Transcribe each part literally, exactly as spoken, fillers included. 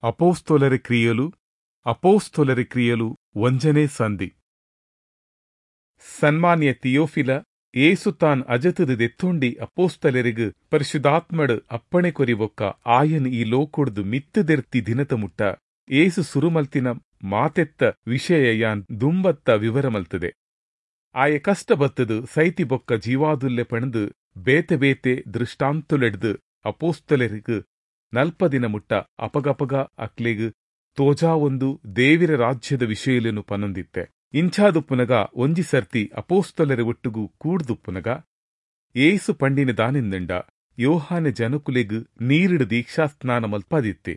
ಅಪೋಸ್ತೋಲರ ಕ್ರಿಯೆಲು ಅಪೋಸ್ತೋಲರ ಕ್ರಿಯೆಲು ಒಂಜನೇ ಸಂಧಿ. ಸನ್ಮಾನ್ಯ ಥಿಯೋಫಿಲ, ಏಸು ತಾನ್ ಅಜತದ ದೆತ್ತೊಂಡಿ ಅಪೋಸ್ತಲರಿಗ್ ಪರಿಶುದ್ಧಾತ್ಮಡ್ ಅಪ್ಪಣೆ ಕೊರಿಬೊಕ್ಕ ಆಯನ್ ಈ ಲೋಕೊಡ್ದು ಮಿತ್ತದೆರ್ತಿ ದಿನತ ಮುಟ್ಟ ಏಸು ಸುರುಮಲ್ತಿನ ಮಾತೆತ್ತ ವಿಷಯ ಯಾನ್ ದುಂಬತ್ತ ವಿವರ ಮಲ್ತದೆ. ಆಯ ಕಷ್ಟ ಬತ್ತದು ಸೈತಿ ಬೊಕ್ಕ ಜೀವಾದುಲ್ಲೆ ಪಣದು ಬೇತೆ ಬೇತೆ ದೃಷ್ಟಾಂತುಲೆಡ್ದು ಅಪೋಸ್ತಲರಿಗ್ ನಲ್ಪ ದಿನ ಮುಟ್ಟ ಅಪಗಪಗ ಅಕ್ಲೆಗ್ ತೋಜಾ ಒಂದು ದೇವಿರ ರಾಜ್ಯದ ವಿಷಯಲೇನು ಪನೊಂದಿತ್ತೆ. ಇಂಚಾದುಪ್ಪುನಗ ಒಂಜಿ ಸರ್ತಿ ಅಪೋಸ್ತಲರ ಒಟ್ಟುಗು ಕೂಡ್ದುಪ್ಪುನಗ ಏಸು ಪಂಡಿನ ದಾನಿಂದಂಡ ಯೋಹಾನೆ ಜನಕುಲೆಗ್ ನೀರಿಡು ದೀಕ್ಷಾಸ್ನಾನ ಮಲ್ಪಾದಿತ್ತೆ.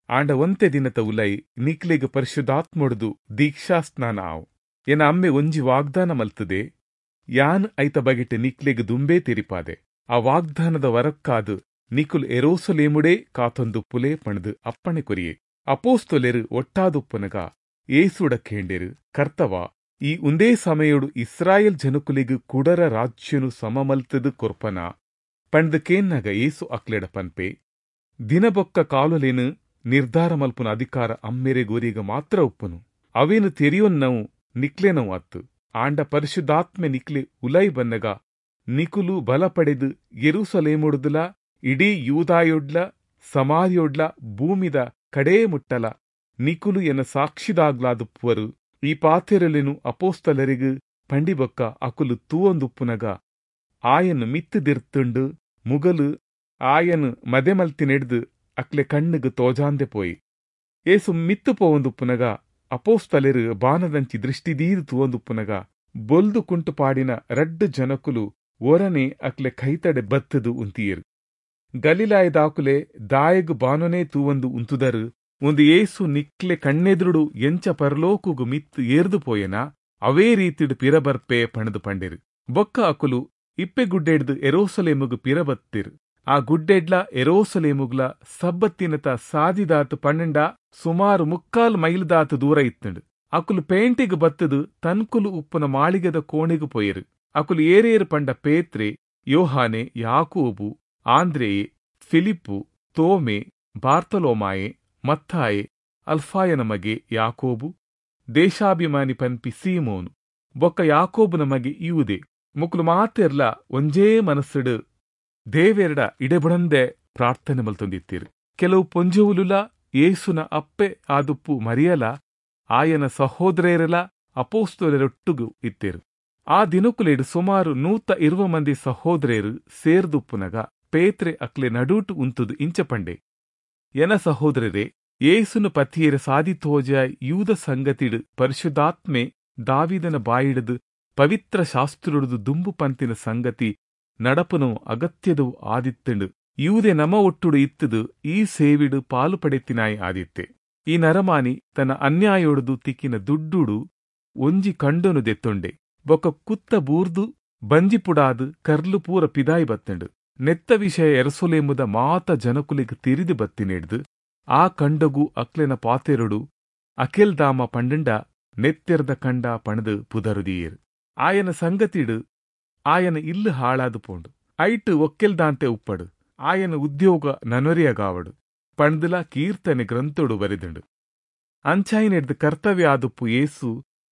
ಆಂಡ ಒಂತೆ ದಿನತ ಉಲೈ ನಿಕ್ಲೆಗ್ ಪರಿಶುದ್ಧಾತ್ಮೊಡ್ದು ದೀಕ್ಷಾಸ್ನಾನ ಆವು. ಎನ ಅಮ್ಮೆ ಒಂಜಿ ವಾಗ್ದಾನ ಮಲ್ತದೆ, ಯಾನ್ ಐತ ಬಗೆಟ್ ನಿಕ್ಲೆಗ್ ದುಂಬೇ ತೆರಿಪಾದೆ. ಆ ವಾಗ್ದಾನದ ವರಕ್ಕಾದ್ ನಿಕುಲ್ ಎರೋಸಲೇಮುಡೇ ಕಾತೊಂದುಪ್ಪುಲೇ ಪಣದು ಅಪ್ಪಣೆ ಕೊರಿಯೆ. ಅಪೋಸ್ತೊಲೆರು ಒಟ್ಟಾದುಪ್ಪುನಗ ಏಸುಡ ಕೇಂಡೆರು, ಕರ್ತವ, ಈ ಉಂದೇ ಸಮಯೋಡು ಇಸ್ರಾಯೇಲ್ ಜನಕುಲೆಗ್ ಕುಡರ ರಾಜ್ಯನು ಸಮಮಲ್ತದು ಕೊರ್ಪನ ಪಂಡ್ದು ಕೇನ್ನಾಗ ಏಸು ಅಕ್ಲೆಡ ಪನ್ಪೆ, ದಿನಬೊಕ್ಕ ಕಾಲುಲೇನು ನಿರ್ಧಾರ ಮಲ್ಪುನ ಅಧಿಕಾರ ಅಮ್ಮೆರೆ ಗೋರಿಗ ಮಾತ್ರ ಉಪ್ಪುನು. ಅವೇನು ತೆರಿಯೊನ್ನವು ನಿಕ್ಲೆನವು ಅತ್ತು. ಆಂಡ ಪರಿಶುದ್ಧಾತ್ಮೆ ನಿಕ್ಲೆ ಉಲೈ ಬನ್ನಗ ನಿಕುಲು ಬಲ ಪಡೆದು ಯೆರೂಸಲೇಮುಡ್ದುಲ ಇಡೀ ಯೂದಾಯೊಡ್ಲ ಸಮಾರ್ಯೊಡ್ಲ ಭೂಮಿದ ಕಡೇ ಮುಟ್ಟಲ ನಿಕುಲು ಎನ್ನ ಸಾಕ್ಷಿದಾಗ್ಲಾದುಪ್ಪುವರು. ಈ ಪಾತೆರಲೆನು ಅಪೋಸ್ತಲರಿಗ್ ಪಂಡಿಬೊಕ್ಕ ಅಕುಲು ತೂವೊಂದುಪ್ಪುನಗ ಆಯನ್ ಮಿತ್ತುದಿರ್ತುಂಡು ಮುಗಲು ಆಯನ್ ಮದೆಮಲ್ತಿನೆಡ್ದು ಅಕ್ಲೆ ಕಣ್ಣುಗು ತೋಜಾಂದೆ ಪೋಯಿ. ಏಸು ಮಿತ್ತು ಪೋವೊಂದುಪ್ಪುನಗ ಅಪೋಸ್ತಲೆರು ಬಾನದಂಚಿ ದೃಷ್ಟಿದೀದು ತೂವೊಂದುಪ್ಪುನಗ ಬೊಲ್ದು ಕುಂಟು ಪಾಡಿನ ರಡ್ಡು ಜನಕುಲು ಒರನೆ ಅಕ್ಲೆ ಕೈತಡೆ ಬತ್ತದು ಉಂತಿಯರು. ಗಲಿಲಾಯದಾಕುಲೆ ದಾಯಗು ಬಾನೊನೇ ತೂವೊಂದು ಉಂತುದರು. ಒಂದು ಏಸು ನಿಕ್ಲೆ ಕಣ್ಣೆದುರುಡು ಎಂಚ ಪರಲೋಕುಗು ಮಿತ್ತು ಏರ್ದು ಪೋಯೆನ ಅವೇ ರೀತಿಡು ಪಿರಬರ್ಪೆ ಪಣದು ಪಂಡೆರು. ಬೊಕ್ಕ ಅಕುಲು ಇಪ್ಪೆ ಗುಡ್ಡೆಡ್ದು ಎರೋಸಲೇಮುಗು ಪಿರಬತ್ತಿರು. ಆ ಗುಡ್ಡೆಡ್ಲ ಎರೋಸಲೇಮುಗ್ಲ ಸಬ್ಬತ್ತಿನತ ಸಾದಿದಾತು ಪಣ್ಣೆಂಡ ಸುಮಾರು ಮುಕ್ಕಾಲು ಮೈಲ್ದಾತು ದೂರ ಇತ್ತುಂಡು. ಅಕುಲು ಪೇಂಟಿಗ್ ಬತ್ತದು ತನ್ಕುಲು ಉಪ್ಪುನ ಮಾಳಿಗೆದ ಕೋಣೆಗು ಪೋಯೆರು. ಅಕುಲು ಏರೇರು ಪಂಡ ಪೇತ್ರೆ, ಯೋಹಾನೆ, ಯಾಕೋಬು, ಆಂದ್ರೆಯೆ, ಫಿಲಿಪ್ಪು, ತೋಮೆ, ಬಾರ್ತಲೋಮಾಯೆ, ಮತ್ತಾಯೆ, ಅಲ್ಫಾಯನ ಮಗೆ ಯಾಕೋಬು, ದೇಶಾಭಿಮಾನಿ ಪನ್ಪಿ ಸೀಮೋನು, ಬೊಕ್ಕ ಯಾಕೋಬುನ ಮಗೆ ಯೂದೆ. ಮುಕುಲು ಮಾತೆರ್ಲ ಒಂಜೇ ಮನಸ್ಸುಡು ದೇವೆರಡ ಇಡೆಬುಡಂದೆ ಪ್ರಾರ್ಥನೆ ಮಲ್ತೊಂದಿತ್ತೀರು. ಕೆಲವು ಪೊಂಜುವುಲುಲ ಏಸುನ ಅಪ್ಪೆ ಆದುಪ್ಪು ಮರಿಯಲ ಆಯನ ಸಹೋದರೆರಲ ಅಪೋಸ್ತೊಲೆರೊಟ್ಟುಗು ಇತ್ತೀರು. ಆ ದಿನಕುಲೇಡು ಸುಮಾರು ನೂತ ಇರುವ ಮಂದಿ ಸಹೋದರೆರು ಸೇರ್ದುಪ್ಪುನಗ ಪೇತ್ರೆ ಅಕ್ಲೆ ನಡೂಟು ಉಂತುದು ಇಂಚ ಪಂಡೆ, ಎನ ಸಹೋದರರೇ, ಏಸುನು ಪತಿಯರ ಸಾದಿತೋಜ ಯೂದ ಸಂಗತಿಡು ಪರಿಶುದ್ಧಾತ್ಮೆ ದಾವಿದನ ಬಾಯಿಡದು ಪವಿತ್ರ ಶಾಸ್ತ್ರುಡುದು ದುಂಬು ಪಂತಿನ ಸಂಗತಿ ನಡಪುನು ಅಗತ್ಯದವು ಆದಿತ್ತಂಡು. ಯೂದೆ ನಮ ಒಟ್ಟುಡು ಇತ್ತದು ಈ ಸೇವಿಡು ಪಾಲು ಪಡೆತಿನಾಯಿ ಆದಿತ್ತೆ. ಈ ನರಮಾನಿ ತನ್ನ ಅನ್ಯಾಯೊಡುದು ತಿಕ್ಕಿನ ದುಡ್ಡುಡು ಒಂಜಿ ಕಂಡನು ದೆತ್ತೊಂಡೆ. ಬೊಕ್ಕ ಕುತ್ತ ಬೂರ್ದು ಬಂಜಿಪುಡಾದು ಕರ್ಲು ಪೂರ ಪಿದಾಯಿ ಬತ್ತಂಡು. ನೆತ್ತ ವಿಷಯ ಎರಸೊಲೇಮುದ ಮಾತ ಜನಕುಲಿಗ್ ತಿರಿದು ಬತ್ತಿನೆಡ್ದು ಆ ಕಂಡಗು ಅಕ್ಲೆನ ಪಾತೆರೊಡು ಅಕೆಲ್ದಾಮ ಪಂಡಂಡ ನೆತ್ತೆರ್ದ ಕಂಡ ಪಣದು ಪುದರುದಿಯೇರು. ಆಯನ ಸಂಗತಿಡು ಆಯನ ಇಲ್ಲು ಹಾಳಾದು ಪೋಂಡು. ಐಟು ಒಕ್ಕೆಲ್ದಾಂತೆ ಉಪ್ಪಡು, ಆಯನ ಉದ್ಯೋಗ ನನೊರಿಯಗಾವಡು ಪಂಡ್ದಲ ಕೀರ್ತನೆ ಗ್ರಂಥೊಡು ಬರೆದುಂಡು. ಅಂಚಾಯಿನೆಡ್ದು ಕರ್ತವ್ಯ ಆದುಪ್ಪು ಏಸು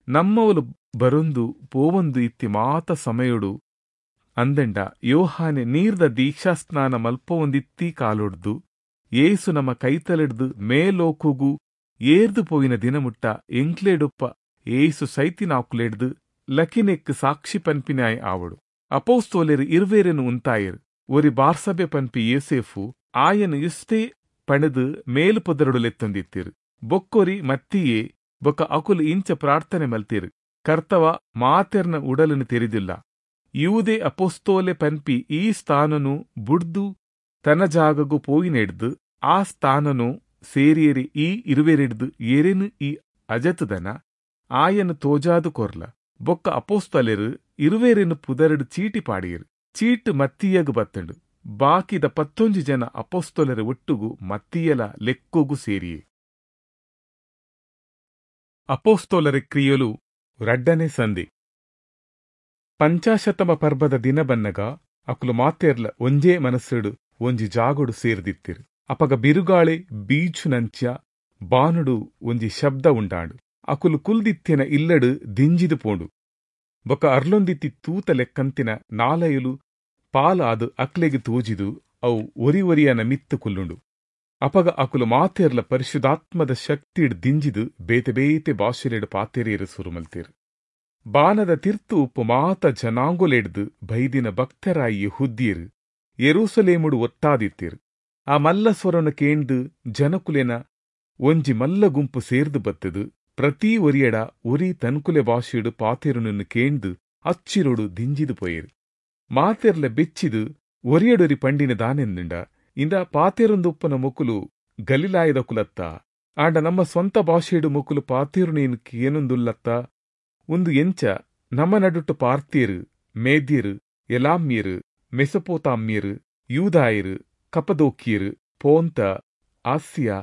ನಮ್ಮವಲು ಬರೊಂದು ಪೋವೊಂದು ಇತ್ತಿ ಮಾತ ಸಮಯೊಡು ಅಂದಂಡ ಯೋಹಾನೆ ನೀರ್ದ ದೀಕ್ಷಾಸ್ನಾನ ಮಲ್ಪೊಂದಿತ್ತಿ ಕಾಲೊಡ್ದು ಏಸು ನಮ್ಮ ಕೈತಲೆಡ್ದು ಮೇಲೋಕುಗು ಏರ್ದು ಪೋಯಿನ ದಿನಮುಟ್ಟ ಎಂಕ್ಲೇಡುಪ್ಪ ಏಸು ಸೈತಿನಾಕುಲೆಡ್ದು ಲಕಿನೆಕ್ ಸಾಕ್ಷಿ ಪನ್ಪಿನಾಯ್ ಆವಡು. ಅಪೋಸ್ತೋಲೆರು ಇರ್ವೇರೆನು ಉಂತಾಯರು. ಒರಿ ಬಾರ್ಸಬೆ ಪನ್ಪಿ ಯೇಸೇಫು ಆಯನು ಇಷ್ಟೇ ಪಣದು ಮೇಲು ಪೊದರಡು ಲೆತ್ತೊಂದಿತ್ತಿರು. ಬೊಕ್ಕೊರಿ ಮತ್ತಿಯೇ ಬೊಕ್ಕ ಅಕುಲು ಇಂಚ ಪ್ರಾರ್ಥನೆ ಮಲ್ತಿರು, ಕರ್ತವ ಮಾತೆರ್ನ ಉಡಲನ್ನು ತೆರಿದಿಲ್ಲ, ಯೂದೆ ಅಪೋಸ್ತೋಲೆ ಪನ್ಪಿ ಈ ಸ್ಥಾನನು ಬುಡ್ದು ತನ್ನ ಜಾಗಗು ಪೋಯಿನೆಡ್ದು ಆ ಸ್ಥಾನನು ಸೇರಿಯರಿ ಈ ಇರುವೆರೆಡ್ದು ಏರೇನು ಈ ಅಜತದನ ಆಯನು ತೋಜಾದು ಕೊರ್ಲ. ಬೊಕ್ಕ ಅಪೋಸ್ತಲೆರು ಇರುವೇರೆನು ಪುದರಡು ಚೀಟಿ ಪಾಡಿಯರು. ಚೀಟು ಮತ್ತಿಯಗು ಬತ್ತಂಡು. ಬಾಕಿದ ಪತ್ತೊಂಜಿ ಜನ ಅಪೋಸ್ತೊಲರ ಒಟ್ಟುಗು ಮತ್ತಿಯಲ ಲೆಕ್ಕೋಗು ಸೇರಿಯೆ. ಅಪೋಸ್ತೋಲರ ಕ್ರಿಯಲು ರಡ್ಡನೆ ಸಂಧಿ. ಪಂಚಾಶತಮ ಪರ್ಬದ ದಿನ ಬನ್ನಗ ಅಕುಲು ಮಾತೆರ್ಲ ಒಂಜೇ ಮನಸ್ಸುಡು ಒಂಜಿ ಜಾಗೊಡು ಸೇರ್ದಿತ್ತಿರು. ಅಪಗ ಬಿರುಗಾಳಿ ಬೀಚುನಂಚ ಬಾನುಡು ಒಂಜಿ ಶಬ್ದ ಉಂಡಾಂಡ್. ಅಕುಲು ಕುಲ್ದಿತ್ತಿನ ಇಲ್ಲಡು ದಿಂಜಿದು ಪೋಂಡು. ಬೊಕ ಅರ್ಲೊಂದಿತ್ತಿ ತೂತ ಲೆಕ್ಕಂತಿನ ನಾಲಯುಲು ಪಾಲಾದ್ ಅಕ್ಲೆಗ್ ತೋಜಿದು ಅವು ಒರಿ ಒರಿಯನ ಮಿತ್ತು ಕುಲ್ಲುಂಡು. ಅಪಗ ಅಕುಲು ಮಾತೆರ್ಲ ಪರಿಶುದ್ಧಾತ್ಮದ ಶಕ್ತಿಡ್ ದಿಂಜಿದು ಬೇತೆ ಬೇತೆ ಭಾಷೆಲೆಡ್ ಪಾತೆರಿಯೆರೆ ಸುರು ಮಲ್ತೆರ್. ಬಾನದ ತಿರ್ತ್ ಉಪ್ಪು ಮಾತ ಜನಾಂಗೊಲೆಡ್ದ್ ಬೈದಿನ ಭಕ್ತೆರಾಯಿ ಯೆಹೂದ್ಯೆರ್ ಯೆರೂಸಲೇಮುಡು ಒಟ್ಟಾದಿತ್ತೆರ್. ಆ ಮಲ್ಲ ಸ್ವರೊನು ಕೇಂಡ್ದ್ ಜನೊಕುಲೆನ ಒಂಜಿ ಮಲ್ಲ ಗುಂಪು ಸೇರ್ದ್ ಬತ್ತ್ದ್ ಪ್ರತಿ ಒರಿಯಡ ಒರಿ ತನ್ಕುಲೆ ಭಾಷೆಡ್ ಪಾತೆರುನೆನ್ ಕೇಂಡ್ದ್ ಅಚ್ಚಿರೊಡು ದಿಂಜಿದ್ ಪೋಯೆರ್. ಮಾತೆರ್ಲ ಬೆಚ್ಚಿದ್ ಒರಿಯಡೊರಿ ಪಂಡಿನಿ ದಾನೆಂದ್ಂಡ, ಇಂದಾ, ಪಾತೆರೊಂದುಪ್ಪುನ ಮೊಕುಲು ಗಲಿಲಾಯದಾಕುಲತ್ತಾ? ಆಂಡ ನಮ ಸ್ವಂತ ಭಾಷೆಡ್ ಮೊಕುಲು ಪಾತೆರುನೆನ್ ಕೇನೊಂದುಲ್ಲತ್ತಾ? ಉಂದು ಎಂಚ ನಮ ನಡುಟು ಪಾರ್ಥಿಯೆರ್, ಮೇದ್ಯೆರ್, ಎಲಾಮ್ಯೆರ್, ಮೆಸೊಪೊತಾಮ್ಯೆರ್, ಯೂದಾಯೆರ್, ಕಪದೋಕ್ಯೆರ್, ಪೋಂತ, ಆಸ್ಯ,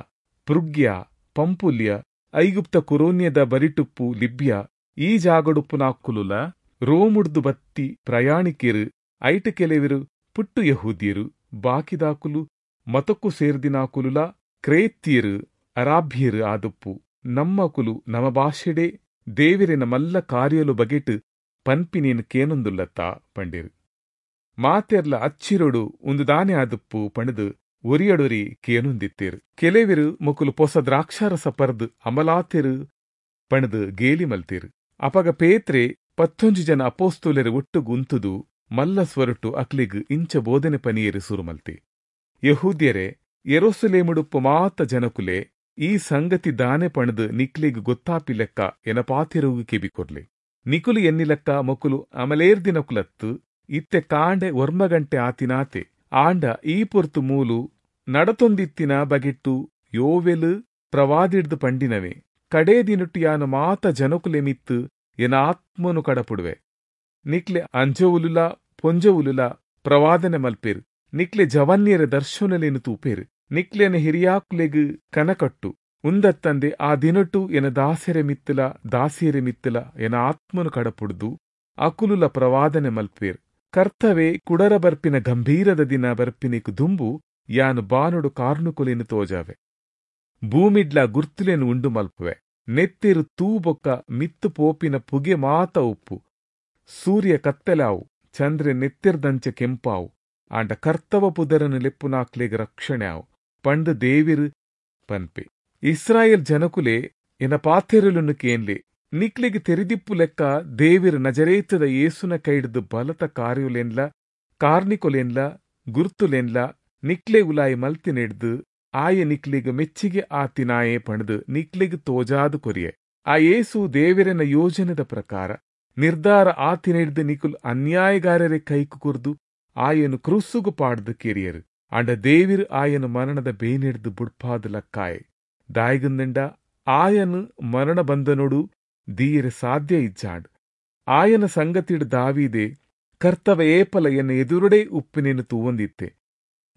ಪ್ರುಗ್ಯ, ಪಂಫುಲ್ಯ, ಐಗುಪ್ತ ಕುರೋನ್ಯದ ಬರಿಟ್ಟುಪ್ಪು ಲಿಬ್ಯ ಈ ಜಾಗ್ಡುಪ್ಪುನಾಕುಲುಲಾ ರೋಮುಡ್ದು ಬತ್ತಿ ಪ್ರಯಾಣಿಕೆರ್ ಐಟ್ಟ್ ಕೆಲೆವೆರ್ ಪುಟ್ಟು ಯೆಹೂದ್ಯೆರ್ ಬಾಕಿದಾಕುಲು ಮತೊಕ್ಕು ಸೇರ್ದಿನಾಕುಲುಲಾ ಕ್ರೇತ್ಯೆರ್ ಅರಾಬ್ಯೆರ್ ಆದುಪ್ಪು ನಮ್ಮಾಕುಲು ನಮ ಭಾಷೆಡೇ ದೇವೆರೆನ ಮಲ್ಲ ಕಾರ್ಯೊಲು ಬಗೆಟ್ ಪನ್ಪಿನೆನ್ ಕೇನೊಂದುಲ್ಲತ್ತಾ ಪಂಡೆರ್. ಮಾತೆರ್ಲ ಅಚ್ಚಿರೊಡು ಉಂದು ದಾನೆ ಆದುಪ್ಪು ಪಂಡ್ದ್ ಒರಿಯಡೊರಿ ಕೇನೊಂದಿತ್ತೆರ್. ಕೆಲೆವೆರ್ ಮೊಕುಲು ಪೊಸ ದ್ರಾಕ್ಷಾರಸ ಪರ್ದ್ ಅಮಲಾತೆರ್ ಪಂಡ್ದ್ ಗೇಲಿ ಮಲ್ತೆರ್. ಅಪಗ ಪೇತ್ರೆ ಪತ್ತೊಂಜಿ ಜನ ಅಪೊಸ್ತಲೆರೆ ಒಟ್ಟುಗು ಉಂತುದು ಮಲ್ಲ ಸ್ವರೊಟ್ಟು ಅಕ್ಲೆಗ್ ಇಂಚ ಬೋಧನೆ ಪನಿಯೆರೆ ಸುರು ಮಲ್ತೆ, ಯೆಹೂದ್ಯೆರೇ, ಯೆರೂಸಲೇಮುಡುಪ್ಪು ಮಾತ ಜನೊಕುಲೇ, ಈ ಸಂಗತಿ ದಾನೆ ಪಂಡ್ದ್ ನಿಕ್ಲೆಗ್ ಗೊತ್ತಾಪಿಲೆಕ್ಕ ಎನ ಪಾತೆರೊಗು ಕೆಬಿ ಕೊರ್ಲೆ. ನಿಕುಲು ಎನ್ನಿಲೆಕ್ಕ ಮೊಕುಲು ಅಮಲೇರ್ದಿನಕುಲತ್ತ್, ಇತ್ತೆ ಕಾಂಡೆ ಒರ್ಂಬ ಗಂಟೆ ಆತಿನಾತೆ. ಆಂಡ ಈ ಪೊರ್ತು ಮೂಲು ನಡತೊಂದಿತ್ತಿನ ಬಗೆಟ್ಟು ಯೋವೆಲ್ ಪ್ರವಾದಿಡ್ದ್ ಪಂಡಿನವೇ, ಕಡೇ ದಿನೊಟು ಯಾನ್ ಮಾತ ಜನೊಕುಲೆ ಮಿತ್ತ್ ಎನ ಆತ್ಮನು ಕಡಪುಡುವೆ. ನಿಕ್ಲೆ ಅಂಜೊವುಲುಲಾ ಪೊಂಜೊವುಲುಲಾ ಪ್ರವಾದನೆ ಮಲ್ಪೆರ್, ನಿಕ್ಲೆ ಜವನ್ಯೆರೆ ದರ್ಶನೊಲೆನ್ ತೂಪೆರ್, ನಿಕ್ಲೆನ ಹಿರಿಯಾಕುಲೆಗ್ ಕನಕಟ್ಟು. ಉಂದತ್ತಂದೆ ಆ ದಿನೊಟು ಎನ ದಾಸೆರೆ ಮಿತ್ತಲ ದಾಸಿಯೆರೆ ಮಿತ್ತಲ ಎನ ಆತ್ಮನು ಕಡಪುಡ್ದು ಅಕುಲುಲ ಪ್ರವಾದನೆ ಮಲ್ಪುವೆರ್. ಕರ್ತವೆ ಕುಡರ ಬರ್ಪಿನ ಗಂಭೀರದ ದಿನ ಬರ್ಪಿನೆಕ್ಕ್ ದುಂಬು ಯಾನ್ ಬಾನೊಡು ಕಾರ್ನಿಕೊಲೆನ್ ತೋಜಾವೆ. ಭೂಮಿಡ್ಲಾ ಗುರ್ತುಲೆನ್ ಉಂಡು ಮಲ್ಪುವೆ. ನೆತ್ತೆರ್, ತೂ ಬೊಕ್ಕ ಮಿತ್ತ್ ಪೋಪಿನ ಪುಗೆ ಮಾತ ಉಪ್ಪು. ಸೂರ್ಯ ಕತ್ತಲೆ ಆವು, ಚಂದ್ರೆ ನೆತ್ತೆರ್ದಂಚ ಕೆಂಪಾವು. ಆಂಡ ಕರ್ತವ ಪುದರನ್ ಲೆಪ್ಪುನಾಕ್ಲೆಗ್ ರಕ್ಷಣೆ ಆವು ಪಂಡ್ದ್ ದೇವೆರ್ ಪನ್ಪೆ. ಇಸ್ರಾಯೇಲ್ ಜನಕುಲೇ, ಎನ ಪಾತೆರೊಲೆನ್ ಕೇನ್ಲೆ. ನಿಕ್ಲೆಗ್ ತೆರಿದಿಪ್ಪುಲೆಕ್ಕ ದೇವೆರ್ ನಜರೇತದ ಯೇಸುನ ಕೈಡ್ದ್ ಬಲತ ಕಾರ್ಯೊಲೆನ್ಲಾ ಕಾರ್ನಿಕೊಲೆನ್ಲಾ ಗುರ್ತುಲೆನ್ಲಾ ನಿಕ್ಲೆ ಉಲಾಯಿ ಮಲ್ತಿನೆಡ್ದ್ ಆಯೆ ನಿಕ್ಲೆಗ್ ಮೆಚ್ಚಿಗೆ ಆತಿನಾಯೆ ಪಂಡ್ದ್ ನಿಕ್ಲೆಗ್ ತೋಜಾದ್ ಕೊರಿಯೆ. ಆ ಯೇಸು ದೇವೆರೆನ ಯೋಜನೆದ ಪ್ರಕಾರ ನಿರ್ಧಾರ ಆತಿನೆಡ್ದ್ ನಿಕುಲು ಅನ್ಯಾಯಗಾರರೆ ಕೈಕ್ ಕೊರ್ದು ಆಯನ್ ಕ್ರುಸ್ಸುಗು ಪಾಡ್ದ್ ಕೆರಿಯರ್. ಆಂಡ ದೇವೆರ್ ಆಯನ್ ಮರಣದ ಬೇನೆಡ್ದ್ ಬುಡ್ಪಾದ್ ಲಕ್ಕಾಯೆ. ದಾಯೆಗಂದ್ಂಡ ಆಯನ್ ಮರಣ ಬಂಧನೊಡು ದೀಯೆರೆ ಸಾಧ್ಯ ಇಜ್ಜಾಂಡ್. ಆಯನ ಸಂಗತಿಡ್ ದಾವೀದೆ, ಕರ್ತವೆ ಏಪಲ ಎನ್ನ ಎದುರುಡೇ ಉಪ್ಪಿನೆನ್ ತೂವೊಂದಿತ್ತೆ,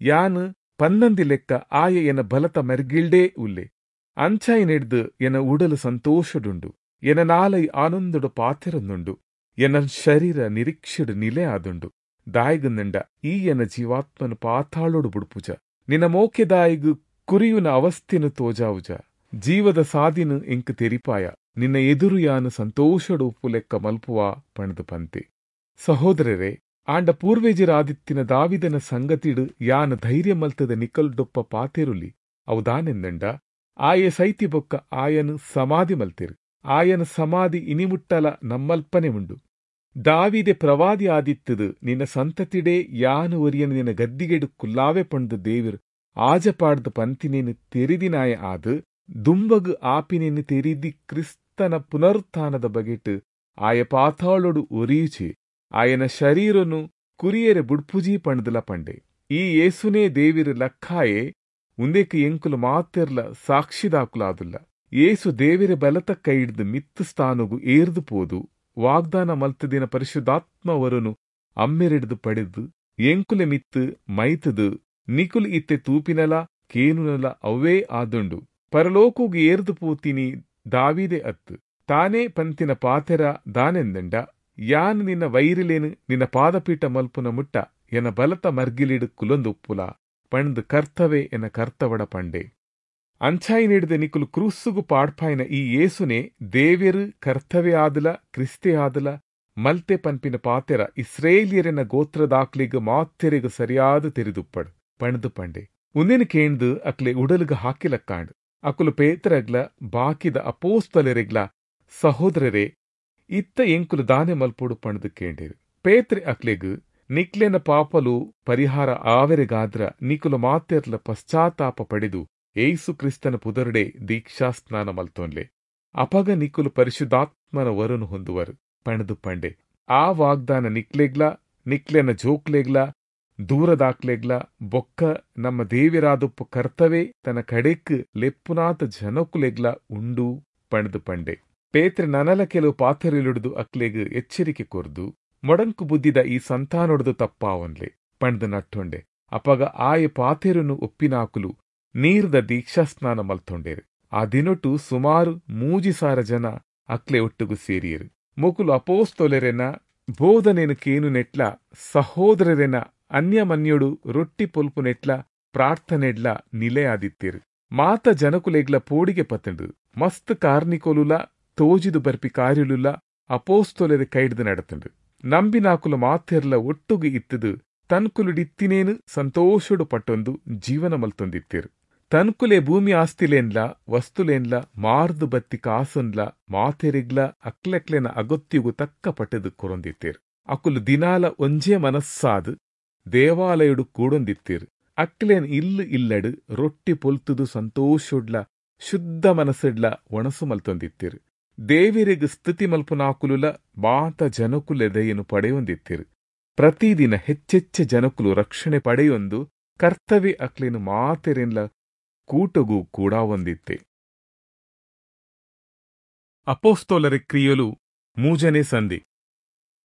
ಯಾನ್ ಪನ್ನಂದಿ ಲೆಕ್ಕ ಆಯೆ ಎನ ಬಲತ ಮರ್ಗಿಲ್ಡೇ ಉಲ್ಲೆ. ಅಂಚಾಯಿನೆಡ್ದ್ ಎನ ಉಡಲು ಸಂತೋಷಡುಂಡು, ಎನ ನಾಲೈ ಆನಂದೊಡು ಪಾತೆರೊಂದುಂಡು, ಎನ ಶರೀರ ನಿರೀಕ್ಷೆಡ್ ನಿಲೆ ಆದುಂಡು. ದಾಯೆಗಂದ್ಂಡ ಈ ಎನ ಜೀವಾತ್ಮನ್ ಪಾತಾಳೊಡು ಬುಡ್ಪುಜ, ನಿನ ಮೋಕೆದಾಯಿಗ್ ಕುರಿಯುನ ಅವಸ್ಥೆನ್ ತೋಜಾವುಜ. ಜೀವದ ಸಾದಿನ್ ಎಂಕ್ ತೆರಿಪಾಯ, ನಿನ್ನ ಎದುರು ಯಾನ್ ಸಂತೋಷಡು ಉಪ್ಪುಲೆಕ್ಕ ಮಲ್ಪುವ ಪಂಡ್ದ್ ಪಂತೆ. ಸಹೋದರರೇ, ಆಂಡ ಪೂರ್ವೆಜೆರಾದಿತ್ತಿನ ದಾವೀದನ ಸಂಗತಿಡ್ ಯಾನ್ ಧೈರ್ಯ ಮಲ್ತ್ದ್ ನಿಕಲ್ಡೊಪ್ಪ ಪಾತೆರೊಲಿ. ಅವು ದಾನೆಂದ್ಂಡ, ಆಯೆ ಸೈತಿ ಬೊಕ್ಕ ಆಯನ್ ಸಮಾಧಿ ಮಲ್ತೆರ್. ಆಯನ ಸಮಾಧಿ ಇನಿ ಮುಟ್ಟಲ ನಮ್ಮಲ್ಪನೆ ಉಂಡು. ದಾವೀದೆ ಪ್ರವಾದಿ ಆದಿತ್ತ್ದ್, ನಿನ ಸಂತತಿಡೇ ಯಾನ್ ಒರಿಯನ್ ನಿನ ಗದ್ದಿಗೆಡ್ ಕುಲ್ಲಾವೆ ಪಂಡ್ದ್ ದೇವೆರ್ ಆಜ ಪಾಡ್ದ್ ಪನ್ತಿನೆನ್ ತೆರಿದಿನಾಯೆ ಆದ್, ದುಂಬಗ್ ಆಪಿನೆನ್ ತೆರಿದಿ ಕ್ರಿಸ್ತನ ಪುನರುತ್ಥಾನದ ಬಗೆಟ್ ಆಯೆ ಪಾತಾಳೊಡು ಒರಿಯುಜೆ, ಆಯನ ಶರೀರೊನು ಕುರಿಯೆರೆ ಬುಡ್ಪುಜಿ ಪಂಡ್ದ್ಲಾ ಪಂಡೆ. ಈ ಯೇಸುನೇ ದೇವೆರ್ ಲಕ್ಕಾಯೆ, ಉಂದೆಕ್ಕ್ ಎಂಕುಲು ಮಾತೆರ್ಲ ಸಾಕ್ಷಿದಾಕುಲಾದುಲ್ಲ. ಯೇಸು ದೇವೆರೆ ಬಲತ ಕೈಡ್ದ್ ಮಿತ್ತ್ ಸ್ಥಾನೊಗು ಏರ್ದ್ ಪೋದು ವಾಗ್ದಾನ ಮಲ್ತ್ದಿನ ಪರಿಶುದ್ಧಾತ್ಮ ವರೊನು ಅಮ್ಮೆರೆಡ್ದ್ ಪಡೆದ್ ಎಂಕುಲೆ ಮಿತ್ತ್ ಮೈತ್ದ್ ನಿಕುಲು ಇತ್ತೆ ತೂಪಿನಲಾ ಕೇನುನಲಾ ಅವ್ವೇ ಆದುಂಡು. ಪರಲೋಕೊಗು ಏರ್ದ್ ಪೋತಿನಿ ದಾವೀದೆ ಅತ್ತ್. ತಾನೇ ಪನ್ತಿನ ಪಾತೆರ ದಾನೆಂದ್ಂಡ, ಯಾನ್ ನಿನ ವೈರಿಲೆನ್ ನಿನ ಪಾದಪೀಠ ಮಲ್ಪುನ ಮುಟ್ಟ ಎನ ಬಲತ ಮರ್ಗಿಲ್ಡ್ ಕುಲ್ಲೊಂದುಪ್ಪುಲ, ಪಂಡ್ದ್ ಕರ್ತವೆ ಎನ ಕರ್ತವಡ ಪಂಡೆ. ಅಂಚಾಯಿನಿಡ್ದು ನಿಕುಲು ಕ್ರೂಸ್ಸುಗು ಪಾಡ್ಪಾಯಿನ ಈ ಯೇಸುನೆ ದೇವೆರು ಕರ್ತವ್ಯ ಆದಲ ಕ್ರಿಸ್ತೆ ಆದಲ ಮಲ್ತೆ ಪನ್ಪಿನ ಪಾತೆರ ಇಸ್ರೇಲಿಯರೆನ ಗೋತ್ರದಾಕ್ಲಿಗ್ ಮಾತೆರೆಗ್ ಸರಿಯಾದ ತೆರಿದುಪ್ಪಡ್ ಪಣದು ಪಂಡೆ. ಉಂದೆನ್ ಕೇಂದು ಅಕ್ಲೆ ಉಡಲ್ಗ್ ಹಾಕಿಲಕ್ಕಾಂಡ್. ಅಕುಲು ಪೇತ್ರಗ್ಲ ಬಾಕಿದ ಅಪೋಸ್ತಲೆರೆಗ್ಲ, ಸಹೋದರರೇ, ಇತ್ತ ಎಂಕುಲು ದಾನೆ ಮಲ್ಪೊಡು ಪಣದು ಕೇಂಡೇರು. ಪೇತ್ರೆ ಅಕ್ಲೆಗ್, ನಿಕ್ಲೆನ ಪಾಪಲು ಪರಿಹಾರ ಆವೆರೆಗಾದ್ರ ನಿಕುಲು ಮಾತೆರ್ಲ ಪಶ್ಚಾತ್ತಾಪ ಪಡೆದು ಏಸು ಕ್ರಿಸ್ತನ ಪುದರುಡೆ ದೀಕ್ಷಾಸ್ನಾನ ಮಲ್ತೊನ್ಲೆ, ಅಪಗ ನಿಕುಲು ಪರಿಶುದ್ಧಾತ್ಮನ ವರನು ಹೊಂದುವರು ಪಣದು ಪಂಡೆ. ಆ ವಾಗ್ದಾನ ನಿಕ್ಲೆಗ್ಲ ನಿಕ್ಲೆನ ಜೋಕ್ಲೆಗ್ಲ ದೂರದಾಕ್ಲೆಗ್ಲ ಬೊಕ್ಕ ನಮ್ಮ ದೇವಿರಾದುಪ್ಪು ಕರ್ತವೇ ತನ್ನ ಕಡೆಕ್ ಲೆಪ್ಪುನಾಥ ಜನಕುಲೆಗ್ಲ ಉಂಡು ಪಣದು ಪಂಡೆ. ಪೇತ್ರೆ ನನಲ ಕೆಲವು ಪಾಥರಿಲುಡ್ದು ಅಕ್ಲೆಗ್ ಎಚ್ಚರಿಕೆ ಕೊರ್ದು, ಮೊಡಂಕು ಬುದ್ಧಿದ ಈ ಸಂತಾನೊಡ್ದು ತಪ್ಪಾವನ್ಲೆ ಪಂಡ್ದು ನಟ್ಟೊಂಡೆ. ಅಪಗ ಆಯ ಪಾತೆರುನು ಒಪ್ಪಿನಾಕುಲು ನೀರ್ದ ದೀಕ್ಷಾಸ್ನಾನ ಮಲ್ತೊಂಡೇರು. ಆ ದಿನೊಟು ಸುಮಾರು ಮೂಜಿ ಸಾರ ಜನ ಅಕ್ಲೆ ಒಟ್ಟುಗು ಸೇರಿಯರು. ಮೊಕುಲು ಅಪೋಸ್ತೊಲೆರೆನ ಬೋಧನೆನು ಕೇನು ನೆಟ್ಲ, ಸಹೋದರರೆನ ಅನ್ಯಮನ್ಯೊಡು ರೊಟ್ಟಿ ಪೊಲ್ಪು ನೆಟ್ಲ, ಪ್ರಾರ್ಥನೆಡ್ಲ ನಿಲೆಯಾದಿತ್ತೀರು. ಮಾತ ಜನಕುಲೆಗ್ಲ ಪೋಡಿಗೆ ಪತ್ತಂಡು. ಮಸ್ತ್ ಕಾರ್ನಿಕೊಲುಲ ತೋಜಿದು ಬರ್ಪಿ ಕಾರ್ಯಲುಲ ಅಪೋಸ್ತೊಲೆರೆ ಕೈಡ್ದು ನಡತಂಡು. ನಂಬಿನಾಕುಲು ಮಾತೆರ್ಲ ಒಟ್ಟುಗು ಇತ್ತದು ತನ್ಕುಲುಡಿತ್ತಿನೇನು ಸಂತೋಷಡು ಪಟ್ಟೊಂದು ಜೀವನ ಮಲ್ತೊಂದಿತ್ತೀರು. ತನ್ಕುಲೆ ಭೂಮಿ ಆಸ್ತಿಲೇನ್ಲ ವಸ್ತುಲೇನ್ಲ ಮಾರ್ದು ಬತ್ತಿ ಕಾಸುನ್ಲ ಮಾತೆರಿಗ್ಲ ಅಕ್ಲೆಕ್ಲೆನ ಅಗತ್ಯಗು ತಕ್ಕ ಪಟ್ಟದು ಕೊರೊಂದಿತ್ತೀರು. ಅಕುಲು ದಿನಾಲ ಒಂಜೇ ಮನಸ್ಸಾದು ದೇವಾಲಯಡು ಕೂಡೊಂದಿತ್ತೀರು. ಅಕ್ಲೇನ್ ಇಲ್ಲು ಇಲ್ಲಡು ರೊಟ್ಟಿ ಪೊಲ್ತುದು ಸಂತೋಷುಡ್ಲ ಶುದ್ಧ ಮನಸ್ಸುಡ್ಲ ಒಣಸು ಮಲ್ತೊಂದಿತ್ತೀರು. ದೇವಿರಿಗ್ ಸ್ತುತಿ ಮಲ್ಪುನಾಕುಲುಲ ಮಾತ ಜನಕುಲೆದೆಯನ್ನು ಪಡೆಯೊಂದಿತ್ತೀರು. ಪ್ರತಿದಿನ ಹೆಚ್ಚೆಚ್ಚ ಜನಕುಲು ರಕ್ಷಣೆ ಪಡೆಯೊಂದು ಕರ್ತವ್ಯ ಅಕ್ಲೇನು ಮಾತೆರೆನ್ಲ ಕೂಟಗೂ ಕೂಡ ಒಂದಿತ್ತೆ. ಅಪೋಸ್ತೋಲರ ಕ್ರಿಯಲು ಮೂಜನೇ ಸಂಧಿ.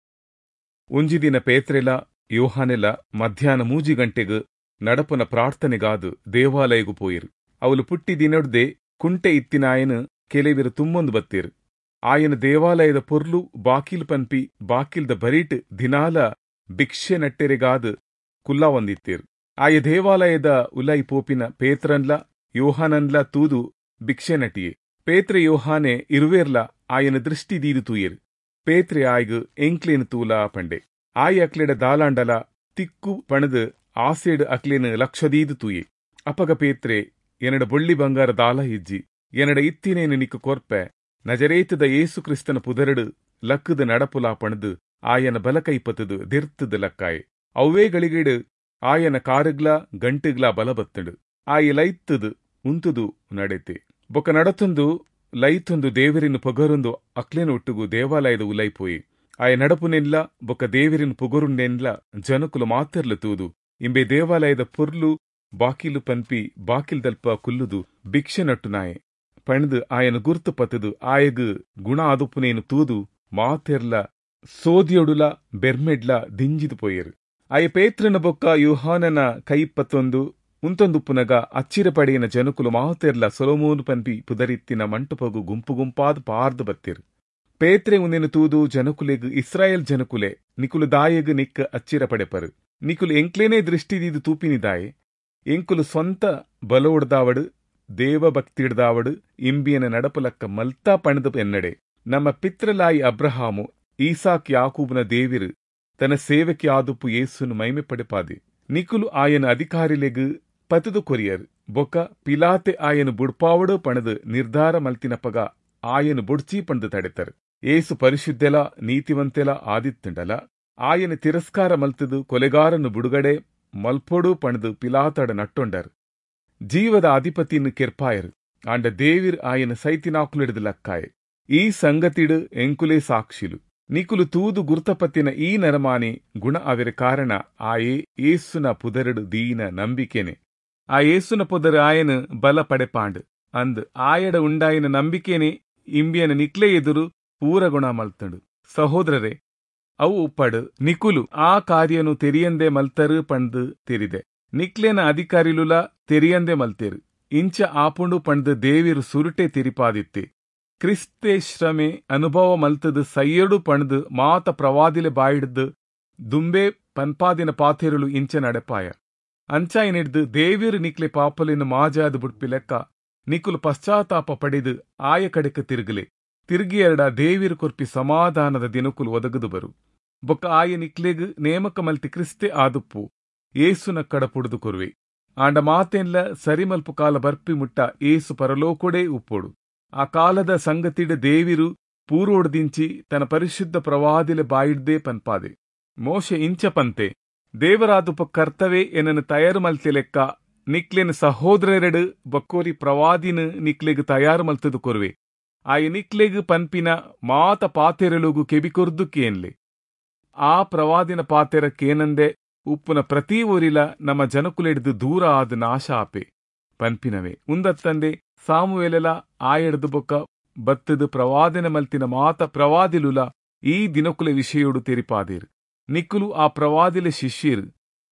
ಒಂಜಿ ದಿನ ಪೇತ್ರೆಲ ಯೋಹಾನೆಲ ಮಧ್ಯಾಹ್ನ ಮೂಜಿ ಗಂಟೆಗ್ ನಡಪುನ ಪ್ರಾರ್ಥನೆಗಾದು ದೇವಾಲಯಗು ಪೋಯಿರು. ಅವಲು ಪುಟ್ಟಿ ದಿನೊಡ್ದೆ ಕುಂಟೆ ಇತ್ತಿನಾಯನು ಕೆಲವಿರು ತುಮ್ಮೊಂದು ಬತ್ತೀರು. ಆಯನ ದೇವಾಲಯದ ಪೊರ್ಲು ಬಾಕಿಲ್ ಪನ್ಪಿ ಬಾಕಿಲ್ದ ಬರೀಟ್ ದಿನಾಲ ಭಿಕ್ಷೆ ನಟ್ಟೆರೆಗಾದು ಕುಲ್ಲಾ ಒಂದಿತ್ತೀರು. ಆಯ ದೇವಾಲಯದ ಉಲೈ ಪೋಪಿನ ಪೇತ್ರನ್ಲ ಯೋಹಾನನ್ಲ ತೂದು ಭಿಕ್ಷೆ ನಟಿಯೆ. ಪೇತ್ರೆ ಯೋಹಾನೆ ಇರುವೇರ್ಲ ಆಯನ ದೃಷ್ಟಿ ದೀದು ತೂಯೆರು. ಪೇತ್ರೆ ಆಯ್ಗು ಎಂಕ್ಲೇನು ತೂಲ ಪಂಡೆ. ಆಯ್ ಅಕ್ಲೆಡ ದಾಲಾಂಡಲ ತಿಕ್ಕು ಪಣದು ಆಸೆಡ್ ಅಕ್ಲೇನು ಲಕ್ಷದೀದು ತೂಯೆ. ಅಪಗ ಪೇತ್ರೆ, ಎನ್ನಡ ಬೊಳ್ಳಿ ಬಂಗಾರ ದಾಲ ಇಜ್ಜಿ, ಎನ್ನಡ ಇತ್ತಿನೇನು ನಿಕ್ಕು ಕೊರ್ಪೆ, ನಜರೇತದ ಏಸು ಕ್ರಿಸ್ತನ ಪುದರಡು ಲಕ್ಕದ ನಡಪುಲಾ ಪಣದು ಆಯನ ಬಲಕೈ ಪತದು ದಿರ್ತದ ಲಕ್ಕಾಯೆ. ಅವ್ವೇ ಗಳಿಗೇಡು ಆಯನ ಕಾರುಗ್ಲ ಗಂಟುಗ್ಲ ಬಲ ಬತ್ತಂಡು. ಆಯ ಲೈತ್ತದು ಉಂತುದು ನಡೆತೆ. ಬೊಕ ನಡತೊಂದು ಲೈತೊಂದು ದೇವರಿನ ಪೊಗರೊಂದು ಅಕ್ಲೇನ ಒಟ್ಟುಗು ದೇವಾಲಯದ ಉಲೈಪೋಯಿ. ಆಯ ನಡಪುನೆನ್ಲ ಬೊಕ ದೇವರಿನ ಪೊಗರುಂಡೆನ್ಲ ಜನಕುಲು ಮಾತೆರ್ಲು ತೂದು ಇಂಬೆ ದೇವಾಲಯದ ಪೊರ್ಲು ಬಾಕಿಲು ಪನ್ಪಿ ಬಾಕಿಲ್ದಲ್ಪ ಕುಲ್ಲುದು ಭಿಕ್ಷೆ ನಟ್ಟು ನಾಯೆ ಪಣದು ಆಯನ ಗುರ್ತು ಪತ್ತದು ಆಯಗ್ ಗುಣ ಆದುಪುನೇನು ತೂದು ಮಾತೆರ್ಲ ಸೋದಿಯೊಡುಲ ಬೆರ್ಮೆಡ್ಲ ದಿಂಜಿದು ಪೋಯೆರು. ಆಯ ಪೇತ್ರನ ಬೊಕ್ಕ ಯೋಹಾನನ ಕೈ ಪತ್ತೊಂದು ಉಂತೊಂದುಪ್ಪುನಗ ಅಚ್ಚಿರ ಪಡೆಯಿನ ಜನಕುಲು ಮಾತೆರ್ಲ ಸೊಲೊಮೋನು ಪನ್ಪಿ ಪುದರಿತ್ತಿನ ಮಂಟಪಗು ಗುಂಪು ಗುಂಪಾದ್ ಪಾರ್ದು ಬತ್ತಿರು. ಪೇತ್ರೆ ಉಂದೆನು ತೂದು ಜನಕುಲೆಗ್, ಇಸ್ರಾಯೇಲ್ ಜನಕುಲೆ, ನಿಕುಲು ದಾಯೆಗ್ ನಿಕ್ಕ ಅಚ್ಚಿರ ಪಡೆಪರು, ನಿಕುಲು ಎಂಕ್ಲೇನೇ ದೃಷ್ಟಿ ದೀದು ತೂಪಿನಿದಾಯೆ, ಎಂಕುಲು ಸ್ವಂತ ಬಲೋಡ್ದಾವಡು ದೇವಭಕ್ತಿಡ್ದಾವಡು ಇಂಬಿಯನ ನಡಪುಲಕ್ಕ ಮಲ್ತಾ ಪಣದು ಎನ್ನಡೆ. ನಮ್ಮ ಪಿತ್ರಲಾಯಿ ಅಬ್ರಹಾಮು ಈಸಾಕ್ ಯಾಕೂಬ್ನ ದೇವಿರು ತನ್ನ ಸೇವಕಿ ಆದುಪ್ಪು ಯೇಸುನು ಮೈಮೆ ಪಡೆಪಾದೆ. ನಿಕುಲು ಆಯನ ಅಧಿಕಾರಿಲೆಗ್ ಪತದು ಕೊರಿಯರ್. ಬೊಕ ಪಿಲಾತೆ ಆಯನು ಬುಡ್ಪಾವಡು ಪಣದು ನಿರ್ಧಾರ ಮಲ್ತಿನಪಗ ಆಯನು ಬುಡ್ಚಿ ಪಣದು ತಡೆತರು. ಏಸು ಪರಿಶುದ್ಧೆಲ ನೀತಿವಂತೆಲ ಆದಿತ್ತುಂಡಲ ಆಯನ ತಿರಸ್ಕಾರ ಮಲ್ತದು ಕೊಲೆಗಾರನು ಬುಡುಗಡೆ ಮಲ್ಪೊಡು ಪಣದು ಪಿಲಾತಡ ನಟ್ಟೊಂಡರ್. ಜೀವದ ಅಧಿಪತಿಯನ್ನು ಕೆರ್ಪಾಯರು. ಆಂಡ ದೇವಿರ್ ಆಯನ ಸೈತಿನಾಕುಲಿಡ್ದು ಲಕ್ಕಾಯೆ. ಈ ಸಂಗತಿಡು ಎಂಕುಲೇ ಸಾಕ್ಷಿಲು. ನಿಕುಲು ತೂದು ಗುರ್ತಪತ್ತಿನ ಈ ನರಮಾನಿ ಗುಣ ಅವೆರ ಕಾರಣ ಆಯೇ ಏಸುನ ಪುದರಡು ದೀನ ನಂಬಿಕೆನೆ. ಆ ಏಸುನ ಪುದರ್ ಆಯನ ಬಲ ಪಡೆಪಾಂಡು ಅಂದ್ ಆಯಡ ಉಂಡಾಯಿನ ನಂಬಿಕೆನೆ ಇಂಬಿಯನ ನಿಕ್ಲೆ ಎದುರು ಪೂರ ಗುಣ ಮಲ್ತಂಡು. ಸಹೋದರರೇ, ಅವು ಉಪ್ಪಡು ನಿಕುಲು ಆ ಕಾರ್ಯನು ತೆರಿಯಂದೆ ಮಲ್ತರು ಪಂದು ತೆರಿದೆ. ನಿಕ್ಲೇನ ಅಧಿಕಾರಿಲುಲ ತೆರಿಯಂದೆ ಮಲ್ತೇರು. ಇಂಚ ಆಪುಂಡು ಪಂದು ದೇವಿರು ಸುರುಟೆ ತೆರಿಪಾದಿತ್ತೆ. ಕ್ರಿಸ್ತೆ ಶ್ರಮೆ ಅನುಭವ ಮಲ್ತದು ಸೈಯಡು ಪಣದು ಮಾತ ಪ್ರವಾದಿಲೆ ಬಾಯಿಡ್ದು ದುಂಬೆ ಪನ್ಪಾದಿನ ಪಾಥೆರುಳು ಇಂಚ ನಡೆಪಾಯ. ಅಂಚಾಯಿನಿಡ್ದು ದೇವಿರು ನಿಕ್ಲೆ ಪಾಪಲಿನ ಮಾಜಾದು ಬುಡ್ಪಿ ಲೆಕ್ಕ ನಿಕುಲು ಪಶ್ಚಾತ್ತಾಪ ಪಡೆದು ಆಯ ಕಡೆಕ್ ತಿರುಗಲೆ. ತಿರುಗಿಯರಡ ದೇವಿರು ಕೊರ್ಪಿ ಸಮಾಧಾನದ ದಿನಕುಲು ಒದಗದು ಬರು. ಬೊಕ್ಕ ಆಯ ನಿಕ್ಲೆಗ್ ನೇಮಕ ಮಲ್ತಿ ಕ್ರಿಸ್ತೆ ಆದುಪ್ಪು ಏಸುನ ಕಡ ಪುಡುದು ಕೊರುವೆ. ಆಂಡ ಮಾತೆನ್ಲ ಸರಿಮಲ್ಪು ಕಾಲ ಬರ್ಪಿ ಮುಟ್ಟ ಏಸು ಪರಲೋಕೊಡೇ ಉಪ್ಪೋಡು. ಆ ಕಾಲದ ಸಂಗತಿಡ ದೇವಿರು ಪೂರ್ವೋಡ್ದಿಂಚಿ ತನ್ನ ಪರಿಶುದ್ಧ ಪ್ರವಾದಿಲೆ ಬಾಯಿಡ್ದೇ ಪನ್ಪಾದೆ. ಮೋಶೆ ಇಂಚ ಪಂತೆ, ದೇವರಾದುಪ ಕರ್ತವೆ ಎನ್ನನು ತಯಾರು ಮಲ್ತಿ ಲೆಕ್ಕ ನಿಕ್ಲೆನ ಸಹೋದರರೆಡು ಬಕ್ಕೋರಿ ಪ್ರವಾದಿನ ನಿಕ್ಲೆಗ್ ತಯಾರು ಮಲ್ತದು ಕೊರುವೆ. ಆಯ ನಿಕ್ಲೆಗ್ ಪನ್ಪಿನ ಮಾತ ಪಾತೆರಲುಗು ಕೆಬಿಕೊರ್ದು ಕೇನ್ಲೆ. ಆ ಪ್ರವಾದಿನ ಪಾತೆರ ಕೇನಂದೆ ಉಪ್ಪುನ ಪ್ರತಿ ಊರಿಲ ನಮ್ಮ ಜನಕುಲೆಡ್ದು ದೂರ ಆದ ನಾಶ ಆಪೆ ಪನ್ಪಿನವೇ. ಉಂದತ್ತಂದೆ ಸಾಮುವೇಲೆಲ ಆಯೆಡ್ದು ಬೊಕ್ಕ ಬತ್ತದು ಪ್ರವಾದನೆ ಮಲ್ತಿನ ಮಾತ ಪ್ರವಾದಿಲುಲ ಈ ದಿನಕುಲೆ ವಿಷಯೋಡು ತೆರಿಪಾದೇರು. ನಿಕ್ಕುಲು ಆ ಪ್ರವಾದಿಲೆ ಶಿಷ್ಯರು.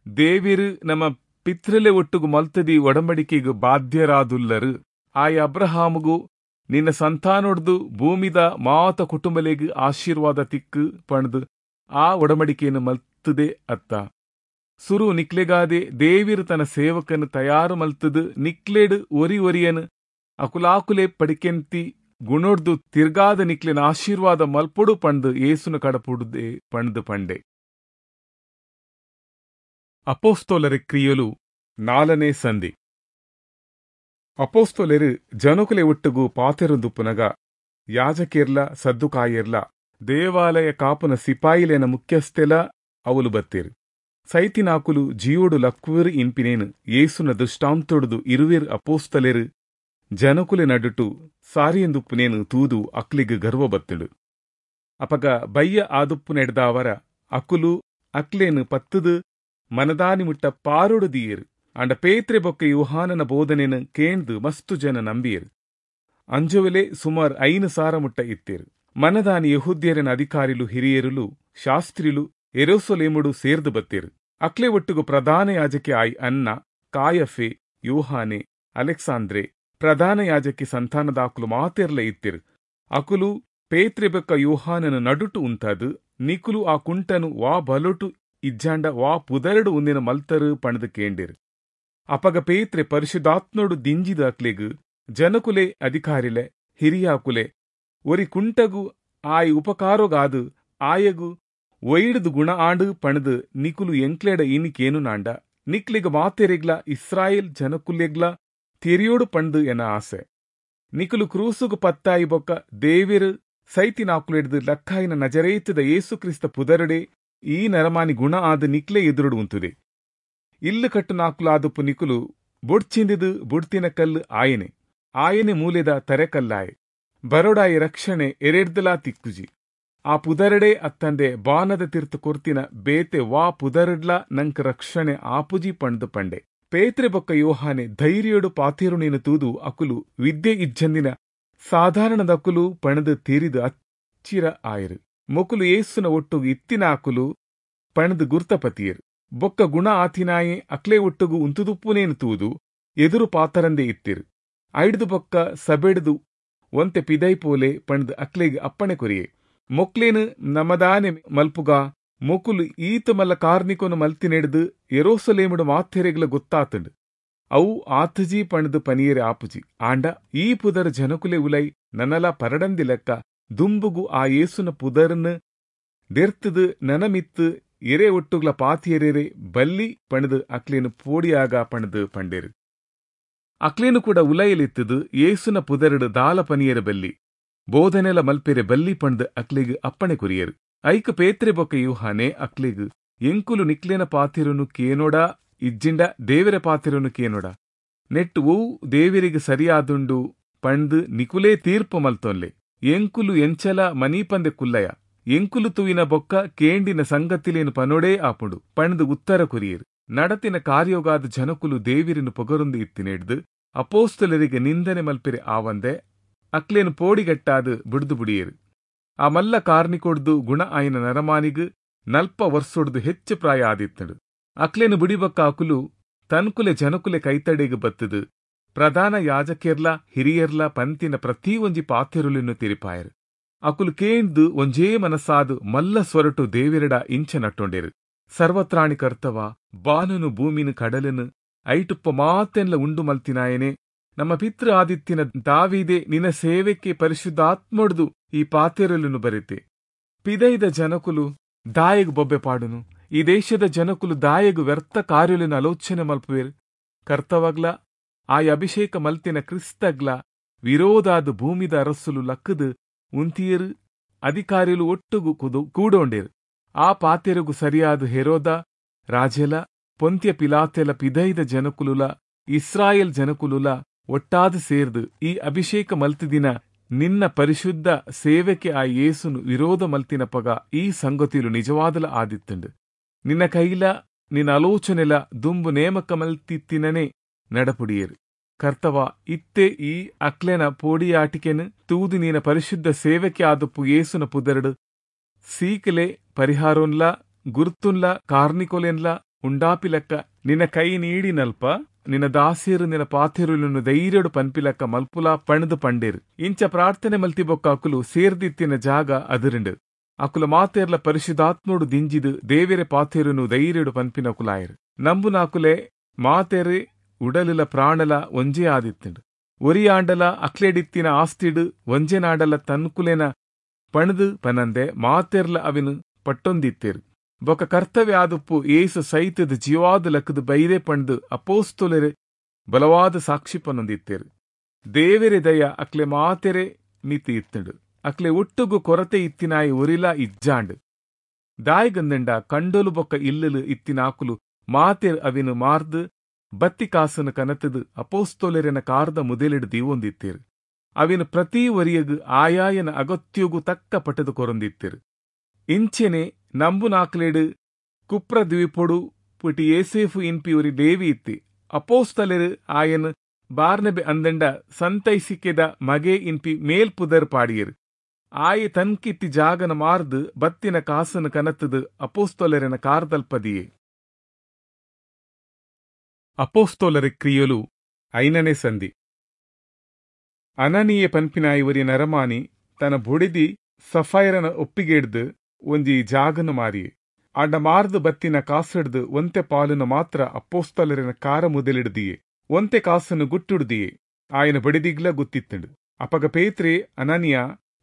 ದೇವಿರು ನಮ್ಮ ಪಿತ್ರಲೆ ಒಟ್ಟುಗು ಮಲ್ತದಿ ಒಡಂಬಡಿಕೆಗು ಬಾಧ್ಯರಾದುಲ್ಲರು. ಆಯ ಅಬ್ರಹಾಮುಗು ನಿನ್ನ ಸಂತಾನೊಡ್ದು ಭೂಮಿದ ಮಾತ ಕುಟುಂಬಲೆಗು ಆಶೀರ್ವಾದ ತಿಕ್ಕು ಪಣದು ಆ ಒಡಂಬಡಿಕೆಯನ್ನು ಮಲ್ತದೆ ಅತ್ತ. ಸುರು ನಿಕ್ಲೆಗಾದೆ ದೇವಿರು ತನ್ನ ಸೇವಕನು ತಯಾರು ಮಲ್ತದು ನಿಕ್ಲೆಡು ಒರಿ ಒರಿಯನು ಅಕುಲಾಕುಲೆ ಪಡಿಕೆಂತಿ ಗುಣೊಡ್ದು ತಿರ್ಗಾದ ನಿಕ್ಲೆನ ಆಶೀರ್ವಾದ ಮಲ್ಪೊಡು ಪಂಡು ಏಸುನ ಕಡಪುಡುದೆ ಪಂಡು ಪಂಡೆ. ಅಪೋಸ್ತೋಲರ ಕ್ರಿಯಲು ನಾಲನೇ ಸಂಧಿ. ಅಪೋಸ್ತೋಲರು ಜನಕುಲೆ ಒಟ್ಟುಗು ಪಾತೆರುಂದುಪ್ಪುನಗ ಯಾಜಕೇರ್ಲ ಸದ್ದುಕಾಯೇರ್ಲ ದೇವಾಲಯ ಕಾಪುನ ಸಿಪಾಯಿಲೇನ ಮುಖ್ಯಸ್ಥೆಲ ಅವಲು ಬತ್ತೇರು. ಸೈತಿನಾಕುಲು ಜೀವೋಡು ಲಕ್ವೇರು ಇನ್ಪಿನೇನು ಏಸುನ ದೃಷ್ಟಾಂತೊಡುದು ಇರುವೇರು ಅಪೋಸ್ತಲೆರು ಜನಕುಲೆ ನಡುಟು ಸಾರಿಯೆಂದುಪ್ಪುನೇನು ತೂದು ಅಕ್ಲಿಗ್ ಗರ್ವ ಬತ್ತುಂಡು. ಅಪಗ ಬಯ್ಯ ಆದುಪ್ಪುನೆಡ್ದಾವರ ಅಕುಲು ಅಕ್ಲೇನು ಪತ್ತುದು ಮನದಾನಿ ಮುಟ್ಟ ಪಾರೊಡು ದೀಯರು. ಅಂಡ ಪೇತ್ರೆ ಬೊಕ್ಕ ಯುಹಾನನ ಬೋಧನೆನು ಕೇಂದು ಮಸ್ತು ಜನ ನಂಬಿಯರು. ಅಂಜುವೆಲೆ ಸುಮಾರು ಐನು ಸಾರ ಮುಟ್ಟ ಇತ್ತೇರು. ಮನದಾನಿ ಯಹೂದ್ಯರನ ಅಧಿಕಾರಿಲು ಹಿರಿಯರುಲು ಶಾಸ್ತ್ರಿಲು ಎರೋಸೊಲೇಮುಡು ಸೇರ್ದು ಬತ್ತೇರು. ಅಕ್ಲೆ ಒಟ್ಟುಗು ಪ್ರಧಾನ ಯಾಜಕಿ ಆಯ್ ಅನ್ನ, ಕಾಯಫೆ, ಯೋಹಾನೆ, ಅಲೆಕ್ಸಾಂದ್ರೆ ಪ್ರಧಾನ ಯಾಜಕಿ ಸಂತಾನದಾಕುಲು ಮಾತೆರ್ಲ ಇತ್ತಿರು. ಅಕುಲು ಪೇತ್ರೆ ಬೊಕ್ಕ ಯೋಹಾನನ ನಡುಟು ಉಂತಾದು ನಿಕುಲು ಆ ಕುಂಟನು ವಾ ಬಲೊಟು ಇಜ್ಜಾಂಡ ವಾ ಪುದರಡು ಉಂದಿನ ಮಲ್ತರು ಪಣದು ಕೇಂಡಿರು. ಅಪಗ ಪೇತ್ರೆ ಪರಿಶುದ್ಧಾತ್ನೋಡು ದಿಂಜಿದ ಅಕ್ಲೆಗು ಜನಕುಲೆ ಅಧಿಕಾರಿಲೆ ಹಿರಿಯಾಕುಲೆ ಒರಿ ಕುಂಟಗು ಆಯ್ ಉಪಕಾರೋಗಾದು ಆಯಗು ಒಯ್ಡುದು ಗುಣ ಆಂಡು ಪಣದು ನಿಕುಲು ಎಂಕ್ಲೆಡ ಇನಿಕೇನು ನಾಂಡ ನಿಕ್ಲಿಗ ಮಾತೆರೆಗ್ಲ ಇಸ್ರಾಯೇಲ್ ಜನಕುಲೆಗ್ಲ ತೆರಿಯೋಡು ಪಂಡು ಎನ ಆಸೆ. ನಿಕುಲು ಕ್ರೂಸುಗು ಪತ್ತಾಯಿ ಬೊಕ್ಕ ದೇವಿರು ಸೈತಿನಾಕುಲೆಡ್ದು ಲಕ್ಕಾಯಿನ ನಜರೇತದ ಯೇಸು ಕ್ರಿಸ್ತ ಪುದರುಡೆ ಈ ನರಮಾನಿ ಗುಣ ಆದ ನಿಕ್ಲೆ ಎದುರುಡು ಉಂತುದೆ. ಇಲ್ಲು ಕಟ್ಟು ನಾಕುಲಾದುಪ್ಪು ನಿಕುಲು ಬೊಡ್ಚಿಂದಿದು ಬುಡ್ತಿನ ಕಲ್ಲು ಆಯನೆ ಆಯನೆ ಮೂಲೆದ ತರೆಕಲ್ಲಾಯೆ. ಬರೋಡಾಯಿ ರಕ್ಷಣೆ ಎರೆಡ್ದಲಾ ತಿಕ್ಕುಜಿ. ಆ ಪುದರಡೆ ಅತ್ತಂದೆ ಬಾನದ ತೀರ್ಥ ಕೊರ್ತಿನ ಬೇತೆ ವಾ ಪುದರಡ್ಲ ನಂಕ್ ರಕ್ಷಣೆ ಆಪುಜಿ ಪಂಡ್ದು ಪಂಡೆ. ಪೇತ್ರೆ ಬೊಕ್ಕ ಯೋಹಾನೆ ಧೈರ್ಯೋಡು ಪಾತೇರುನೇನು ತೂದು ಅಕುಲು ವಿದ್ಯೆ ಇಜ್ಜಂದಿನ ಸಾಧಾರಣದಕುಲು ಪಣದು ತೀರಿದು ಅಚ್ಚಿರ ಆಯರು. ಮೊಕುಲು ಏಸುನ ಒಟ್ಟುಗು ಇತ್ತಿನ ಅಕುಲು ಪಣದು ಗುರ್ತಪತಿಯರು. ಬೊಕ್ಕ ಗುಣ ಆತಿನಾಯೆ ಅಕ್ಲೆ ಒಟ್ಟುಗು ಉಂತುದುಪ್ಪುನೇನು ತೂದು ಎದುರು ಪಾತರಂದೆ ಇತ್ತಿರು. ಐಡ್ದು ಬೊಕ್ಕ ಸಬೆಡ್ದು ಒಂತೆ ಪಿದೈಪೋಲೆ ಪಣದು ಅಕ್ಲೆಗ್ ಅಪ್ಪಣೆ ಕೊರಿಯೆ. ಮೊಕ್ಲೇನು ನಮದಾನೆ ಮಲ್ಪುಗ ಮೊಕುಲು ಈತ ಮಲ್ಲ ಕಾರ್ನಿಕೊನು ಮಲ್ತಿನೆಡ್ದು ಎರೋಸಲೇಮುಡು ಮಾಥೆರೆಗ್ಲ ಗೊತ್ತಾತಂಡು. ಅವು ಆತಜಿ ಪಣದು ಪನಿಯರೆ ಆಪುಜಿ. ಆಂಡ ಈ ಪುದರ್ ಜನಕುಲೆ ಉಲೈ ನನಲ ಪರಡಂದಿ ಲೆಕ್ಕ ದುಂಬುಗು ಆ ಏಸುನ ಪುದರ್ನು ದೆರ್ತದು ನನಮಿತ್ತು ಎರೆ ಒಟ್ಟುಗ್ಲ ಪಾತಿಯರೆರೆ ಬಲ್ಲಿ ಪಣದು ಅಕ್ಲೇನು ಪೋಡಿಯಾಗ ಪಣದು ಪಂಡೇರು. ಅಕ್ಲೇನು ಕೂಡ ಉಲೈಲಿತ್ತದು ಏಸುನ ಪುದರಡು ದಾಲ ಪನಿಯರ ಬಲ್ಲಿ ಬೋಧನೆಲ ಮಲ್ಪೆರೆ ಬಲ್ಲಿ ಪಂಡ್ದು ಅಕ್ಲೆಗ್ ಅಪ್ಪಣೆ ಕೊರಿಯರು. ಐಕ ಪೇತ್ರೆ ಬೊಕ್ಕ ಯೂಹಾನೆ ಅಕ್ಲೆಗ್ ಎಂಕುಲು ನಿಕ್ಲೇನ ಪಾತಿರುನು ಕೇನೋಡ ಇಜ್ಜಿಂಡ ದೇವರ ಪಾತಿರುನು ಕೇನೋಡ ನೆಟ್ಟು ಓ ದೇವರಿಗೆ ಸರಿಯಾದುಂಡು ಪಂಡ್ದು ನಿಕುಲೇ ತೀರ್ಪು ಮಲ್ತೊನ್ಲೆ. ಎಂಕುಲು ಎಂಚಲ ಮನೀಪಂದೆ ಕುಲ್ಲಯ ಎಂಕುಲು ತುವಿನ ಬೊಕ್ಕ ಕೇಂಡಿನ ಸಂಗತಿಲೇನು ಪನೋಡೇ ಆಪುಂಡು ಪಂಡ್ದು ಉತ್ತರ ಕೊರಿಯರು. ನಡತಿನ ಕಾರ್ಯೋಗಾದ ಜನಕುಲು ದೇವಿರನು ಪೊಗರೊಂದು ಇತ್ತಿನೆಡ್ದು ಅಪೋಸ್ತಲರಿಗೆ ನಿಂದನೆ ಮಲ್ಪೆರೆ ಆವಂದೆ ಅಕ್ಲೇನು ಪೋಡಿಗಟ್ಟಾದು ಬಿಡ್ದು ಬುಡಿಯರು. ಆ ಮಲ್ಲ ಕಾರ್ನಿಕೊಡ್ದು ಗುಣ ಆಯಿನ ನರಮಾನಿಗು ನಲ್ಪ ವರ್ಷೊಡ್ದು ಹೆಚ್ಚು ಪ್ರಾಯ ಆದಿತ್ತಡು. ಅಕ್ಲೇನು ಬುಡಿಬಕ್ಕ ಅಕುಲು ತನ್ಕುಲೆ ಜನಕುಲೆ ಕೈತಡೆಗು ಬತ್ತದು ಪ್ರಧಾನ ಯಾಜಕೆರ್ಲ ಹಿರಿಯರ್ಲ ಪಂತಿನ ಪ್ರತಿ ಒಂಜಿ ಪಾತೆರುಲಿನ್ನು ತಿರಿಪಾಯರು. ಅಕುಲು ಕೇಂದು ಒಂಜೇ ಮನಸ್ಸಾದು ಮಲ್ಲ ಸ್ವರಟು ದೇವಿರಡ ಇಂಚ ನಟ್ಟೊಂಡೇರು. ಸರ್ವತ್ರಾಣಿ ಕರ್ತವ ಬಾನನು ಭೂಮಿನು ಕಡಲನು ಐಟುಪ್ಪ ಮಾತೆನ್ಲ ಉಂಡು ಮಲ್ತಿನಾಯನೆ ನಮ್ಮ ಪಿತೃ ಆದಿತ್ತಿನ ದಾವೀದೆ ನಿನ್ನ ಸೇವೆಕ್ಕೆ ಪರಿಶುದ್ಧಾತ್ಮೊಡ್ದು ಈ ಪಾತೆರಲುನು ಬರೆತೆ. ಪಿದೈದ ಜನಕುಲು ದಾಯೆಗ್ ಬೊಬ್ಬೆ ಪಾಡುನು, ಈ ದೇಶದ ಜನಕುಲು ದಾಯೆಗ್ ವ್ಯರ್ಥ ಕಾರ್ಯಲೆನ್ ಆಲೋಚನೆ ಮಲ್ಪುವೆರ್. ಕರ್ತವಗ್ಲ ಆಯ ಅಭಿಷೇಕ ಮಲ್ತಿನ ಕ್ರಿಸ್ತಗ್ಲ ವಿರೋಧಾದ ಭೂಮಿದ ಅರಸುಲು ಲಕ್ಕದು ಉಂತಿಯರು, ಅಧಿಕಾರಿಲು ಒಟ್ಟುಗು ಕುದು ಕೂಡೋಂಡೇರು. ಆ ಪಾತೆರುಗು ಸರಿಯಾದ ಹೆರೋದ ರಾಜೆಲ ಪೊಂತ್ಯ ಪಿಲಾತೆಲ ಪಿದೈದ ಜನಕುಲುಲ ಇಸ್ರಾಯೇಲ್ ಜನಕುಲುಲ ಒಟ್ಟಾದ ಸೇರ್ದು ಈ ಅಭಿಷೇಕ ಮಲ್ತಿದಿನ ನಿನ್ನ ಪರಿಶುದ್ಧ ಸೇವೆಗೆ ಆ ಯೇಸುನು ವಿರೋಧ ಮಲ್ತಿನ ಪಗ ಈ ಸಂಗತಿಲು ನಿಜವಾದಲ ಆದಿತ್ತುಂಡು. ನಿನ್ನ ಕೈಲ ನಿನ್ನ ಆಲೋಚನೆಲ ದುಂಬು ನೇಮಕ ಮಲ್ತಿತ್ತಿನನೇ ನಡಪುಡಿಯರು. ಕರ್ತವ, ಇತ್ತೆ ಈ ಅಕ್ಲೆನ ಪೋಡಿಯಾಟಿಕೆನು ತೂದು ನೀನ ಪರಿಶುದ್ಧ ಸೇವೆಗೆ ಆದಪ್ಪು ಯೇಸುನ ಪುದರಡು ಸೀಕಲೆ ಪರಿಹಾರೋನ್ಲ ಗುರ್ತುನ್ಲ ಕಾರ್ನಿಕೊಲೆನ್ಲ ಉಂಡಾಪಿಲಕ್ಕ ನಿನ್ನ ಕೈ ನೀಡಿನಲ್ಪ ನಿನ್ನ ದಾಸಿಯರು ನಿನ್ನ ಪಾಥೆರುలను ಧೈರ್ಯಡು ಪನ್ಪಿಲಕ್ಕ ಮಲ್ಪುಲಾ ಪಣದು ಪಂಡೇರು. ಇಂಚ ಪ್ರಾರ್ಥನೆ ಮಲ್ತಿ ಬೊಕ್ಕ ಅಕುಲು ಸೇರ್ದಿತ್ತಿನ ಜಾಗ ಅದಿರಿಂಡು. ಅಕುಲ ಮಾತೆರ್ಲ ಪರಿಶುದ್ಧಾತ್ಮೋಡು ದಿಂಜಿದು ದೇವೆರೆ ಪಾಥೆರುನು ಧೈರ್ಯಡು ಪನ್ಪಿನಕುಲಾಯರು. ನಂಬುನಾಕುಲೆ ಮಾತೆರೆ ಉಡಲಿಲ ಪ್ರಾಣಲ ಒಂಜೇ ಆದಿತ್ತುಂಡು. ಒರಿಯಾಂಡಲ ಅಕ್ಲೆಡಿತ್ತಿನ ಆಸ್ತಿಡು ಒಂಜೆನಾಡಲ ತನ್ಕುಲೆನ ಪಣದು ಪನಂದೆ ಮಾತೆರ್ಲ ಅವಿನು ಪಟ್ಟೊಂದಿತ್ತೇರು. ಬೊಕ ಕರ್ತವ್ಯ ಆದುಪ್ಪು ಏಸು ಸೈತದ ಜೀವಾದ ಲಕ್ಕದ ಬೈರೆ ಪಂಡು ಅಪೋಸ್ತೊಲೆರೆ ಬಲವಾದ ಸಾಕ್ಷಿ ಪನ್ನೊಂದಿತ್ತೇರು. ದೇವೆರೆ ದಯ ಅಕ್ಲೆ ಮಾತೆರೆ ಮಿತಿ ಇತ್ತುಂಡು. ಅಕ್ಲೆ ಒಟ್ಟುಗು ಕೊರತೆ ಇತ್ತಿನಾಯಿ ಒರಿಲ ಇಜ್ಜಾಂಡು. ದಾಯಿಗಂದಂಡ ಕಂಡೊಲು ಬೊಕ್ಕ ಇಲ್ಲಲು ಇತ್ತಿನಾಕುಲು ಮಾತೆರ್ ಅವಿನು ಮಾರ್ದು ಬತ್ತಿ ಕಾಸನು ಕನತದು ಅಪೋಸ್ತೊಲೆರೆನ ಕಾರದ ಮುದೆಲಿಡು ದೀವೊಂದಿತ್ತೇರು. ಅವಿನ ಪ್ರತಿ ಒರಿಯಗು ಆಯಾಯನ ಅಗತ್ಯಗು ತಕ್ಕ ಪಟದು ಕೊರೊಂದಿತ್ತೇರು. ಇಂಚೆನೆ ನಂಬುನಾಕ್ಲೇಡು ಕುಪ್ರ ದ್ವೀಪೊಡು ಪುಟಿ ಏಸೇಫು ಇನ್ಪಿ ಒರಿ ದೇವಿ ಇತ್ತಿ. ಅಪೋಸ್ತಲೆರು ಆಯನ್ ಬಾರ್ನಬೆ ಅಂದಂಡ ಸಂತೈಸಿಕೆದ ಮಗೆ ಇನ್ಪಿ ಮೇಲ್ಪುದರ್ ಪಾಡಿಯರು. ಆಯೆ ತನ್ಕಿತ್ತಿ ಜಾಗನ ಮಾರ್ದು ಬತ್ತಿನ ಕಾಸನು ಕನತದು ಅಪೋಸ್ತೊಲೆರೆನ ಕಾರ್ದಲ್ಪದಿಯೇ. ಅಪೋಸ್ತೊಲರ ಕ್ರಿಯಲು ಐನನೇ ಸಂಧಿ. ಅನನೀಯ ಪನ್ಪಿನಾಯಿ ಒರಿ ನರಮಾನಿ ತನ್ನ ಬುಡಿದಿ ಸಫೈರನ ಒಪ್ಪಿಗೆಡ್ದು ಒಂಜಿ ಜಾಗನು ಮಾರಿಯೆ. ಆಂಡ ಮಾರ್ದು ಬತ್ತಿನ ಕಾಸಿಡ್ದು ಒಂತೆ ಪಾಲುನ ಮಾತ್ರ ಅಪ್ಪೋಸ್ತಲರಿನ ಕಾರ ಮುದಲಿಡ್ದಿಯೆ. ಒಂತೆ ಕಾಸನ್ನು ಗುಟ್ಟುಡ್ದಿಯೆ. ಆಯನ ಬಡಿದಿಗ್ಲ ಗುತ್ತಿತ್ತಂಡು. ಅಪಗ ಪೇತ್ರೆ, ಅನನಿಯ,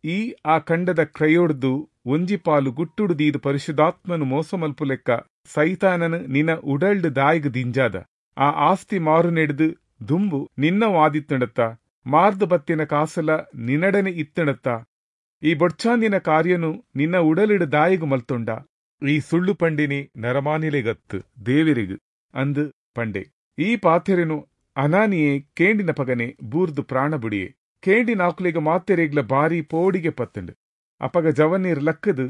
ಈ ಆ ಖಂಡದ ಕ್ರಯೋಡ್ದು ಒಂಜಿ ಪಾಲು ಗುಟ್ಟುಡ್ದೀದು ಪರಿಶುದ್ಧಾತ್ಮನು ಮೋಸ ಮಲ್ಪುಲೆಕ್ಕ ಸೈತಾನನು ನಿನ್ನ ಉಡಲ್ಡ್ ದಾಯಿಗ್ ದಿಂಜಾದ. ಆ ಆಸ್ತಿ ಮಾರು ನೆಡ್ದು ದುಂಬು ನಿನ್ನ ವಾದಿತ್ತಣತ್ತ, ಮಾರ್ದು ಬತ್ತಿನ ಕಾಸಲ ನಿನ್ನಡನೆ ಇತ್ತಣತ್ತ, ಈ ಬೊಡ್ಚಾಂದಿನ ಕಾರ್ಯನು ನಿನ್ನ ಉಡಲಿಡು ದಾಯಿಗು ಮಲ್ತೊಂಡ. ಈ ಸುಳ್ಳು ಪಂಡಿನಿ ನರಮಾನಿಲೆಗತ್ತು ದೇವಿರಿಗು ಅಂದು ಪಂಡೆ. ಈ ಪಾಥೆರೆನು ಅನಾನಿಯೇ ಕೇಂಡಿನ ಪಗನೆ ಬೂರ್ದು ಪ್ರಾಣ ಬುಡಿಯೆ. ಕೇಂಡಿನ ಆಕುಲೆಗ ಮಾತೆರೆಗ್ಲ ಬಾರಿ ಪೋಡಿಗೆ ಪತ್ತಂಡು. ಅಪಗ ಜವನೀರ್ ಲಕ್ಕದು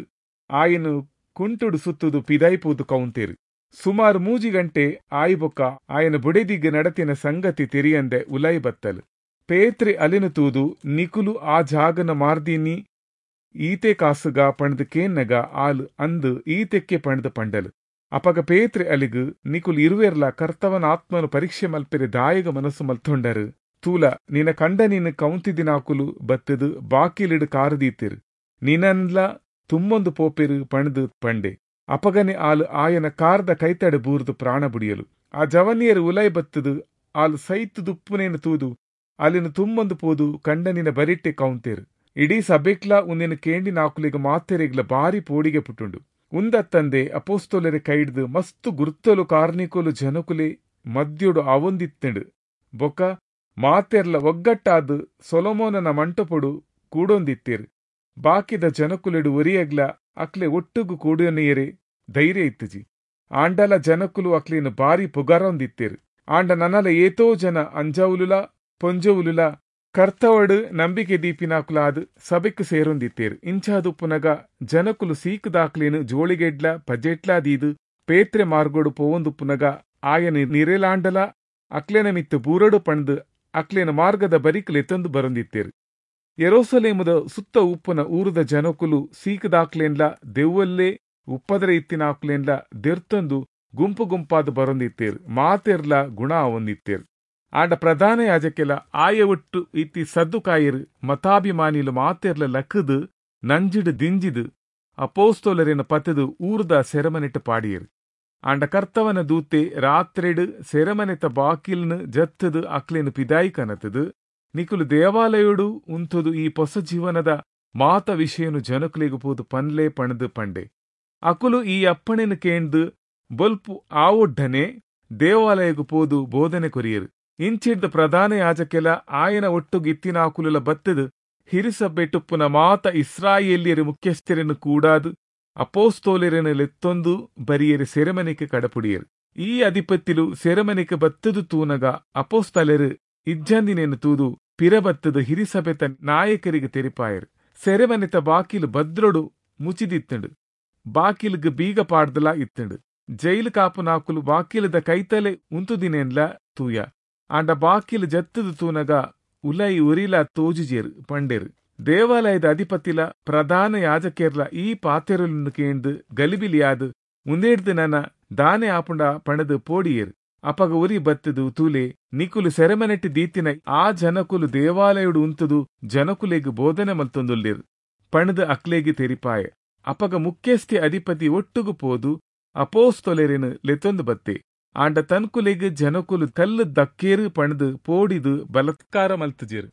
ಆಯನು ಕುಂಟುಡು ಸುತ್ತುದು ಪಿದಾಯ್ಪೂದು ಕೌಂತೇರು. ಸುಮಾರು ಮೂಜಿ ಗಂಟೆ ಆಯಿಬೊಕ್ಕ ಆಯನ ಬುಡೆದಿಗ್ ನಡತಿನ ಸಂಗತಿ ತೆರಿಯಂದೆ ಉಲೈ ಬತ್ತಲು. ಪೇತ್ರೆ ಅಲಿನ ತೂದು ನಿಕುಲು ಆ ಜಾಗನ ಮಾರ್ದಿನಿ ಈತೆ ಕಾಸುಗ ಪಣದು ಕೇನ್ನಗ ಆಲ್ ಅಂದು ಈತೆಕ್ಕೆ ಪಣದು ಪಂಡಲು. ಅಪಗ ಪೇತ್ರೆ ಅಲಿಗು ನಿಕುಲು ಇರುವೆರ್ಲ ಕರ್ತವನ ಆತ್ಮನು ಪರೀಕ್ಷೆ ಮಲ್ಪೆರೆ ದಾಯಗ ಮನಸ್ಸು ಮಲ್ತೊಂಡರು. ತೂಲ ನಿನ ಕಂಡ ನೀನು ಕೌಂತಿದಿನಾಕುಲು ಬತ್ತದು ಬಾಕಿಲಿಡು ಕಾರದೀತಿರು, ನಿನನ್ಲ ತುಮ್ಮೊಂದು ಪೋಪೆರು ಪಣದು ಪಂಡೆ. ಅಪಗನೆ ಆಲು ಆಯನ ಕಾರ್ದ ಕೈತಡೆ ಬೂರ್ದು ಪ್ರಾಣ ಬುಡಿಯಲು. ಆ ಜವನಿಯರು ಉಲೈ ಬತ್ತದು ಆಲು ಸೈತು ದುಪ್ಪುನೇನು ತೂದು ಅಲ್ಲಿನ ತುಮ್ಮೊಂದು ಪೋದು ಕಂಡನಿನ ಬರಿಟ್ಟೆ ಕೌಂತೇರು. ಇಡೀ ಸಬೆಕ್ಲ ಉಂದಿನ ಕೇಂಡಿನಾಕುಲಿಗ ಮಾತೆರೆಗ್ಲ ಬಾರಿ ಪೋಡಿಗೆ ಪುಟ್ಟುಂಡು. ಉಂದತ್ತಂದೆ ಅಪೋಸ್ತೊಲರೆ ಕೈಡ್ದು ಮಸ್ತು ಗುರ್ತಲು ಕಾರ್ನಿಕೋಲು ಜನಕುಲೆ ಮದ್ಯೊಡು ಅವೊಂದಿತ್ತಂಡು. ಬೊಕ ಮಾತೆರ್ಲ ಒಗ್ಗಟ್ಟಾದು ಸೊಲೊಮೋನನ ಮಂಟಪೊಡು ಕೂಡೊಂದಿತ್ತೇರು. ಬಾಕಿದ ಜನಕುಲೆಡು ಒರಿಯಗ್ಲ ಅಕ್ಲೆ ಒಟ್ಟುಗು ಕೂಡೊನಿಯರೆ ಧೈರ್ಯ ಇತ್ತುಜಿ. ಆಂಡಲ ಜನಕುಲು ಅಕ್ಲೇನು ಬಾರಿ ಪುಗಾರೊಂದಿತ್ತೇರು. ಆಂಡ ನನಲ ಏತೋ ಜನ ಅಂಜವುಲುಲ ಪೊಂಜವುಲುಲ ಕರ್ತವಡು ನಂಬಿಕೆ ದೀಪಿನಾಕುಲಾದ್ ಸಭೆಕ್ ಸೇರೊಂದಿತ್ತೇರು. ಇಂಚಾದುಪ್ಪುನಗ ಜನಕುಲು ಸೀಕುದಾಕ್ಲೇನು ಜೋಳಿಗೆಡ್ಲ ಪಜೆಟ್ಲಾ ದೀದು ಪೇತ್ರೆ ಮಾರ್ಗೋಡು ಪೋವೊಂದುಪ್ಪುನಗ ಆಯನ ನಿರೆಲಾಂಡಲ ಅಕ್ಲೇನ ಮಿತ್ತು ಬೂರಡು ಪಣ್ದು ಅಕ್ಲೇನ ಮಾರ್ಗದ ಬರಿಕುಲೆತ್ತೊಂದು ಬರೊಂದಿತ್ತೇರು. ಯೆರೂಸಲೇಮುದ ಸುತ್ತ ಉಪ್ಪುನ ಊರುದ ಜನಕುಲು ಸೀಕುದಾಕ್ಲೇನ್ಲ ದೆವ್ವಲ್ಲೇ ಉಪ್ಪದರ ಇತ್ತಿನಾಕ್ಲೇನ್ಲ ದೆರ್ತೊಂದು ಗುಂಪು ಗುಂಪಾದ ಬರೊಂದಿತ್ತೇರು. ಮಾತೆರ್ಲ ಗುಣ ಅವೊಂದಿತ್ತೇರು. ಆಂಡ ಪ್ರಧಾನ ಯಾಜಕೆಲ ಆಯ ಒಟ್ಟು ಇತ್ತಿ ಸದ್ದುಕಾಯರು ಮತಾಭಿಮಾನಿಲು ಮಾತೆರ್ಲ ಲಕ್ಕದು ನಂಜಿಡು ದಿಂಜಿದು ಅಪೋಸ್ತೋಲರೇನ ಪತ್ತದು ಊರುದ ಸೆರಮನಿಟ್ಟು ಪಾಡಿಯರು. ಆಂಡ ಕರ್ತವನ ದೂತೆ ರಾತ್ರೆಡ್ ಸೆರೆಮನೆತ ಬಾಕಿಲ್ನು ಜತ್ತದು ಅಕ್ಲೆನ್ ಪಿದಾಯಿ ಕನತದು ನಿಕುಲು ದೇವಾಲಯೋಡು ಉಂತುದು ಈ ಪೊಸ ಜೀವನದ ಮಾತ ವಿಷಯನು ಜನಕುಲೆಗ್ ಪೋದು ಪನ್ಲೆ ಪಣದು ಪಂಡೆ. ಅಕುಲು ಈ ಅಪ್ಪಣೆನು ಕೇಂದು ಬೊಲ್ಪು ಆವೊಡ್ಡನೆ ದೇವಾಲಯಗು ಪೋದು ಬೋಧನೆ ಕೊರಿಯರು. ಇಂಚಿಡ್ದ ಪ್ರಧಾನ ಯಾಜಕೆಲ ಆಯನ ಒಟ್ಟುಗು ಇತ್ತಿನಾಕುಲುಲ ಬತ್ತದು ಹಿರಿಸಭೆಟುಪ್ಪುನ ಮಾತ ಇಸ್ರಾಯೇಲ್ಯರು ಮುಖ್ಯಸ್ಥರನ್ನು ಕೂಡಾದು ಅಪೋಸ್ತೋಲರನ್ನು ಲೆತ್ತೊಂದು ಬರಿಯರು ಸೆರೆಮನೆಗೆ ಕಡಪುಡಿಯರು. ಈ ಅಧಿಪತಿಲು ಸೆರೆಮನೆಗೆ ಬತ್ತದು ತೂನಗ ಅಪೋಸ್ತಲರು ಇಜ್ಜಂದಿನೇನು ತೂದು ಪಿರಬತ್ತದು ಹಿರಿಸಭೆತ ನಾಯಕರಿಗೆ ತೆರಿಪಾಯರು. ಸೆರೆಮನೆತ ಬಾಕಿಲು ಭದ್ರೊಡು ಮುಚಿದಿತ್ತಂಡು, ಬಾಕಿಲ್ಗ್ ಬೀಗ ಪಾಡ್ದಲಾ ಇತ್ತಂಡು. ಜೈಲು ಕಾಪುನಾಕುಲು ಬಾಕಿಲದ ಕೈತಲೆ ಉಂತುದಿನೇನ್ಲ ತೂಯ. ಆಂಡ ಬಾಕಿಲು ಜತ್ತದು ತೂನಗ ಉಲೈ ಉರಿಲ ತೋಜುಜೇರು ಪಂಡೇರು. ದೇವಾಲಯದ ಅಧಿಪತಿಲ ಪ್ರಧಾನ ಯಾಜಕೇರ್ಲ ಈ ಪಾತೆರುలను ಕೇಂದು ಗಲಿಬಿಲಿಯಾದು ಉಂದೇಡ್ದು ನನ ದಾನೆ ಆಪುಂಡ ಪಣದು ಪೋಡಿಯೇರು. ಅಪಗ ಉರಿ ಬತ್ತದು ತೂಲೆ ನಿಕುಲು ಸೆರೆಮನೆಟ್ಟಿ ದೀತಿನ ಆ ಜನಕುಲು ದೇವಾಲಯುಡು ಉಂತುದು ಜನಕುಲೆಗ್ ಬೋಧನೆ ಮಲ್ತೊಂದುಲ್ಲೇರು ಪಣದು ಅಕ್ಲೇಗಿ ತೆರಿಪಾಯ. ಅಪಗ ಮುಖ್ಯಸ್ಥಿ ಅಧಿಪತಿ ಒಟ್ಟುಗು ಪೋದು ಅಪೋಸ್ತೊಲೆರೆನು ಲೆತ್ತೊಂದು ಬತ್ತೆ. ಆಂಡ ತನ್ಕುಲೆಗ್ ಜನಕುಲು ಕಲ್ಲು ದಕ್ಕೇರು ಪಣದು ಪೋಡಿದು ಬಲತ್ಕಾರ ಮಲ್ತುಜೇರು.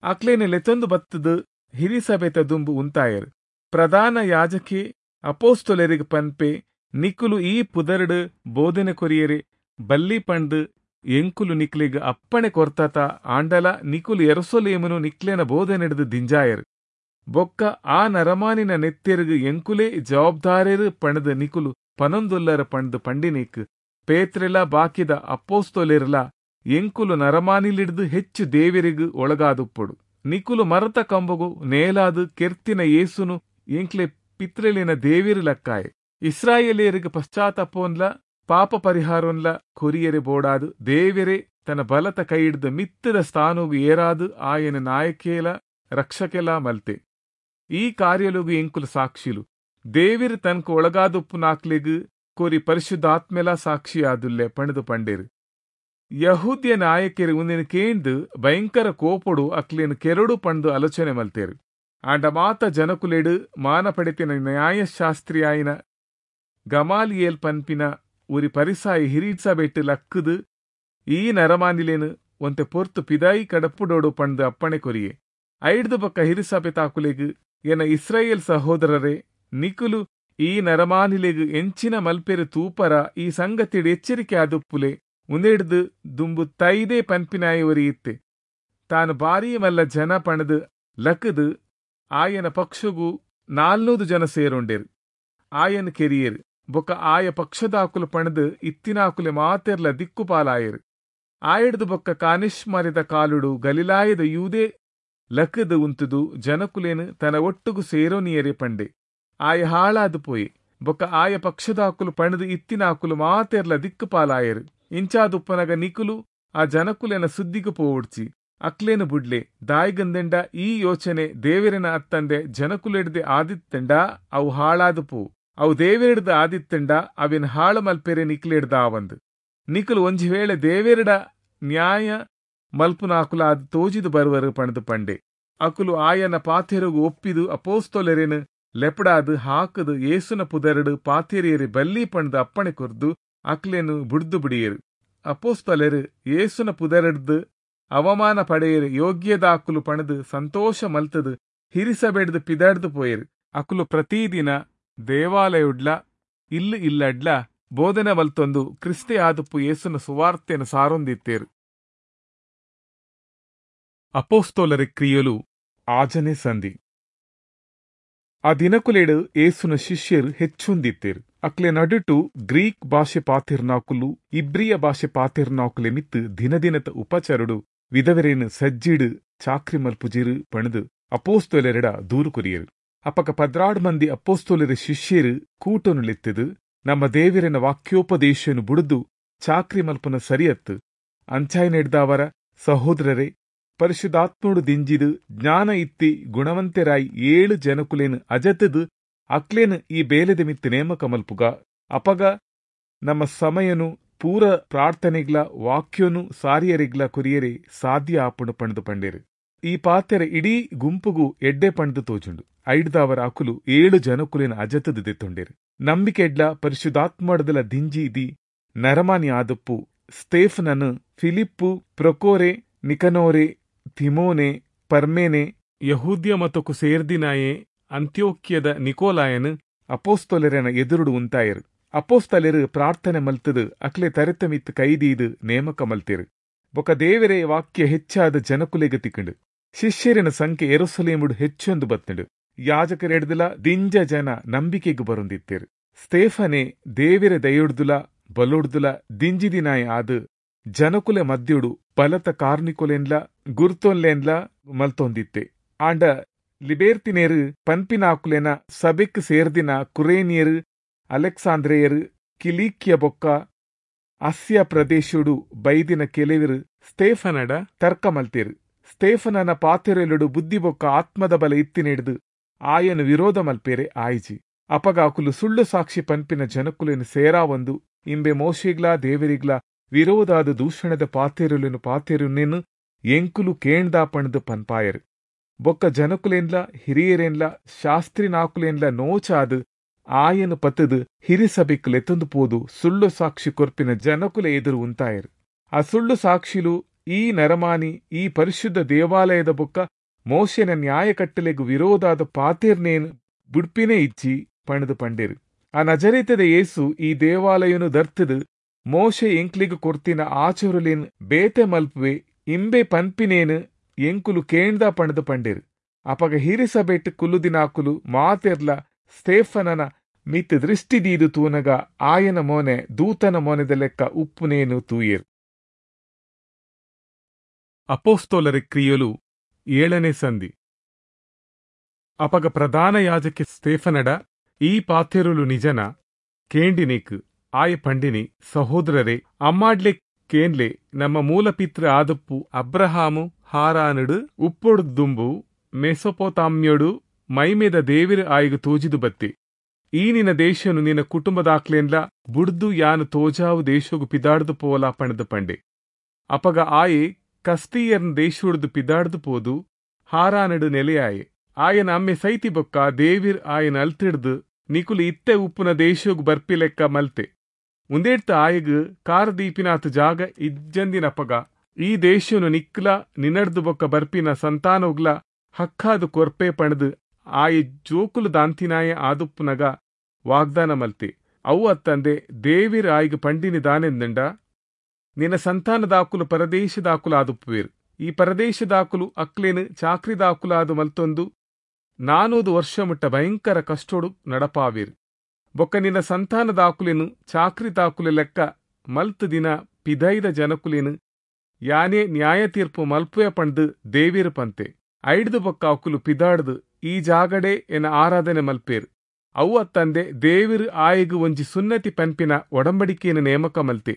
ಅಕ್ಲೇನೆ ಲೆತ್ತೊಂದು ಬತ್ತದು ಹಿರಿಸಭೆತ ದುಂಬು ಉಂತಾಯರು. ಪ್ರಧಾನ ಯಾಜಕೆ ಅಪೋಸ್ತೊಲೆರಿಗೆ ಪನ್ಪೆ, ನಿಕುಲು ಈ ಪುದರ್ಡು ಬೋಧನೆ ಕೊರಿಯರೆ ಬಲ್ಲಿ ಪಂಡು ಎಂಕುಲು ನಿಕ್ಲೆಗ್ ಅಪ್ಪಣೆ ಕೊರ್ತಾತ, ಆಂಡಲ ನಿಕುಲು ಎರಸೊಲೇಮನು ನಿಕ್ಲೆನ ಬೋಧನೆಡ್ದು ದಿಂಜಾಯರು. ಬೊಕ್ಕ ಆ ನರಮಾನಿನ ನೆತ್ತೆರುಗು ಎಂಕುಲೇ ಜವಾಬ್ದಾರೇರು ಪಣದು ನಿಕುಲು ಪನೊಂದುಲ್ಲರ ಪಂಡು ಪಂಡಿನೇಕ್ ಪೇತ್ರೆಲ ಬಾಕಿದ ಅಪ್ಪೋಸ್ತೊಲೆರ್ಲ ಎಂಕುಲು ನರಮಾನಿಲಿಡ್ದು ಹೆಚ್ಚು ದೇವರಿಗು ಒಳಗಾದುಪ್ಪೊಡು. ನಿಕುಲು ಮರತ ಕಂಬಗು ನೇಲಾದು ಕೆರ್ತಿನ ಯೇಸುನು ಎಂಕ್ಲೆ ಪಿತ್ರೆಲಿನ ದೇವಿರು ಲಕ್ಕಾಯೆ. ಇಸ್ರಾಯೇಲಿಯರಿಗೆ ಪಶ್ಚಾತ್ತಾಪೋನ್ಲ ಪಾಪ ಪರಿಹಾರೋನ್ಲ ಕೊರಿಯರೆ ಬೋಡಾದು ದೇವರೇ ತನ್ನ ಬಲತ ಕೈಯಿಡ್ದ ಮಿತ್ತದ ಸ್ಥಾನೋಗು ಏರಾದು ಆಯನ ನಾಯಕೇಲ ರಕ್ಷಕೆಲ ಮಲ್ತೆ. ಈ ಕಾರ್ಯಲುಗು ಎಂಕುಲು ಸಾಕ್ಷಿಲು. ದೇವಿರು ತನಕ ಒಳಗಾದುಪ್ಪು ನಾಕ್ಲೆಗು ಕೋರಿ ಪರಿಶುದ್ಧಾತ್ಮೆಲ ಸಾಕ್ಷಿಯಾದುಲ್ಲೆ ಪಣದು ಪಂಡೇರು. ಯಹೂದ್ಯ ನಾಯಕರು ಉಂದಿನ ಕೇಂದು ಭಯಂಕರ ಕೋಪೊಡು ಅಕ್ಲೇನು ಕೆರಡು ಪಂಡು ಆಲೋಚನೆ ಮಲ್ತೇರು. ಆಂಡ ಮಾತ ಜನಕುಲೆಡು ಮಾನ ಪಡೆತಿನ ನ್ಯಾಯಶಾಸ್ತ್ರಿಯಾಯಿನ ಗಮಾಲಿಯೇಲ್ ಪನ್ಪಿನ ಉರಿ ಪರಿಸಾಯಿ ಹಿರಿಸಬೆಟ್ಟು ಲಕ್ಕದು ಈ ನರಮಾನಿಲೇನು ಒಂತೆ ಪೊರ್ತು ಪಿದಾಯಿ ಕಡಪುಡೋಡು ಪಂಡು ಅಪ್ಪಣೆ ಕೊರಿಯೆ. ಐಡ್ದು ಬೊಕ್ಕ ಹಿರಿಸಭೆ ತಾಕುಲೆಗು ಎನ ಇಸ್ರಾಯೇಲ್ ಸಹೋದರರೇ, ನಿಕುಲು ಈ ನರಮಾನಿಲೆಗು ಎಂಚಿನ ಮಲ್ಪೆರು ತೂಪರ ಈ ಸಂಗತಿಡು ಎಚ್ಚರಿಕೆ ಆದುಪ್ಪುಲೆ. ಉಂದೆಡ್ದು ದುಂಬು ತೈದೇ ಪನ್ಪಿನಾಯಿ ಒರಿಯಿತ್ತೆ. ತಾನು ಬಾರೀ ಮಲ್ಲ ಜನ ಪಣದು ಲಕ್ಕದು ಆಯನ ಪಕ್ಷಗೂ ನಾಲ್ನೂದು ಜನ ಸೇರೊಂಡೇರು. ಆಯನ ಕೆರಿಯೇರು ಬೊಕ್ಕ ಆಯ ಪಕ್ಷದಾಕುಲು ಪಣದು ಇತ್ತಿನಾಕುಲೆ ಮಾತೆರ್ಲ ದಿಕ್ಕುಪಾಲಾಯರು. ಆಯಡ್ದು ಬೊಕ್ಕ ಕಾನಿಷ್ಮರಿದ ಕಾಲುಡು ಗಲಿಲಾಯದ ಯೂದೇ ಲಕ್ಕದು ಉಂತುದು ಜನಕುಲೇನು ತನ್ನ ಒಟ್ಟುಗು ಸೇರೋನಿಯರೇ ಪಂಡೆ. ಆಯ ಹಾಳಾದು ಪೋಯೆ. ಬೊಕ್ಕ ಆಯ ಪಕ್ಷದಾಕುಲು ಪಣದು ಇತ್ತಿನಾಕುಲು ಮಾತೆರ್ಲ ದಿಕ್ಕುಪಾಲಾಯರು. ಇಂಚಾದುಪ್ಪನಗ ನಿಕುಲು ಆ ಜನಕುಲೇನ ಸುದ್ದಿಗು ಪೋವುಡ್ಚಿ ಅಕ್ಲೇನು ಬುಡ್ಲೆ. ದಾಯಿಗಂದೆಂಡ ಈ ಯೋಚನೆ ದೇವರಿನ ಅತ್ತಂದೆ ಜನಕುಲೆಡ್ದೆ ಆದಿತ್ತೆಂಡ ಅವು ಹಾಳಾದು ಪೋ. ಅವು ದೇವರಿಡ್ದ ಆದಿತ್ತೆಂಡ ಅವಿನ ಹಾಳು ಮಲ್ಪೆರೆ ನಿಕ್ಲೆಡ್ದ ಆವಂದು. ನಿಕುಲು ಒಂಜಿ ವೇಳೆ ದೇವೆರಡ ನ್ಯಾಯ ಮಲ್ಪುನಾಕುಲ ಅದು ತೋಜಿದು ಬರುವರು ಪಣದು ಪಂಡೆ. ಅಕುಲು ಆಯನ ಪಾತೆರುಗು ಒಪ್ಪಿದು ಅಪೋಸ್ತೊಲೆರೆನು ಲೆಪಡಾದು ಹಾಕದು ಏಸುನ ಪುದರಡು ಪಾತೆರಿಯರಿ ಬಲ್ಲಿ ಪಣದು ಅಪ್ಪಣೆ ಕೊರ್ದು ಅಕ್ಲೇನು ಬುಡ್ದು ಬಿಡಿಯರು. ಅಪೋಸ್ತೊಲೆರು ಏಸುನ ಪುದರಡ್ದು ಅವಮಾನ ಪಡೆಯರು ಯೋಗ್ಯದಾಕುಲು ಪಣದು ಸಂತೋಷ ಮಲ್ತದು ಹಿರಿಸಬೆಡ್ದು ಪಿದಾಡ್ದು ಪೋಯರು. ಅಕುಲು ಪ್ರತಿದಿನ ದೇವಾಲಯುಡ್ಲ ಇಲ್ಲು ಇಲ್ಲಡ್ಲ ಬೋಧನೆ ಮಲ್ತೊಂದು ಕ್ರಿಸ್ತೆ ಆದುಪ್ಪು ಯೇಸುನ ಸುವಾರ್ತೆಯನ್ನು ಸಾರೊಂದಿತ್ತೇರು. ಅಪೋಸ್ತೋಲರ ಕ್ರಿಯಲು ಆಜನೆ ಸಂಧಿ. ಆ ದಿನಕುಲೇಡು ಏಸುನ ಶಿಷ್ಯರು ಹೆಚ್ಚೊಂದಿತ್ತೇರು. ಅಕ್ಲೆ ನಡುಟು ಗ್ರೀಕ್ ಭಾಷೆ ಪಾತಿರ್ನಾಕುಲು ಇಬ್ರಿಯ ಭಾಷೆ ಪಾತಿರ್ನಾಕುಲೆ ಮಿತ್ತು ದಿನದಿನತ ಉಪಚರುಡು ವಿಧವರೇನು ಸಜ್ಜಿಡು ಚಾಕ್ರಿ ಮಲ್ಪುಜಿರು ಪಣದು ಅಪೋಸ್ತೋಲರೆಡ ದೂರು ಕೊರಿಯರು. ಅಪಕ ಪದ್ರಾಡ್ ಮಂದಿ ಅಪೋಸ್ತೋಲರ ಶಿಷ್ಯರು ಕೂಟನುಲೆತ್ತದು ನಮ್ಮ ದೇವರಿನ ವಾಕ್ಯೋಪದೇಶನು ಬುಡಿದು ಚಾಕ್ರಿ ಮಲ್ಪನ ಸರಿಯತ್ತು. ಅಂಚಾಯ್ ನೆಡ್ದಾವರ ಸಹೋದರರೇ, ಪರಿಶುದ್ಧಾತ್ಮೋಡು ದಿಂಜಿದು ಜ್ಞಾನ ಇತ್ತಿ ಗುಣವಂತೆರಾಯಿ ಏಳು ಜನಕುಲೇನು ಅಜತದು ಅಕ್ಲೇನು ಈ ಬೇಲೆದ ಮಿತ್ತು ನೇಮಕ ಮಲ್ಪುಗ. ಅಪಗ ನಮ್ಮ ಸಮಯನು ಪೂರ ಪ್ರಾರ್ಥನೆಗ್ಲ ವಾಕ್ಯೋನು ಸಾರಿಯರಿಗ್ಲ ಕೊರಿಯರೆ ಸಾಧ್ಯ ಆಪುಂಡು ಪಂಡ್ದು ಪಂಡೇರು. ಈ ಪಾತೆರ ಇಡೀ ಗುಂಪುಗು ಎಡ್ಡೆ ಪಂಡ್ದು ತೋಜುಂಡು. ಐಡ್ದಾವರ ಅಕುಲು ಏಳು ಜನಕುಲೆನ ಅಜತದ ದೆತ್ತೊಂಡೆರು. ನಂಬಿಕೆಡ್ಲ ಪರಿಶುದ್ಧಾತ್ಮಡ್ದಲ ದಿಂಜಿ ನರಮಾನಿ ಆದಪ್ಪು ಸ್ಟೇಫನನು ಫಿಲಿಪ್ಪು, ಪ್ರೊಕೋರೆ, ನಿಕನೋರೆ, ತಿಮೋನೆ, ಪರ್ಮೇನೆ, ಯಹೂದ್ಯ ಮತಕು ಸೇರ್ದಿನಾಯೆ ಅಂತ್ಯೋಕ್ಯದ ನಿಕೋಲಾಯನು ಅಪೋಸ್ತೊಲೆರೆನ ಎದುರುಡು ಉಂತಾಯರು. ಅಪೋಸ್ತಲೆರು ಪ್ರಾರ್ಥನೆ ಮಲ್ತದು ಅಕ್ಲೆ ತರೆತಮಿತ್ ಕೈದೀದು ನೇಮಕ ಮಲ್ತೆರು. ಬೊಕ ದೇವರೇ ವಾಕ್ಯ ಹೆಚ್ಚಾದ ಜನಕುಲೆಗ ತಿಕ್ಕಂಡು. ಶಿಷ್ಯರಿನ ಸಂಖ್ಯೆ ಯೆರೂಸಲೇಮುಡು ಹೆಚ್ಚೊಂದು ಬತ್ತಂಡು. ಯಾಜಕರೆಡ್ದಲ ದಿಂಜ ಜನ ನಂಬಿಕೆಗೆ ಬರೊಂದಿತ್ತೇರು. ಸ್ಟೇಫನೆ ದೇವಿರ ದಯೊಡ್ದುಲ ಬಲೊಡ್ದುಲ ದಿಂಜಿದಿನಾಯ ಆದ್ ಜನಕುಲೆ ಮದ್ಯೊಡು ಬಲತ ಕಾರ್ನಿಕೊಲೆನ್ಲ ಗುರ್ತೊನ್ಲೆನ್ಲ ಮಲ್ತೊಂದಿತ್ತೆ. ಆಂಡ ಲಿಬೇರ್ತಿನೇರು ಪನ್ಪಿನಾಕುಲೆನ ಸಬೆಕ್ ಸೇರ್ದಿನ ಕುರೇನಿಯರು, ಅಲೆಕ್ಸಾಂದ್ರೆಯರು, ಕಿಲೀಕ್ಯ ಬೊಕ್ಕ ಅಸ್ಯ ಪ್ರದೇಶೊಡು ಬೈದಿನ ಕೆಲವರು ಸ್ಟೇಫನಡ ತರ್ಕ ಮಲ್ತೇರು. ಸ್ಟೇಫನನ ಪಾತೆರೆಲುಡು ಬುದ್ಧಿ ಬೊಕ್ಕ ಆತ್ಮದ ಬಲ ಇತ್ತಿನೆಡ್ದು ಆಯನು ವಿರೋಧ ಮಲ್ಪೇರೆ ಆಯಿಜಿ. ಅಪಗ ಅಕುಲು ಸುಳ್ಳು ಸಾಕ್ಷಿ ಪನ್ಪಿನ ಜನಕುಲೆನು ಸೇರಾವೊಂದು ಇಂಬೆ ಮೋಶೆಗ್ಲಾ ದೇವರಿಗ್ಲಾ ವಿರೋಧಾದ ದೂಷಣದ ಪಾತೆರುಲೆನು ಪಾತೆರುನೇನು ಎಂಕುಲು ಕೇಂದಾ ಪಣದು ಪನ್ಪಾಯರು. ಬೊಕ್ಕ ಜನಕುಲೇನ್ಲ ಹಿರಿಯರೇನ್ಲ ಶಾಸ್ತ್ರಿನಾಕುಲೇನ್ಲ ನೋಚಾದು ಆಯನು ಪತ್ತದು ಹಿರಿಸಭೆಕ್ ಲೆತ್ತೊಂದು ಪೋದು ಸುಳ್ಳು ಸಾಕ್ಷಿ ಕೊರ್ಪಿನ ಜನಕುಲೆ ಎದುರು ಉಂತಾಯರು. ಆ ಸುಳ್ಳು ಸಾಕ್ಷಿಲು ಈ ನರಮಾನಿ ಈ ಪರಿಶುದ್ಧ ದೇವಾಲಯದ ಬೊಕ್ಕ ಮೋಶೆನ ನ್ಯಾಯ ಕಟ್ಟಲೆಗು ವಿರೋಧಾದ ಪಾತೆರ್ನೇನು ಬುಡ್ಪಿನೇ ಇಚ್ಚಿ ಪಣದು ಪಂಡೇರು. ಆ ನಜರೇತದ ಯೇಸು ಈ ದೇವಾಲಯನು ದರ್ತದು ಮೋಶೆ ಎಂಕ್ಲಿಗು ಕೊರ್ತಿನ ಆಚರುಲೇನ್ ಬೇತೆ ಮಲ್ಪುವೆ ಇಂಬೆ ಪನ್ಪಿನೇನು ಎಂಕುಲು ಕೇಂದ ಪಣದು ಪಂಡೇರು. ಅಪಗ ಹಿರಿಸಭೆಟ್ ಕುಲ್ಲುದಿನಾಕುಲು ಮಾತೆರ್ಲ ಸ್ಟೇಫನನ ಮಿತ್ ದೃಷ್ಟಿ ದೀದು ತೂನಗ ಆಯನ ಮೋನೆ ದೂತನ ಮೋನೆದ ಲೆಕ್ಕ ಉಪ್ಪುನೇನು ತೂಯೇರು. ಅಪೋಸ್ತೋಲರ ಕ್ರಿಯಲು ಏಳನೇ ಸಂಧಿ. ಅಪಗ ಪ್ರಧಾನ ಯಾಜಕಿ ಸ್ಟೇಫನಡ ಈ ಪಾತೆರುಲು ನಿಜನ ಕೇಂಡಿನೇಕ್ ಆಯ ಪಂಡಿನಿ, ಸಹೋದರರೇ, ಅಮ್ಮಾಡ್ಲೆ ಕೇನ್ಲೆ ನಮ್ಮ ಮೂಲಪಿತ್ರ ಆದಪ್ಪು ಅಬ್ರಹಾಮು ಹಾರಾನುಡು ಉಪ್ಪೊಡು ದುಂಬು ಮೆಸೊಪೊತಾಮ್ಯೊಡು ಮೈಮೇದ ದೇವಿರ ಆಯಿಗು ತೋಜಿದು ಬತ್ತಿ. ಈ ನಿನ್ನ ದೇಶನು ನಿನ್ನ ಕುಟುಂಬದಾಕ್ಲೇನ್ಲ ಬುಡ್ದು ಯಾನು ತೋಜಾವು ದೇಶಗು ಪಿದಾಡ್ದು ಪೋಲಾ ಪಣದು ಪಂಡೆ. ಅಪಗ ಆಯೆ ಕಸ್ತೀಯರ್ನ ದೇಶುಡ್ದು ಪಿದಾಡ್ದು ಪೋದು ಹಾರಾನಡು ನೆಲೆಯಾಯೆ. ಆಯನ ಅಮ್ಮೆ ಸೈತಿ ಬೊಕ್ಕ ದೇವಿರ್ ಆಯನ ಅಲ್ತಿಡ್ದು ನಿಕುಲು ಇತ್ತೆ ಉಪ್ಪುನ ದೇಶಗು ಬರ್ಪಿಲೆಕ್ಕ ಮಲ್ತೆ. ಉಂದೇಡ್ತ ಆಯಗು ಕಾರದೀಪಿನಾಥ ಜಾಗ ಇಜ್ಜಂದಿನಪಗ ಈ ದೇಶನು ನಿಕ್ಲ ನಿನಡ್ದು ಬೊಕ್ಕ ಬರ್ಪಿನ ಸಂತಾನೋಗ್ಲ ಹಕ್ಕಾದು ಕೊರ್ಪೆ ಪಣದು ಆಯೆ ಜೋಕುಲು ದಾಂತಿನಾಯ ಆದುಪ್ಪುನಗ ವಾಗ್ದಾನ ಮಲ್ತೆ. ಅವು ಅತ್ತಂದೆ ದೇವಿರ್ ಆಯ್ಗ ಪಂಡಿನಿ ದಾನೆಂದಂಡ, ನಿನ್ನ ಸಂತಾನದಾಕುಲು ಪರದೇಶದಾಕುಲು ಆದುಪ್ಪುವೇರು. ಈ ಪರದೇಶದಾಕುಲು ಅಕ್ಲೇನು ಚಾಕ್ರಿದಾಕುಲಾದು ಮಲ್ತೊಂದು ನಾನೂದು ವರ್ಷ ಮುಟ್ಟ ಭಯಂಕರ ಕಷ್ಟೋಡು ನಡಪಾವೇರು. ಬೊಕ್ಕ ನಿನ್ನ ಸಂತಾನದಾಕುಲೇನು ಚಾಕ್ರಿದಾಕುಲೆ ಲೆಕ್ಕ ಮಲ್ತು ದಿನ ಪಿದೈದ ಜನಕುಲೇನು ಯಾನೇ ನ್ಯಾಯ ತೀರ್ಪು ಮಲ್ಪುವೆ ಪಂಡ್ದು ದೇವಿರು ಪಂತೆ. ಐಡ್ದು ಬೊಕ್ಕ ಅಕುಲು ಪಿದಾಡ್ದು ಈ ಜಾಗಡೆ ಎನ ಆರಾಧನೆ ಮಲ್ಪೇರು. ಅವು ಅತ್ತಂದೆ ದೇವಿರು ಆಯಗು ಒಂಜಿ ಸುನ್ನತಿ ಪನ್ಪಿನ ಒಡಂಬಡಿಕೆಯನ್ನು ನೇಮಕ ಮಲ್ತೆ.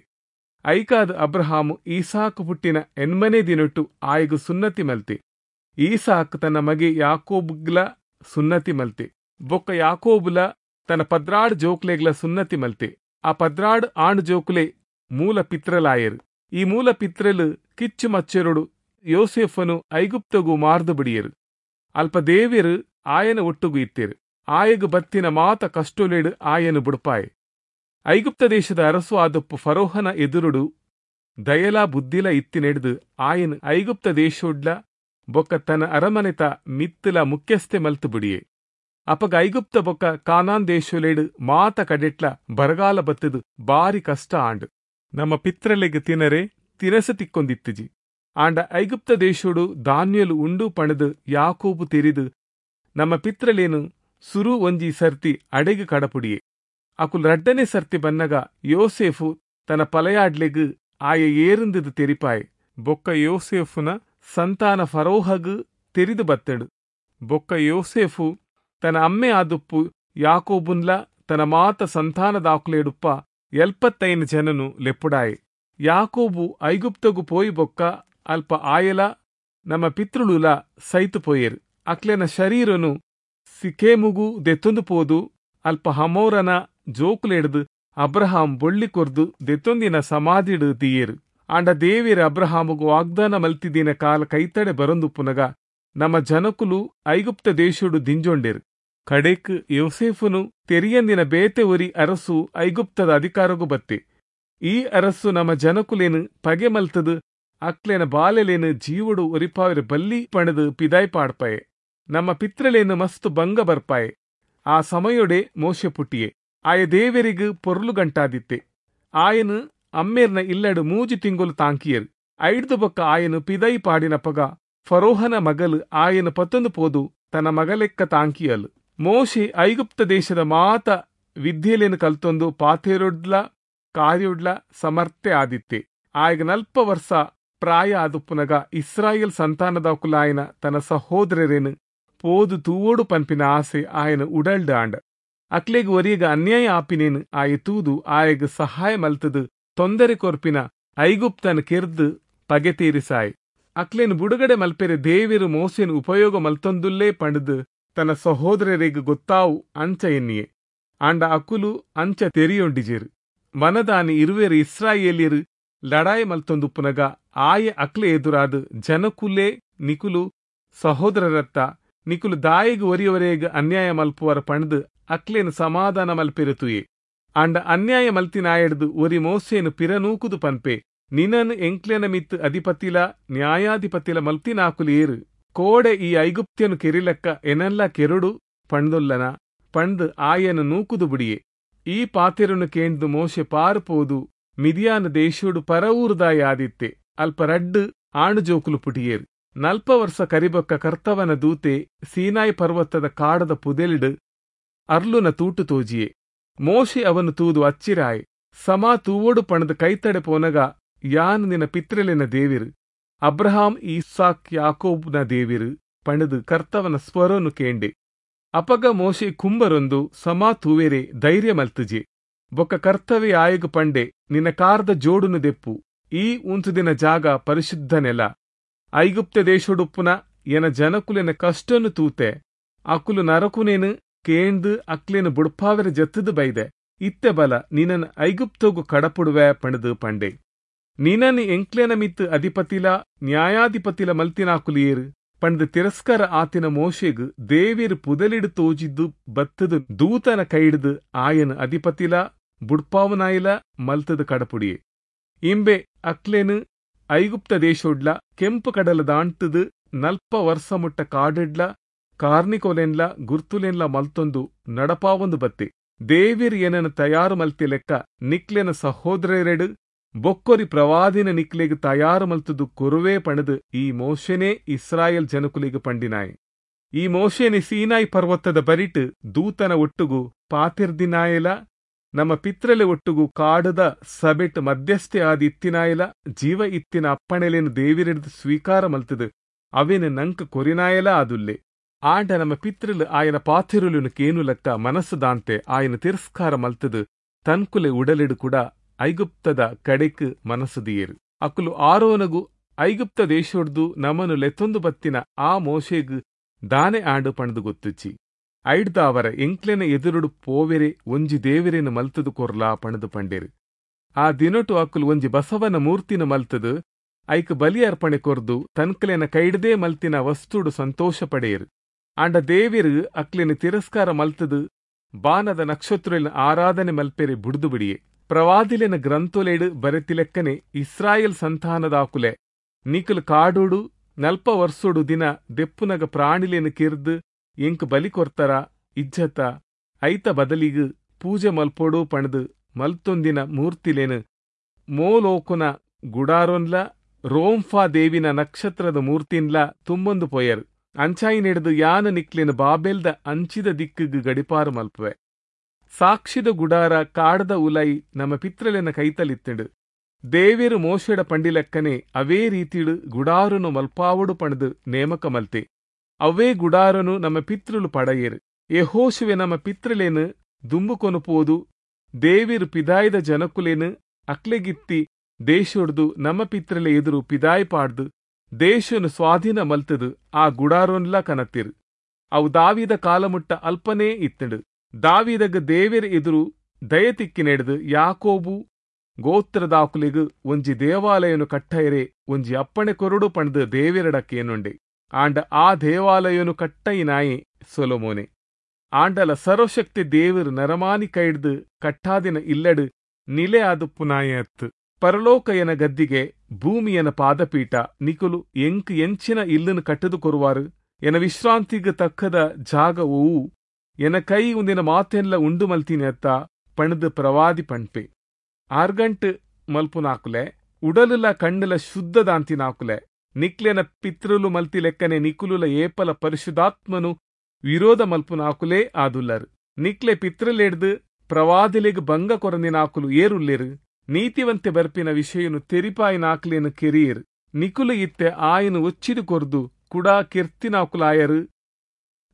ಐಕಾದ ಅಬ್ರಹಾಮು ಈಸಾಕು ಪುಟ್ಟಿನ ಎನ್ಮನೆ ದಿನೊಟ್ಟು ಆಯಗು ಸುನ್ನತಿ ಮಲ್ತೆ. ಈಸಾಕ್ ತನ್ನ ಮಗೆ ಯಾಕೋಬ್ಗ್ಲ ಸುನ್ನತಿ ಮಲ್ತೆ. ಬೊಕ್ಕ ಯಾಕೋಬುಲ ತನ್ನ ಪದ್ರಾಡ್ ಜೋಕ್ಲೆಗ್ಲ ಸುನ್ನತಿ ಮಲ್ತೆ. ಆ ಪದ್ರಾಡ್ ಆಣ್ ಜೋಕುಲೆ ಮೂಲ ಪಿತ್ರಲಾಯರು. ಈ ಮೂಲ ಪಿತ್ರಲು ಕಿಚ್ಚು ಮಚ್ಚರುಡು ಯೋಸೆಫನು ಐಗುಪ್ತಗು ಮಾರ್ದು ಬಿಡಿಯರು. ಅಲ್ಪ ದೇವಿರು ಆಯನ ಒಟ್ಟುಗು ಇತ್ತೇರು. ಆಯಗು ಬತ್ತಿನ ಮಾತ ಕಷ್ಟೊಲೆಡು ಆಯನು ಬುಡ್ಪಾಯೆ. ಐಗುಪ್ತ ದೇಶದ ಅರಸು ಆದಪ್ಪು ಫರೋಹನ ಎದುರುಡು ದಯಲಾ ಬುದ್ಧಿಲ ಇತ್ತಿನೆಡ್ದು ಆಯನು ಐಗುಪ್ತ ದೇಶೋಡ್ಲ ಬೊಕ್ಕ ತನ್ನ ಅರಮನೆತ ಮಿತ್ತಲ ಮುಖ್ಯಸ್ಥೆ ಮಲ್ತು ಬಿಡಿಯೆ. ಅಪಗ ಐಗುಪ್ತ ಬೊಕ್ಕ ಕಾನಾನ್ ದೇಶೊಲೆಡು ಮಾತ ಕಡೆಟ್ಲ ಬರಗಾಲ ಬತ್ತದು ಬಾರಿ ಕಷ್ಟ ಆಂಡು. ನಮ್ಮ ಪಿತ್ರಲೆಗ್ ತಿನರೆ ತಿನಸ ತಿಕ್ಕೊಂದಿತ್ತಿಜಿ. ಆಂಡ ಐಗುಪ್ತ ದೇಶೋಡು ಧಾನ್ಯಲು ಉಂಡು ಪಣದು ಯಾಕೋಬು ತೆರಿದು ನಮ್ಮ ಪಿತ್ರಲೇನು ಸುರು ಒಂಜಿ ಸರ್ತಿ ಅಡೆಗು ಕಡಪುಡಿಯೆ. ಅಕುಲ್ ರಡ್ಡನೆ ಸರ್ತಿ ಬನ್ನಗ ಯೋಸೇಫು ತನ್ನ ಪಲಯಾಡ್ಲೆಗ್ ಆಯ ಏರುಂದದು ತೆರಿಪಾಯೆ. ಬೊಕ್ಕ ಯೋಸೇಫುನ ಸಂತಾನ ಫರೋಹಗ್ ತೆರಿದು ಬತ್ತಡು. ಬೊಕ್ಕ ಯೋಸೇಫು ತನ್ನ ಅಮ್ಮೆ ಆದುಪ್ಪು ಯಾಕೋಬುನ್ಲ ತನ್ನ ಮಾತ ಸಂತಾನದಾಕುಲೇಡುಪ್ಪ ಎಲ್ಪತ್ತೈನು ಜನನು ಲೆಪ್ಪುಡಾಯೆ. ಯಾಕೋಬು ಐಗುಪ್ತಗು ಪೋಯಿ ಬೊಕ್ಕ ಅಲ್ಪ ಆಯಲ ನಮ್ಮ ಪಿತೃಳುಲ ಸೈತು ಪೋಯೇರು. ಅಕ್ಲೆನ ಶರೀರನು ಸಿಖೇಮುಗು ದೆತ್ತೊಂದು ಪೋದು ಅಲ್ಪ ಹಮೋರನ ಜೋಕುಲೆಡ್ದು ಅಬ್ರಹಾಂ ಬೊಳ್ಳಿ ಕೊರ್ದು ದೆತ್ತೊಂದಿನ ಸಮಾಧಿಡು ದಿಯೇರು. ಆಂಡ ದೇವಿರ ಅಬ್ರಹಾಮುಗು ವಾಗ್ದಾನ ಮಲ್ತಿದಿನ ಕಾಲ ಕೈತಡೆ ಬರೊಂದುಪ್ಪುನಗ ನಮ್ಮ ಜನಕುಲು ಐಗುಪ್ತ ದೇಶೊಡು ದಿಂಜೊಂಡೆರು. ಕಡೆಕ್ ಯೋಸೇಫುನು ತೆರಿಯಂದಿನ ಬೇತೆ ಒರಿ ಅರಸು ಐಗುಪ್ತದ ಅಧಿಕಾರಗು ಬತ್ತೆ. ಈ ಅರಸು ನಮ್ಮ ಜನಕುಲೇನು ಪಗೆ ಮಲ್ತದು ಅಕ್ಲೆನ ಬಾಲೆಲೇನು ಜೀವಡು ಒರಿಪಾವೆರೆ ಬಲ್ಲಿ ಪಣದು ಪಿದಾಯ್ ಪಾಡ್ಪಾಯೆ. ನಮ್ಮ ಪಿತ್ರಲೇನು ಮಸ್ತು ಭಂಗ ಬರ್ಪಾಯೆ. ಆ ಸಮಯೊಡೆ ಮೋಶೆ ಪುಟ್ಟಿಯೆ. ಆಯ ದೇವರಿಗು ಪೊರ್ಲು ಗಂಟಾದಿತ್ತೆ. ಆಯನು ಅಮ್ಮೇರ್ನ ಇಲ್ಲಡು ಮೂಜಿ ತಿಂಗೊಲು ತಾಂಕಿಯರು. ಐಡ್ದು ಬೊಕ್ಕ ಆಯನು ಪಿದೈ ಪಾಡಿನಪಗ ಫರೋಹನ ಮಗಲು ಆಯನು ಪತ್ತೊಂದು ಪೋದು ತನ್ನ ಮಗಲೆಕ್ಕ ತಾಂಕಿಯಲು. ಮೋಶೆ ಐಗುಪ್ತ ದೇಶದ ಮಾತ ವಿದ್ಯೆಲೇನು ಕಲ್ತೊಂದು ಪಾಥೇರೊಡ್ಲ ಕಾರ್ಯೊಡ್ಲ ಸಮರ್ಥೆ ಆದಿತ್ತೆ. ಆಯಗ ನಲ್ಪ ವರ್ಷ ಪ್ರಾಯ ಆದುಪ್ಪುನಗ ಇಸ್ರಾಯೇಲ್ ಸಂತಾನದಾಕುಲಾಯನ ತನ್ನ ಸಹೋದರರೇನು ಪೋದು ತೂವೋಡು ಪನ್ಪಿನ ಆಸೆ ಆಯನ ಉಡಲ್ಡ್ ಆಂಡ. ಅಕ್ಲೆಗ್ ಒರಿಯಗ ಅನ್ಯಾಯ ಆಪಿನೇನು ಆಯ ತೂದು ಆಯಗ ಸಹಾಯ ಮಲ್ತದು ತೊಂದರೆ ಕೊರ್ಪಿನ ಐಗುಪ್ತನ ಕೆರ್ದು ಪಗೆ ತೀರಿಸಾಯ್. ಅಕ್ಲೇನು ಬುಡುಗಡೆ ಮಲ್ಪೆರೆ ದೇವಿರು ಮೋಸೆನು ಉಪಯೋಗ ಮಲ್ತೊಂದುಲ್ಲೇ ಪಂಡದು ತನ್ನ ಸಹೋದರರಿಗೆ ಗೊತ್ತಾವು ಅಂಚ ಎನ್ನಿಯೆ. ಆಂಡ ಅಕುಲು ಅಂಚ ತೆರಿಯೊಂಡಿಜೇರು. ವನದಾನಿ ಇರುವೆರು ಇಸ್ರಾಯೇಲಿಯರು ಲಡಾಯಿ ಮಲ್ತೊಂದುಪ್ಪುನಗ ಆಯೆ ಅಕ್ಲೆ ಎದುರಾದು ಜನಕುಲೇ ನಿಕುಲು ಸಹೋದರರತ್ತ ನಿಕುಲು ದಾಯಿಗ್ ಒರಿಯವರೆಗ್ ಅನ್ಯಾಯ ಮಲ್ಪುವರ ಪಂಡ್ದು ಅಕ್ಲೇನು ಸಮಾಧಾನ ಮಲ್ಪೆರುತುಯೆ. ಆಂಡ ಅನ್ಯಾಯ ಮಲ್ತಿನಾಯಡ್ದು ಒರಿ ಮೋಸೇನು ಪಿರನೂಕುದು ಪನ್ಪೆ, ನಿನನ್ ಎಂಕ್ಲೆನ ಮಿತ್ತು ಅಧಿಪತಿಲ ನ್ಯಾಯಾಧಿಪತಿಲ ಮಲ್ತಿನಾಕುಲು ಏರು, ಕೋಡೆ ಈ ಐಗುಪ್ತ್ಯನು ಕೆರಿಲಕ್ಕ ಎನಲ್ಲ ಕೆರುಡು ಪಂಡುಲ್ಲನ ಪಂಡ್ ಆಯನು ನೂಕುದು ಬುಡಿಯೆ. ಈ ಪಾತೆರನು ಕೇಂದು ಮೋಶೆ ಪಾರುಪೋದು ಮಿದಿಯಾನ ದೇಶೋಡು ಪರವೂರುದಾಯ ಆದಿತ್ತೆ. ಅಲ್ಪ ರಡ್ಡು ಆಣು ಜೋಕುಲು ಪುಟಿಯೇರು. ನಲ್ಪ ವರ್ಷ ಕರಿಬೊಕ್ಕ ಕರ್ತವನ ದೂತೆ ಸೀನಾಯಿ ಪರ್ವತದ ಕಾಡದ ಪುದೆಲಿಡು ಅರ್ಲುನ ತೂಟು ತೋಜಿಯೆ. ಮೋಶೆ ಅವನು ತೂದು ಅಚ್ಚಿರಾಯ್. ಸಮಾ ತೂವೋಡು ಪಣದ ಕೈತಡೆ ಪೋನಗ ಯಾನ್ ನಿನ ಪಿತ್ರಲಿನ ದೇವಿರು, ಅಬ್ರಹಾಂ ಈಸಾಕ್ ಯಾಕೋಬ್ನ ದೇವಿರು ಪಣದು ಕರ್ತವನ ಸ್ವರನು ಕೇಂಡೆ. ಅಪಗ ಮೋಶೆ ಕುಂಬರೊಂದು ಸಮಾ ತೂವೆರೆ ಧೈರ್ಯ ಮಲ್ತುಜೆ. ಬೊಕ್ಕ ಕರ್ತವೆ ಆಯಗು ಪಂಡೆ, ನಿನ್ನ ಕಾರ್ದ ಜೋಡುನು ದೆಪ್ಪು, ಈ ಉಂತುದಿನ ಜಾಗ ಪರಿಶುದ್ಧ ನೆಲ. ಐಗುಪ್ತ ದೇಶೊಡುಪ್ಪುನ ಎನ ಜನಕುಲೆನ ಕಷ್ಟನು ತೂತೆ, ಅಕುಲು ನರಕುನೇನು ಕೇಂದು ಅಕ್ಲೇನು ಬುಡ್ಪಾವೆರ ಜತ್ತದು ಬೈದೆ. ಇತ್ತೆ ಬಲ ನಿನನ್ ಐಗುಪ್ತೋಗು ಕಡಪುಡುವೆ ಪಣದು ಪಂಡೆ. ನಿನನ್ ಎಂಕ್ಲೆನ ಮಿತ್ತು ಅಧಿಪತಿಲ ನ್ಯಾಯಾಧಿಪತಿಲ ಮಲ್ತಿನಾಕುಲಿಯೇರು ಪಂಡು ತಿರಸ್ಕಾರ ಆತಿನ ಮೋಶೆಗು ದೇವಿರು ಪುದಲಿಡು ತೋಜಿದ್ದು ಬತ್ತದು ದೂತನ ಕೈಡಿದು ಆಯನ ಅಧಿಪತಿಲ ಬುಡ್ಪಾವನಾಯಿಲ ಮಲ್ತದು ಕಡಪುಡಿಯೆ. ಇಂಬೆ ಅಕ್ಲೇನು ಐಗುಪ್ತ ದೇಶೋಡ್ಲ ಕೆಂಪು ಕಡಲ ದಾಂಟದು ನಲ್ಪ ವರ್ಷ ಮುಟ್ಟ ಕಾಡಿಡ್ಲ ಕಾರ್ನಿಕೋಲೆನ್ಲ ಗುರ್ತುಲೆನ್ಲ ಮಲ್ತೊಂದು ನಡಪಾವೊಂದು ಬತ್ತೆ. ದೇವಿರ್ ಏನನ ತಯಾರು ಮಲ್ತಿ ಲೆಕ್ಕ ನಿಕ್ಲೆನ ಸಹೋದರರೆಡು ಬೊಕ್ಕೊರಿ ಪ್ರವಾದಿನ ನಿಕ್ಲೆಗ್ ತಯಾರು ಮಲ್ತದು ಕೊರುವೆ ಪಣದು ಈ ಮೋಶೆನೇ ಇಸ್ರಾಯೇಲ್ ಜನಕುಲಿಗೆ ಪಂಡಿನಾಯ್. ಈ ಮೋಶೆನೆ ಸೀನಾಯಿ ಪರ್ವತದ ಬರಿಟು ದೂತನ ಒಟ್ಟುಗು ಪಾತಿರ್ದಿನಾಯಲ ನಮ್ಮ ಪಿತ್ರಲೆ ಒಟ್ಟುಗು ಕಾಡದ ಸಬೆಟ್ ಮಧ್ಯಸ್ಥೆ ಆದಿ ಇತ್ತಿನಾಯಲ ಜೀವ ಇತ್ತಿನ ಅಪ್ಪಣೆಲೇನು ದೇವಿರೆಡ್ದು ಸ್ವೀಕಾರ ಮಲ್ತದು ಅವೇನು ನಂಕ ಕೊರಿನಾಯಲ ಆದುಲ್ಲೆ. ಆಂಡ ನಮ್ಮ ಪಿತ್ರಲು ಆಯನ ಪಾತಿರುಲುನು ಕೇನು ಲೆಕ್ಕ ಮನಸ್ಸುದಾಂತೆ ಆಯನ ತಿರಸ್ಕಾರ ಮಲ್ತದು ತನ್ಕುಲೆ ಉಡಲಿಡು ಕೂಡ ಐಗುಪ್ತದ ಕಡೆಕ್ ಮನಸ್ಸುದಿಯೇರು. ಅಕುಲು ಆರೋನಗು ಐಗುಪ್ತ ದೇಶೊಡ್ದು ನಮನು ಲೆತ್ತೊಂದು ಬತ್ತಿನ ಆ ಮೋಶೆಗು ದಾನೆ ಆಂಡು ಪಣದು ಗೊತ್ತುಚ್ಚಿ. ಐಡ್ದಾವರ ಎಂಕ್ಲೆನ ಎದುರುಡು ಪೋವೆರೆ ಒಂಜಿ ದೇವರೇನು ಮಲ್ತದು ಕೊರ್ಲಾ ಪಣದು ಪಂಡೇರು. ಆ ದಿನೊಟು ಅಕುಲು ಒಂಜಿ ಬಸವನ ಮೂರ್ತಿನ ಮಲ್ತದು ಐಕ್ ಬಲಿ ಅರ್ಪಣೆ ಕೊರ್ದು ತನ್ಕಲೆನ ಕೈಡ್ದೇ ಮಲ್ತಿನ ವಸ್ತುಡು ಸಂತೋಷ ಪಡೆಯರು. ಆಂಡ ದೇವಿರು ಅಕ್ಲೆನ ತಿರಸ್ಕಾರ ಮಲ್ತದು ಬಾನದ ನಕ್ಷತ್ರುಲಿನ ಆರಾಧನೆ ಮಲ್ಪೆರೆ ಬುಡ್ದು ಬಿಡಿಯೆ. ಪ್ರವಾದಿಲೆನ ಗ್ರಂಥೊಲೆಡು ಬರೆತಿಲೆಕ್ಕನೆ ಇಸ್ರಾಯೇಲ್ ಸಂತಾನದಾಕುಲೆ ನಿಕುಲು ಕಾಡೋಡು ನಲ್ಪ ವರ್ಷೋಡು ದಿನ ದೆಪ್ಪುನಗ ಪ್ರಾಣಿಲೇನು ಕಿರ್ದು ಎಂಕ್ ಬಲಿ ಕೊರ್ತರ ಇಜ್ಜತ ಐತ ಬದಲಿಗು ಪೂಜೆ ಮಲ್ಪೋಡು ಪಣದು ಮಲ್ತೊಂದಿನ ಮೂರ್ತಿಲೇನು ಮೋಲೋಕುನ ಗುಡಾರೊನ್ಲ ರೋಂಫಾ ದೇವಿನ ನಕ್ಷತ್ರದ ಮೂರ್ತಿನ್ಲ ತುಂಬೊಂದು ಪೋಯರು. ಅಂಚಾಯಿ ನೆಡ್ದು ಯಾನ ನಿಕ್ಲೇನು ಬಾಬೆಲ್ದ ಅಂಚಿದ ದಿಕ್ಕುಗು ಗಡಿಪಾರು ಮಲ್ಪುವೆ. ಸಾಕ್ಷಿದ ಗುಡಾರ ಕಾಡದ ಉಲೈ ನಮ್ಮ ಪಿತ್ರಲೆನ ಕೈತಲಿತ್ತಂಡು. ದೇವಿರು ಮೋಶೆಡ ಪಂಡಿಲೆಕ್ಕನೆ ಅವೇ ರೀತಿಡು ಗುಡಾರುನು ಮಲ್ಪಾವಡು ಪಣದು ನೇಮಕ ಮಲ್ತೆ. ಅವೇ ಗುಡಾರನು ನಮ್ಮ ಪಿತೃಲು ಪಡೆಯರು. ಯೆಹೋಶುವೆ ನಮ್ಮ ಪಿತ್ರಲೇನು ದುಂಬುಕೊನು ಪೋದು ದೇವಿರು ಪಿದಾಯ್ದ ಜನಕುಲೇನು ಅಕ್ಲೆಗಿತ್ತಿ ದೇಶೊಡ್ದು ನಮ್ಮ ಪಿತ್ರಲೆ ಎದುರು ಪಿದಾಯ್ ಪಾಡ್ದು ದೇಶನು ಸ್ವಾಧೀನ ಮಲ್ತದು ಆ ಗುಡಾರೊನ್ಲ ಕನತ್ತಿರು. ಅವು ದಾವಿದ ಕಾಲಮುಟ್ಟ ಅಲ್ಪನೇ ಇತ್ತಂಡು. ದಾವಿದಗ ದೇವಿರ ಎದುರು ದಯತಿಕ್ಕಿನೆಡ್ದು ಯಾಕೋಬು ಗೋತ್ರದಾಕುಲಿಗು ಒಂಜಿ ದೇವಾಲಯನು ಕಟ್ಟಯರೆ ಒಂಜಿ ಅಪ್ಪಣೆ ಕೊರಡು ಪಣದು ದೇವಿರಡಕ್ಕೇನುಂಡೆ. ಆಂಡ ಆ ದೇವಾಲಯನು ಕಟ್ಟಯಿನಾಯೆ ಸೊಲೊಮೋನೆ. ಆಂಡಲ ಸರ್ವಶಕ್ತಿ ದೇವರು ನರಮಾನಿ ಕೈಡ್ದು ಕಟ್ಟಾದಿನ ಇಲ್ಲಡು ನಿಲೆ ಆದುಪ್ಪುನಾಯೆ ಅತ್ತು. ಪರಲೋಕಯನ ಗದ್ದಿಗೆ ಭೂಮಿಯನ ಪಾದಪೀಠ ನಿಕುಲು ಎಂಕ್ ಎಂಚಿನ ಇಲ್ಲನು ಕಟ್ಟದು ಕೊರುವಾರು? ಎನ ವಿಶ್ರಾಂತಿಗೆ ತಕ್ಕದ ಜಾಗ ಓವು? ಎನ ಕೈ ಉಂದಿನ ಮಾತೆನ್ಲ ಉಂಡು ಮಲ್ತೀನಿ ಅತ್ತ ಪಣದು ಪ್ರವಾದಿ ಪಣ್ಪೆ. ಆರ್ಗಂಟ್ ಮಲ್ಪುನಾಕುಲೆ ಉಡಲುಲ ಕಣ್ಣುಲ ಶುದ್ಧದಾಂತಿನಾಕುಲೆ ನಿಕ್ಲೆನ ಪಿತೃಲು ಮಲ್ತಿ ಲೆಕ್ಕನೆ ನಿಕುಲುಲ ಏಪಲ ಪರಿಶುದ್ಧಾತ್ಮನು ವಿರೋಧ ಮಲ್ಪುನಾಕುಲೇ ಆದುಲ್ಲರು. ನಿಕ್ಲೆ ಪಿತೃಲೆಡ್ದು ಪ್ರವಾದಿಲೆಗ್ ಭಂಗ ಕೊರಂದಿನಾಕುಲು ಏರುಲ್ಲೇರು. ನೀತಿವಂತೆ ಬರ್ಪಿನ ವಿಷಯನು ತೆರಿಪಾಯಿನಾಕ್ಲೇನು ಕೆರಿಯರು. ನಿಕುಲು ಇತ್ತೆ ಆಯನು ಒಚ್ಚಿದು ಕೊರ್ದು ಕುಡಾ ಕೆರ್ತಿನಾಕುಲಾಯರು.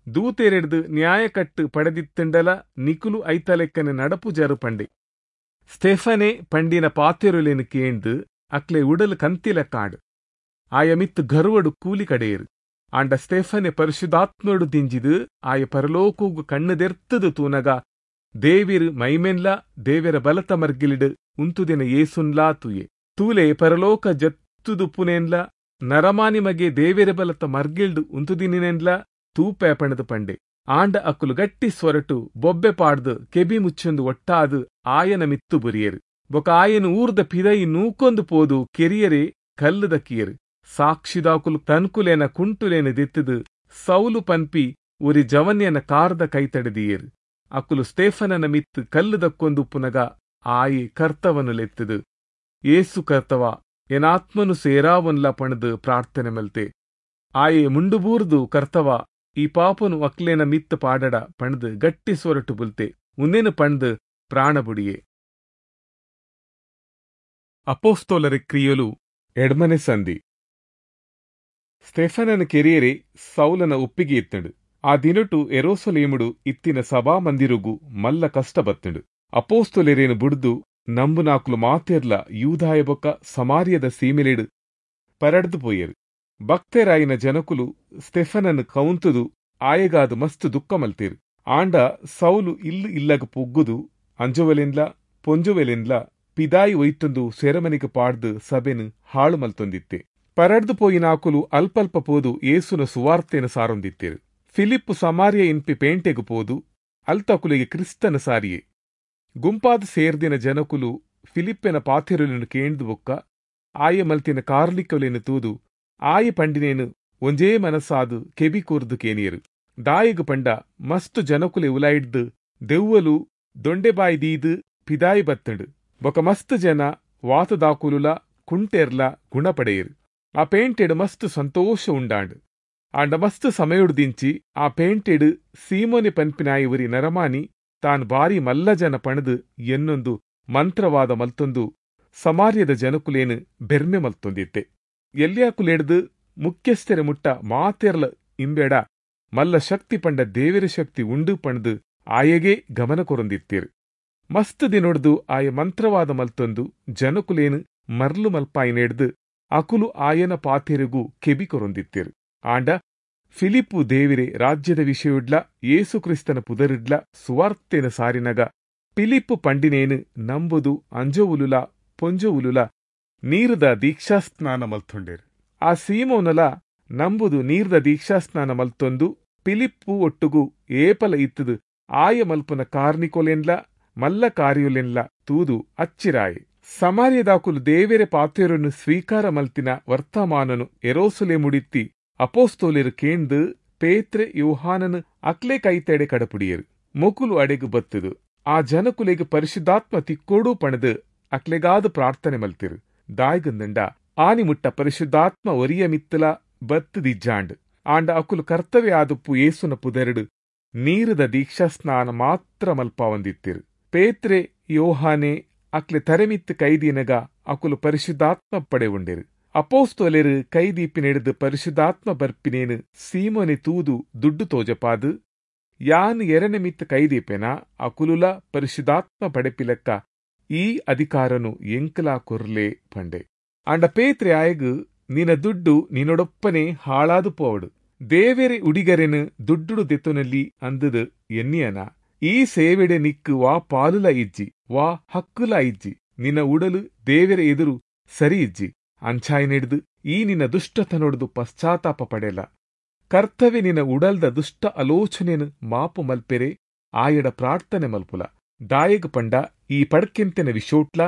ದೂತೆರೆಡ್ದು ನ್ಯಾಯಕಟ್ಟು ಪಡೆದಿತ್ತಂಡಲ ನಿಕುಲು ಐತಲೆಕ್ಕನೆ ನಡಪು ಜರು ಪಂಡೆ. ಸ್ಟೆಫನೆ ಪಂಡಿನ ಪಾತೆರುಲೇನು ಕೇಂದು ಅಕ್ಲೆ ಉಡಲು ಕಂತಿಲ ಕಾಡು ಆಯ ಮಿತ್ತು ಗರ್ವಡು ಕೂಲಿ ಕಡೆಯರು. ಆಂಡ ಸ್ಟೆಫನೆ ಪರಿಶುದ್ಧಾತ್ಮಡು ದಿಂಜಿದು ಆಯ ಪರಲೋಕೂಗು ಕಣ್ಣುದೆರ್ತದು ತೂನಗ ದೇವಿರು ಮೈಮೆನ್ಲ ದೇವಿರ ಬಲತ ಮರ್ಗಿಲಿಡು ಉಂತುದಿನ ಏಸುನ್ಲಾ ತೂಯೆ. ತೂಲೆ ಪರಲೋಕ ಜತ್ತುದುಪ್ಪುನೇನ್ಲ ನರಮಾನಿ ಮಗೆ ದೇವಿರ ಬಲತ ಮರ್ಗಿಲ್ಡು ಉಂತುದಿನೇನ್ಲ ತೂಪೆ ಪಣದು ಪಂಡೆ. ಆಂಡ ಅಕ್ಕುಲು ಗಟ್ಟಿ ಸ್ವರಟು ಬೊಬ್ಬೆ ಪಾಡ್ದು ಕೆಬಿ ಮುಚ್ಚೊಂದು ಒಟ್ಟಾದು ಆಯನ ಮಿತ್ತು ಬುರಿಯರು. ಬೊಕ ಆಯನ ಊರ್ದ ಪಿದಯಿ ನೂಕೊಂದು ಪೋದು ಕೆರಿಯರೆ ಕಲ್ಲುದ ಕಿಯರು. ಸಾಕ್ಷಿದಾಕುಲು ತನ್ಕುಲೇನ ಕುಂಟುಲೇನ ದಿತ್ತದು ಸೌಲು ಪನ್ಪಿ ಉರಿ ಜವನ್ಯನ ಕಾರ್ದ ಕೈತಡೆದಿಯರು. ಅಕ್ಕುಲು ಸ್ಟೇಫನನ ಮಿತ್ತು ಕಲ್ಲುದಕ್ಕೊಂದುಪ್ಪುನಗ ಆಯಿ ಕರ್ತವನು ಲೆತ್ತದು ಏಸು ಕರ್ತವ ಎನಾತ್ಮನು ಸೇರಾವನ್ಲ ಪಣದು ಪ್ರಾರ್ಥನೆ ಮಲ್ತೆ. ಆಯೆ ಮುಂಡುಬೂರ್ದು ಕರ್ತವ ಈ ಪಾಪನು ಅಕ್ಲೇನ ಮಿತ್ತು ಪಾಡಡ ಪಣದು ಗಟ್ಟಿ ಸೊರಟು ಬುಲ್ತೆ. ಉಂದೇನು ಪಣದು ಪ್ರಾಣಬುಡಿಯೆ. ಅಪೋಸ್ತೋಲರ ಕ್ರಿಯಲು ಎಡ್ಮನೆ ಸಂಧಿ. ಸ್ಟೆಫನನ ಕೆರಿಯರೆ ಸೌಲನ ಒಪ್ಪಿಗೆ ಇತ್ತಂಡು. ಆ ದಿನಟು ಎರೋಸಲೇಮುಡು ಇತ್ತಿನ ಸಭಾ ಮಂದಿರುಗು ಮಲ್ಲ ಕಷ್ಟ ಬತ್ತಂಡು. ಅಪೋಸ್ತೊಲೆರೇನು ಬುಡ್ದು ನಂಬುನಾಕುಲು ಮಾತೆರ್ಲ ಯೂದಾಯ ಬೊಕ್ಕ ಸಮಾರ್ಯದ ಸೀಮೆಲೆಡು ಪರಡ್ದು ಪೋಯರು. ಭಕ್ತರಾಯಿನ ಜನಕುಲು ಸ್ಟೆಫನನ್ನು ಕೌಂತುದು ಆಯಗಾದು ಮಸ್ತ್ ದುಃಖ ಮಲ್ತೇರು. ಆಂಡ ಸೌಲು ಇಲ್ಲು ಇಲ್ಲಗ ಪೊಗ್ಗುದು ಅಂಜುವೆಲೆನ್ಲ ಪೊಂಜುವೆಲೆನ್ಲ ಪಿದಾಯಿ ಒಯ್ತೊಂದು ಸೆರಮನಿಗೆ ಪಾಡ್ದು ಸಭೆನು ಹಾಳು ಮಲ್ತೊಂದಿತ್ತೆ. ಪರಡ್ದು ಪೋಯಿನಾಕುಲು ಅಲ್ಪಲ್ಪ ಪೋದು ಏಸುನ ಸುವಾರ್ತೆನ ಸಾರೊಂದಿತ್ತೇರು. ಫಿಲಿಪ್ಪು ಸಮಾರ್ಯ ಇನ್ಪಿ ಪೇಂಟೆಗು ಪೋದು ಅಲ್ತಕುಲಿಗೆ ಕ್ರಿಸ್ತನ ಸಾರಿಯೆ. ಗುಂಪಾದ ಸೇರ್ದಿನ ಜನಕುಲು ಫಿಲಿಪ್ಪೆನ ಪಾಥೆರುಲೆನು ಕೇಂದು ಬೊಕ್ಕ ಆಯೆ ಮಲ್ತಿನ ಕಾರ್ಲಿಕೊಲೆನು ತೂದು ಆಯೆ ಪಂಡಿನೇನು ಒಂಜೇ ಮನಸ್ಸಾದು ಕೆಬಿ ಕೂರ್ದು ಕೇನಿಯರು. ದಾಯಿಗು ಪಂಡ ಮಸ್ತು ಜನಕುಲೆ ಉಲಾಯಿಡ್ದು ದೆವ್ವಲು ದೊಂಡೆಬಾಯಿ ದೀದು ಪಿದಾಯಿ ಬತ್ತಂಡು. ಬೊಕ ಮಸ್ತು ಜನ ವಾತದಾಕುಲುಲ ಕುಂಟೆರ್ಲ ಗುಣಪಡೆಯರು. ಆ ಪೇಂಟೆಡು ಮಸ್ತು ಸಂತೋಷ ಉಂಡಾಂಡು. ಆಂಡ ಮಸ್ತು ಸಮಯುಡ್ದಿಂಚಿ ಆ ಪೇಂಟೆಡು ಸೀಮೋನೆ ಪನ್ಪಿನಾಯಿ ಉರಿ ನರಮಾನಿ ತಾನ್ ಬಾರಿ ಮಲ್ಲ ಜನ ಪಣದು ಎನ್ನೊಂದು ಮಂತ್ರವಾದ ಮಲ್ತೊಂದು ಸಮಾರ್ಯದ ಜನಕುಲೇನು ಬೆರ್ಮೆ ಮಲ್ತೊಂದಿತ್ತೆ. ಎಲ್ಯಾಕುಲೆಡ್ದು ಮುಖ್ಯಸ್ಥರ ಮುಟ್ಟ ಮಾತೆರ್ಲ ಇಂಬೇಡ ಮಲ್ಲ ಶಕ್ತಿ ಪಂಡ ದೇವಿರ ಶಕ್ತಿ ಉಂಡು ಪಣದು ಆಯೆಗೆ ಗಮನ ಕೊರೊಂದಿತ್ತೀರು. ಮಸ್ತ್ ದಿನೊಡ್ದು ಆಯ ಮಂತ್ರವಾದ ಮಲ್ತೊಂದು ಜನಕುಲೇನು ಮರ್ಲು ಮಲ್ಪಾಯಿನೆಡ್ದು ಅಕುಲು ಆಯನ ಪಾತೆರುಗು ಕೆಬಿ ಕೊರೊಂದಿತ್ತೀರು. ಆಂಡ ಫಿಲಿಪ್ಪು ದೇವಿರೆ ರಾಜ್ಯದ ವಿಷಯುಡ್ಲ ಯೇಸು ಕ್ರಿಸ್ತನ ಪುದರಿಡ್ಲ ಸುವಾರ್ತೆನ ಸಾರಿನಗ ಪಿಲಿಪ್ಪು ಪಂಡಿನೇನು ನಂಬುದು ಅಂಜೋವುಲುಲ ಪೊಂಜೋವುಲುಲ ನೀರುದ ದೀಕ್ಷಾಸ್ನಾನ ಮಲ್ತೊಂಡೇರು. ಆ ಸೀಮೋನಲ ನಂಬುದು ನೀರ್ದ ದೀಕ್ಷಾಸ್ನಾನ ಮಲ್ತೊಂದು ಪಿಲಿಪ್ಪು ಒಟ್ಟುಗು ಏಪಲ ಇತ್ತದು ಆಯ ಮಲ್ಪುನ ಕಾರ್ನಿಕೊಲೆನ್ಲ ಮಲ್ಲ ಕಾರ್ಯುಲೆನ್ಲ ತೂದು ಅಚ್ಚಿರಾಯೆ. ಸಮಾರ್ಯದಾಕುಲು ದೇವೆರೆ ಪಾತೆರನ್ನು ಸ್ವೀಕಾರ ಮಲ್ತಿನ ವರ್ತಮಾನನು ಎರೋಸುಲೆ ಮುಡಿತ್ತಿ ಅಪೋಸ್ತೋಲಿರು ಕೇಂದು ಪೇತ್ರೆ ಯೋಹಾನನು ಅಕ್ಲೆ ಕೈತೆಡೆ ಕಡಪುಡಿಯರು. ಮೊಕುಲು ಅಡೆಗು ಬತ್ತದು ಆ ಜನಕುಲೆಗ್ ಪರಿಶುದ್ಧಾತ್ಮ ತಿಕ್ಕೋಡು ಪಣದು ಅಕ್ಲೆಗಾದ ಪ್ರಾರ್ಥನೆ ಮಲ್ತಿರು. ದಾಯ್ಗಂದಂಡ ಆನಿ ಮುಟ್ಟ ಪರಿಶುದ್ಧಾತ್ಮ ಒರಿಯ ಮಿತ್ತಲ ಬತ್ತದಿಜ್ಜಾಂಡ್. ಆಂಡ ಅಕುಲು ಕರ್ತವ್ಯ ಆದುಪ್ಪು ಏಸುನ ಪುದೆರಡು ನೀರುದ ದೀಕ್ಷಾಸ್ನಾನ ಮಾತ್ರ ಮಲ್ಪಾವಂದಿತ್ತಿರು. ಪೇತ್ರೆ ಯೋಹಾನೆ ಅಕ್ಲೆ ತರೆಮಿತ್ತು ಕೈದೀನಗ ಅಕುಲು ಪರಿಶುದ್ಧಾತ್ಮ ಪಡೆವುಂಡಿರು. ಅಪೋಸ್ತೋಲೆರು ಕೈದೀಪಿನೆಡ್ದು ಪರಿಶುದ್ಧಾತ್ಮ ಬರ್ಪಿನೇನು ಸೀಮೋನೆ ತೂದು ದುಡ್ಡು ತೋಜಪಾದು ಯಾನ್ ಎರನೆ ಮಿತ್ತು ಕೈದೀಪೆನ ಅಕುಲುಲ ಪರಿಶುದ್ಧಾತ್ಮ ಪಡೆಪಿಲೆಕ್ಕ ಈ ಅಧಿಕಾರನು ಎಂಕಲಾ ಕೊರ್ಲೆ ಪಂಡೆ. ಆಂಡ ಪೇತ್ರೆ ಆಯಗು ನಿನ ದುಡ್ಡು ನಿನ್ನೊಡೊಪ್ಪನೆ ಹಾಳಾದು ಪೋವಡು, ದೇವೆರೆ ಉಡಿಗರೆನು ದುಡ್ಡುಡು ದೆತ್ತೊನಲ್ಲಿ ಅಂದದು ಎನ್ನಿಯನ, ಈ ಸೇವೆಡೆ ನಿಕ್ಕು ವಾ ಪಾಲುಲ ಇಜ್ಜಿ ವಾ ಹಕ್ಕುಲ ಇಜ್ಜಿ, ನಿನ್ನ ಉಡಲು ದೇವೆರೆ ಎದುರು ಸರಿ ಇಜ್ಜಿ, ಅಂಚಾಯಿನೆಡ್ದು ಈ ನಿನ್ನ ದುಷ್ಟತನೊಡ್ದು ಪಶ್ಚಾತ್ತಾಪ ಪಡೆಲ. ಕರ್ತವೆ ನಿನ ಉಡಲ್ದ ದುಷ್ಟ ಆಲೋಚನೆನು ಮಾಪು ಮಲ್ಪೆರೆ ಆಯಡ ಪ್ರಾರ್ಥನೆ ಮಲ್ಪುಲ. ದಾಯಗ್ ಪಂಡ ಈ ಪಡ್ಕೆಂತೆನ ವಿಶೋಟ್ಲ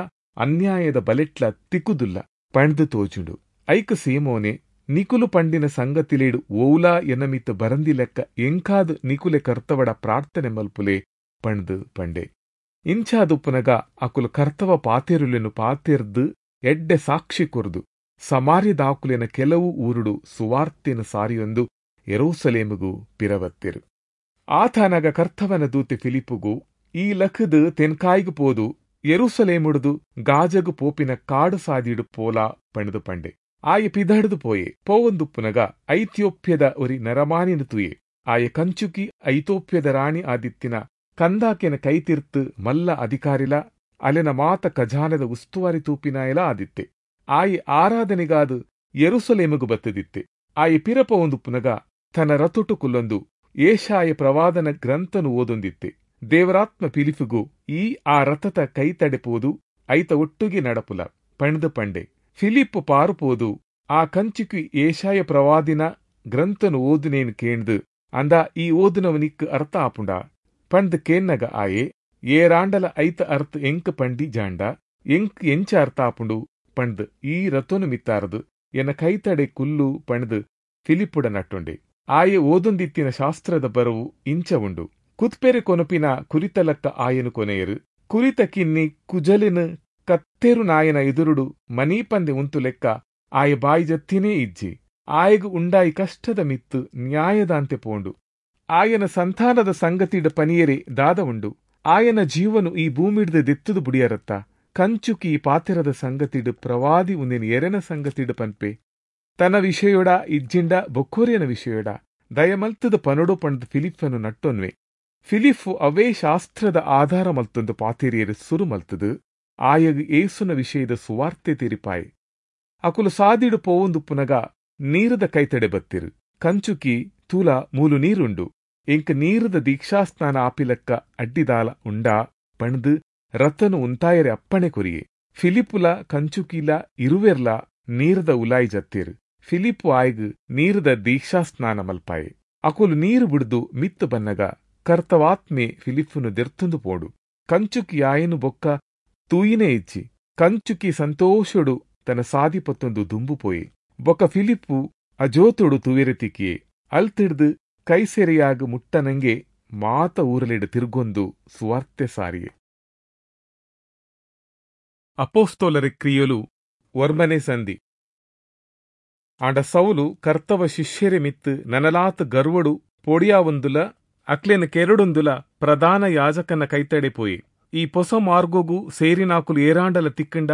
ಅನ್ಯಾಯದ ಬಲೆಟ್ಲ ತಿಕ್ಕುದುಲ್ಲ ಪಂಡ್ದು ತೋಜುಂಡು. ಐಕ ಸೀಮೋನೆ, ನಿಕುಲು ಪಂಡಿನ ಸಂಗತಿಲೇಡು ಓಲಾ ಎನಮಿತ್ ಬರಂದಿ ಲೆಕ್ಕ ಎಂಕಾದ್ ನಿಕುಲೆ ಕರ್ತವಡ ಪ್ರಾರ್ಥನೆ ಮಲ್ಪುಲೆ ಪಂಡ್ದು ಪಂಡೆ. ಇಂಚಾದುಪ್ಪುನಗ ಅಕುಲು ಕರ್ತವ ಪಾತೆರುಲೆನು ಪಾತೆರ್ದು ಎಡ್ಡೆ ಸಾಕ್ಷಿ ಕೊರ್ದು ಸಮಾರ್ಯದಾಕುಲೆನ ಕೆಲವು ಊರುಡು ಸುವಾರ್ತೆನು ಸಾರಿಯೊಂದು ಯೆರೂಸಲೇಮುಗು ಪಿರವತ್ತೆರು. ಆತನಗ ಕರ್ತವನ ದೂತೆ ಫಿಲಿಪ್ಪುಗು, ಈ ಲಖದು ತೆನ್ಕಾಯಿಗು ಪೋದು ಯೆರೂಸಲೇಮುಡುದು ಗಾಜಗು ಪೋಪಿನ ಕಾಡು ಸಾದಿಡು ಪೋಲಾ ಪಂಡ್ದು ಪಂಡೆ. ಆಯೆ ಪಿದಡ್ದು ಪೋಯೆ. ಪೋವೊಂದುಪ್ಪುನಗ ಐಥಿಯೋಪ್ಯದ ಒರಿ ನರಮಾನಿನ ತೂಯೆ. ಆಯೆ ಕಂಚುಕಿ ಐಥೋಪ್ಯದ ರಾಣಿ ಆದಿತ್ತಿನ ಕಂದಾಕೆನ ಕೈತಿರ್ತು ಮಲ್ಲ ಅಧಿಕಾರಿಲ ಅಲೆನ ಮಾತ ಖಜಾನದ ಉಸ್ತುವಾರಿ ತೂಪಿನಾಯಲ ಆದಿತ್ತೆ. ಆಯೆ ಆರಾಧನೆಗಾದು ಯೆರೂಸಲೇಮುಗು ಬತ್ತದಿತ್ತೆ. ಆಯೆ ಪಿರಪೋವೊಂದುಪ್ಪುನಗ ತನ್ನ ರಥೊಟು ಕುಲ್ಲೊಂದು ಏಷಾಯ ಪ್ರವಾದನ ಗ್ರಂಥನು ಓದೊಂದಿತ್ತೆ. ದೇವರಾತ್ಮ ಫಿಲಿಪ್ಪುಗು, ಈ ಆ ರಥದ ಕೈ ತಡೆಪೋದು ಐತ ಒಟ್ಟುಗೆ ನಡಪುಲ ಪಂಡ್ದು ಪಂಡೆ. ಫಿಲಿಪ್ಪು ಪಾರುಪೋದು ಆ ಕಂಚುಕಿ ಏಷಾಯ ಪ್ರವಾದಿನ ಗ್ರಂಥನು ಓದುನೇನು ಕೇಂದು, ಅಂದ ಈ ಓದುನವನಿಕ್ ಅರ್ಥ ಆಪುಂಡ ಪಂಡ್ದು ಕೇನ್ನಗ ಆಯೆ, ಏರಾಂಡಲ ಐತ ಅರ್ಥ ಎಂಕ್ ಪಂಡಿ ಜಾಂಡ ಎಂಕ್ ಎಂಚ ಅರ್ಥ ಆಪುಂಡು ಪಂಡ್ದು ಈ ರಥನು ಮಿತ್ತಾರದು ಎನ್ನ ಕೈತಡೆ ಕುಲ್ಲು ಪಂಡ್ದು ಫಿಲಿಪ್ಪುಡ ನಟ್ಟೊಂಡೆ. ಆಯೆ ಓದೊಂದಿತ್ತಿನ ಶಾಸ್ತ್ರದ ಬರವು ಇಂಚ ಉಂಡು. ಕುತ್ಪೆರೆ ಕೊನಪಿನ ಕುರಿತಲಕ್ಕ ಆಯನು ಕೊನೆಯರು, ಕುರಿತ ಕಿನ್ನಿ ಕುಜಲಿನ ಕತ್ತೆರು ನಾಯನ ಎದುರುಡು ಮನೀಪಂದೆ ಉಂತು ಲೆಕ್ಕ ಆಯ ಬಾಯಿ ಜತ್ತಿನೇ ಇಜ್ಜಿ. ಆಯಗು ಉಂಡಾಯಿ ಕಷ್ಟದ ಮಿತ್ತು ನ್ಯಾಯದಾಂತೆ ಪೋಂಡು. ಆಯನ ಸಂತಾನದ ಸಂಗತಿಡ ಪನಿಯರೆ ದಾದ ಉಂಡು. ಆಯನ ಜೀವನು ಈ ಭೂಮಿಡ್ದು ದೆತ್ತುದು ಬುಡಿಯರತ್ತ. ಕಂಚುಕಿ ಪಾತೆರದ ಸಂಗತಿಡು ಪ್ರವಾದಿ ಉಂದಿನ ಎರೆನ ಸಂಗತಿಡು ಪನ್ಪೆ. ತನ್ನ ವಿಷಯೋಡ ಇಜ್ಜಿಂಡ ಬೊಕ್ಕೋರಿಯನ ವಿಷಯೋಡ ದಯಮಲ್ತದ ಪನೊಡು ಪಂಡ್ದು ಫಿಲಿಪ್ಪನು ನಟ್ಟೊನ್ವೆ. ಫಿಲಿಪ್ಪು ಅವೇ ಶಾಸ್ತ್ರದ ಆಧಾರ ಮಲ್ತೊಂದು ಪಾತೆರಿಯರು ಸುರು ಮಲ್ತದು ಆಯಗ್ ಏಸುನ ವಿಷಯದ ಸುವಾರ್ತೆ ತೆರಿಪಾಯೆ. ಅಕುಲು ಸಾದಿಡು ಪೋವೊಂದುಪ್ಪುನಗ ನೀರದ ಕೈತಡೆ ಬತ್ತಿರು. ಕಂಚುಕಿ, ತೂಲ ಮೂಲು ನೀರುಂಡು, ಎಂಕ್ ನೀರದ ದೀಕ್ಷಾಸ್ನಾನ ಆಪಿಲಕ್ಕ ಅಡ್ಡಿದಾಲ ಉಂಡಾ ಪಣ್ದು ರಥನು ಉಂತಾಯರೆ ಅಪ್ಪಣೆ ಕೊರಿಯೆ. ಫಿಲಿಪ್ಪುಲ ಕಂಚುಕಿಲ ಇರುವೆರ್ಲ ನೀರದ ಉಲಾಯಿ ಜತ್ತಿರು. ಫಿಲಿಪ್ಪು ಆಯ್ಗ್ ನೀರದ ದೀಕ್ಷಾಸ್ನಾನ ಮಲ್ಪಾಯೆ. ಅಕುಲು ನೀರು ಬಿಡ್ದು ಮಿತ್ತು ಬನ್ನಗ ಕರ್ತವಾತ್ಮೆ ಫಿಲಿಪ್ಪುನು ದೆರ್ತುಂದು ಪೋಡು. ಕಂಚುಕಿ ಆಯನು ಬೊಕ್ಕ ತೂಯಿನೇ ಇಜ್ಜಿ. ಕಂಚುಕಿ ಸಂತೋಷಡು ತನ್ನ ಸಾದಿ ಪತ್ತೊಂದು ದುಂಬು ಪೋಯೆ. ಬೊಕ್ಕ ಫಿಲಿಪ್ಪು ಅಜೋತುಡು ತೂವೆರೆ ತಿಕ್ಕಿಯೆ. ಅಲ್ತಿಡ್ದು ಕೈಸೆರೆಯಾಗ ಮುಟ್ಟನಂಗೆ ಮಾತ ಊರಲಿಡು ತಿರ್ಗೊಂದು ಸುವಾರ್ತೆ ಸಾರಿಯೆ. ಅಪೋಸ್ತೋಲರ ಕ್ರಿಯಲು ಒರ್ಮನೆ ಸಂಧಿ. ಆಂಡ ಸೌಲು ಕರ್ತವ ಶಿಷ್ಯರೆ ಮಿತ್ತು ನನಲಾತ್ ಗರ್ವಡು ಪೊಡಿಯಾವೊಂದುಲ ಅಕ್ಲೆನ ಕೆರಡೊಂದುಲ ಪ್ರಧಾನ ಯಾಜಕನ ಕೈತಡೆ ಪೋಯೆ. ಈ ಪೊಸ ಮಾರ್ಗೋಗು ಸೇರಿನಾಕುಲು ಏರಾಂಡಲ ತಿಕ್ಕಂಡ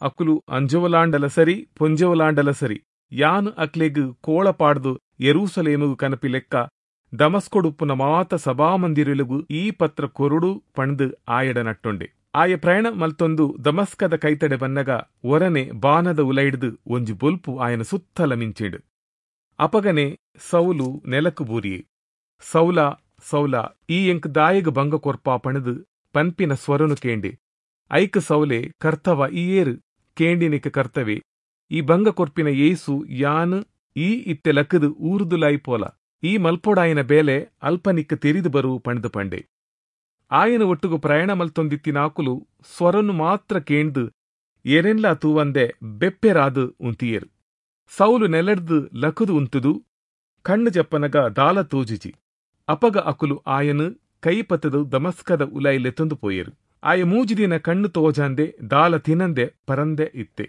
ಅಕುಲು ಅಂಜವಲಾಂಡಲ ಸರಿ ಪೊಂಜವಲಾಂಡಲ ಸರಿ ಯಾನ್ ಅಕ್ಲೆಗ್ ಕೋಳ ಪಾಡ್ದು ಯೆರೂಸಲೇಮುಗು ಕನಪಿ ಲೆಕ್ಕ ದಮಸ್ಕೊಡುಪ್ಪುನ ಮಾತ ಸಭಾಮಂದಿರಲುಗು ಈ ಪತ್ರ ಕೊರುಡು ಪಣ್ದು ಆಯಡ ನಟ್ಟೊಂಡೆ. ಆಯ ಪ್ರಯಾಣ ಮಲ್ತೊಂದು ದಮಸ್ಕದ ಕೈತಡೆ ಬನ್ನಗ ಒರನೆ ಬಾನದ ಉಲೈಡ್ದು ಒಂಜಿ ಬೊಲ್ಪು ಆಯನ ಸುತ್ತಲ ಮಿಂಚಿಂಡು. ಅಪಗನೆ ಸೌಲು ನೆಲಕು ಬೂರಿಯೆ. ಸೌಲ ಸೌಲ ಈ ಎಂಕ್ ದಾಯಗ್ ಭಂಗ ಕೊರ್ಪಾ ಪಣದು ಪನ್ಪಿನ ಸ್ವರನು ಕೇಂಡೆ. ಐಕ್ ಸೌಲೆ, ಕರ್ತವ ಈ ಏರು? ಕೇಂಡಿನಿಕ ಕರ್ತವೆ, ಈ ಭಂಗ ಕೊರ್ಪಿನ ಏಸು ಯಾನ್ ಈ ಇತ್ತೆ ಲಕ್ಕದು ಊರುದುಲಾಯಿ ಪೋಲ, ಈ ಮಲ್ಪೊಡಾಯನ ಬೇಲೆ ಅಲ್ಪನಿಕ್ಕ ತೆರಿದು ಬರು ಪಣ್ದು ಪಂಡೆ. ಆಯನ ಒಟ್ಟುಗು ಪ್ರಯಾಣ ಮಲ್ತೊಂದಿತ್ತಿನಾಕುಲು ಸ್ವರನು ಮಾತ್ರ ಕೇಂದು ಏರೆನ್ಲಾ ತೂವಂದೆ ಬೆಪ್ಪೆರಾದು ಉಂತಿಯೇರು. ಸೌಲು ನೆಲಡ್ದು ಲಕುದು ಉಂತುದು ಕಣ್ಣು ಜಪ್ಪನಗ ದಾಲ ತೋಜಿಜಿ. ಅಪಗ ಅಕುಲು ಆಯನು ಕೈಪತದು ದಮಸ್ಕದ ಉಲೈ ಲೆತ್ತೊಂದು ಪೋಯೇರು. ಆಯ ಮೂಜಿದಿನ ಕಣ್ಣು ತೋಜಾಂದೆ ದಾಲ ತಿನಂದೆ ಪರಂದೆ ಇತ್ತೆ.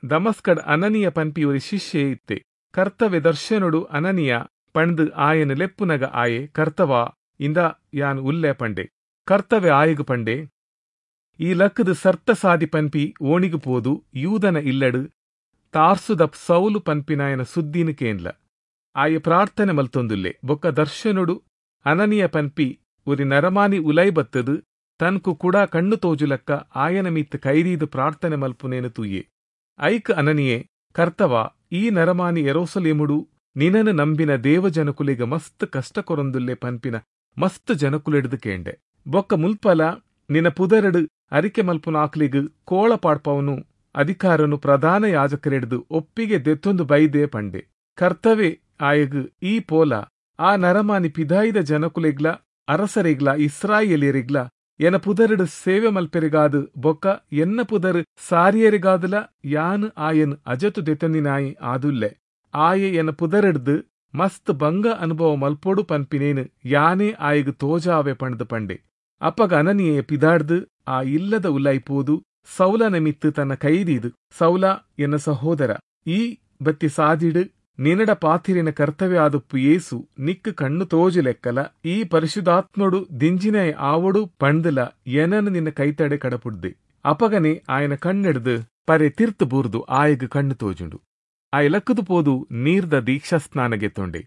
ದಮಸ್ಕಡ್ ಅನನಿಯ ಪನ್ಪಿಯೊರಿ ಶಿಷ್ಯೆ ಇತ್ತೆ. ಕರ್ತವ್ಯ ದರ್ಶನುಡು ಅನನಿಯ ಪಂಡ್ದು ಆಯನು ಲೆಪ್ಪುನಗ ಆಯೆ, ಕರ್ತವ ಇಂದ ಯಾನ್ ಉಲ್ಲೆ ಪಂಡೆ. ಕರ್ತವ್ಯ ಆಯಗು ಪಂಡೆ, ಈ ಲಕ್ಕದ ಸರ್ತ ಸಾದಿ ಪನ್ಪಿ ಓಣಿಗು ಪೋದು ಯೂದನ ಇಲ್ಲಡು ತಾರ್ಸುದ ಸೌಲು ಪನ್ಪಿನಾಯನ ಸುದ್ದಿನ ಕೇಂದ್ಲ. ಆಯೆ ಪ್ರಾರ್ಥನೆ ಮಲ್ತೊಂದುಲ್ಲೆ. ಬೊಕ್ಕ ದರ್ಶನುಡು ಅನನಿಯ ಪನ್ಪಿ ಒರಿ ನರಮಾನಿ ಉಲೈ ಬತ್ತದು ತನ್ಕು ಕೂಡ ಕಣ್ಣು ತೋಜುಲಕ್ಕ ಆಯನ ಮಿತ್ ಕೈರೀದು ಪ್ರಾರ್ಥನೆ ಮಲ್ಪುನೇನು ತೂಯೆ. ಐಕ್ ಅನನಿಯೇ, ಕರ್ತವ ಈ ನರಮಾನಿ ಯೆರೂಸಲೇಮುಡು ನಿನನು ನಂಬಿನ ದೇವಜನಕುಲಿಗ ಮಸ್ತ್ ಕಷ್ಟ ಕೊರೊಂದುಲ್ಲೆ ಪನ್ಪಿನ ಮಸ್ತ್ ಜನಕುಲೆಡ್ದು ಕೇಂಡೆ. ಬೊಕ್ಕ ಮುಲ್ಪಲ ನಿನ ಪುದರಡು ಅರಿಕೆ ಮಲ್ಪುನಾಕ್ಲಿಗ್ ಕೋಳ ಪಾಡ್ಪವನು ಅಧಿಕಾರನು ಪ್ರಧಾನ ಯಾಜಕರೆಡ್ದು ಒಪ್ಪಿಗೆ ದೆತ್ತೊಂದು ಬೈದೆ ಪಂಡೆ. ಕರ್ತವೆ ಆಯಗ್ ಈ ಪೋಲ ಆ ನರಮಾನಿ ಪಿದಾಯಿದ ಜನಕುಲೆಗ್ಲ ಅರಸರೆಗ್ಲ ಇಸ್ರಾಯೇಲ್ಯೆರೆಗ್ಲ ಎನ ಪುದರ್ಡ್ ಸೇವೆ ಮಲ್ಪೆರೆಗಾದ್ ಬೊಕ್ಕ ಎನ್ನ ಪುದರ್ ಸಾರಿಯೆರೆಗಾದಲ ಯಾನ್ ಆಯನ್ ಅಜತು ದೆತೊಂದಿನಾಯಿ ಆದುಲ್ಲೆ. ಆಯೆ ಎನ ಪುದರ್ಡ್ದ್ ಮಸ್ತ್ ಬಂಗ ಅನುಭವ ಮಲ್ಪೊಡು ಪನ್ಪಿನೇನ್ ಯಾನೇ ಆಯಗ್ ತೋಜಾವೆ ಪಂಡ್ದ್ ಪಂಡೆ. ಅಪಗ ಅನನೀಯೆ ಪಿದಾಡ್ದ್ ಆ ಇಲ್ಲದ ಉಲಾಯಿ ಪೋದು ಸೌಲನ ಮಿತ್ತ್ ತನ್ನ ಕೈದೀದ್, ಸೌಲ ಎನ್ನ ಸಹೋದರ, ಈ ಬತ್ತಿ ಸಾದಿಡ್ ನಿನಡ ಪಾತಿರಿನ ಕರ್ತವ್ಯ ಆದುಪ್ಪು ಯೇಸು ನಿಕ್ಕ್ ಕಣ್ಣು ತೋಜುಲೆಕ್ಕಲ ಈ ಪರಿಶುದ್ಧಾತ್ಮಡು ದಿಂಜಿನಾಯೆ ಆವೊಡು ಪಂಡ್ದಲ ಎನನ್ ನಿನ್ನ ಕೈತಡೆ ಕಡಪುಡ್ದೆ. ಅಪಗನೆ ಆಯನ ಕಣ್ಣೆಡ್ದ್ ಪರೆ ತಿರ್ತ್ ಬೂರ್ದು ಆಯಗ್ ಕಣ್ಣು ತೋಜುಂಡು. ಆಯೆ ಲಕ್ಕುದು ಪೋದು ನೀರ್ದ ದೀಕ್ಷಾಸ್ನಾನ ಗೆತ್ತೊಂಡೆ.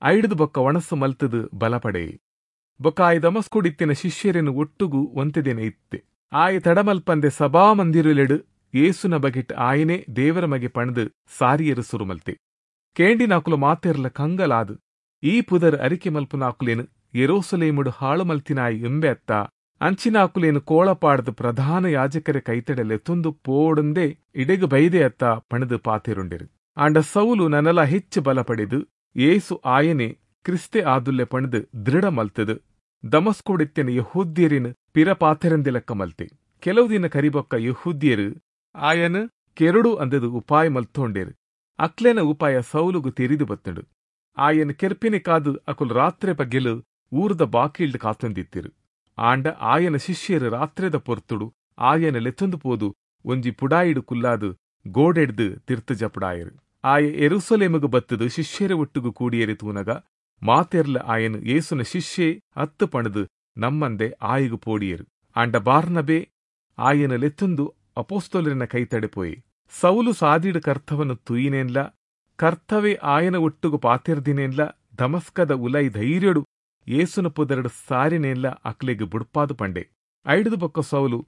ಐಡ್ದ್ ಬೊಕ್ಕ ಒಣಸ್ಸು ಮಲ್ತುದು ಬಲಪಡೆಯೆ. ಬೊಕ್ಕ ಆಯೆ ದಮಸ್ಕೊಡಿತ್ತಿನ ಶಿಷ್ಯರೆನ್ ಒಟ್ಟುಗು ಒಂತೆ ದಿನ ಇತ್ತೆ. ಆಯೆ ತಡಮಲ್ಪಂದೆ ಸಭಾಮಂದಿರೊಲೆಡ್ ಯೇಸುನ ಬಗೆಟ್ ಆಯನೇ ದೇವರ ಮಗೆ ಪಂಡ್ದ್ ಸಾರಿಯೆರೆ ಸುರು ಮಲ್ತೆ. ಕೇಂಡಿನಾಕುಲು ಮಾತೆರ್ಲ ಕಂಗಲಾದ್, ಈ ಪುದರ್ ಅರಿಕೆ ಮಲ್ಪುನಾಕುಲೆನ್ ಯೆರೂಸಲೇಮುಡು ಹಾಳು ಮಲ್ತಿನಾಯೆ ಇಂಬೆ ಅತ್ತಾ, ಅಂಚಿನಾಕುಲೆನ್ ಕೋಳ ಪಾಡ್ದ್ ಪ್ರಧಾನ ಯಾಜಕರ ಕೈತಡೆ ಲೆತ್ತೊಂದು ಪೋವೊಡುಂದೇ ಇಡೆಗ್ ಬೈದೆ ಅತ್ತಾ ಪಂಡ್ದ್ ಪಾತೆರುಂಡೆರ್. ಆಂಡ ಸೌಲು ನನಲ ಹೆಚ್ಚು ಬಲ ಪಡೆದು ಯೇಸು ಆಯನೇ ಕ್ರಿಸ್ತೆ ಆದುಲ್ಲೆ ಪಂಡ್ದ್ ದೃಢ ಮಲ್ತ್ದ್ ದಮಸ್ಕೊಡಿತ್ತಿನ ಯೆಹೂದ್ಯೆರೆನ್ ಪಿರ ಪಾತೆರಂದಿಲೆಕ್ಕ ಮಲ್ತೆ. ಕೆಲವು ದಿನ ಕರಿಬೊಕ್ಕ ಯೆಹೂದ್ಯೆರ್ ಆಯನ್ ಕೆರೊಡು ಅಂದ್ದ್ ಉಪಾಯ ಮಲ್ತೊಂಡೆರ್. ಅಕ್ಲೆನ ಉಪಾಯ ಸೌಲುಗು ತೆರಿದ್ ಬತ್ತ್ಂಡ್. ಆಯನ್ ಕೆರ್ಪಿನೆಕಾದ್ ಅಕುಲು ರಾತ್ರೆ ಪಗೆಲ್ ಊರುದ ಬಾಕಿಲ್ಡ್ ಕಾತೊಂದಿತ್ತೆರ್. ಆಂಡ ಆಯನ ಶಿಷ್ಯೆರ್ ರಾತ್ರೆದ ಪೊರ್ತುಡು ಆಯನ್ ಲೆತ್ತೊಂದು ಪೋದು ಒಂಜಿ ಪುಡಾಯಿಡ್ ಕುಲ್ಲಾದ್ ಗೋಡೆಡ್ದ್ ತಿರ್ತ್ ಜಪುಡಾಯೆರ್. ಆಯೆ ಯೆರೂಸಲೇಮುಗು ಬತ್ತ್ದ್ ಶಿಷ್ಯೆರೆ ಒಟ್ಟುಗು ಕೂಡಿಯೆರೆ ತೂನಗ ಮಾತೆರ್ಲ ಆಯನ್ ಯೇಸುನ ಶಿಷ್ಯೆ ಅತ್ತ್ ಪಂಡ್ದ್ ನಮ್ಮಂದೆ ಆಯಗ್ ಪೋಡಿಯೆರ್. ಆಂಡ ಬಾರ್ನಬೆ ಆಯನ್ ಲೆತ್ತೊಂದು ಅಪೊಸ್ತಲೆರೆನ ಕೈತಡೆ ಪೋಯೆ. ಸೌಲು ಸಾದಿಡ್ ಕರ್ತವನ್ ತೂಯಿನೇನ್ಲಾ ಕರ್ತವೆ ಆಯನ ಒಟ್ಟುಗು ಪಾತೆರ್ದಿನೇನ್ಲಾ ದಮಸ್ಕದ ಉಲೈ ಧೈರ್ಯೊಡು ಯೇಸುನ ಪುದರ್ಡ್ ಸಾರಿನೇನ್ಲಾ ಅಕ್ಲೆಗ್ ಬುಡ್ಪಾದ್ ಪಂಡೆ. ಐಡ್ದ್ ಬೊಕ್ಕ ಸೌಲು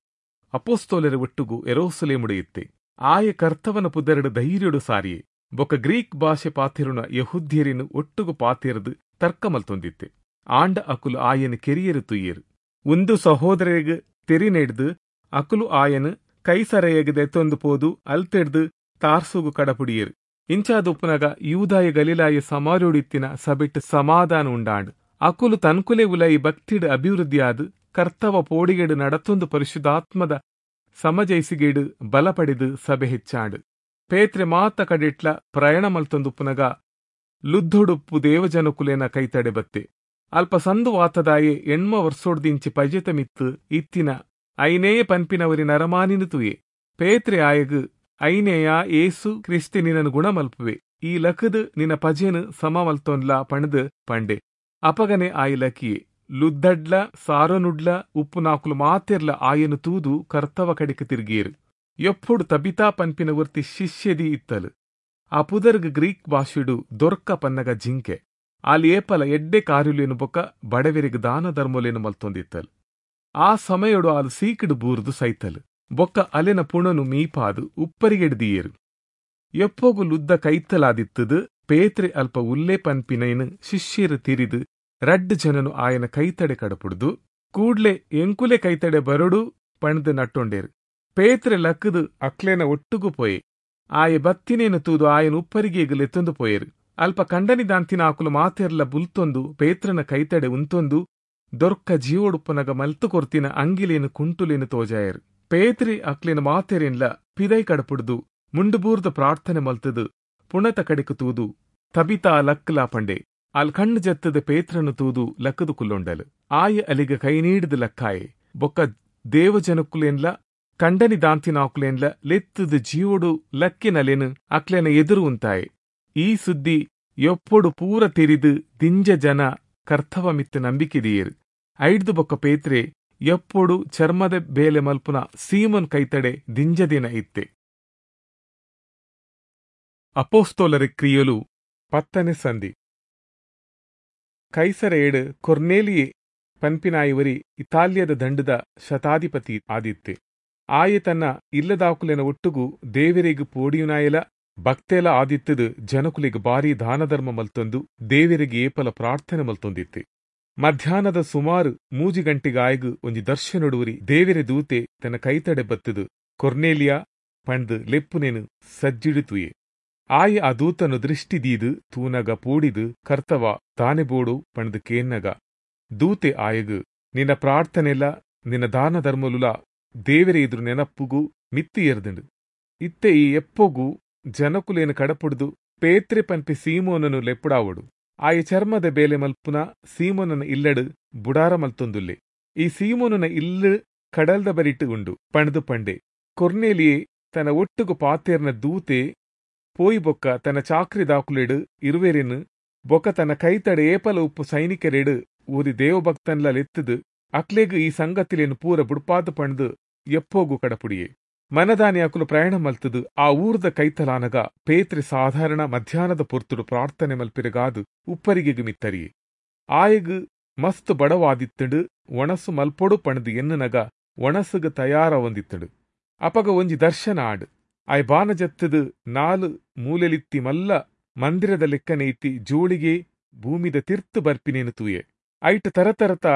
ಅಪೊಸ್ತಲೆರೆ ಒಟ್ಟುಗು ಯೆರೂಸಲೇಮುಡು ಇತ್ತೆ. ಆಯೆ ಕರ್ತವನ ಪುದರ್ಡ್ ಧೈರ್ಯೊಡು ಸಾರಿಯೆ. ಬೊಕ್ಕ ಗ್ರೀಕ್ ಭಾಷೆ ಪಾತೆರುನ ಯೆಹೂದ್ಯೆರೆನ್ ಒಟ್ಟುಗು ಪಾತೆರ್ದ್ ತರ್ಕ ಮಲ್ತೊಂದಿತ್ತೆ. ಆಂಡ ಅಕುಲು ಆಯನ್ ಕೆರಿಯೆರೆ ತೂಯೆರ್. ಉಂದು ಸಹೋದ್ರೆರೆಗ್ ತೆರಿನೆಡ್ದ್ ಅಕುಲು ಆಯನ್ ಕೈಸರೆಯಗ್ ದೆತ್ತೊಂದು ಪೋದು ಅಲ್ತ್ಡ್ದ್ ತಾರ್ಸುಗು ಕಡಪುಡಿಯೆರ್. ಇಂಚಾದುಪ್ಪುನಗ ಯೂದಾಯ ಗಲಿಲಾಯ ಸಮಾರ್ಯೊಡಿತ್ತಿನ ಸಭೆಟ್ ಸಮಾಧಾನ ಉಂಡಾಂಡ್. ಅಕುಲು ತನ್ಕುಲೆ ಉಲಯಿ ಭಕ್ತಿಡ್ ಅಭಿವೃದ್ಧಿಯಾದ್ ಕರ್ತವ ಪೋಡಿಗೆಡ್ ನಡತೊಂದು ಪರಿಶುದ್ಧಾತ್ಮದ ಸಮಜಯಿಸಿಗೆಡ್ ಬಲ ಪಡೆದ್ ಸಭೆ ಹೆಚ್ಚಾಂಡ್. ಪೇತ್ರೆ ಮಾತ ಕಡೆಟ್ಲ ಪ್ರಯಾಣ ಮಲ್ತೊಂದುಪ್ಪುನಗ ಲುದ್ಧೊಡುಪ್ಪು ದೇವಜನಕುಲೆನ ಕೈತಡೆ ಬತ್ತೆ. ಅಲ್ಪ ಸಂದುವಾತದಾಯೆ ಎಣ್ಮ ವರ್ಸೊಡ್ದಿಂಚಿ ಪಜೆತ ಮಿತ್ತ್ ಇತ್ತಿನ ಐನೇಯ ಪನ್ಪಿನವರಿ ನರಮಾನಿನ ತೂಯೆ. ಪೇತ್ರೆ ಆಯಗ್, ಐನೇಯ, ಏಸು ಕ್ರಿಸ್ತೆ ನಿನನ್ ಗುಣ ಮಲ್ಪುವೆ, ಈ ಲಕದ್ ನಿನ್ನ ಪಜೆನ್ ಸಮ ಮಲ್ತೊನ್ಲಾ ಪಂಡ್ದ್ ಪಂಡೆ. ಅಪಗನೆ ಆಯೆ ಲಕಿಯೆ. ಲುದ್ದಡ್ಲ ಸಾರೊನುಡ್ಲ ಉಪ್ಪುನಾಕುಲು ಮಾತೆರ್ಲ ಆಯನ್ ತೂದು ಕರ್ತವ ಕಡೆಕ್ ತಿರ್ಗಿಯೆರ್. ಯೊಪ್ಪೊಡು ತಬಿತಾ ಪನ್ಪಿನ ಒರ್ತಿ ಶಿಷ್ಯೆದಿ ಇತ್ತಲ್. ಆ ಪುದರ್ಗ್ ಗ್ರೀಕ್ ಭಾಷೆಡ್ ದೊರ್ಕ ಪನ್ನಗ ಜಿಂಕೆ. ಆಲ್ ಏಪಲ ಎಡ್ಡೆ ಕಾರ್ಯೊಲೆನ್ ಬೊಕ್ಕ ಬಡವೆರೆಗ್ ದಾನ ಧರ್ಮೊಲೆನ್ ಮಲ್ತೊಂದಿತ್ತಲ್. ಆ ಸಮಯೊಡು ಆಲ್ ಸೀಕ್ಡ್ ಬೂರ್ದು ಸೈತಲ್. ಬೊಕ್ಕ ಅಲೆನ ಪುಣನು ಮೀಪಾದ್ ಉಪ್ಪರಿಗೆಡ್ ದೀಯೆರ್. ಯೊಪ್ಪೊಗು ಲುದ್ದ ಕೈತಲಾದಿತ್ತದ್ ಪೇತ್ರೆ ಅಲ್ಪ ಉಲ್ಲೆ ಪನ್ಪಿನೈನ್ ಶಿಷ್ಯೆರ್ ತೆರಿದ್ ರಡ್ಡ್ ಜನನು ಆಯನ ಕೈತಡೆ ಕಡಪುಡ್ದು ಕೂಡ್ಲೆ ಎಂಕುಲೆ ಕೈತಡೆ ಬರೊಡು ಪಂಡ್ದ್ ನಟ್ಟೊಂಡೆರ್. ಪೇತ್ರೆ ಲಕ್ಕುದು ಅಕ್ಲೆನ ಒಟ್ಟುಗು ಪೋಯೆ. ಆಯೆ ಬತ್ತಿನೇನು ತೂದು ಆಯನ ಉಪ್ಪರಿಗೆಗ್ ಲೆತ್ತೊಂದು ಪೋಯೆರ್. ಅಲ್ಪ ಕಂಡನಿ ದಾಂತಿನ ಆಕುಲು ಮಾತೆರ್ಲ ಬುಲ್ತೊಂದು ಪೇತ್ರನ ಕೈತಡೆ ಉಂತೊಂದು ದೊರ್ಕ ಜೀವೊಡುಪ್ಪುನಗ ಮಲ್ತು ಕೊರ್ತಿನ ಅಂಗಿಲೇನು ಕುಂಟುಲೇನು ತೋಜಾಯೆರ್. ಪೇತ್ರಿ ಅಕ್ಲೆನ ಮಾತೆರೆನ್ಲ ಪಿದೈ ಕಡಪುಡ್ದು ಮುಂಡುಬೂರ್ದ ಪ್ರಾರ್ಥನೆ ಮಲ್ತದು ಪುಣತ ಕಡೆಕು ತೂದು ತಬಿತಾ ಲಕ್ಲಾ ಪಂಡೆ. ಅಲ್ ಕಣ್ಣು ಜತ್ತದ ಪೇತ್ರನು ತೂದು ಲಕ್ಕದು ಕುಲ್ಲೊಂಡಲು. ಆಯ ಅಲಿಗ ಕೈ ನೀಡಿದ ಲಕ್ಕಾಯೆ. ಬೊಕ್ಕ ದೇವಜನಕುಲೇನ್ಲ ಕಂಡನಿ ದಾಂತಿನಾಕುಲೇನ್ಲ ಲೆತ್ತದ ಜೀವೊಡು ಲಕ್ಕಿನಲೆನು ಅಕ್ಲೆನ ಎದುರು ಉಂತಾಯೆ. ಈ ಸುದ್ದಿ ಯೊಪ್ಪೊಡು ಪೂರ ತೆರಿದು ದಿಂಜ ಜನ ಕರ್ತವ ಮಿತ್ತ ನಂಬಿಕೆ ದೀಯೆರ್. ಐಡ್ದು ಬೊಕ್ಕ ಪೇತ್ರೆ ಯೊಪ್ಪೊಡು ಚರ್ಮದ ಬೇಲೆ ಮಲ್ಪುನ ಸೀಮನ್ ಕೈತಡೆ ದಿಂಜ ದಿನ ಇತ್ತೆ. ಅಪೊಸ್ತಲರ ಕ್ರಿಯೆಲು ಪತ್ತನೆ ಸಂಧಿ. ಕೈಸರೆಯಡ್ ಕೊರ್ನೇಲಿಯೆ ಪನ್ಪಿನಾಯವರಿ ಇತಾಲ್ಯದ ದಂಡದ ಶತಾಧಿಪತಿ ಆದಿತ್ತೆ. ಆಯೆ ತನ್ನ ಇಲ್ಲದಾಕುಲೆನ ಒಟ್ಟುಗು ದೇವರೆಗ್ ಪೋಡಿಯುನಾಯಲ ಭಕ್ತೆಲ ಆದಿತ್ತದು ಜನಕುಲೆಗ್ ಬಾರಿ ದಾನಧರ್ಮ ಮಲ್ತೊಂದು ದೇವರಿಗೆ ಏಪಲ ಪ್ರಾರ್ಥನೆ ಮಲ್ತೊಂದಿತ್ತೆ. ಮಧ್ಯಾಹ್ನದ ಸುಮಾರು ಮೂಜಿ ಗಂಟೆಗೆ ಆಯಗ್ ಒಂಜಿ ದರ್ಶನೊಡುವರಿ ದೇವರೆ ದೂತೆ ತನ್ನ ಕೈತಡೆ ಬತ್ತದು ಕೊರ್ನೇಲಿಯಾ ಪಂಡ್ದ್ ಲೆಪ್ಪುನೇನು ಸಜ್ಜಿಡು ತೂಯೆ. ಆಯೆ ಆ ದೂತನು ದೃಷ್ಟಿ ದೀದು ತೂನಗ ಪೂಡಿದು ಕರ್ತವ ತಾನೆ ಬೋಡು ಪಣದು ಕೇನ್ನಗ ದೂತೆ ಆಯಗು ನಿನ್ನ ಪ್ರಾರ್ಥನೆಲ ನಿನ್ನ ದಾನ ಧರ್ಮಲುಲ ದೇವರೇ ಎದುರು ನೆನಪ್ಪುಗು ಮಿತ್ತಿ ಎರ್ದುಂಡು. ಇತ್ತೆ ಈ ಎಪ್ಪೊಗು ಜನಕುಲೇನು ಕಡಪುಡ್ದು ಪೇತ್ರೆ ಪನ್ಪಿ ಸೀಮೋನನು ಲೆಪ್ಪುಡಾವಡು. ಆಯ ಚರ್ಮದ ಬೇಲೆ ಮಲ್ಪುನ ಸೀಮೋನನ ಇಲ್ಲಡು ಬುಡಾರ ಮಲ್ತೊಂದುಲ್ಲೆ. ಈ ಸೀಮೋನನ ಇಲ್ಲು ಕಡಲ್ದ ಬರಿಟ್ಟು ಉಂಡು ಪಣದು ಪಂಡೆ. ಕೊರ್ನೇಲಿಯೇ ತನ್ನ ಒಟ್ಟುಗು ಪಾತೇರ್ನ ದೂತೆ ಪೋಯಿ ಬೊಕ್ಕ ತನ್ನ ಚಾಕ್ರಿ ದಾಕುಲೆಡು ಇರುವೆರೆನು ಬೊಕ್ಕ ತನ್ನ ಕೈತಡೆ ಏಪಲ ಉಪ್ಪು ಸೈನಿಕರೆಡು ಊರಿ ದೇವಭಕ್ತನ್ಲ ಲೆತ್ತದು ಅಕ್ಲೆಗು ಈ ಸಂಗತಿಲೇನು ಪೂರ ಬುಡ್ಪಾದ ಪಣದು ಎಪ್ಪೋಗು ಕಡಪುಡಿಯೇ. ಮನದಾನಿ ಅಕುಲು ಪ್ರಯಾಣ ಮಲ್ತದು ಆ ಊರ್ದ ಕೈತಲಾನಗ ಪೇತ್ರೆ ಸಾಧಾರಣ ಮಧ್ಯಾಹ್ನದ ಪೊರ್ತುಡು ಪ್ರಾರ್ಥನೆ ಮಲ್ಪಿರಗಾದು ಉಪ್ಪರಿಗೆಗು ಮಿತ್ತರಿಯೇ. ಆಯಗು ಮಸ್ತ್ ಬಡವಾದಿತ್ತುಂಡು ಒಣಸು ಮಲ್ಪೊಡು ಪಣದು ಎನ್ನುನಗ ಒಣಸುಗು ತಯಾರ ಹೊಂದಿತ್ತುಂಡು. ಅಪಗ ಒಂಜಿ ದರ್ಶನ ಆಡು. ಆಯ್ ಬಾನಜತ್ತದು ನಾಲು ಮೂಲೆಲಿತ್ತಿ ಮಲ್ಲ ಮಂದಿರದ ಲೆಕ್ಕನೆ ಇತ್ತಿ ಜೋಳಿಗೆ ಭೂಮಿದ ತಿರ್ತು ಬರ್ಪಿನೇನು ತೂಯೆ. ಐಟ್ ತರತರತ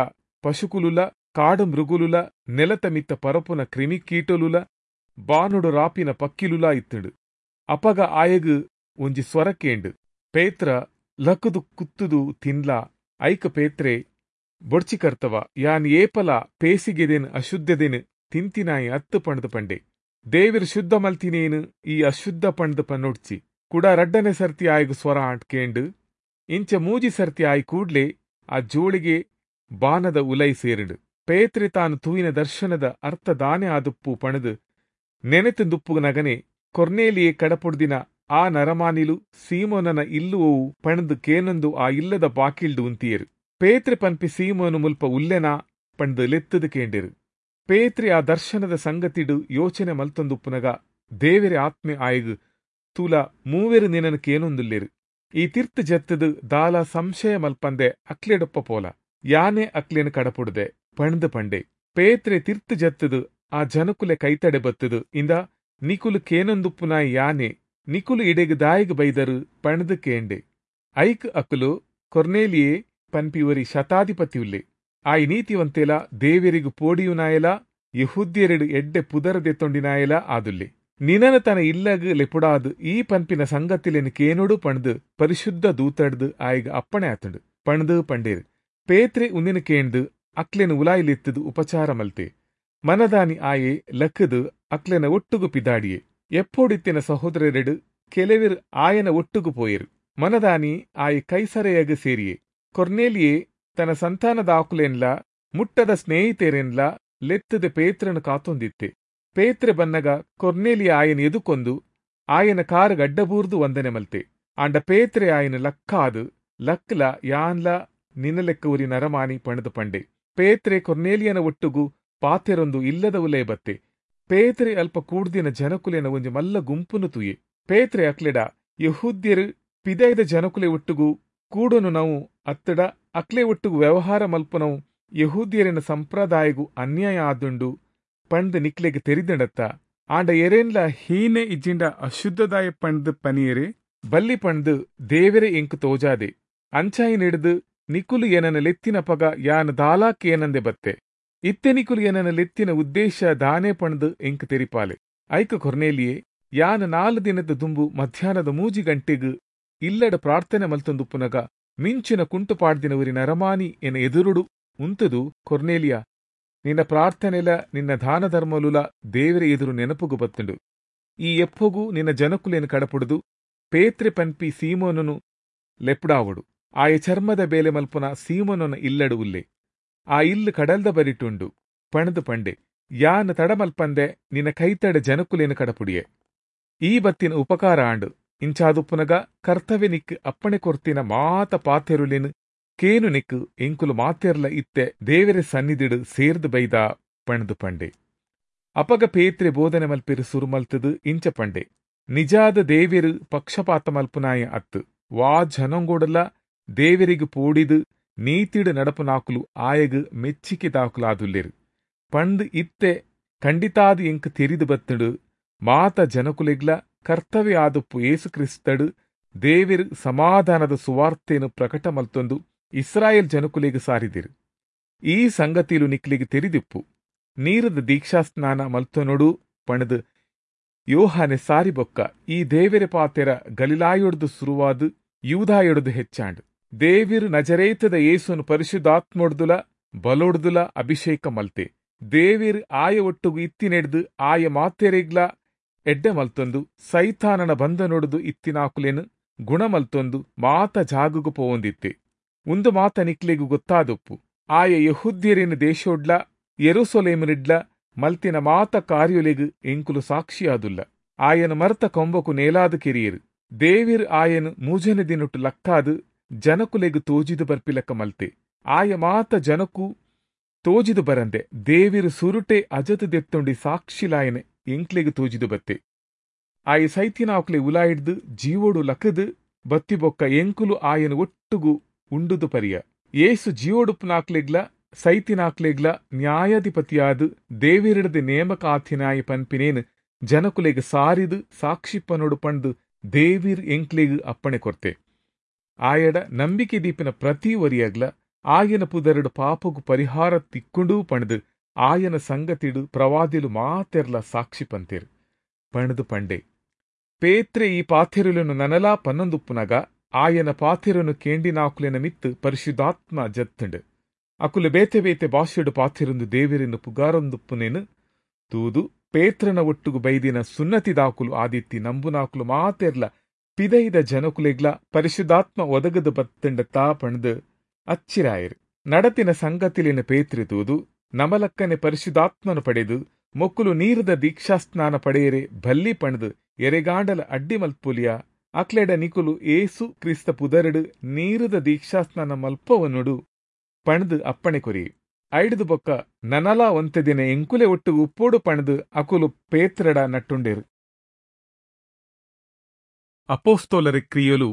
ಪಶುಕುಲುಲ ಕಾಡು ಮೃಗುಲುಲ ನೆಲತ ಮಿತ್ತ ಪರಪುನ ಕ್ರಿಮಿಕೀಟಲುಲ ಬಾನುಡು ರಾಪಿನ ಪಕ್ಕಿಲುಲ ಇತ್ತುಂಡು. ಅಪಗ ಆಯಗು ಒಂಜಿ ಸ್ವರಕೇಂಡು, ಪೇತ್ರ ಲಕುದು ಕುತ್ತುದು ತಿನ್ಲಾ. ಐಕ ಪೇತ್ರೆ ಬೊಡ್ಚಿ ಕರ್ತವ, ಯಾನ್ ಏಪಲ ಪೇಸಿಗೆದೇನು ಅಶುದ್ಧದೇನು ತಿಂತಿನಾಯಿ ಅತ್ತು ಪಣದು ಪಂಡೆ. ದೇವಿರು ಶುದ್ಧ ಮಲ್ತಿನೇನು ಈ ಅಶುದ್ಧ ಪಣದು ಪನ್ನೊಡ್ಚಿ. ಕುಡ ರಡ್ಡನೆ ಸರ್ತಿ ಆಯಗು ಸ್ವರ ಆಟ್ಕೇಂಡು. ಇಂಚ ಮೂಜಿ ಸರ್ತಿ ಆಯ್ ಕೂಡ್ಲೆ ಆ ಜೋಳಿಗೆ ಬಾನದ ಉಲೈ ಸೇರಿಂಡು. ಪೇತ್ರೆ ತಾನು ತೂಯಿನ ದರ್ಶನದ ಅರ್ಥ ದಾನೆ ಆದುಪ್ಪು ಪಣದು ನೆನೆತುಂದುಪ್ಪು ನಗನೆ ಕೊರ್ನೇಲಿಯೇ ಕಡಪುಡ್ದಿನ ಆ ನರಮಾನಿಲು ಸೀಮೋನನ ಇಲ್ಲುವವು ಪಣದು ಕೇನೊಂದು ಆ ಇಲ್ಲದ ಬಾಕಿಲ್ಡು ಉಂತಿಯರು. ಪೇತ್ರೆ ಪನ್ಪಿ ಸೀಮೋನು ಮುಲ್ಪ ಉಲ್ಲೆನಾ ಪಣದು ಲೆತ್ತದು ಕೇಂಡಿರು. ಪೇತ್ರೆ ಆ ದರ್ಶನದ ಸಂಗತಿಡು ಯೋಚನೆ ಮಲ್ತೊಂದುಪ್ಪುನಗ ದೇವೆರೆ ಆತ್ಮೆ ಆಯಗು ತೂಲ ಮೂವೆರು ನಿನನು ಕೇನೊಂದುಲ್ಲೇರು. ಈ ತಿರ್ತು ಜತ್ತದು ದಾಲ ಸಂಶಯ ಮಲ್ಪಂದೆ ಅಕ್ಲೆಡೊಪ್ಪ ಪೋಲ, ಯಾನೆ ಅಕ್ಲೇನು ಕಡಪುಡ್ದೆ ಪಣದು ಪಂಡೆ. ಪೇತ್ರೆ ತಿರ್ತು ಜತ್ತದು ಆ ಜನಕುಲೆ ಕೈತಡೆ ಬತ್ತದು ಇಂದ ನಿಕುಲು ಕೇನೊಂದುಪ್ಪುನ ಯಾನೆ, ನಿಕುಲು ಇಡೆಗು ದಾಯಿಗ್ ಬೈದರು ಪಣದು ಕೇಂಡೆ. ಐಕ್ ಅಕುಲು ಕೊರ್ನೇಲಿಯೇ ಪನ್ಪಿವರಿ ಶತಾಧಿಪತಿಯುಲ್ಲೆ. ಆಯ್ ನೀತಿವಂತೆಲ ದೇವೆರಿಗು ಪೋಡಿಯುನಾಯಲ ಯಹೂದ್ಯರೆಡು ಎಡ್ಡೆ ಪುದರ ದೆತ್ತೊಂಡಿನಾಯಲ ಆದುಲ್ಲೆ. ನಿನನ ತನ ಇಲ್ಲಗ್ ಲೆಪುಡಾದು ಈ ಪನ್ಪಿನ ಸಂಗತಿಲೆನು ಕೇನೊಡು ಪಣದು ಪರಿಶುದ್ಧ ದೂತಡ್ದು ಆಯ್ಗ ಅಪ್ಪಣೆ ಆತುಂಡು ಪಣದು ಪಂಡೇರು. ಪೇತ್ರೆ ಉಂದಿನ ಕೇಂದು ಅಕ್ಲೆನು ಉಲಾಯಿಲೆತ್ತದು ಉಪಚಾರ ಮಲ್ತೆ. ಮನದಾನಿ ಆಯೆ ಲಕ್ಕದು ಅಕ್ಲೆನ ಒಟ್ಟುಗು ಪಿದಾಡಿಯೆ. ಎಪ್ಪೋಡಿತ್ತಿನ ಸಹೋದರರೆಡು ಕೆಲವೆರು ಆಯನ ಒಟ್ಟುಗು ಪೋಯೆರು. ಮನದಾನಿ ಆಯೆ ಕೈಸರೆಯಗ ಸೇರಿಯೆ. ಕೊರ್ನೇಲಿಯೇ ತನ್ನ ಸಂತಾನದಾಕುಲೆನ್ಲ ಮುಟ್ಟದ ಸ್ನೇಹಿತರೆನ್ಲ ಲೆತ್ತದ ಪೇತ್ರನು ಕಾತೊಂದಿತ್ತೆ. ಪೇತ್ರೆ ಬನ್ನಗ ಕೊರ್ನೇಲಿಯ ಆಯನ ಎದುಕೊಂದು ಆಯನ ಕಾರು ಗಡ್ಡಬೂರ್ದು ವಂದನೆ ಮಲ್ತೆ. ಆಂಡ ಪೇತ್ರೆ ಆಯನ ಲಕ್ಕಾದು ಲಕ್ಲ ಯಾನ್ಲ ನಿನ್ನ ಲೆಕ್ಕ ಉರಿ ನರಮಾನಿ ಪಣದು ಪಂಡೆ. ಪೇತ್ರೆ ಕೊರ್ನೇಲಿಯನ ಒಟ್ಟುಗು ಪಾತೆರೊಂದು ಇಲ್ಲದ ಉಲೇ ಬತ್ತೆ. ಪೇತ್ರೆ ಅಲ್ಪ ಕೂಡ್ದಿನ ಜನಕುಲೆನ ಒಂಜಿ ಮಲ್ಲ ಗುಂಪುನು ತುಯೆ. ಪೇತ್ರೆ ಅಕ್ಲೆಡ ಯಹೂದ್ಯರು ಪಿದೈದ ಜನಕುಲೆ ಒಟ್ಟುಗು ಕೂಡನು ನಾವು ಅತ್ತಡ ಅಕ್ಲೆ ಒಟ್ಟುಗು ವ್ಯವಹಾರ ಮಲ್ಪನವು ಯಹೂದ್ಯರಿನ ಸಂಪ್ರದಾಯಗು ಅನ್ಯಾಯ ಆದುಂಡು ಪಂಡ್ ನಿಕ್ಲೆಗ್ ತೆರಿದಂಡತ್ತ. ಆಂಡ ಎರೇನ್ಲ ಹೀನೆ ಇಜ್ಜಿಂಡ ಅಶುದ್ಧದಾಯ ಪಂಡ್ ಪನಿಯರೆ ಬಲ್ಲಿ ಪಂಡ್ ದೇವೆರೆ ಎಂಕು ತೋಜಾದೆ. ಅಂಚಾಯಿ ನೆಡ್ದು ನಿಕುಲು ಏನನ ಲೆತ್ತಿನ ಪಗ ಯಾನ್ ದಾಲಾಕ್ ಏನಂದೆ ಬತ್ತೆ. ಇತ್ತೆ ನಿಕುಲು ಏನನ ಲೆತ್ತಿನ ಉದ್ದೇಶ ದಾನೆ ಪಂಡ್ ಎಂಕು ತೆರಿಪಾಲೆ. ಐಕ ಕೊರ್ನೇಲಿಯೇ ಯಾನ್ ನಾಲು ದಿನದ ದುಂಬು ಮಧ್ಯಾಹ್ನದ ಮೂಜಿ ಗಂಟೆಗ್ ಇಲ್ಲಡ ಪ್ರಾರ್ಥನೆ ಮಲ್ತೊಂದುಪ್ಪುನಗ ಮಿಂಚಿನ ಕುಂಟು ಪಾಡ್ದಿನವರಿ ನರಮಾನಿ ಎನ ಎದುರುಡು ಉಂತದು ಕೊರ್ನೇಲಿಯಾ ನಿನ್ನ ಪ್ರಾರ್ಥನೆಲ ನಿನ್ನ ದಾನ ಧರ್ಮಲುಲ ದೇವರ ಎದುರು ನೆನಪುಗು ಬತ್ತುಂಡು. ಈ ಎಪ್ಪೊಗು ನಿನ್ನ ಜನಕುಲೇನು ಕಡಪುಡುದು ಪೇತ್ರೆ ಪನ್ಪಿ ಸೀಮೋನನು ಲೆಪ್ಡಾವಡು. ಆಯ ಚರ್ಮದ ಬೇಲೆ ಮಲ್ಪುನ ಸೀಮೋನನ ಇಲ್ಲಡು ಉಲ್ಲೆ. ಆ ಇಲ್ಲು ಕಡಲ್ದ ಬರಿಟುಂಡು ಪಣದು ಪಂಡೆ. ಯಾನ್ ತಡಮಲ್ಪಂದೆ ನಿನ್ನ ಕೈತಡೆ ಜನಕುಲೇನು ಕಡಪುಡಿಯೆ. ಈ ಬತ್ತಿನ ಉಪಕಾರ ಆಂಡು. ಇಂಚಾದುಪ್ಪುನಗ ಕರ್ತವ್ಯ ನಿಕ್ಕು ಅಪ್ಪಣೆ ಕೊರ್ತಿನ ಮಾತ ಪಾತೆರುಲೇನು ಕೇನು ನಿಕ್ಕು ಎಂಕುಲು ಮಾತೆರ್ಲ ಇತ್ತೆ ದೇವರ ಸನ್ನಿಧಿಡು ಸೇರ್ದು ಬೈದ ಪಣದು ಪಂಡೆ. ಅಪಗ ಪೇತ್ರೆ ಬೋಧನೆ ಮಲ್ಪಿರು ಸುರುಮಲ್ತದು ಇಂಚ ಪಂಡೆ. ನಿಜಾದ ದೇವೆರು ಪಕ್ಷಪಾತ ಮಲ್ಪುನಾಯ ಅತ್ತು ವಾ ಜನಂಗೋಡಲ ದೇವರಿಗು ಪೋಡಿದು ನೀತಿಡು ನಡಪುನಾಕುಲು ಆಯಗು ಮೆಚ್ಚಿಕೆ ದಾಕುಲಾದುಲ್ಲೇರು ಪಂಡ್ ಇತ್ತೆ ಖಂಡಿತಾದು ಎಂಕು ತೆರಿದು ಬತ್ತುಡು ಮಾತ ಜನಕುಲೆಗ್ಲ ಕರ್ತವ್ಯ ಆದುಪ್ಪು ಯೇಸು ಕ್ರಿಸ್ತಡು ದೇವಿರು ಸಮಾಧಾನದ ಸುವಾರ್ತೆಯನ್ನು ಪ್ರಕಟ ಮಲ್ತೊಂದು ಇಸ್ರಾಯೇಲ್ ಜನಕುಲೆಗ್ ಸಾರಿದಿರು. ಈ ಸಂಗತಿಲು ನಿಕ್ಲಿಗೆ ತೆರಿದಿಪ್ಪು. ನೀರದ ದೀಕ್ಷಾಸ್ನಾನ ಮಲ್ತೊನೊಡು ಪಣದು ಯೋಹಾನೆ ಸಾರಿ ಬೊಕ್ಕ ಈ ದೇವೆರೆ ಪಾತೆರ ಗಲಿಲಾಯೊಡ್ದು ಸುರುವಾದ್ ಯೂದಾಯೊಡ್ದು ಹೆಚ್ಚಾಂಡ್. ದೇವಿರು ನಜರೇತದ ಯೇಸುನು ಪರಿಶುದ್ಧಾತ್ಮೊಡ್ದುಲ ಬಲೊಡ್ದುಲ ಅಭಿಷೇಕ ಮಲ್ತೆ. ದೇವಿರ್ ಆಯ ಒಟ್ಟುಗು ಇತ್ತಿನೆಡ್ದು ಆಯ ಮಾತೆರೆಗ್ಲ ಎಡ್ಡೆ ಮಲ್ತೊಂದು ಸೈತಾನನ ಬಂಧನೊಡ್ದು ಇತ್ತಿನಾಕುಲೆನು ಗುಣ ಮಲ್ತೊಂದು ಮಾತ ಜಾಗುಗು ಪೋವೊಂದಿತ್ತೆ. ಉಂದು ಮಾತ ನಿಕ್ಲೆಗು ಗೊತ್ತಾದೊಪ್ಪು. ಆಯ ಯೆಹೂದ್ಯರಿನ ದೇಶೊಡ್ಲ ಯೆರೂಸಲೇಮಿನಿಡ್ಲ ಮಲ್ತಿನ ಮಾತ ಕಾರ್ಯೊಲೆಗು ಎಂಕುಲು ಸಾಕ್ಷಿಯಾದುಲ್ಲ. ಆಯನ ಮರ್ತ ಕೊಂಬಕು ನೇಲಾದ ಕಿರಿಯರು. ದೇವಿರ್ ಆಯನು ಮೂಜನೆ ದಿನೊಟ್ಟು ಲಕ್ಕಾದು ಜನಕುಲೆಗು ತೋಜಿದು ಬರ್ಪಿಲಕ್ಕ ಮಲ್ತೆ. ಆಯ ಮಾತ ಜನಕು ತೋಜಿದು ಬರಂದೆ ದೇವಿರು ಸುರುಟೆ ಅಜತು ದೆತ್ತೊಂಡಿ ಸಾಕ್ಷಿಲಾಯನೆ ಎಂಕ್ಲೆಗು ತೋಜಿದು ಬತ್ತೆ. ಆಯ ಸೈತಿನಾಕ್ಲೆ ಉಲಾಯಿಡ್ದು ಜೀವೋಡು ಲಕದು ಬತ್ತಿ ಬೊಕ್ಕ ಎಂಕುಲು ಆಯನ ಒಟ್ಟುಗು ಉಂಡುದು ಪರಿಯ. ಏಸು ಜೀವೋಡುಪ್ಪನಾಕ್ಲೆಗ್ಲ ಸೈತಿನಾಕ್ಲೆಗ್ಲ ನ್ಯಾಯಾಧಿಪತಿಯಾದ ದೇವಿರಡದ ನೇಮಕಾತಿನಾಯ ಪನ್ಪಿನೇನು ಜನಕುಲೆಗ್ ಸಾರಿದು ಸಾಕ್ಷಿಪ್ಪನೋಡು ಪಂಡು ದೇವಿರ್ ಎಂಕ್ಲೆಗ್ ಅಪ್ಪಣೆ ಕೊರ್ತೆ. ಆಯಡ ನಂಬಿಕೆ ದೀಪಿನ ಪ್ರತಿ ಒರಿಯಾಗ್ಲ ಆಯನ ಪುದರಡು ಪಾಪಗು ಪರಿಹಾರ ತಿಕ್ಕೊಂಡು ಪಣದು ಆಯನ ಸಂಗತಿಡು ಪ್ರವಾದಿಲು ಮಾತೆರ್ಲ ಸಾಕ್ಷಿ ಪಂತೇರು ಪಣದು ಪಂಡೆ. ಪೇತ್ರೆ ಈ ಪಾಥೆರುలను ನನಲಾ ಪನ್ನೊಂದುಪ್ಪುನಗ ಆಯನ ಪಾಥೆರನು ಕೇಂಡಿನಾಕುಲೆನ ಮಿತ್ತು ಪರಿಶುದ್ಧಾತ್ಮ ಜತ್ತುಂಡು. ಅಕುಲು ಬೇತೆ ಬೇತೆ ಭಾಷೆಡು ಪಾಥೆರೊಂದು ದೇವಿರನ್ನು ಪುಗಾರೊಂದುಪ್ಪುನೇನು ತೂದು ಪೇತ್ರನ ಒಟ್ಟುಗು ಬೈದಿನ ಸುನ್ನತಿದಾಕುಲು ಆದಿತ್ತಿ ನಂಬುನಾಕುಲು ಮಾತೆರ್ಲ ಪಿದೈದ ಜನಕುಲೆಗ್ಲ ಪರಿಶುದ್ಧಾತ್ಮ ಒದಗದು ಬತ್ತಂಡ ತಾ ಪಣದು ಅಚ್ಚಿರಾಯರು. ನಡತಿನ ಸಂಗತಿಲಿನ ಪೇತ್ರಿ ತೂದು ನಮಲಕ್ಕನೆ ಪರಿಶುದ್ಧಾತ್ಮನು ಪಡೆದು ಮೊಕ್ಕುಲು ನೀರದ ದೀಕ್ಷಾಸ್ನಾನ ಪಡೆಯರೆ ಬಲ್ಲಿ ಪಣದು ಎರೆಗಾಂಡಲ ಅಡ್ಡಿ ಮಲ್ಪುಲಿಯ ಅಕ್ಲೆಡ ನಿಕುಲು ಏಸು ಕ್ರಿಸ್ತ ಪುದರಡು ನೀರದ ದೀಕ್ಷಾಸ್ನಾನ ಮಲ್ಪವನುಡು ಪಣದು ಅಪ್ಪಣೆ ಕೊರಿ. ಐಡ್ದು ಬೊಕ್ಕ ನನಲಾ ಒಂತೆ ದಿನ ಎಂಕುಲೆ ಒಟ್ಟು ಉಪ್ಪೋಡು ಪಣದು ಅಕುಲು ಪೇತ್ರಡ ನಟ್ಟುಂಡೇರು. ಅಪೋಸ್ತೋಲರ ಕ್ರಿಯಲು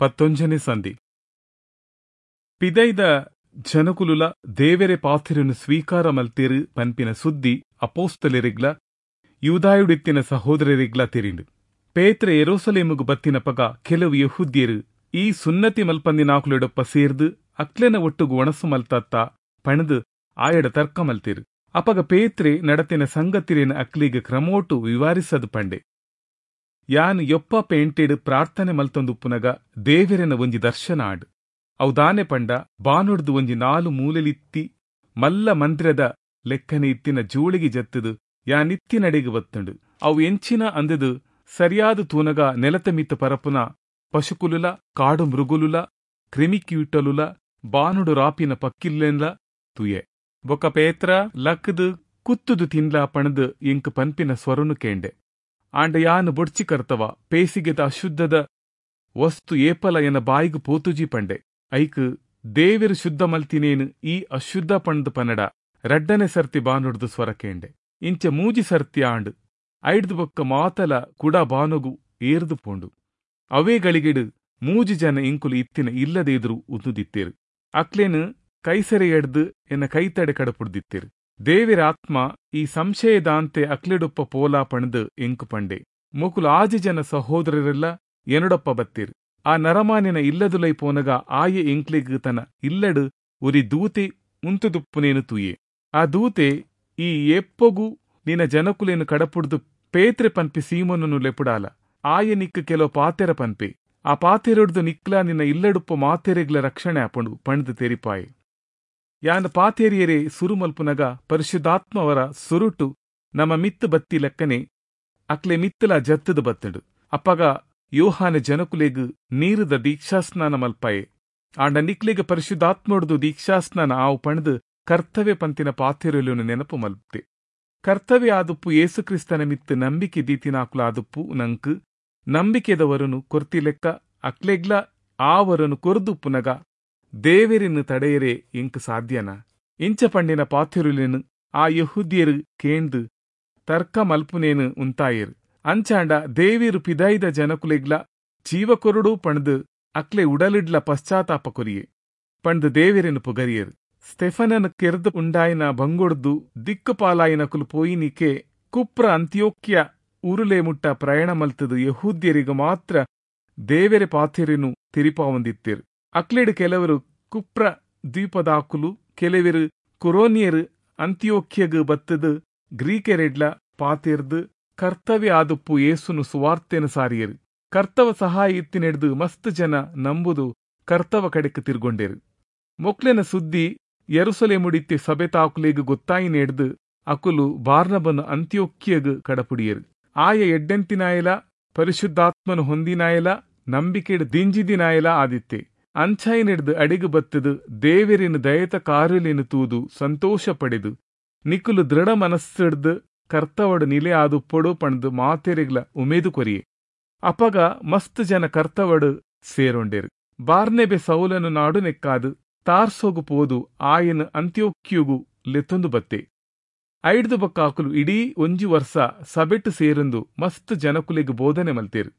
ಪತ್ತೊಂಜನೆ ಸಂಧಿ. ಪಿದೈದ ಜನಕುಲುಲ ದೇವೆರೆ ಪಾಥೆರನು ಸ್ವೀಕಾರ ಮಲ್ತೇರು ಪನ್ಪಿನ ಸುದ್ದಿ ಅಪೋಸ್ತಲರಿಗ್ಲ ಯೂದಾಯುಡಿತ್ತಿನ ಸಹೋದರರಿಗ್ಲ ತೆರಿಂಡು. ಪೇತ್ರೆ ಯೆರೂಸಲೇಮುಗು ಬತ್ತಿನ ಪಗ ಕೆಲವು ಯೆಹೂದ್ಯರು ಈ ಸುನ್ನತಿ ಮಲ್ಪಂದಿನಾಕುಲೆಡೊಪ್ಪ ಸೇರ್ದು ಅಕ್ಲೆನ ಒಟ್ಟುಗು ಒಣಸು ಮಲ್ತತ್ತ ಪಣದು ಆಯಡ ತರ್ಕ ಮಲ್ತೇರು. ಅಪಗ ಪೇತ್ರೆ ನಡತಿನ ಸಂಗತಿರೇನ ಅಕ್ಲಿಗೆ ಕ್ರಮೋಟು ವಿವಾರಿಸದು ಪಂಡೆ. ಯಾನ್ ಯೊಪ್ಪ ಪೇಂಟೆಡ್ ಪ್ರಾರ್ಥನೆ ಮಲ್ತೊಂದುಪ್ಪುನಗ ದೇವೆರೆನ ಒಂಜಿ ದರ್ಶನ ಆಡ್. ಅವು ದಾನೆ ಪಂಡ ಬಾನುಡ್ದು ಒಂಜಿ ನಾಲು ಮೂಲೆಲಿತ್ತಿ ಮಲ್ಲ ಮಂತ್ರದ ಲೆಕ್ಕನೆ ಇತ್ತಿನ ಜೋಳಿಗೆ ಜತ್ತದು ಯಾನಿತ್ತಿನಡೆಗೆ ಬತ್ತುಂಡು. ಅವು ಎಂಚಿನ ಅಂದದು ಸರಿಯಾದ ತೂನಗ ನೆಲತ ಮಿತ್ತ ಪರಪುನ ಪಶುಕುಲುಲ ಕಾಡು ಮೃಗುಲುಲ ಕ್ರಿಮಿಕೀಟಲುಲ ಬಾನುಡು ರಾಪಿನ ಪಕ್ಕಿಲ್ಲೆನ್ಲ ತುಯೆ. ಬೊಕ್ಕ ಪೇತ್ರ ಲಕ್ಕದು ಕುತ್ತುದು ತಿನ್ಲ ಪಣದು ಎಂಕ್ ಪನ್ಪಿನ ಸ್ವರನು ಕೇಂಡೆ. ಆಂಡ ಯಾನು ಬೊಡ್ಚಿ ಕರ್ತವ ಪೇಸಿಗೆದ ಅಶುದ್ಧದ ವಸ್ತು ಏಪಲ ಎನ ಬಾಯಿಗು ಪೋತುಜಿ ಪಂಡೆ. ಐಕ್ ದೇವಿರು ಶುದ್ಧ ಮಲ್ತಿನೇನು ಈ ಅಶುದ್ಧ ಪಂಡ್ದು ಪನಡ ರಡ್ಡನೆ ಸರ್ತಿ ಬಾನುಡ್ದು ಸ್ವರ ಕೇಂಡೆ. ಇಂಚ ಮೂಜಿ ಸರ್ತಿ ಆಂಡ್ ಐಡ್ದು ಬೊಕ್ಕ ಮಾತಲ ಕುಡ ಬಾನುಗು ಏರ್ದು ಪೋಂಡು. ಅವೇ ಗಳಿಗೆಡು ಮೂಜಿ ಜನ ಇಂಕುಲು ಇತ್ತಿನ ಇಲ್ಲದೆ ಎದುರು ಉದ್ದುದಿತ್ತೇರು. ಅಕ್ಲೇನು ಕೈಸರೆ ಎಡ್ದು ಎನ್ನ ಕೈತಡೆ ಕಡಪುಡ್ದಿತ್ತೇರು. ದೇವಿರ ಆತ್ಮ ಈ ಸಂಶಯದಾಂತೆ ಅಕ್ಲೆಡೊಪ್ಪ ಪೋಲಾ ಪಣದು ಎಂಕು ಪಂಡೆ. ಮೊಕುಲು ಆಜಿ ಜನ ಸಹೋದರರೆಲ್ಲ ಎನಡೊಪ್ಪ ಬತ್ತೀರು. ಆ ನರಮಾನಿನ ಇಲ್ಲದುಲೈ ಪೋನಗ ಆಯೆ ಎಂಕ್ಲೆಗ್ ತನ ಇಲ್ಲಡು ಉರಿ ದೂತೆ ಉಂತುದುಪ್ಪುನೇನು ತೂಯೆ. ಆ ದೂತೆ ಈ ಎಪ್ಪೊಗು ನಿನ್ನ ಜನಕುಲೇನು ಕಡಪುಡ್ದು ಪೇತ್ರೆ ಪನ್ಪಿ ಸೀಮೋನನು ಲೆಪುಡಾಲ. ಆಯೆ ನಿಕ್ಕ ಕೆಲವು ಪಾತೆರ ಪನ್ಪೆ. ಆ ಪಾತೆರೊಡ್ದು ನಿಕ್ಲ ನಿನ್ನ ಇಲ್ಲಡುಪ್ಪ ಮಾತೆರೆಗ್ಲ ರಕ್ಷಣೆ ಆಪಂಡು ಪಣ್ದು ತೆರಿಪಾಯೆ. ಯಾನ್ ಪಾತೇರಿಯರೇ ಸುರುಮಲ್ಪುನಗ ಪರಿಶುದ್ಧಾತ್ಮವರ ಸುರುಟು ನಮ್ಮ ಮಿತ್ತು ಬತ್ತಿ ಲೆಕ್ಕನೆ ಅಕ್ಲೆ ಮಿತ್ತಲ ಜತ್ತದು ಬತ್ತಡು. ಅಪ್ಪಗ ಯೋಹಾನ ಜನಕುಲೆಗ್ ನೀರುದ ದೀಕ್ಷಾಸ್ನಾನ ಮಲ್ಪಾಯೆ. ಆಂಡ ನಿಕ್ಲೆಗ್ ಪರಿಶುದ್ಧಾತ್ಮೊಡ್ದು ದೀಕ್ಷಾಸ್ನಾನ ಆವು ಪಣ್ದು ಕರ್ತವ್ಯ ಪಂತಿನ ಪಾತೆರೊಲುನು ನೆನಪು ಮಲ್ಪೆ. ಕರ್ತವ್ಯ ಆದುಪ್ಪು ಯೇಸುಕ್ರಿಸ್ತನ ಮಿತ್ತು ನಂಬಿಕೆ ದೀತಿನಾಕುಲಾದುಪ್ಪು ನಂಕು ನಂಬಿಕೆದವರನು ಕೊರ್ತಿ ಲೆಕ್ಕ ಅಕ್ಲೆಗ್ಲ ಆವರನು ಕೊರ್ದುಪ್ಪುನಗ ದೇವೆರಿನ್ನು ತಡೆಯರೆ ಎಂಕ್ ಸಾಧ್ಯನ. ಇಂಚ ಪಂಡಿನ ಪಾತೆರುಲೇನು ಆ ಯೆಹೂದ್ಯರು ಕೇಂದು ತರ್ಕ ಮಲ್ಪುನೇನು ಉಂತಾಯರು. ಅಂಚಾಂಡ ದೇವಿರು ಪಿದಾಯಿದ ಜನಕುಲೆಗ್ಲ ಜೀವಕೊರುಡು ಪಣ್ದು ಅಕ್ಲೆ ಉಡಲಿಡ್ಲ ಪಶ್ಚಾತ್ತಾಪ ಕೊರಿಯೆ ಪಂಡ್ದು ದೇವಿರೆನು ಪುಗರಿಯರು. ಸ್ಟೆಫನನ್ ಕೆರ್ದು ಉಂಡಾಯಿನ ಬಂಗೊಡ್ದು ದಿಕ್ಕುಪಾಲಾಯಿನಕುಲು ಪೋಯಿನಿಕೆ ಕುಪ್ರ ಅಂತ್ಯೋಕ್ಯ ಊರುಲೇ ಮುಟ್ಟ ಪ್ರಯಾಣ ಮಲ್ತದು ಯಹೂದ್ಯರಿಗೂ ಮಾತ್ರ ದೇವೆರೆ ಪಾಥೆರೆನು ತಿರಿಪಾವಂದಿತ್ತೇರು. ಅಕ್ಲೆಡು ಕೆಲವರು ಕುಪ್ರ ದ್ವೀಪದಾಕುಲು ಕೆಲವರು ಕುರೋನಿಯರು ಅಂತ್ಯೋಕ್ಯಗು ಬತ್ತದು ಗ್ರೀಕೆರೆಡ್ಲ ಪಾತೆರ್ದು ಕರ್ತವ್ಯ ಆದುಪ್ಪು ಯೇಸುನು ಸುವಾರ್ತೆನು ಸಾರಿಯರು. ಕರ್ತವ ಸಹಾಯ ಇತ್ತಿನೆಡ್ದು ಮಸ್ತ್ ಜನ ನಂಬುದು ಕರ್ತವ ಕಡೆಕ್ ತಿರ್ಗೊಂಡೇರು. ಮೊಕ್ಲೆನ ಸುದ್ದಿ ಯೆರೂಸಲೇಮುಡಿತ್ತಿ ಸಭೆತಾಕುಲೆಗ್ ಗೊತ್ತಾಯಿನೆಡ್ದು ಅಕುಲು ಬಾರ್ನಬನು ಅಂತ್ಯೋಕ್ಯಗ್ ಕಡಪುಡಿಯರು. ಆಯ ಎಡ್ಡೆಂತಿನಾಯಲ ಪರಿಶುದ್ಧಾತ್ಮನು ಹೊಂದಿನಾಯಲ ನಂಬಿಕೆಡ್ ದಿಂಜಿದಿನಾಯಲ ಆದಿತ್ತೆ. ಅಂಚಾಯಿನೆಡ್ದು ಅಡಿಗು ಬತ್ತದು ದೇವೆರಿನ ದಯತ ಕಾರುಲಿನ ತೂದು ಸಂತೋಷ ಪಡೆದು ನಿಕುಲು ದೃಢ ಮನಸ್ಸಿಡ್ದು ಕರ್ತವಡು ನಿಲೆ ಆದುಪ್ಪೊಡು ಪಂಡ್ದು ಮಾತೆರೆಗ್ಲ ಉಮೇದು ಕೊರಿಯೆ. ಅಪಗ ಮಸ್ತ್ ಜನ ಕರ್ತವಡು ಸೇರೊಂಡೇರು. ಬಾರ್ನೆಬೆ ಸೌಲನು ನಾಡು ನೆಕ್ಕಾದು ತಾರ್ಸೋಗು ಪೋದು ಆಯನ ಅಂತ್ಯೋಕ್ಯುಗು ಲೆತ್ತೊಂದು ಬತ್ತೆ. ಐಡ್ದು ಬೊಕ್ಕಾಕುಲು ಇಡೀ ಒಂಜಿ ವರ್ಷ ಸಬೆಟ್ಟು ಸೇರೊಂದು ಮಸ್ತ್ ಜನಕುಲೆಗ್ ಬೋಧನೆ ಮಲ್ತೇರು.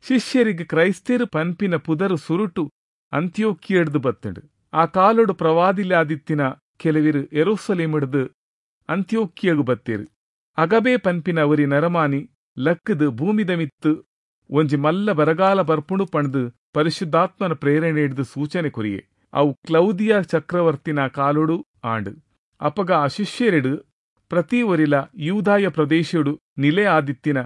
ಶಿಷ್ಯರಿಗೆ ಕ್ರೈಸ್ತೇರು ಪನ್ಪಿನ ಪುದರು ಸುರುಟು ಅಂತ್ಯೋಕ್ಯಡ್ದು ಬತ್ತಂಡು. ಆ ಕಾಲೊಡು ಪ್ರವಾದಿಲಾದಿತ್ತಿನ ಕೆಲವಿರು ಯೆರೂಸಲೇಮಿಡ್ದು ಅಂತ್ಯೋಕ್ಯಗು ಬತ್ತೇರು. ಅಗಬೆ ಪನ್ಪಿನ ಅವರಿ ನರಮಾನಿ ಲಕ್ಕದು ಭೂಮಿದ ಮಿತ್ತು ಒಂಜಿ ಮಲ್ಲ ಬರಗಾಲ ಬರ್ಪುಣು ಪಣ್ದು ಪರಿಶುದ್ಧಾತ್ಮನ ಪ್ರೇರಣೆ ಹಿಡಿದು ಸೂಚನೆ ಕೊರಿಯೆ. ಅವು ಕ್ಲೌದಿಯ ಚಕ್ರವರ್ತಿನ ಕಾಲೊಡು ಆಂಡು. ಅಪಗ ಆ ಶಿಷ್ಯರೆಡು ಪ್ರತಿ ಒರಿಲ ಯೂದಾಯ ಪ್ರದೇಶಡು ನಿಲೆ ಆದಿತ್ತಿನ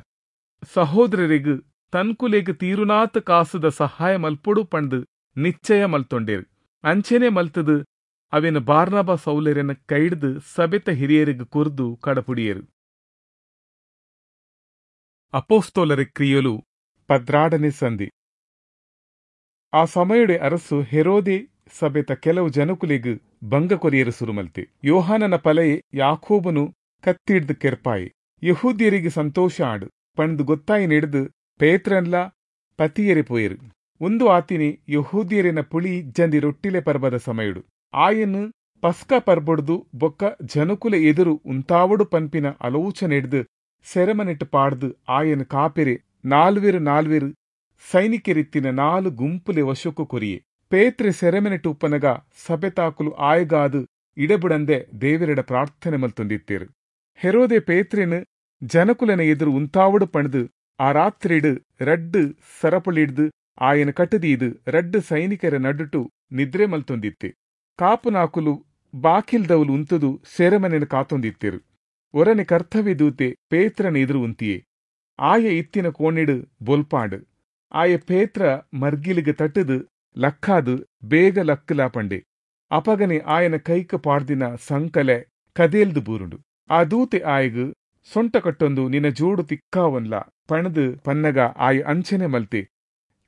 ಸಹೋದರರಿಗು ತನ್ಕುಲೆಗ್ ತೀರುನಾತ್ ಕಾಸುದ ಸಹಾಯ ಮಲ್ಪೊಡು ಪಣ್ದು ನಿಶ್ಚಯ ಮಲ್ತೊಂಡೇರು. ಅಂಚೆನೆ ಮಲ್ತದು ಅವೆನ ಬಾರ್ನಬ ಸೌಲರೆನ ಕೈಡ್ದು ಸಬೆತ ಹಿರಿಯರಿಗ್ ಕುರ್ದು ಕಡಪುಡಿಯರು. ಅಪೋಸ್ತೋಲರ ಕ್ರಿಯಲು ಪದ್ರಾಡನೆ ಸಂಧಿ. ಆ ಸಮಯಡೆ ಅರಸು ಹೆರೋದೆ ಸಭೆತ ಕೆಲವು ಜನಕುಲೆಗ್ ಭಂಗ ಕೊರಿಯರು ಸುರುಮಲ್ತೆ. ಯೋಹಾನನ ಪಲೆಯೆ ಯಾಕೋಬನು ಕತ್ತಿಡ್ದು ಕೆರ್ಪಾಯಿ. ಯಹೂದ್ಯರಿಗೆ ಸಂತೋಷ ಆಡು ಪಂಡ್ದು ಗೊತ್ತಾಯಿ ನೆಡ್ದು ಪೇತ್ರನ್ಲ ಪತಿಯರೆ ಪೋಯರು. ಒಂದು ಆತಿನಿ ಯಹೂದ್ಯರಿನ ಪುಳಿ ಜಂದಿ ರೊಟ್ಟಿಲೆ ಪರ್ಬದ ಸಮಯಡು. ಆಯನು ಪಸ್ಕ ಪರ್ಬೊಡ್ದು ಬೊಕ್ಕ ಜನಕುಲೆ ಎದುರು ಉಂತಾವಡು ಪನ್ಪಿನ ಆಲೋಚನೆಡ್ದು ಸೆರೆಮನೆಟ್ಟು ಪಾಡ್ದು ಆಯನ ಕಾಪೆರೆ ನಾಲ್ವೆರು ನಾಲ್ವೆರು ಸೈನಿಕರಿತ್ತಿನ ನಾಲು ಗುಂಪುಲೆ ವಶಕ್ಕു ಕೊರಿಯೆ. ಪೇತ್ರೆ ಸೆರೆಮನೆಟ್ಟು ಉಪ್ಪನಗ ಸಭೆತಾಕುಲು ಆಯಗಾದು ಇಡಬುಡಂದೆ ದೇವರೆಡ ಪ್ರಾರ್ಥನೆ ಮಲ್ತೊಂದಿತ್ತೇರು. ಹೆರೋದೆ ಪೇತ್ರೆನು ಜನಕುಲನ ಎದುರು ಉಂತಾವಡು ಪಣ್ದು ಆ ರಾತ್ರಿಡು ರಡ್ಡು ಸರಪಳಿಡ್ದು ಆಯನ ಕಟ್ಟದೀದು ರಡ್ಡು ಸೈನಿಕರ ನಡುಟು ನಿದ್ರೆ ಮಲ್ತೊಂದಿತ್ತೆ. ಕಾಪುನಾಕುಲು ಬಾಕಿಲ್ದವಲು ಉಂತುದು ಸೆರೆಮನೆನ ಕಾತೊಂದಿತ್ತೇರು. ಒರನೆ ಕರ್ತವ್ಯ ದೂತೆ ಪೇತ್ರನ ಎದುರು ಉಂತಿಯೆ. ಆಯ ಇತ್ತಿನ ಕೋಣಿಡು ಬೊಲ್ಪಾಂಡು. ಆಯ ಪೇತ್ರ ಮರ್ಗಿಲಿಗೆ ತಟ್ಟದು ಲಕ್ಕಾದು ಬೇಗ ಲಕ್ಕಲಾ ಪಂಡೆ. ಅಪಗನೆ ಆಯನ ಕೈಕ ಪಾಡ್ದಿನ ಸಂಕಲೆ ಕದೇಲ್ದು ಬೂರುಂಡು. ಆ ದೂತೆ ಆಯಗು ಸೊಂಟ ಕಟ್ಟೊಂದು ನಿನ್ನ ಜೋಡು ತಿಕ್ಕಾವನ್ಲ ಪಣದು ಪನ್ನಗ ಆಯ ಅಂಚನೆ ಮಲ್ತೆ.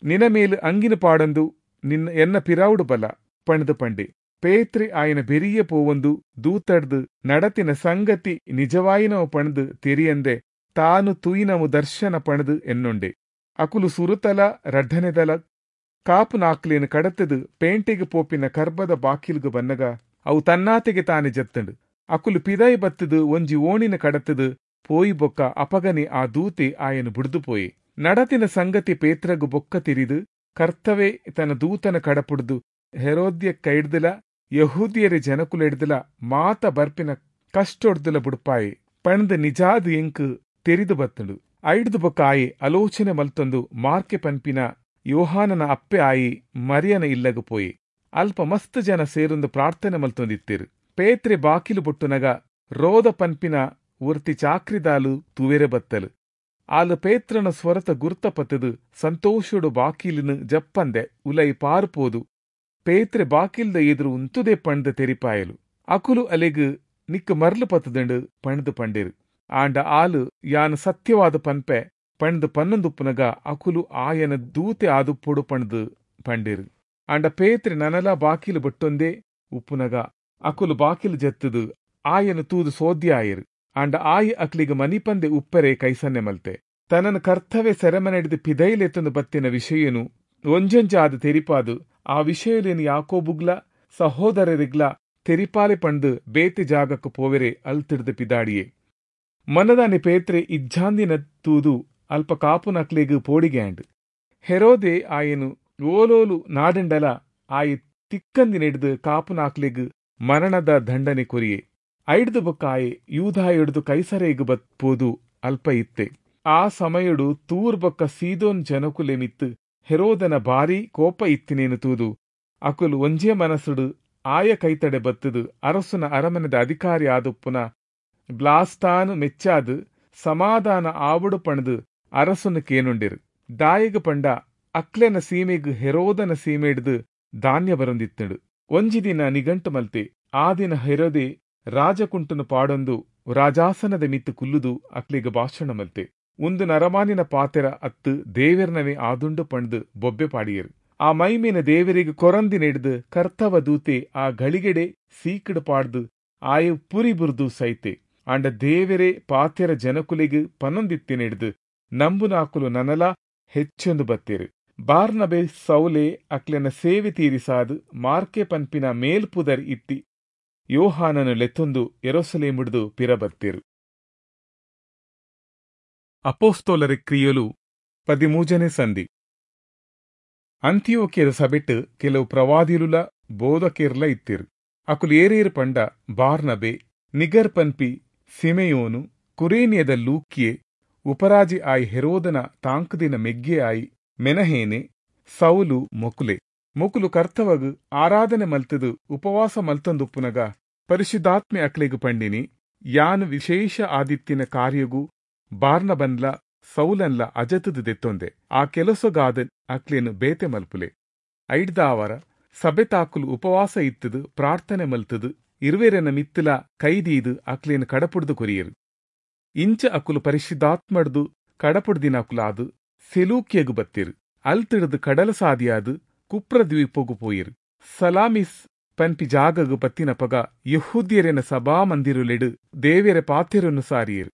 ನಿನ ಮೇಲು ಅಂಗಿನ ಪಾಡಂದು ನಿನ್ನ ಎನ್ನ ಪಿರಾವುಡು ಬಲ ಪಣದು ಪಂಡೆ. ಪೇತ್ರೆ ಆಯನ ಬೆರಿಯ ಪೋವೊಂದು ದೂತಡ್ದು ನಡತಿನ ಸಂಗತಿ ನಿಜವಾಯಿನವು ಪಣದು ತೆರಿಯಂದೆ ತಾನು ತೂಯಿನವು ದರ್ಶನ ಪಣದು ಎನ್ನೊಂಡೆ. ಅಕುಲು ಸುರುತಲ ರಡ್ಡನೆದಲ ಕಾಪು ನಾಕ್ಲೇನು ಕಡತದು ಪೇಂಟೆಗೆ ಪೋಪಿನ ಕರ್ಬದ ಬಾಕಿಲ್ಗು ಬನ್ನಗ ಅವು ತನ್ನಾತೆಗೆ ತಾನೆ ಜತ್ತಂಡು. ಅಕುಲು ಪಿದಾಯಿ ಬತ್ತದು ಒಂಜಿ ಓಣಿನ ಕಡತದು ಪೋಯಿ ಬೊಕ್ಕ ಅಪಗನೆ ಆ ದೂತೆ ಆಯನು ಬುಡ್ದು ಪೋಯೆ. ನಡತಿನ ಸಂಗತಿ ಪೇತ್ರಗು ಬೊಕ್ಕ ತಿರಿದು ಕರ್ತವೇ ತನ್ನ ದೂತನ ಕಡಪುಡ್ದು ಹೆರೋದ್ಯ ಕೈಡ್ದಲ ಯಹೂದಿಯರ ಜನಕುಲೆಡ್ದಲ ಮಾತ ಬರ್ಪಿನ ಕಷ್ಟೊಡ್ದಲ ಬುಡ್ಪಾಯೆ ಪಣ್ದು ನಿಜಾದು ಎಂಕು ತೆರಿದು ಬತ್ತಂಡು. ಐಡ್ದು ಬೊಕ್ಕ ಆಯೆ ಆಲೋಚನೆ ಮಲ್ತೊಂದು ಮಾರ್ಕೆ ಪನ್ಪಿನ ಯೋಹಾನನ ಅಪ್ಪೆ ಆಯಿ ಮರಿಯನ ಇಲ್ಲಗು ಪೋಯೆ. ಅಲ್ಪ ಮಸ್ತ್ ಜನ ಸೇರೊಂದು ಪ್ರಾರ್ಥನೆ ಮಲ್ತೊಂದಿತ್ತೇರು. ಪೇತ್ರೆ ಬಾಕಿಲು ಬೊಟ್ಟುನಗ ರೋದ ಪನ್ಪಿನ ಒರ್ತಿ ಚಾಕ್ರಿದಾಲು ತುವೆರೆ ಬತ್ತಲು. ಆಲು ಪೇತ್ರನ ಸ್ವರತ ಗುರ್ತ ಪತ್ತದು ಸಂತೋಷಡು ಬಾಕಿಲಿನ ಜಪ್ಪಂದೆ ಉಲೈ ಪಾರುಪೋದು ಪೇತ್ರೆ ಬಾಕಿಲ್ದ ಎದುರು ಉಂತುದೆ ಪಣ್ದ ತೆರಿಪಾಯಲು. ಅಕುಲು ಅಲೆಗು ನಿಕ್ಕು ಮರ್ಲು ಪತ್ತದಂಡು ಪಣ್ದು ಪಂಡೇರು. ಆಂಡ ಆಲು ಯಾನು ಸತ್ಯವಾದ ಪನ್ಪೆ ಪಣ್ದು ಪನ್ನೊಂದುಪ್ಪುನಗ ಅಕುಲು ಆಯನ ದೂತೆ ಆದುಪ್ಪೊಡು ಪಣ್ದು ಪಂಡೇರು. ಆಂಡ ಪೇತ್ರೆ ನನಲ ಬಾಕಿಲು ಬಟ್ಟೊಂದೇ ಉಪ್ಪುನಗ ಅಕುಲು ಬಾಕಿಲು ಜತ್ತದು ಆಯನ ತೂದು ಸೋದ್ಯ ಆಯರು. ಆಂಡ ಆಯಿ ಅಕ್ಲಿಗೆ ಮನಿಪಂದೆ ಉಪ್ಪರೆ ಕೈಸನ್ನೆ ಮಲ್ತೆ. ತನ್ನನ ಕರ್ತವ್ಯ ಸೆರೆಮನೆಡ್ದು ಪಿದೈಲೆತ್ತೊಂದು ಬತ್ತಿನ ವಿಷಯನು ಒಂಜೊಂಜಾದ ತೆರಿಪಾದು ಆ ವಿಷಯಲೇನು ಯಾಕೋಬುಗ್ಲ ಸಹೋದರರಿಗ್ಲ ತೆರಿಪಾಲೆ ಪಂಡು ಬೇತೆ ಜಾಗಕ್ಕೆ ಪೋವೆರೆ ಅಲ್ತಿಡ್ದು ಪಿದಾಡಿಯೆ. ಮನದಾನಿ ಪೇತ್ರೆ ಇಜ್ಜಾಂದಿನ ತೂದು ಅಲ್ಪ ಕಾಪುನಕ್ಲೆಗ್ ಪೋಡಿಗೆ ಆಂಡ್. ಹೆರೋದೆ ಆಯನು ಓಲೋಲು ನಾಡಂಡಲ ಆಯಿ ತಿಕ್ಕಂದಿನೆಡ್ದು ಕಾಪುನಾಕ್ಲೆಗ್ ಮರಣದ ದಂಡನೆ ಕೊರಿಯೆ. ಐಡ್ದು ಬೊಕ್ಕ ಆಯೆ ಯೂದಾಯೊಡ್ದು ಕೈಸರೇಗು ಬತ್ಪೋದು ಅಲ್ಪ ಇತ್ತೆ. ಆ ಸಮಯಡು ತೂರ್ ಬೊಕ್ಕ ಸೀದೋನ್ ಜನಕುಲೆ ಮಿತ್ತು ಹೆರೋದನ ಭಾರೀ ಕೋಪ ಇತ್ತಿನೇನು ತೂದು ಅಕುಲು ಒಂಜೇ ಮನಸ್ಸುಡು ಆಯ ಕೈತಡೆ ಬತ್ತದು ಅರಸುನ ಅರಮನೆದ ಅಧಿಕಾರಿ ಆದುಪ್ಪುನ ಬ್ಲಾಸ್ತಾನು ಮೆಚ್ಚಾದು ಸಮಾಧಾನ ಆವಡು ಪಣದು ಅರಸುನು ಕೇನುಂಡಿರು. ದಾಯಿಗು ಪಂಡ ಅಕ್ಲೆನ ಸೀಮೆಗು ಹೆರೋದನ ಸೀಮೆಡ್ದು ಧಾನ್ಯ ಬರೊಂದಿತ್ತುಂಡು. ಒಂಜಿ ದಿನ ನಿಗಂಟು ಮಲ್ತೆ. ಆ ದಿನ ಹೆರೋದೆ ರಾಜಕುಂಟುನು ಪಾಡೊಂದು ರಾಜಾಸನದ ಮಿತ್ತು ಕುಲ್ಲುದು ಅಕ್ಲೆಗ್ ಭಾಷಣ ಮಲ್ತೆ. ಉಂದು ನರಮಾನಿನ ಪಾತೆರ ಅತ್ತು ದೇವೆರ್ನವೇ ಆದುಂಡು ಪಂಡ್ದು ಬೊಬ್ಬೆ ಪಾಡಿಯರು. ಆ ಮೈಮೇನ ದೇವರಿಗೆ ಕೊರಂದಿನೆಡ್ದು ಕರ್ತವ ದೂತೆ ಆ ಗಳಿಗೆಡೆ ಸೀಕಡು ಪಾಡ್ದು ಆಯ ಪುರಿ ಬುರ್ದು ಸೈತೆ. ಆಂಡ ದೇವರೇ ಪಾತೆರ ಜನಕುಲೆಗ್ ಪನೊಂದಿತ್ತಿನೆಡ್ದು ನಂಬುನಾಕುಲು ನನಲ ಹೆಚ್ಚೊಂದು ಬತ್ತೇರು. ಬಾರ್ನಬೆ ಸೌಲೆ ಅಕ್ಲೆನ ಸೇವೆ ತೀರಿಸಾದು ಮಾರ್ಕೆ ಪನ್ಪಿನ ಮೇಲ್ಪುದರ್ ಇತ್ತಿ ಯೋಹಾನನು ಲೆತ್ತೊಂದು ಯೆರೂಸಲೇಮುಡ್ದು ಪಿರ ಬತ್ತೇರು. ಅಪೊಸ್ತಲರ ಕ್ರಿಯೆಲು ಪದಿಮೂಜನೇ ಸಂಧಿ. ಅಂತಿಯೋಕ್ಯದ ಸಭೆಟ್ ಕೆಲವು ಪ್ರವಾದಿಲುಲ ಬೋಧಕೇರ್ಲ ಇತ್ತಿರು. ಅಕುಲು ಏರೇರು ಪಂಡ ಬಾರ್ನಬೆ, ನಿಗರ್ ಪನ್ಪಿ ಸಿಮೆಯೋನು, ಕುರೇನಿಯದ ಲೂಕ್ಯೆ, ಉಪರಾಜಿ ಆಯಿ ಹೆರೋದನ ತಾಂಕುದಿನ ಮೆಗ್ಗೆ ಆಯಿ ಮೆನಹೇನೆ, ಸೌಲು ಮೊಕುಲೆ. ಮೊಕುಲು ಕರ್ತವಗು ಆರಾಧನೆ ಮಲ್ತದು ಉಪವಾಸ ಮಲ್ತಂದುಪ್ಪುನಗ ಪರಿಶುದ್ಧಾತ್ಮೆ ಅಕ್ಲೆಗು ಪಂಡಿನಿ, ಯಾನು ವಿಶೇಷ ಆದಿತ್ತಿನ ಕಾರ್ಯಗು ಬಾರ್ನಬನ್ಲ ಸೌಲನ್ಲ ಅಜತದು ದೆತ್ತೊಂದೆ, ಆ ಕೆಲಸಗಾದ ಅಕ್ಲೇನು ಬೇತೆ ಮಲ್ಪುಲೆ. ಐಡ್ದಾವರ ಸಭೆತಾಕುಲು ಉಪವಾಸ ಇತ್ತದು ಪ್ರಾರ್ಥನೆ ಮಲ್ತದು ಇರುವೆರೆನ ಮಿತ್ತಲ ಕೈದೀದು ಅಕ್ಲೇನು ಕಡಪುಡ್ದು ಕೊರಿಯರು. ಇಂಚ ಅಕುಲು ಪರಿಶುದ್ಧಾತ್ಮಡ್ದು ಕಡಪುಡ್ದಿನಕುಲಾದು ಸೆಲೂಕ್ಯಗು ಬತ್ತಿರು. ಅಲ್ತಿಡ್ದು ಕಡಲ ಸಾದಿಯಾದು ಕುಪ್ರ ದ್ವೀಪಗು ಪೋಯಿರು. ಸಲಾಮಿಸ್ ಪನ್ಪಿ ಜಾಗಗು ಬತ್ತಿನಪಗ ಯೆಹೂದ್ಯರೆನ ಸಭಾಮಂದಿರುಲೆಡು ದೇವೆರೆ ಪಾತೆರನ್ನು ಸಾರಿಯರು.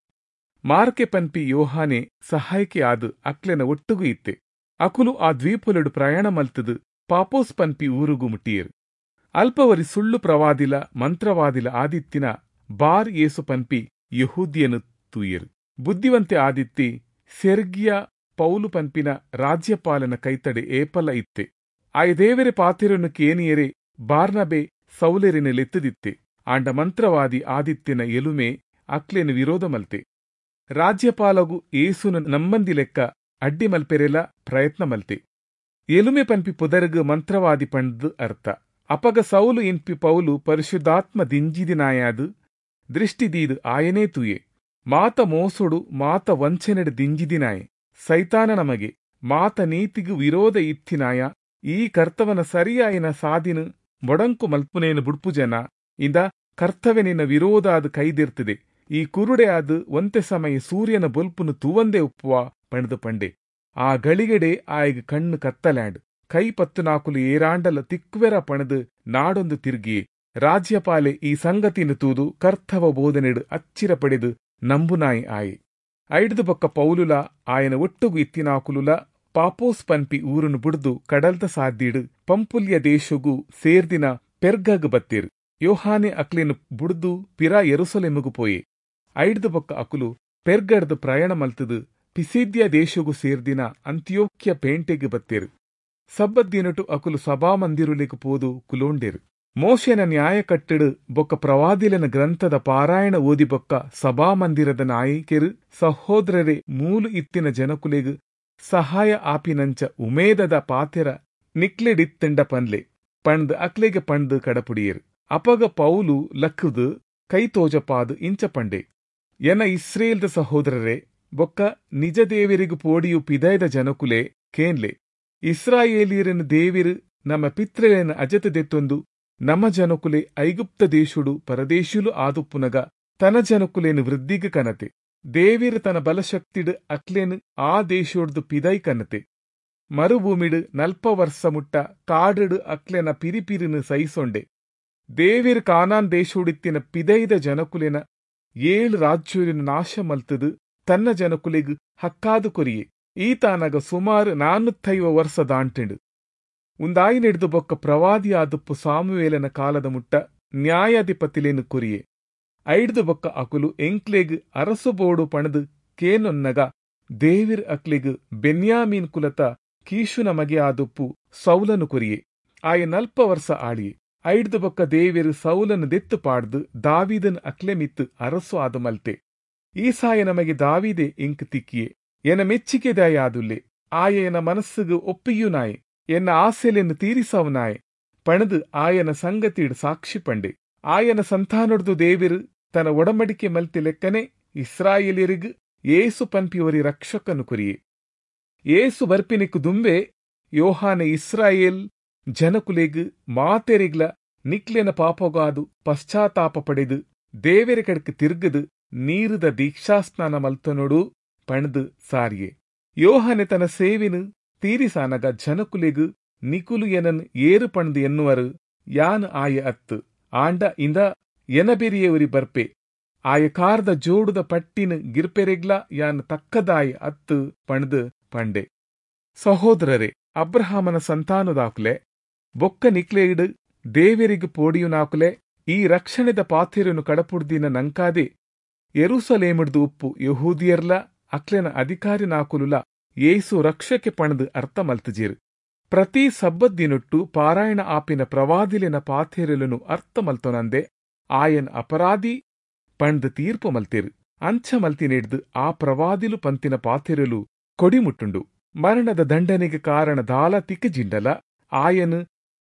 ಮಾರ್ಕೆ ಪನ್ಪಿ ಯೋಹಾನೆ ಸಹಾಯಕ್ಕೆ ಆದು ಅಕ್ಲೆನ ಒಟ್ಟುಗು ಇತ್ತೆ. ಅಕುಲು ಆ ದ್ವೀಪುಲೆಡು ಪ್ರಯಾಣ ಮಲ್ತದು ಪಾಪೋಸ್ ಪನ್ಪಿ ಊರುಗು ಮುಟ್ಟಿಯರು. ಅಲ್ಪವರಿ ಸುಳ್ಳು ಪ್ರವಾದಿಲ ಮಂತ್ರವಾದಿಲ ಆದಿತ್ತಿನ ಬಾರ್ ಯೇಸು ಪನ್ಪಿ ಯಹೂದ್ಯನು ತೂಯರು. ಬುದ್ಧಿವಂತೆ ಆದಿತ್ತಿ ಸೆರ್ಗಿಯ ಪೌಲು ಪನ್ಪಿನ ರಾಜ್ಯಪಾಲನ ಕೈತಡೆ ಏಪಲ ಇತ್ತೆ. ಆಯ ದೇವರೆ ಪಾತೆರನ್ನು ಕೇನಿಯರೆ ಬಾರ್ನಬೆ ಸೌಲೆರಿನ ಲೆತ್ತದಿತ್ತೆ. ಆಂಡ ಮಂತ್ರವಾದಿ ಆದಿತ್ಯನ ಎಲುಮೆ ಅಕ್ಲೆನು ವಿರೋಧ ಮಲ್ತೆ. ರಾಜ್ಯಪಾಲಗು ಏಸುನ ನಮ್ಮಂದಿ ಲೆಕ್ಕ ಅಡ್ಡಿ ಮಲ್ಪೆರೆಲ ಪ್ರಯತ್ನ ಮಲ್ತೆ. ಎಲುಮೆ ಪನ್ಪಿ ಪುದರ್ಗು ಮಂತ್ರವಾದಿ ಪಂಡ್ದು ಅರ್ಥ. ಅಪಗ ಸೌಲು ಇನ್ಪಿ ಪೌಲು ಪರಿಶುದ್ಧಾತ್ಮ ದಿಂಜಿದಿನಾಯಾದು ದೃಷ್ಟಿದೀದು ಆಯನೇ ತೂಯೆ. ಮಾತ ಮೋಸೊಡು ಮಾತ ವಂಚನೆಡು ದಿಂಜಿದಿನಾಯೆ. ಸೈತಾನ ನಮಗೆ ಮಾತ ನೀತಿಗು ವಿರೋಧ ಇತ್ತಿನಾಯ ಈ ಕರ್ತವನ ಸರಿಯಾಯಿನ ಸಾದಿನ ಮೊಡಂಕು ಮಲ್ಪುನೇನು ಬುಡ್ಪು ಜನ ಇಂದ ಕರ್ತವ್ಯನಿನ ವಿರೋಧ ಅದು ಕೈದಿರ್ತದೆ. ಈ ಕುರುಡೆ ಆದು ಒಂತೆ ಸಮಯ ಸೂರ್ಯನ ಬೊಲ್ಪುನು ತೂವಂದೇ ಉಪ್ಪುವ ಪಂಡ್ದು ಪಂಡೆ. ಆ ಗಳಿಗೆಡೆ ಆಯಗ್ ಕಣ್ಣು ಕತ್ತಲ್ಯಾಂಡ್ ಕೈ ಪತ್ತು ನಾಕುಲು ಏರಾಂಡಲ ತಿಕ್ವೆರ ಪಣದು ನಾಡೊಂದು ತಿರುಗಿಯೇ. ರಾಜ್ಯಪಾಲೆ ಈ ಸಂಗತಿನ ತೂದು ಕರ್ತವ ಬೋಧನೆಡು ಅಚ್ಚಿರ ಪಡೆದು ನಂಬುನಾಯಿ ಆಯೆ. ಐಡ್ದು ಬೊಕ್ಕ ಪೌಲುಲ ಆಯನ ಒಟ್ಟುಗು ಇತ್ತಿನಾಕುಲುಲ ಪಾಪೋಸ್ ಪನ್ಪಿ ಊರುನು ಬುಡ್ದು ಕಡಲ್ದ ಸಾದಿಡು ಪಂಪುಲ್ಯ ದೇಶಗು ಸೇರ್ದಿನ ಪೆರ್ಗಗ್ ಬತ್ತೇರು. ಯೋಹಾನೆ ಅಕ್ಲೇನು ಬುಡ್ದು ಪಿರ ಯೆರೂಸಲೇಮುಗು ಪೋಯೆ. ಐಡ್ದು ಬೊಕ್ಕ ಅಕುಲು ಪೆರ್ಗಡ್ದು ಪ್ರಯಾಣ ಮಲ್ತದು ಪಿಸಿದ್ಯ ದೇಶಗು ಸೇರ್ದಿನ ಅಂತ್ಯೋಕ್ಯ ಪೇಂಟೆಗ್ ಬತ್ತೇರು. ಸಬ್ಬದ್ದಿನಟು ಅಕುಲು ಸಭಾಮಂದಿರುಲೆಗ್ ಪೋದು ಕುಲೋಂಡೇರು. ಮೋಶೆನ ನ್ಯಾಯ ಕಟ್ಟೆಡು ಬೊಕ್ಕ ಪ್ರವಾದಿಲನ ಗ್ರಂಥದ ಪಾರಾಯಣ ಓದಿ ಬೊಕ್ಕ ಸಭಾಮಂದಿರದ ನಾಯಕೆರು ಸಹೋದರರೇ ಮೂಲು ಇತ್ತಿನ ಜನಕುಲೆಗ್ ಸಹಾಯ ಆಪಿನಂಚ ಉಮೇದದ ಪಾತೆರ ನಿಕ್ಲೆಡಿತ್ತಂಡ ಪನ್ಲೆ ಪಂಡ್ ಅಕ್ಲೆಗೆ ಪಂಡ್ ಕಡಪುಡಿಯರು. ಅಪಗ ಪೌಲು ಲಕ್ಕುದು ಕೈ ತೋಜಪಾದು ಇಂಚ ಪಂಡೆ, ಎನ ಇಸ್ರೇಲ್ದ ಸಹೋದರರೇ ಬೊಕ್ಕ ನಿಜ ದೇವಿರಿಗು ಪೋಡಿಯು ಪಿದಯದ ಜನಕುಲೆ ಕೇನ್ಲೆ. ಇಸ್ರಾಯೇಲಿಯರನ ದೇವಿರು ನಮ್ಮ ಪಿತ್ರೆಯನ ಅಜತ ದೆತ್ತೊಂದು ನಮ್ಮ ಜನಕುಲೆ ಐಗುಪ್ತ ದೇಶುಡು ಪರದೇಶುಲು ಆದುಪ್ಪುನಗ ತನ ಜನಕುಲೇನು ವೃದ್ಧಿಗೆ ಕನತೆ. ದೇವಿರು ತನ ಬಲಶಕ್ತಿಡು ಅಕ್ಲೇನು ಆ ದೇಶೋಡ್ದು ಪಿದೈ ಕನತೆ. ಮರುಭೂಮಿಡು ನಲ್ಪ ವರ್ಷ ಮುಟ್ಟ ಕಾಡುಡು ಅಕ್ಲೆನ ಪಿರಿಪಿರಿನು ಸಹಿಸೊಂಡೆ. ದೇವಿರು ಕಾನಾನ್ ದೇಶೋಡಿತ್ತಿನ ಪಿದೈದ ಜನಕುಲೆನ ಏಳು ರಾಜ್ಯೋಲಿನ ನಾಶ ಮಲ್ತದು ತನ್ನ ಜನಕುಲೆಗ್ ಹಕ್ಕಾದು ಕೊರಿಯೆ. ಈತಾನಗ ಸುಮಾರು ನಾನ್ನೂತ್ತೈವ ವರ್ಷ ದಾಂಟಿಂಡು. ಉಂದಾಯಿನೆಡ್ದು ಬೊಕ್ಕ ಪ್ರವಾದಿಯಾದುಪ್ಪು ಸಾಮುವೇಲನ ಕಾಲದ ಮುಟ್ಟ ನ್ಯಾಯಾಧಿಪತಿಲೇನು ಕೊರಿಯೆ. ಐಡ್ದು ಬೊಕ್ಕ ಅಕುಲು ಎಂಕ್ಲೆಗ್ ಅರಸು ಬೋಡು ಪಣದು ಕೇನೊನ್ನಗ ದೇವಿರ್ ಅಕ್ಲೆಗ್ ಬೆನ್ಯಾಮೀನ್ ಕುಲತ ಕೀಶುನ ಮಗೆ ಆದುಪ್ಪು ಸೌಲನು ಕೊರಿಯೆ. ಆಯ ನಲ್ಪ ವರ್ಷ ಆಳಿಯೆ. ಐಡ್ದು ಬೊಕ್ಕ ದೇವಿರ್ ಸೌಲನು ದೆತ್ತು ಪಾಡ್ದು ದಾವೀದನ್ ಅಕ್ಲೆ ಮಿತ್ತು ಅರಸು ಆದು ಮಲ್ತೆ. ಈಸಾಯ ನಮಗೆ ದಾವೀದೆ ಇಂಕ್ ತಿಕ್ಕಿಯೆ. ಎನ ಮೆಚ್ಚಿಕೆದಾಯಾದುಲ್ಲೆ. ಆಯನ ಮನಸ್ಸುಗು ಒಪ್ಪಿಯುನಾಯೆ. ಎನ್ನ ಆಸೆಲೆನ್ನು ತೀರಿಸವನಾಯೆ ಪಣದು ಆಯನ ಸಂಗತಿಡ್ ಸಾಕ್ಷಿ ಪಂಡೆ. ಆಯನ ಸಂತಾನೊಡ್ದು ದೇವಿರು ತನ್ನ ಒಡಂಬಡಿಕೆ ಮಲ್ತಿ ಲೆಕ್ಕನೆ ಇಸ್ರಾಯೇಲಿಯರಿಗ್ ಯೇಸು ಪನ್ಪಿ ಒರಿ ರಕ್ಷಕನು ಕೊರಿಯೆ. ಯೇಸು ಬರ್ಪಿನಿಕ್ ದುಂಬೆ ಯೋಹಾನೆ ಇಸ್ರಾಯೇಲ್ ಜನಕುಲೆಗ್ ಮಾತೆರಿಗ್ಲ ನಿಕ್ಲೆನ ಪಾಪಗಾದು ಪಶ್ಚಾತ್ತಾಪ ಪಡೆದು ದೇವೆರೆ ಕಡೆಕ್ ತಿರ್ಗದು ನೀರುದ ದೀಕ್ಷಾಸ್ನಾನ ಮಲ್ತನೊಡು ಪಣದು ಸಾರಿಯೆ. ಯೋಹಾನೆ ತನ್ನ ಸೇವಿನು ತೀರಿಸಾನಗ ಜನಕುಲೆಗ್ ನಿಕುಲು ಎನನ್ ಏರು ಪಣದು ಎನ್ನುವರು, ಯಾನ್ ಆಯ ಅತ್ತು, ಆಂಡ ಇಂದ ಎನಬೆರಿಯೆ ಉರಿ ಬರ್ಪೆ, ಆಯ ಕಾರದ ಜೋಡುದ ಪಟ್ಟಿನ ಗಿರ್ಪೆರೆಗ್ಲ ಯಾನ್ ತಕ್ಕದಾಯ ಅತ್ತು ಪಣದು ಪಂಡೆ. ಸಹೋದರರೇ, ಅಬ್ರಹಾಮನ ಸಂತಾನದಾಕುಲೆ ಬೊಕ್ಕ ನಿಕ್ಲೆಯಿಡು ದೇವೆರಿಗ್ ಪೋಡಿಯುನಾಕುಲೆ ಈ ರಕ್ಷಣೆದ ಪಾಥೆರನು ಕಡಪುಡ್ದಿನ ನಂಕಾದೆ ಯೆರೂಸಲೇಮಿಡ್ದು ಉಪ್ಪು ಯಹೂದಿಯರ್ಲ ಅಕ್ಲೆನ ಅಧಿಕಾರಿನಾಕುಲುಲ ಯೇಸು ರಕ್ಷಕೆ ಪಣದು ಅರ್ಥ ಮಲ್ತಜೇರು. ಪ್ರತಿ ಸಬ್ಬದ್ದಿನೊಟ್ಟು ಪಾರಾಯಣ ಆಪಿನ ಪ್ರವಾದಿಲಿನ ಪಾಥೆರಲನು ಅರ್ಥ ಮಲ್ತೊನಂದೆ ಆಯನ್ ಅಪರಾಧಿ ಪಣ್ದು ತೀರ್ಪು ಮಲ್ತೇರು. ಅಂಚ ಮಲ್ತಿನೆಡ್ದು ಆ ಪ್ರವಾದಿಲು ಪಂತಿನ ಪಾಥೆರಲು ಕೊಡಿಮುಟ್ಟುಂಡು. ಮರಣದ ದಂಡನೆಗೆ ಕಾರಣ ದಾಲ ತಿಕ್ಕಜಿಂಡಲ ಆಯನು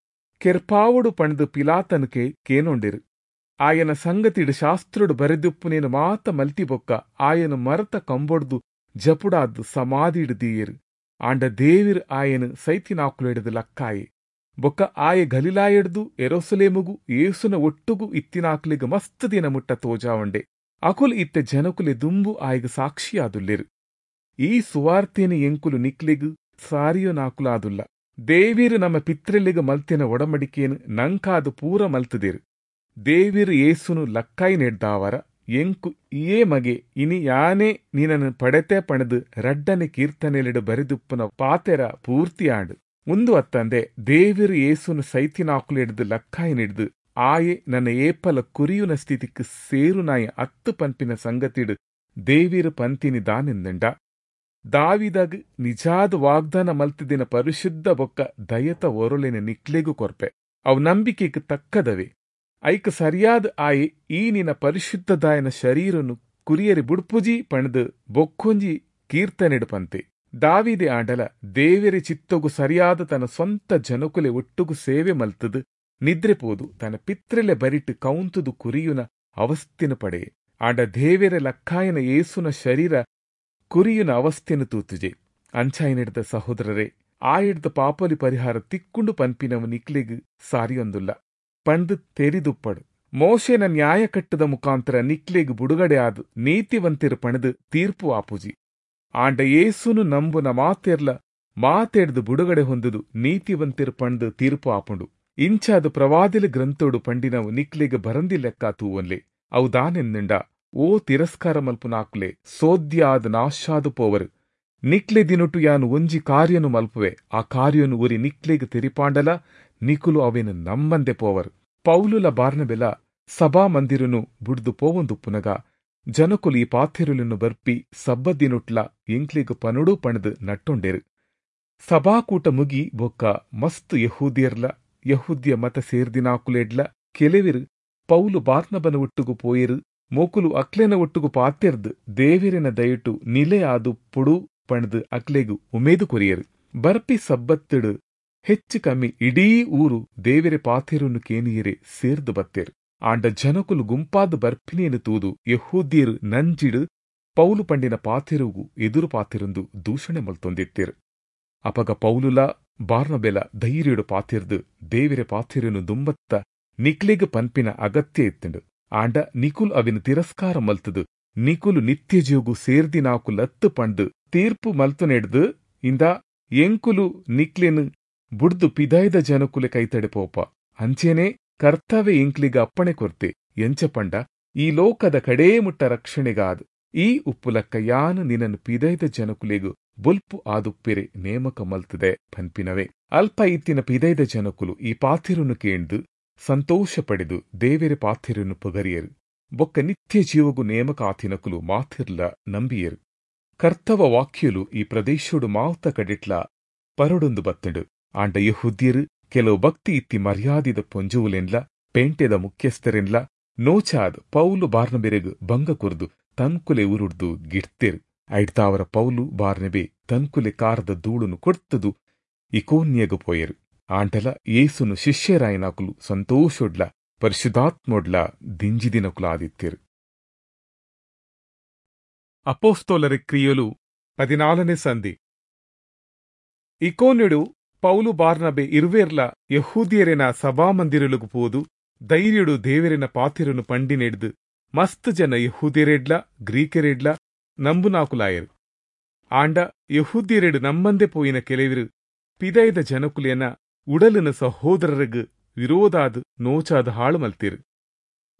ಕೆರ್ಪಾವುಡು ಪಣ್ದು ಪಿಲಾತನಕೆ ಕೇನೊಂಡಿರು. ಆಯನ ಸಂಗತಿಡು ಶಾಸ್ತ್ರುಡು ಬರೆದುಪ್ಪುನೇನು ಮಾತ ಮಲ್ತಿಬೊಕ್ಕ ಆಯನು ಮರತ ಕಂಬೊಡ್ದು ಜಪುಡಾದ್ದು ಸಮಾಧಿಡು ದೀಯರು. ಆಂಡ ದೇವಿರ್ ಆಯನು ಸೈತಿನಾಕುಲೆಡ್ದು ಲಕ್ಕಾಯೆ. ಬೊಕ್ಕ ಆಯ ಗಲಿಲಾಯೆಡ್ದು ಎರೋಸಲೇಮುಗು ಏಸುನ ಒಟ್ಟುಗು ಇತ್ತಿನಾಕುಲೆಗ್ ಮಸ್ತ್ ದಿನ ಮುಟ್ಟ ತೋಜಾವಂಡೆ. ಅಕುಲು ಇತ್ತ ಜನಕುಲೆ ದುಂಬು ಆಯಗ್ ಸಾಕ್ಷಿಯಾದುಲ್ಲೆರು. ಈ ಸುವಾರ್ತೆನ ಎಂಕುಲು ನಿಕ್ಲೆಗ್ ಸಾರಿಯೊನಾಕುಲಾದುಲ್ಲ. ದೇವಿರು ನಮ್ಮ ಪಿತ್ರೆಲಿಗ್ ಮಲ್ತಿನ ಒಡಮಡಿಕೇನು ನಂಕಾದು ಪೂರ ಮಲ್ತದೇರು. ದೇವಿರು ಏಸುನು ಲಕ್ಕಾಯಿ ನೆಡ್ದಾವರ ಎಂಕು ಇಯೇ ಮಗೆ ಇನಿ ಯಾನೇ ನಿನನು ಪಡೆತೆ ಪಣದು ರಡ್ಡನೆ ಕೀರ್ತನೆಲೆಡು ಬರೆದುಪ್ಪುನ ಪಾತೆರ ಪೂರ್ತಿಯಾಂಡು. ಉಂದು ಅತ್ತಂದೆ ದೇವಿರು ಏಸುನು ಸೈತಿನಾಕುಲೆಡ್ದು ಲಕ್ಕಾಯಿ ನೆಡ್ದು ಆಯೆ ನನ್ನ ಏಪಲ ಕುರಿಯುನ ಸ್ಥಿತಿಕ್ ಸೇರುನಾಯ ಅತ್ತು ಪನ್ಪಿನ ಸಂಗತಿಡು ದೇವಿರು ಪಂತಿನಿ ದಾನೆಂದಂಡ ದಾವಿದಾಗ ನಿಜಾದ ವಾಗ್ದಾನ ಮಲ್ತಿದಿನ ಪರಿಶುದ್ಧ ಬೊಕ್ಕ ದಯತ ಒರಳಿನ ನಿಕ್ಲೆಗು ಕೊರ್ಪೆ. ಅವು ನಂಬಿಕೆಗೆ ತಕ್ಕದವೆ. ಐಕ್ ಸರಿಯಾದ ಆಯೆ ಈ ನಿನ್ನ ಪರಿಶುದ್ಧದಾಯನ ಶರೀರನು ಕುರಿಯರಿ ಬುಡ್ಪುಜಿ ಪಣದು ಬೊಕ್ಕೊಂಜಿ ಕೀರ್ತನೆಡು ಪಂತೆ. ದಾವಿದೆ ಆಂಡಲ ದೇವೆರೆ ಚಿತ್ತೊಗು ಸರಿಯಾದ ತನ್ನ ಸ್ವಂತ ಜನಕುಲೆ ಒಟ್ಟುಗು ಸೇವೆ ಮಲ್ತದು ನಿದ್ರೆ ಪೋದು ತನ್ನ ಪಿತ್ರೆಲೆ ಬರಿಟ್ಟು ಕೌಂತುದು ಕುರಿಯುನ ಅವಸ್ಥಿನ ಪಡೆಯೆ. ಆಂಡ ದೇವೆರೆ ಲಕ್ಕಾಯನ ಏಸುನ ಶರೀರ ಕುರಿಯುನ ಅವಸ್ಥೆನು ತೂತುಜೆ. ಅಂಚಾಯಿನೆಡ್ದ ಸಹೋದರರೇ, ಆಯಿಡ್ದ ಪಾಪಲಿ ಪರಿಹಾರ ತಿಕ್ಕೊಂಡು ಪನ್ಪಿನವು ನಿಕ್ಲೆಗ್ ಸಾರಿಯೊಂದುಲ್ಲ ಪಂದು ತೆರಿದುಪ್ಪಡು. ಮೋಶೆನ ನ್ಯಾಯ ಕಟ್ಟದ ಮುಖಾಂತರ ನಿಕ್ಲೆಗ್ ಬುಡುಗಡೆ ಆದು ನೀತಿವಂತಿರು ಪಣದು ತೀರ್ಪು ಆಪುಜಿ. ಆಂಡ ಏಸುನು ನಂಬುನ ಮಾತೆರ್ಲ ಮಾತೆಡ್ದು ಬುಡುಗಡೆ ಹೊಂದುದು ನೀತಿವಂತಿರು ಪಂದು ತೀರ್ಪು ಆಪುಂಡು. ಇಂಚಾದು ಪ್ರವಾದಿಲ ಗ್ರಂಥೋಡು ಪಂಡಿನವು ನಿಕ್ಲೆಗ್ ಬರಂದಿ ಲೆಕ್ಕ ತೂವೊನ್ಲೆ. ಅವು ದಾನೆಂದಿಂಡ, ಓ ತಿರಸ್ಕಾರ ಮಲ್ಪುನಾಕುಲೆ ಸೋದ್ಯಾದ ನಾಶಾದು ಪೋವರು. ನಿಕ್ಲೆ ದಿನೊಟು ಯಾನು ಒಂಜಿ ಕಾರ್ಯನು ಮಲ್ಪುವೆ, ಆ ಕಾರ್ಯನು ಉರಿ ನಿಕ್ಲೆಗ್ ತೆರಿಪಾಂಡಲ ನಿಕುಲು ಅವೇನು ನಮ್ಮಂದೆ ಪೋವರು. ಪೌಲುಲ ಬಾರ್ನಬೆಲ ಸಭಾ ಮಂದಿರನು ಬುಡ್ದು ಪೋವೊಂದುಪ್ಪುನಗ ಜನಕುಲು ಈ ಪಾಥೆರುಲನ್ನು ಬರ್ಪಿ ಸಬ್ಬದಿನೊಟ್ಲ ಎಂಕ್ಲೆಗ್ ಪನುಡು ಪಣದು ನಟ್ಟೊಂಡೇರು. ಸಭಾಕೂಟ ಮುಗಿ ಬೊಕ್ಕ ಮಸ್ತ್ ಯಹೂದಿಯರ್ಲ ಯಹೂದ್ಯ ಮತ ಸೇರ್ದಿನಾಕುಲೆಡ್ಲ ಕೆಲವಿರು ಪೌಲು ಬಾರ್ನಬನ ಒಟ್ಟುಗು ಪೋಯೆರು. ಮೋಕುಲು ಅಕ್ಲೆನ ಒಟ್ಟುಗು ಪಾತೆರ್ದು ದೇವಿರಿನ ದಯಟು ನಿಲೆಯಾದು ಪುಡು ಪಣದು ಅಕ್ಲೆಗು ಉಮೇದು ಕೊರಿಯರು. ಬರ್ಪಿ ಸಬ್ಬತ್ತಿಡು ಹೆಚ್ಚು ಕಮ್ಮಿ ಇಡೀ ಊರು ದೇವಿರೆ ಪಾತೆರುನು ಕೇನಿಯರೆ ಸೇರ್ದು ಬತ್ತೇರು. ಆಂಡ ಜನಕುಲು ಗುಂಪಾದ ಬರ್ಪಿನೇನು ತೂದು ಯಹೂದ್ಯರು ನಂಜಿಡು ಪೌಲು ಪಂಡಿನ ಪಾತೆರುಗು ಎದುರು ಪಾತೆರುಂದು ದೂಷಣೆ ಮಲ್ತೊಂದಿತ್ತೇರು. ಅಪಗ ಪೌಲುಲ ಬಾರ್ನಬೆಲ ಧೈರ್ಯಡು ಪಾತೆರ್ದು ದೇವಿರೆ ಪಾತೆರುನು ದುಂಬತ್ತ ನಿಕ್ಲೆಗ್ ಪನ್ಪಿನ ಅಗತ್ಯ ಇತ್ತುಂಡು. ಆಂಡ ನಿಕುಲ್ ಅವಿನ ತಿರಸ್ಕಾರ ಮಲ್ತದು ನಿಕುಲು ನಿತ್ಯ ಜೀವಗು ಸೇರ್ದಿನಾಕುಲತ್ತು ಪಂಡು ತೀರ್ಪು ಮಲ್ತುನೆಡ್ದು ಇಂದ ಎಂಕುಲು ನಿಕ್ಲೆನು ಬುಡ್ದು ಪಿದಾಯ್ದ ಜನಕುಲೆ ಕೈತಡೆ ಪೋಪ. ಅಂಚೇನೆ ಕರ್ತವ್ಯ ಎಂಕ್ಲಿಗ ಅಪ್ಪಣೆ ಕೊರ್ತೆ. ಎಂಚ ಪಂಡ ಈ ಲೋಕದ ಕಡೇ ಮುಟ್ಟ ರಕ್ಷಣೆಗಾದ್ ಈ ಉಪ್ಪುಲಕ್ಕ ಯಾನು ನಿನ್ನನ್ನು ಪಿದೈದ ಜನಕುಲೆಗು ಬೊಲ್ಪು ಆದುಪ್ಪಿರೆ ನೇಮಕ ಮಲ್ತದೆ ಪನ್ಪಿನವೇ. ಅಲ್ಪ ಇತ್ತಿನ ಪಿದೈದ ಜನಕುಲು ಈ ಪಾಥಿರುನು ಕೇಂದು ಸಂತೋಷ ಪಡೆದು ದೇವೆರೆ ಪಾಥಿರುನು ಪಗರಿಯರು. ಬೊಕ್ಕ ನಿತ್ಯ ಜೀವಗು ನೇಮಕ ಆತಿನಕುಲು ಮಾತಿರ್ಲ ನಂಬಿಯರು. ಕರ್ತವ ವಾಕ್ಯಲು ಈ ಪ್ರದೇಶೋಡು ಮಾವುತ ಕಡಿಟ್ಲ ಪರಡೊಂದು ಬತ್ತಂಡು. ಆಂಡ ಯಹೂದ್ಯರು ಕೆಲವು ಭಕ್ತಿ ಇತ್ತಿ ಮರ್ಯಾದಿದ ಪೊಂಜುವುಲೆನ್ಲ ಪೇಂಟೆದ ಮುಖ್ಯಸ್ಥರೆನ್ಲ ನೋಚಾದ್ ಪೌಲು ಬಾರ್ನಬೆರೆಗ್ ಭಂಗ ಕೊರ್ದು ತನ್ಕುಲೆ ಉರುಡ್ದು ಗಿಡ್ತೇರು. ಐಡ್ತಾವರ ಪೌಲು ಬಾರ್ನಬೆ ತನ್ಕುಲೆ ಕಾರದ ಧೂಳುನು ಕೊಡ್ತದು ಇಕೋನ್ಯಗು ಪೋಯರು. ಆಂಟಲ ಯೇಸುನು ಶಿಷ್ಯರಾಯನಾಕುಲು ಸಂತೋಷೊಡ್ಲ ಪರಿಶುದ್ಧಾತ್ಮೊಡ್ಲ ದಿಂಜಿದಿನಕುಲಾದಿತ್ತೇರು. ಅಪೊಸ್ತಲರ ಕ್ರಿಯೆಲು ಪದಿನಾಲನೇ ಸಂಧಿ. ಇಕೋನ್ಯಡು ಪೌಲು ಬಾರ್ನಬೆ ಇರುವೇರ್ಲ ಯೆಹೂದ್ಯೆರೆನ ಸಭಾಮಂದಿರಲುಗು ಪೋದು ಧೈರ್ಯಡು ದೇವರೆನ ಪಾತೆರನು ಪಂಡಿನೆಡ್ದು ಮಸ್ತ್ ಜನ ಯೆಹೂದ್ಯರೆಡ್ಲ ಗ್ರೀಕರೆಡ್ಲ ನಂಬುನಾಕುಲಾಯರು. ಆಂಡ ಯೆಹೂದ್ಯರೆಡು ನಮ್ಮಂದೆ ಪೋಯಿನ ಕೆಲವರು ಪಿದೈದ ಜನಕುಲೆನ ಉಡಲಿನ ಸಹೋದರರಿಗ್ ವಿರೋಧಾದ್ ನೋಚಾದ ಹಾಳು ಮಲ್ತಿರು.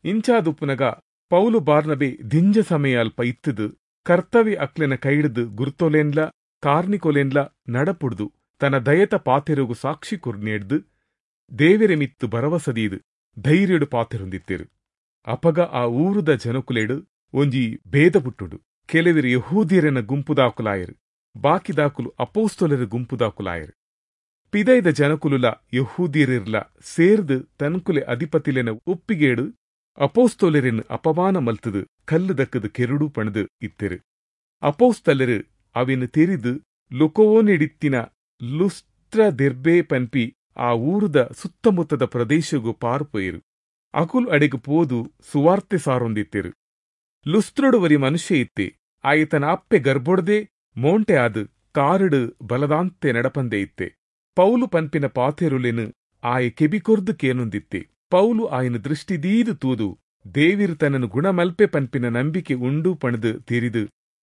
ಇಂಚಾದುಪ್ಪುನಗ ಪೌಲು ಬಾರ್ನಬೆ ದಿಂಜ ಸಮಯ ಅಲ್ಪ ಇತ್ತದು ಕರ್ತವ್ಯ ಅಕ್ಲೆನ ಕೈಡ್ದು ಗುರ್ತೊಲೆನ್ಲ ಕಾರ್ನಿಕೊಲೆನ್ಲ ನಡಪುಡ್ದು ತನ್ನ ದಯತ ಪಾತೆರುಗು ಸಾಕ್ಷಿ ಕುರ್ನೇಡ್ದು ದೇವೆರೆ ಮಿತ್ತು ಭರವಸದೀದು ಧೈರ್ಯಡು ಪಾತೆರೊಂದಿತ್ತೆರು. ಅಪಗ ಆ ಊರುದ ಜನಕುಲೆಡು ಒಂಜಿ ಭೇದ ಪುಟ್ಟುಡು. ಕೆಲವರು ಯಹೂದ್ಯರೆನ ಗುಂಪುದಾಕುಲಾಯರು, ಬಾಕಿದಾಕುಲು ಅಪೋಸ್ತೊಲರ ಗುಂಪುದಾಕುಲಾಯರು. ಪಿದೈದ ಜನಕುಲುಲ ಯಹೂದ್ಯರಿರ್ಲ ಸೇರ್ದು ತನ್ಕುಲೆ ಅಧಿಪತಿಲೆನ ಒಪ್ಪಿಗೇಡು ಅಪೋಸ್ತೊಲರೆನ್ ಅಪಮಾನ ಮಲ್ತದು ಕಲ್ಲು ದಕ್ಕದು ಕೆರುಡು ಪಣದು ಇತ್ತೆರು. ಅಪೋಸ್ತಲರು ಅವಿನ ತೆರಿದು ಲುಕೋನಿಡಿತ್ತಿನ ಲುಸ್ತ್ರ ದೆರ್ಬೆ ಪನ್ಪಿ ಆ ಊರುದ ಸುತ್ತಮುತ್ತದ ಪ್ರದೇಶಗು ಪಾರ್ಪೋಯಿರು. ಅಕುಲ್ ಅಡೆಗು ಪೋದು ಸುವಾರ್ತೆ ಸಾರೊಂದಿತ್ತೆರು. ಲುಸ್ತ್ರೊಡು ವರಿ ಮನುಷ್ಯ ಇತ್ತೆ. ಆಯತನ ಅಪ್ಪೆ ಗರ್ಭೊಡ್ದೆ ಮೋಂಟೆ ಆದು ಕಾರುಡು ಬಲದಾಂತೆ ನಡಪಂದೆ ಇತ್ತೆ. ಪೌಲು ಪನ್ಪಿನ ಪಾತೆರುಲೆನು ಆಯೆ ಕೆಬಿಕೊರ್ದು ಕೇನೊಂದಿತ್ತೆ. ಪೌಲು ಆಯನ ದೃಷ್ಟಿದೀದು ತೂದು ದೇವಿರು ತನ್ನನು ಗುಣಮಲ್ಪೆ ಪನ್ಪಿನ ನಂಬಿಕೆ ಉಂಡು ಪಣದು ತೆರಿದು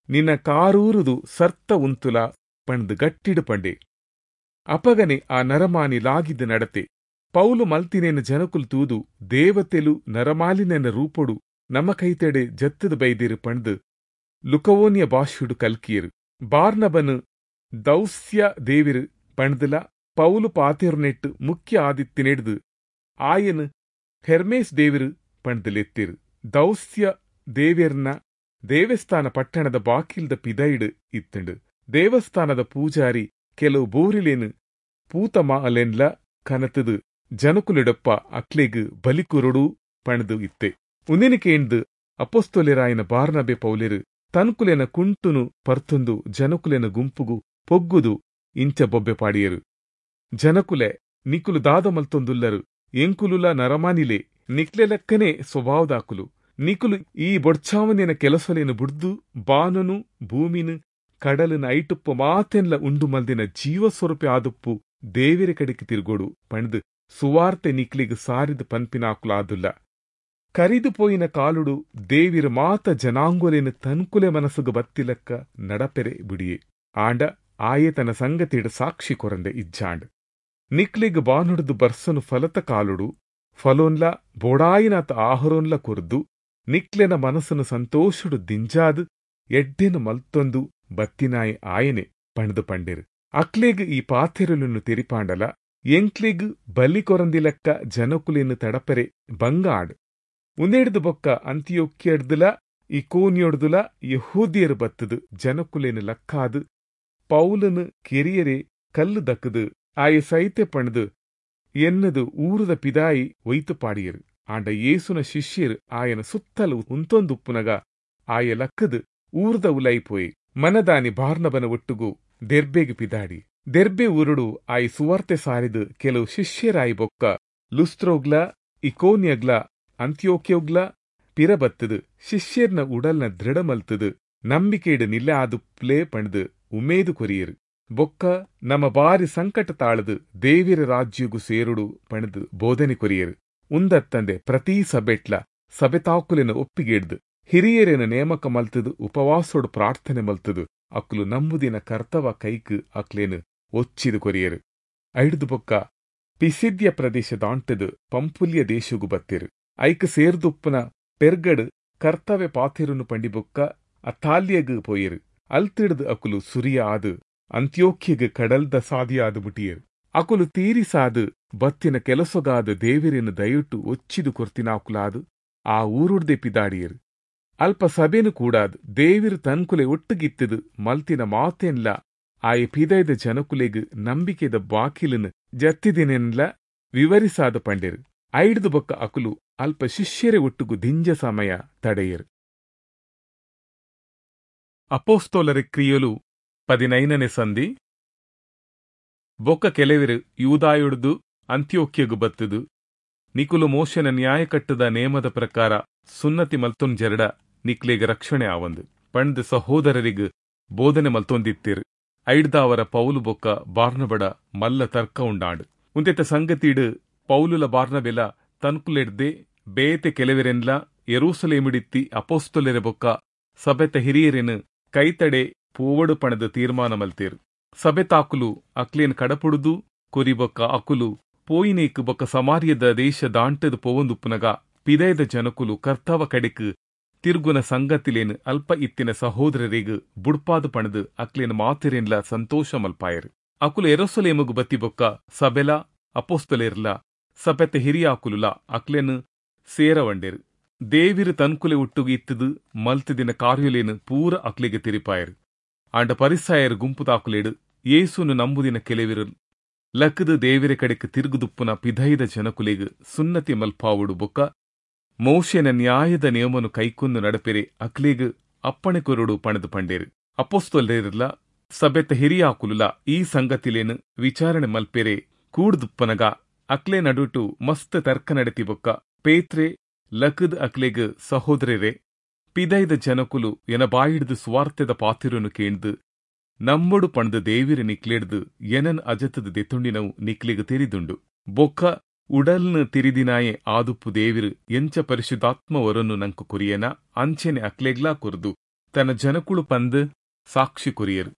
ನಿನ್ನ ಕಾರೂರುದು ಸರ್ತ ಉಂತುಲ ಪಣದು ಗಟ್ಟಿಡು ಪಂಡೆ. ಅಪಗನೆ ಆ ನರಮಾನಿ ಲಾಗಿದ್ದು ನಡತೆ. ಪೌಲು ಮಲ್ತಿನೇನ ಜನಕುಲು ತೂದು ದೇವತೆಲು ನರಮಾಲಿನೆನ ರೂಪೊಡು ನಮ್ಮ ಕೈತೆಡೆ ಜತ್ತದ ಬೈದಿರು ಪಣದು ಲುಕವೋನಿಯ ಭಾಷೆಡು ಕಲ್ಕಿಯರು. ಬಾರ್ನಬನು ದೌಸ್ಯ ದೇವಿರು ಪಣದಲ ಪೌಲು ಪಾತೆರುನೆಟ್ಟು ಮುಖ್ಯ ಆದಿತ್ತಿನೆಡ್ದು ಆಯನು ಹೆರ್ಮೇಸ್ ದೇವಿರು ಪಣದಲೆತ್ತಿರು. ದೌಸ್ಯ ದೇವಿರ್ನ ದೇವಸ್ಥಾನ ಪಟ್ಟಣದ ಬಾಕಿಲ್ದ ಪಿದೈಡು ಇತ್ತಂಡು. ದೇವಸ್ಥಾನದ ಪೂಜಾರಿ ಕೆಲವು ಬೋರಿಲೇನು ಪೂತಮಾಲೆನ್ಲ ಕನತದು ಜನಕುಲಿಡಪ್ಪ ಅಕ್ಲೆಗ್ ಬಲಿಕುರುಡು ಪಣದು ಇತ್ತೆ. ಉಂದಿನಕೇಂದು ಅಪೊಸ್ತೊಲೆರಾಯನ ಬಾರ್ನಬೆ ಪೌಲೆರು ತನ್ಕುಲೆನ ಕುಂಟುನು ಪರ್ತೊಂದು ಜನಕುಲೆನ ಗುಂಪುಗು ಪೊಗ್ಗುದು ಇಂಚ ಬೊಬ್ಬೆ ಪಾಡಿಯರು. ಜನಕುಲೆ ನಿಕುಲು ದಾದ ಮಲ್ತೊಂದುಲ್ಲರು, ಎಂಕುಲುಲ ನರಮಾನಿಲೆ, ನಿಕ್ಲೆ ಲೆಕ್ಕನೆ ಸ್ವಭಾವದಾಕುಲು. ನಿಕುಲು ಈ ಬೊಡ್ಚಾವನಿನ ಕೆಲಸಲೇನು ಬುಡ್ದು ಬಾನನು ಭೂಮಿನು ಕಡಲಿನ ಐಟುಪ್ಪು ಮಾತೆನ್ಲ ಉಂಡು ಮಲ್ದಿನ ಜೀವಸ್ವರೂಪೆ ಆದುಪ್ಪು ದೇವಿರ ಕಡೆಗೆ ತಿರುಗೋಡು ಪಣದು ಸುವಾರ್ತೆ ನಿಕ್ಲಿಗ್ ಸಾರಿದ ಪನ್ಪಿನಾಕುಲಾದುಲ್ಲ. ಕರಿದು ಪೋಯಿನ ಕಾಲುಡು ದೇವಿರ ಮಾತ ಜನಾಂಗುಲೇನ ತನ್ಕುಲೆ ಮನಸ್ಸುಗು ಬತ್ತಿಲಕ್ಕ ನಡಪೆರೆ ಬಿಡಿಯೆ. ಆಂಡ ಆಯೆ ತನ್ನ ಸಂಗತಿಡ ಸಾಕ್ಷಿ ಕೊರಂದೆ ಇಜ್ಜಾಂಡ್. ನಿಕ್ಲಿಗ್ ಬಾನುಡ್ದು ಬರ್ಸನು ಫಲತ ಕಾಲುಡು ಫಲೋನ್ಲ ಬೋಡಾಯಿನಾತ ಆಹರೋನ್ಲ ಕೊರ್ದು ನಿಕ್ಲೆನ ಮನಸ್ಸನ್ನು ಸಂತೋಷಡು ದಿಂಜಾದು ಎಡ್ಡೆನು ಮಲ್ತೊಂದು ಬತ್ತಿನಾಯಿ ಆಯನೆ ಪಣದು ಪಂಡೆರು. ಅಕ್ಲೆಗ್ ಈ ಪಾತೆರುಲನ್ನು ತೆರಿಪಾಂಡಲ ಎಂಕ್ಲೆಗ್ ಬಲಿ ಕೊರಂದಿಲಕ್ಕ ಜನಕುಲೆನು ತಡಪೆರೆ ಬಂಗ ಆಡ್. ಉಂದೆಡ್ದು ಬೊಕ್ಕ ಅಂತಿಯೋಕ್ಯಡ್ದುಲ ಇಕೋನ್ಯೊಡ್ದುಲ ಯಹೂದಿಯರು ಬತ್ತದು ಜನಕುಲೆನು ಲಕ್ಕಾದು ಪೌಲನು ಕೆರಿಯರೆ ಕಲ್ಲು ದಕ್ಕದು ಆಯ ಸೈತೆ ಪಣದು ಎನ್ನದು ಊರದ ಪಿದಾಯಿ ಒಯ್ತು ಪಾಡಿಯರು. ಆಂಡ ಯೇಸುನ ಶಿಷ್ಯರು ಆಯನ ಸುತ್ತಲು ಉಂತೊಂದುಪ್ಪುನಗ ಆಯ ಲಕ್ಕದು ಊರದ ಉಲೈಪೋಯಿ ಮನದಾನಿ ಬಾರ್ನಬನ ಒಟ್ಟುಗು ದೆರ್ಬೆಗೆ ಪಿದಾಡಿ. ದೆರ್ಬೆ ಊರುಡು ಆಯಿ ಸುವಾರ್ತೆ ಸಾರಿದು ಕೆಲವು ಶಿಷ್ಯರಾಯಿ ಬೊಕ್ಕ ಲುಸ್ತ್ರೋಗ್ಲ ಇಕೋನ್ಯಗ್ಲ ಅಂತ್ಯೋಕ್ಯೋಗ್ಲ ಪಿರಬತ್ತದು ಶಿಷ್ಯರ್ನ ಉಡಲ್ನ ದೃಢಮಲ್ತದು ನಂಬಿಕೆಡು ನಿಲ್ಲೆ ಆದುಪ್ಲೇ ಪಣದು ಉಮೇದು ಕೊರಿಯರು. ಬೊಕ್ಕ ನಮ್ಮ ಬಾರಿ ಸಂಕಟ ತಾಳದು ದೇವಿರ ರಾಜ್ಯಗು ಸೇರುಡು ಪಣದು ಬೋಧನೆ ಕೊರಿಯರು. ಉಂದತ್ತಂದೆ ಪ್ರತಿ ಸಬೆಟ್ಲ ಸಬೆತಾಕುಲೆನ ಒಪ್ಪಿಗೆಡ್ದು ಹಿರಿಯರೇನ ನೇಮಕ ಮಲ್ತದು ಉಪವಾಸೋಡು ಪ್ರಾರ್ಥನೆ ಮಲ್ತದು ಅಕ್ಲು ನಂಬುದಿನ ಕರ್ತವ ಕೈಕ್ ಅಕ್ಲೇನು ಒಚ್ಚಿದು ಕೊರಿಯರು. ಐಡ್ದು ಬೊಕ್ಕ ಪಿಸಿದ್ಯ ಪ್ರದೇಶ ದಾಂಟದು ಪಂಪುಲ್ಯ ದೇಶಗು ಬತ್ತಿರು. ಐಕ್ ಸೇರ್ದುಪ್ಪನ ಪೆರ್ಗಡು ಕರ್ತವ್ಯ ಪಾತೆರುನು ಪಂಡಿಬೊಕ್ಕ ಅತಾಲ್ಯಗ್ ಪೋಯರು. ಅಲ್ತಿಡ್ದು ಅಕುಲು ಸುರಿಯ ಆದು ಅಂತ್ಯೋಕ್ಯಗ್ ಕಡಲ್ದ ಸಾದಿಯಾದು ಮುಟಿಯರು. ಅಕುಲು ತೀರಿಸಾದು ಬತ್ತಿನ ಕೆಲಸಗಾದ ದೇವಿರಿನ ದಯಟು ಒಚ್ಚಿದು ಕೊರ್ತಿನಾಕುಲಾದು ಆ ಊರುಡ್ದೆ ಪಿದಾಡಿಯರು. ಅಲ್ಪ ಸಭೆನು ಕೂಡಾದ್ ದೇವಿರು ತನ್ಕುಲೆ ಒಟ್ಟುಗಿತ್ತದು ಮಲ್ತಿನ ಮಾತೆನ್ಲ ಆಯ ಪಿದೈದ ಜನಕುಲೆಗ್ ನಂಬಿಕೆದ ಬಾಕಿಲನು ಜತ್ತಿದಿನೆನ್ಲ ವಿವರಿಸಾದ ಪಂಡೆರು. ಐಡ್ದು ಬೊಕ್ಕ ಅಕುಲು ಅಲ್ಪ ಶಿಷ್ಯರೆ ಒಟ್ಟುಗು ದಿಂಜ ಸಮಯ ತಡೆಯರು. ಅಪೊಸ್ತೊಲರ ಕ್ರಿಯೆಲು ಪದಿನೈನನೇ ಸಂಧಿ. ಬೊಕ್ಕ ಕೆಲವರು ಯೂದಾಯುಡ್ದು ಅಂತ್ಯೋಕ್ಯಗು ಬತ್ತದು ನಿಕುಲು ಮೋಶನ ನ್ಯಾಯಕಟ್ಟದ ನೇಮದ ಪ್ರಕಾರ ಸುನ್ನತಿ ಮಲ್ತೊಂಜೆರಡ ನಿಕ್ಲೆಗ್ ರಕ್ಷಣೆ ಆವಂದು. ಪಂಡ್ ಸಹೋದರರಿಗ್ ಬೋಧನೆ ಮಲ್ತೊಂದಿತ್ತೆರ್. ಐಡ್ದಾವರ ಪೌಲು ಬೊಕ್ಕ ಬಾರ್ನಬಡ ಮಲ್ಲ ತರ್ಕ ಉಂಡಾಂಡ್. ಉಂದೆತ ಸಂಗತಿಡ್ ಪೌಲುಲ ಬಾರ್ನಬೆಲ ತನ್ಕುಲೆಡ್ದೆ ಬೇತೆ ಕೆಲೆವೆರೆನ್ಲಾ ಯೆರೂಸಲೇಮುಡಿತ್ತಿ ಅಪೊಸ್ತಲೆರೆ ಬೊಕ್ಕ ಸಭೆತ ಹಿರಿಯೆರೆನ್ ಕೈತಡೆ ಪೋವೊಡು ಪಂಡ್ದ್ ತೀರ್ಮಾನ ಮಲ್ತೆರ್. ಸಭೆತಾಕುಲು ಅಕ್ಲೆನ್ ಕಡಪುಡುದು ಕೊರಿ ಬೊಕ್ಕ ಅಕುಲು ಪೋಯಿನೇಕ್ ಬೊಕ್ಕ ಸಮಾರ್ಯದ ದೇಶ ದಾಂಟ್ದ್ ಪೋವೊಂದುಪ್ಪುನಗ ಪಿದಯಿದ ಜನೊಕುಲು ಕರ್ತವ ಕಡೆಕ್ಕ್ ತಿರ್ಗುನ ಸಂಗತಿಲೆನ್ ಅಲ್ಪ ಇತ್ತಿನ ಸಹೋದ್ರೆರೆಗ್ ಬುಡ್ಪಾದ್ ಪಂಡ್ದ್ ಅಕ್ಲೆನ್ ಮಾತೆರೆನ್ಲಾ ಸಂತೋಷ ಮಲ್ಪಾಯೆರ್. ಅಕುಲು ಯೆರೂಸಲೇಮುಗು ಬತ್ತಿ ಬೊಕ್ಕ ಸಭೆಲಾ ಅಪೊಸ್ತಲೆರ್ಲಾ ಸಭೆತ ಹಿರಿಯಾಕುಲುಲಾ ಅಕ್ಲೆನ್ ಸೇರವೊಂಡೆರ್. ದೇವೆರ್ ತನ್ಕುಲೆ ಒಟ್ಟುಗು ಇತ್ತ್ದ್ ಮಲ್ತ್ದಿನ ಕಾರ್ಯೊಲೆನ್ ಪೂರ ಅಕ್ಲೆಗ್ ತೆರಿಪಾಯೆರ್. ಆಂಡ ಪರಿಸಾಯೆರ್ ಗುಂಪುದಾಕುಲೆಡ್ ಯೇಸುನು ನಂಬುದಿನ ಕೆಲೆವೆರ್ ಲಕ್ಕ್ದ್ ದೇವೆರೆ ಕಡೆಕ್ಕ್ ತಿರ್ಗ್ದುಪ್ಪುನ ಪಿದಯಿದ ಜನೊಕುಲೆಗ್ ಸುನ್ನತಿ ಮಲ್ಪಾವೊಡು ಬೊಕ್ಕ ಮೋಶೆನ ನ್ಯಾಯದ ನಿಯಮೊನು ಕೈಕೊಂದು ನಡಪೆರೆ ಅಕ್ಲೆಗ್ ಅಪ್ಪಣೆ ಕೊರೊಡು ಪಂಡ್ದ್ ಪಂಡೆರ್. ಅಪೊಸ್ತಲೆರ್ಲಾ ಸಭೆತ ಹಿರಿಯಾಕುಲುಲಾ ಈ ಸಂಗತಿಲೆನ್ ವಿಚಾರಣೆ ಮಲ್ಪೆರೆ ಕೂಡ್ದುಪ್ಪುನಗ ಅಕ್ಲೆ ನಡುಟು ಮಸ್ತ್ ತರ್ಕ ನಡತಿ ಬೊಕ್ಕ ಪೇತ್ರೆ ಲಕ್ಕ್ದ್ ಅಕ್ಲೆಗ್, ಸಹೋದ್ರೆರೇ, ಪಿದಯಿದ ಜನೊಕುಲು ಎನ ಬಾಯಿಡ್ದ್ ಸುವಾರ್ತೆದ ಪಾತೆರೊನು ಕೇಂಡ್ದ್ ನಂಬೊಡು ಪಂಡ್ದ್ ದೇವೆರ್ ನಿಕ್ಲೆಡ್ದ್ ಎನನ್ ಅಜತ್ದ್ ದೆತ್ತೊಂಡಿನವು ನಿಕ್ಲೆಗ್ ತೆರಿದುಂಡು. ಬೊಕ್ಕ ಉಡಲ್ನ್ ತೆರಿದಿನಾಯೆ ಆದುಪ್ಪು ದೇವೆರ್ ಎಂಚ ಪರಿಶುದ್ಧಾತ್ಮ ವರೊನು ನಂಕ್ ಕೊರಿಯೆನಾ ಅಂಚೆನೇ ಅಕ್ಲೆಗ್ಲಾ ಕೊರ್ದು ತನ ಜನೊಕುಲು ಪಂದ್ ಸಾಕ್ಷಿ ಕೊರಿಯೆರ್.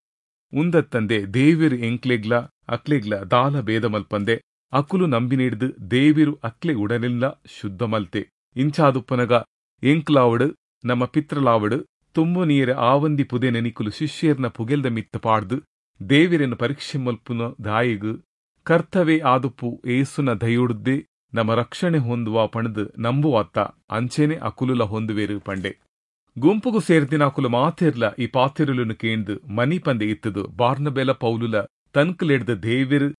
ಉಂದತ್ತಂದೆ ದೇವೆರ್ ಎಂಕ್ಲೆಗ್ಲಾ ಅಕ್ಲೆಗ್ಲಾ ದಾಲ ಭೇದ ಮಲ್ಪಂದೆ ಅಕುಲು ನಂಬಿನೆಡ್ದ್ ದೇವೆರ್ ಅಕ್ಲೆ ಉಡಲ್ನ್ಲಾ ಶುದ್ಧ ಮಲ್ತೆ. ಇಂಚಾದುಪ್ಪುನಗ ಎಂಕ್ಲಾವಡ್ ನಮ ಪಿತೃಲಾವಡ್ ತುಂಬೊನಿಯೆರೆ ಆವಂದಿ ಪುದೆನ್ ನಿಕುಲು ಶಿಷ್ಯೆರ್ನ ಪುಗೆಲ್ದ ಮಿತ್ತ್ ಪಾಡ್ದ್ ದೇವೆರೆನ್ ಪರೀಕ್ಷೆ ಮಲ್ಪುನ ದಾಯೆಗ್? ಕರ್ತವೆ ಆದುಪ್ಪು ಯೇಸುನ ದಯೊಡ್ದೇ ನಮ ರಕ್ಷಣೆ ಹೊಂದುವ ಪಂಡ್ದ್ ನಂಬುವತ್ತಾ ಅಂಚೆನೇ ಅಕುಲುಲ ಹೊಂದುವೆರ್ ಪಂಡೆ. ಗುಂಪುಗು ಸೇರ್ದಿನಾಕುಲು ಮಾತೆರ್ಲಾ ಈ ಪಾತೆರೊಲೆನ್ ಕೇಂಡ್ದ್ ಮನಿಪಂದೆ ಇತ್ತ್ದ್ ಬಾರ್ನಬೆಲ ಪೌಲುಲ ತನ್ಕುಲೆಡ್ದ್ ದೇವೆರ್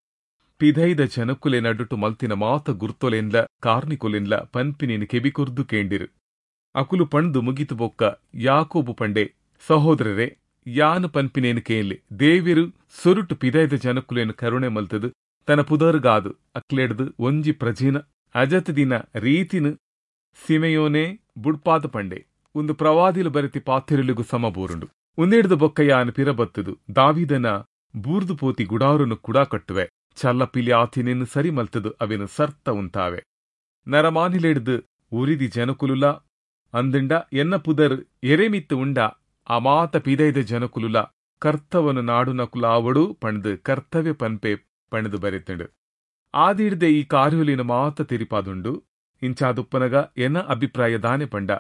ಪಿದಯಿದ ಜನೊಕುಲೆ ನಡುಟು ಮಲ್ತಿನ ಮಾತ ಗುರ್ತೊಲೆನ್ಲಾ ಕಾರ್ನಿಕೊಲೆನ್ಲಾ ಪನ್ಪಿನೆನ್ ಕೆಬಿ ಕೊರ್ದು ಕೇಂಡೆರ್. ಅಕುಲು ಪಂಡ್ದ್ ಮುಗಿತ್ ಬೊಕ್ಕ ಯಾಕೋಬು ಪಂಡೆ, ಸಹೋದ್ರೆರೇ, ಯಾನ್ ಪನ್ಪಿನೆನ್ ಕೇನ್ಲೆ. ದೇವೆರ್ ಸುರುಟ್ಟು ಪಿದಯಿದ ಜನೊಕುಲೆನ್ ಕರುಣೆ ಮಲ್ತ್ದ್ ತನ ಪುದರ್ಗಾದ್ ಅಕ್ಲೆಡ್ದ್ ಒಂಜಿ ಪ್ರಜೆನ್ ಅಜತ್ದಿನ ರೀತಿನ್ ಸಿಮೆಯೋನೆ ಬುಡ್ಪಾದ್ ಪಂಡೆ. ಉಂದು ಪ್ರವಾದಿಲು ಬರೆತಿ ಪಾತೆರೊಲೆಗ್ ಸಮ ಬೂರುಂಡು. ಉಂದೆಡ್ದ್ ಬೊಕ್ಕ ಯಾನ್ ಪಿರ ಬತ್ತ್ದ್ ದಾವೀದನ ಬೂರ್ದು ಪೋತಿ ಗುಡಾರೊನು ಕುಡ ಕಟ್ಟುವೆ, ಚಲ್ಲಪಿಲಿ ಆತಿನೆನ್ ಸರಿ ಮಲ್ತ್ದ್ ಅವೆನ್ ಸರ್ತ ಉಂತಾವೆ. ನರಮಾನಿಲೆಡ್ದ್ ಒರಿದಿ ಜನೊಕುಲುಲಾ ಅಂದ್ಂಡ ಎನ್ನ ಪುದರ್ ಎರೆ ಮಿತ್ತ್ ಉಂಡಾ ಆ ಮಾತ ಪಿದಯಿದ ಜನೊಕುಲುಲಾ ಕರ್ತವನ್ ನಾಡುನಕುಲಾವೊಡು ಪಂಡ್ದ್ ಕರ್ತವೆ ಪನ್ಪೆ ಪಂಡ್ದ್ ಬರೆತ್ಂಡ್. ಆದಿಡ್ದೆ ಈ ಕಾರ್ಯೊಲೆನ್ ಮಾತ ತೆರಿಪಾದುಂಡು. ಇಂಚಾದುಪ್ಪುನಗ ಎನ ಅಭಿಪ್ರಾಯ ದಾನೆ ಪಂಡ,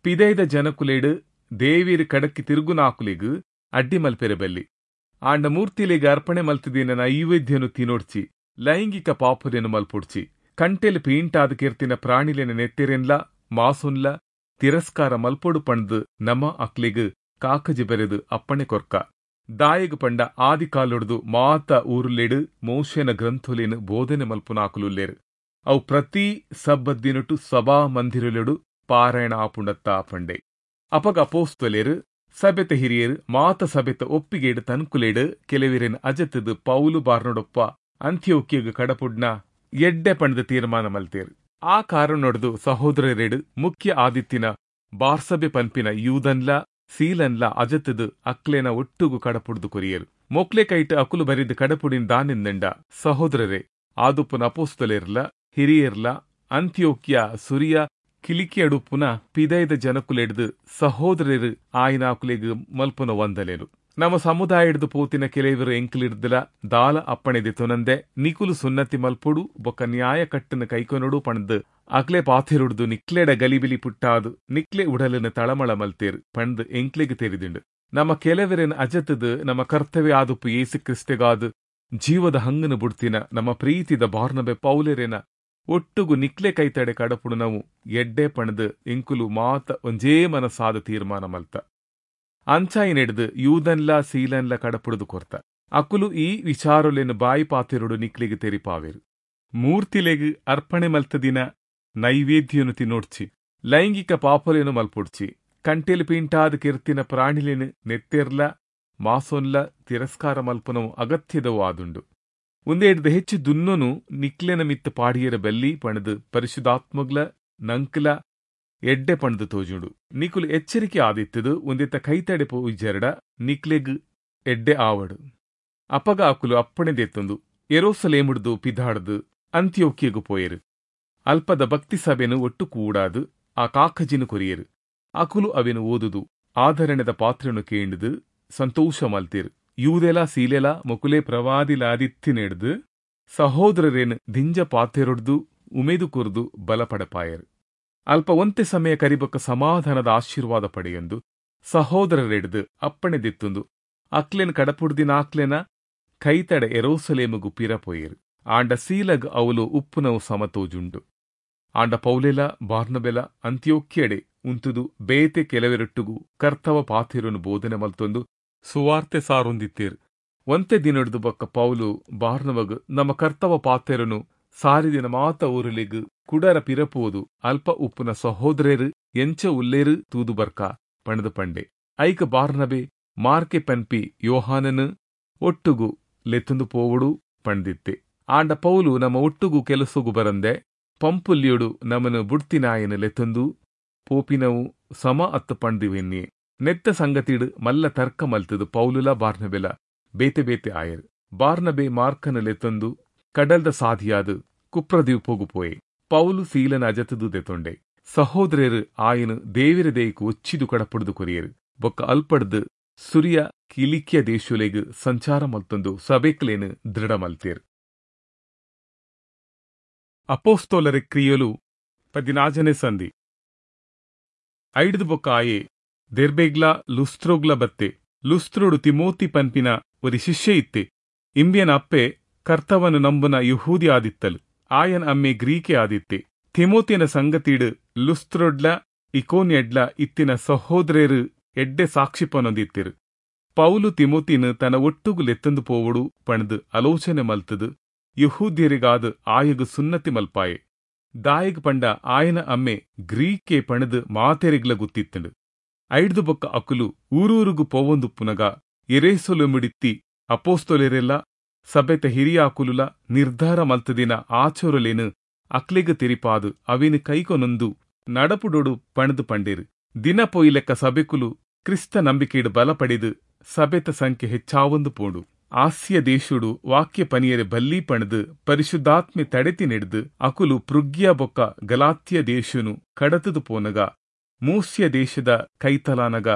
ಪಿದಯಿದ ಜನಕುಲೆಡ್ ದೇವೆರ್ ಕಡಕ್ಕೆ ತಿರುಗುನಾಕುಲೆಗ್ ಅಡ್ಡಿ ಮಲ್ಪೆರೆ ಬಲ್ಲಿ. ಆಂಡ ಮೂರ್ತಿಲೆಗ್ ಅರ್ಪಣೆ ಮಲ್ತ್ದಿನ ನೈವೇದ್ಯನು ತಿನೊಡ್ಚಿ, ಲೈಂಗಿಕ ಪಾಪೊಲೆನ್ ಮಲ್ಪೊಡ್ಚಿ, ಕಂಟೆಲ್ ಪೀಂಟಾದ್ ಕೆರ್ತಿನ ಪ್ರಾಣಿಲೆನ ನೆತ್ತೆರೆನ್ಲಾ ಮಾಸೊನ್ಲಾ ತಿರಸ್ಕಾರ ಮಲ್ಪೊಡು ಪಂಡ್ದ್ ನಮ ಅಕ್ಲೆಗ್ ಕಾಕಜಿ ಬರೆದ್ ಅಪ್ಪಣೆ ಕೊರ್ಕ. ದಾಯೆಗ್ ಪಂಡ ಆದಿಕಾಲೊಡ್ದು ಮಾತ ಊರುಲೆಡ್ ಮೋಶೆನ ಗ್ರಂಥೊಲೆನ್ ಬೋಧನೆ ಮಲ್ಪುನಾಕುಲುಲ್ಲೆರ್. ಅವು ಪ್ರತಿ ಸಬ್ಬತ್ದಿನೊಟು ಸಭಾಮಂದಿರೊಲೆಡ್ ಪಾರಾಯಣ ಆಪುಂಡತ್ತಾ ಪಂಡೆ. ಅಪಗ ಅಪೊಸ್ತಲೆರ್, ಸಭೆತ ಹಿರಿಯೆರ್ ಮಾತ ಸಭೆತ ಒಪ್ಪಿಗೆಡ್ ತನ್ಕುಲೆಡ್ ಕೆಲೆವೆರೆನ್ ಅಜತ್ದ್ ಪೌಲು ಬಾರ್ನಡೊಪ್ಪ ಅಂತಿಯೋಕ್ಯಗ್ ಕಡಪುಡ್ಂಡ ಎಡ್ಡೆ ಪಂಡ್ದ್ ತೀರ್ಮಾನ ಮಲ್ತೆರ್. ಆ ಕಾರಣೊಡ್ದು ಸಹೋದ್ರೆರೆಡ್ ಮುಖ್ಯ ಆದಿತ್ತಿನ ಬಾರ್ಸಬೆ ಪನ್ಪಿನ ಯೂದನ್ಲಾ ಸೀಲನ್ಲಾ ಅಜತ್ದ್ ಅಕ್ಲೆನ ಒಟ್ಟುಗು ಕಡಪುಡ್ದು ಕೊರಿಯೆರ್. ಮೊಕ್ಲೆ ಕೈಟ್ ಅಕುಲು ಬರೆದ್ ಕಡಪುಡಿನಿ ದಾನೆಂದ್ಂಡ, ಸಹೋದ್ರೆರೇ ಆದುಪ್ಪುನ ಅಪೊಸ್ತಲೆರ್ಲಾ ಹಿರಿಯೆರ್ಲಾ ಅಂತಿಯೋಕ್ಯ, ಸುರಿಯ, ಕಿಲಿಕ್ಯಡುಪ್ಪುನ ಪಿದಯಿದ ಜನೊಕುಲೆಡ್ದ್ ಸಹೋದ್ರೆರ್ ಆಯಿನಾಕುಲೆಗ್ ಮಲ್ಪುನ ವಂದನೆಲು. ನಮ ಸಮುದಾಯಡ್ದ್ ಪೋತಿನ ಕೆಲೆವೆರ್ ಎಂಕ್ಲೆಡ್ದ್ಲಾ ದಾಲ ಅಪ್ಪಣೆ ದೆತ್ತೊನಂದೆ ನಿಕುಲು ಸುನ್ನತಿ ಮಲ್ಪೊಡು ಬೊಕ್ಕ ನ್ಯಾಯಕಟ್ಟ್ನ್ ಕೈಕೊನೊಡು ಪಂಡ್ದ್ ಅಕ್ಲೆ ಪಾತೆರೊಡ್ದು ನಿಕ್ಲೆಡ ಗಲಿಬಿಲಿ ಪುಟ್ಟಾದ್ ನಿಕ್ಲೆ ಉಡಲ್ನ್ ತಳಮಳ ಮಲ್ತೆರ್ ಪಂಡ್ದ್ ಎಂಕ್ಲೆಗ್ ತೆರಿದುಂಡು. ನಮ ಕೆಲವೆರೆನ್ ಅಜತ್ದ್ ನಮ ಕರ್ತವೆ ಆದುಪ್ಪು ಯೇಸು ಕ್ರಿಸ್ತೆಗಾದ್ ಜೀವದ ಹಂಗನ್ನು ಬುಡ್ತಿನ ನಮ್ಮ ಪ್ರೀತಿದ ಬಾರ್ನಬೆ ಪೌಲೆರೆನ ಒಟ್ಟುಗು ನಿಕ್ಲೆ ಕೈತಡೆ ಕಡಪುಡುನವು ಎಡ್ಡೆ ಪಂಡ್ದ್ ಎಂಕುಲು ಮಾತ ಒಂಜೇ ಮನಸಾದ ತೀರ್ಮಾನ ಮಲ್ತ. ಅಂಚಾಯಿನೆಡ್ದ್ ಯೂದನ್ಲಾ ಸೀಲನ್ಲಾ ಕಡಪುಡುದು ಕೊರ್ತ. ಅಕುಲು ಈ ವಿಚಾರೊಲೆನ್ ಬಾಯಿ ಪಾತೆರೊಡು ನಿಕ್ಲೆಗ್ ತೆರಿಪಾವೆರ್. ಮೂರ್ತಿಲೆಗ್ ಅರ್ಪಣೆ ಮಲ್ತದಿನ ನೈವೇದ್ಯನು ತಿನೊಡ್ಚಿ, ಲೈಂಗಿಕ ಪಾಪೊಲೆನ್ ಮಲ್ಪೊಡ್ಚಿ, ಕಂಟೆಲ್ ಪೀಂಟಾದ್ ಕೆರ್ತಿನ ಪ್ರಾಣಿಲೆನ್ ನೆತ್ತೆರ್ಲ ಮಾಸೊನ್ಲ ತಿರಸ್ಕಾರ ಮಲ್ಪುನವು ಅಗತ್ಯದವು ಆದುಂಡು. ಉಂದೆಡ್ದ್ ಹೆಚ್ಚು ದುನ್ನೊನು ನಿಕ್ಲೆನ ಮಿತ್ತ್ ಪಾಡಿಯೆರೆ ಬಲ್ಲಿ ಪಂಡ್ದ್ ಪರಿಶುದ್ಧಾತ್ಮಗ್ಲ ನಂಕ್ಲ ಎಡ್ಡೆ ಪಂಡ್ದು ತೋಜುಂಡು. ನಿಕುಲು ಎಚ್ಚರಿಕೆ ಆದಿತ್ತದು ಒಂದಿತ್ತ ಕೈತಡೆ ಪೋಯಿಜೆರಡ ನಿಕ್ಲೆಗ್ ಎಡ್ಡೆ ಆವಡು. ಅಪಗ ಅಕುಲು ಅಪ್ಪಣೆ ದೆತ್ತೊಂದು ಯೆರೂಸಲೇಮುಡ್ದು ಪಿದಾಡ್ದು ಅಂತ್ಯೋಕ್ಯಗ್ ಪೋಯೆರು. ಅಲ್ಪದ ಭಕ್ತಿ ಸಭೆನು ಒಟ್ಟು ಕೂಡಾದು ಆ ಕಾಕಜಿನು ಕೊರಿಯೆರು. ಅಕುಲು ಅವೆನು ಓದುದು ಆಧರಣೆದ ಪಾತ್ರೆನು ಕೇಂಡ್ದು ಸಂತೋಷ ಮಲ್ತೇರು. ಯೂದೆಲ ಸೀಲೆಲ ಮೊಕುಲೆ ಪ್ರವಾದಿಲಾದಿತ್ತಿನೆಡ್ದು ಸಹೋದರರೇನು ದಿಂಜ ಪಾತೆರೊಡ್ದು ಉಮೇದು ಕೊರ್ದು ಬಲಪಡಪಾಯರು. ಅಲ್ಪ ಒಂತೆ ಸಮಯ ಕರಿಬೊಕ್ಕ ಸಮಾಧಾನದ ಆಶೀರ್ವಾದ ಪಡೆಯೊಂದು ಸಹೋದರರೆಡ್ದು ಅಪ್ಪಣೆ ದೆತ್ತೊಂದು ಅಕ್ಲೆನ್ ಕಡಪುಡ್ದಿನಾಕ್ಲೆನ ಕೈತಡೆ ಯೆರೂಸಲೇಮುಗು ಪಿರ ಪೋಯೆರು. ಆಂಡ ಸೀಲಗ್ ಅವಲು ಉಪ್ಪುನವು ಸಮತೋಜುಂಡು. ಆಂಡ ಪೌಲೆಲ ಬಾರ್ನಬೆಲ ಅಂತ್ಯೋಕ್ಯಡೆ ಉಂತುದು ಬೇತೆ ಕೆಲವೆರೊಟ್ಟುಗು ಕರ್ತವ ಪಾತೆರೊನು ಬೋಧನೆ ಮಲ್ತೊಂದು ಸುವಾರ್ತೆ ಸಾರೊಂದಿತ್ತೇರು. ಒಂತೆ ದಿನೊಡ್ದು ಬೊಕ್ಕ ಪೌಲು ಬಾರ್ನಬಗ್ ನಮ್ಮ ಕರ್ತವ ಪಾತೆರೊನು ಸಾರಿದಿನ ಮಾತ ಊರುಲೆಗ್ ಕುಡರ ಪಿರಪೋದು ಅಲ್ಪ ಉಪ್ಪುನ ಸಹೋದರೆರು ಎಂಚ ಉಲ್ಲೇರು ತೂದು ಬರ್ಕ ಪಂಡ್ದ್ ಪಂಡೆ. ಐಕ್ ಬಾರ್ನಬೆ ಮಾರ್ಕೆ ಪನ್ಪಿ ಯೋಹಾನನು ಒಟ್ಟುಗು ಲೆತ್ತೊಂದು ಪೋವೊಡು ಪಂಡ್ದಿತ್ತೆ. ಆಂಡ ಪೌಲು ನಮ್ಮ ಒಟ್ಟುಗು ಕೆಲಸೊಗು ಬರಂದೆ ಪಂಪುಲ್ಯೊಡು ನಮನು ಬುಡ್ತಿನಾಯನು ಲೆತ್ತೊಂದು ಪೋಪಿನವು ಸಮ ಅತ್ತು ಪಂಡ್ದು ಎನ್ನಿಯೆ. ನೆತ್ತ ಸಂಗತಿಡ್ ಮಲ್ಲ ತರ್ಕ ಮಲ್ತದು ಪೌಲುಲ ಬಾರ್ನಬೆಲ ಬೇತೆ ಬೇತೆ ಆಯರು. ಬಾರ್ನಬೆ ಮಾರ್ಕನು ಲೆತ್ತೊಂದು ಕಡಲ್ದ ಸಾಧಿಯಾದು ಕುಪ್ರದ್ವೀಪೊಗು ಪೋಯೆ. ಪೌಲು ಸೀಲನ ಅಜತದು ದೆತೊಂಡೆ. ಸಹೋದರರು ಆಯನು ದೇವಿರ ದೇಯಿಕು ಒಚ್ಚಿದು ಕಡಪುಡ್ದು ಕೊರಿಯರು. ಬೊಕ್ಕ ಅಲ್ಪಡ್ದು ಸುರಿಯ ಕಿಲಿಕ್ಯ ದೇಶೊಲೆಗ್ ಸಂಚಾರ ಮಲ್ತೊಂದು ಸಭೆಕ್ಲೇನು ದೃಢ ಮಲ್ತೇರು. ಅಪೋಸ್ತೋಲರ ಕ್ರಿಯೊಲು ಪದಿನಾಜನೆ ಸಂಧಿ. ಐಡ್ದು ಬೊಕ್ಕ ಆಯೆ ದೆರ್ಬೆಗ್ಲ ಲುಸ್ತ್ರೋಗ್ಲ ಬತ್ತೆ. ಲುಸ್ತ್ರೋಡು ತಿಮೋತಿ ಪನ್ಪಿನ ಒರಿ ಶಿಷ್ಯ ಇತ್ತೆ. ಇಂಬಿಯನ ಅಪ್ಪೆ ಕರ್ತವನು ನಂಬುನ ಯಹೂದಿ ಆದಿತ್ತಲು. ಆಯನ ಅಮ್ಮೆ ಗ್ರೀಕೆ ಆದಿತ್ತೆ. ತಿಮೋತಿನ ಸಂಗತಿಡು ಲುಸ್ತ್ರೋಡ್ಲ ಇಕೋನ್ಯಡ್ಲ ಇತ್ತಿನ ಸಹೋದರರು ಎಡ್ಡೆ ಸಾಕ್ಷಿಪನೊಂದಿತ್ತಿರು. ಪೌಲು ತಿಮೋತಿನ ತನ್ನ ಒಟ್ಟುಗು ಲೆತ್ತೊಂದು ಪೋವೊಡು ಪಂಡ್ದು ಆಲೋಚನೆ ಮಲ್ತದು ಯಹೂದ್ಯರಿಗಾದ ಆಯಗು ಸುನ್ನತಿ ಮಲ್ಪಾಯೆ. ದಾಯಗ್ ಪಂಡ ಆಯನ ಅಮ್ಮೆ ಗ್ರೀಕೆ ಪಣದು ಮಾತೆರಿಗ್ಲ ಗುತ್ತಿತ್ತಂಡು. ಐಡ್ದು ಬೊಕ್ಕ ಅಕುಲು ಊರೂರುಗು ಪೋವೊಂದುಪ್ಪುನಗ ಎರೇಸೊಲೆಮಿಡಿತ್ತಿ ಅಪೋಸ್ತೊಲೆರೆಲ್ಲ ಸಭೆತ ಹಿರಿಯಾಕುಲುಲ ನಿರ್ಧಾರ ಮಲ್ತದಿನ ಆಚೊರಲೇನು ಅಕ್ಲೆಗ್ ತೆರಿಪಾದು ಅವಿನ ಕೈಕೊನೊಂದು ನಡಪುಡೊಡು ಪಣದು ಪಂಡೇರು. ದಿನ ಪೊಯ್ಲೆಕ್ಕ ಸಭೆಕುಲು ಕ್ರಿಸ್ತ ನಂಬಿಕೆಡು ಬಲ ಪಡೆದು ಸಭೆತ ಸಂಖ್ಯೆ ಹೆಚ್ಚಾವೊಂದು ಪೋಂಡು. ಆಸ್ಯ ದೇಶುಡು ವಾಕ್ಯ ಪನಿಯರೆ ಬಲ್ಲಿ ಪಣದು ಪರಿಶುದ್ಧಾತ್ಮೆ ತಡೆತಿ ನೆಡ್ದು ಅಕುಲು ಪೃಗ್ಯ ಬೊಕ್ಕ ಗಲಾತ್ಯ ದೇಶನು ಕಡತದು ಪೋನಗ ಮೂಸ್ಯ ದೇಶದ ಕೈತಲಾನಗ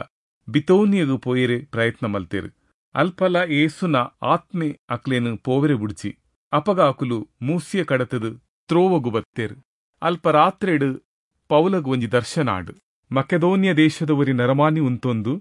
ಬಿತೋನಿಯಗು ಪೋಯೆರೆ ಪ್ರಯತ್ನ ಮಲ್ತೇರು. ಅಲ್ಪಲ ಏಸುನ ಆತ್ಮೆ ಅಕ್ಲೇನು ಪೋವೆರೆ ಬುಡ್ಚಿ. ಅಪಗ ಅಕುಲು ಮೂಸ್ಯ ಕಡತದು ತ್ರೋವಗು ಬತ್ತೇರು. ಅಲ್ಪ ರಾತ್ರೆಡು ಪೌಲಗು ಒಂಜಿ ದರ್ಶನ ಆಡು. ಮಕೆದೋನಿಯ ದೇಶದ ಒರಿ ನರಮಾನಿ ಉಂತೊಂದು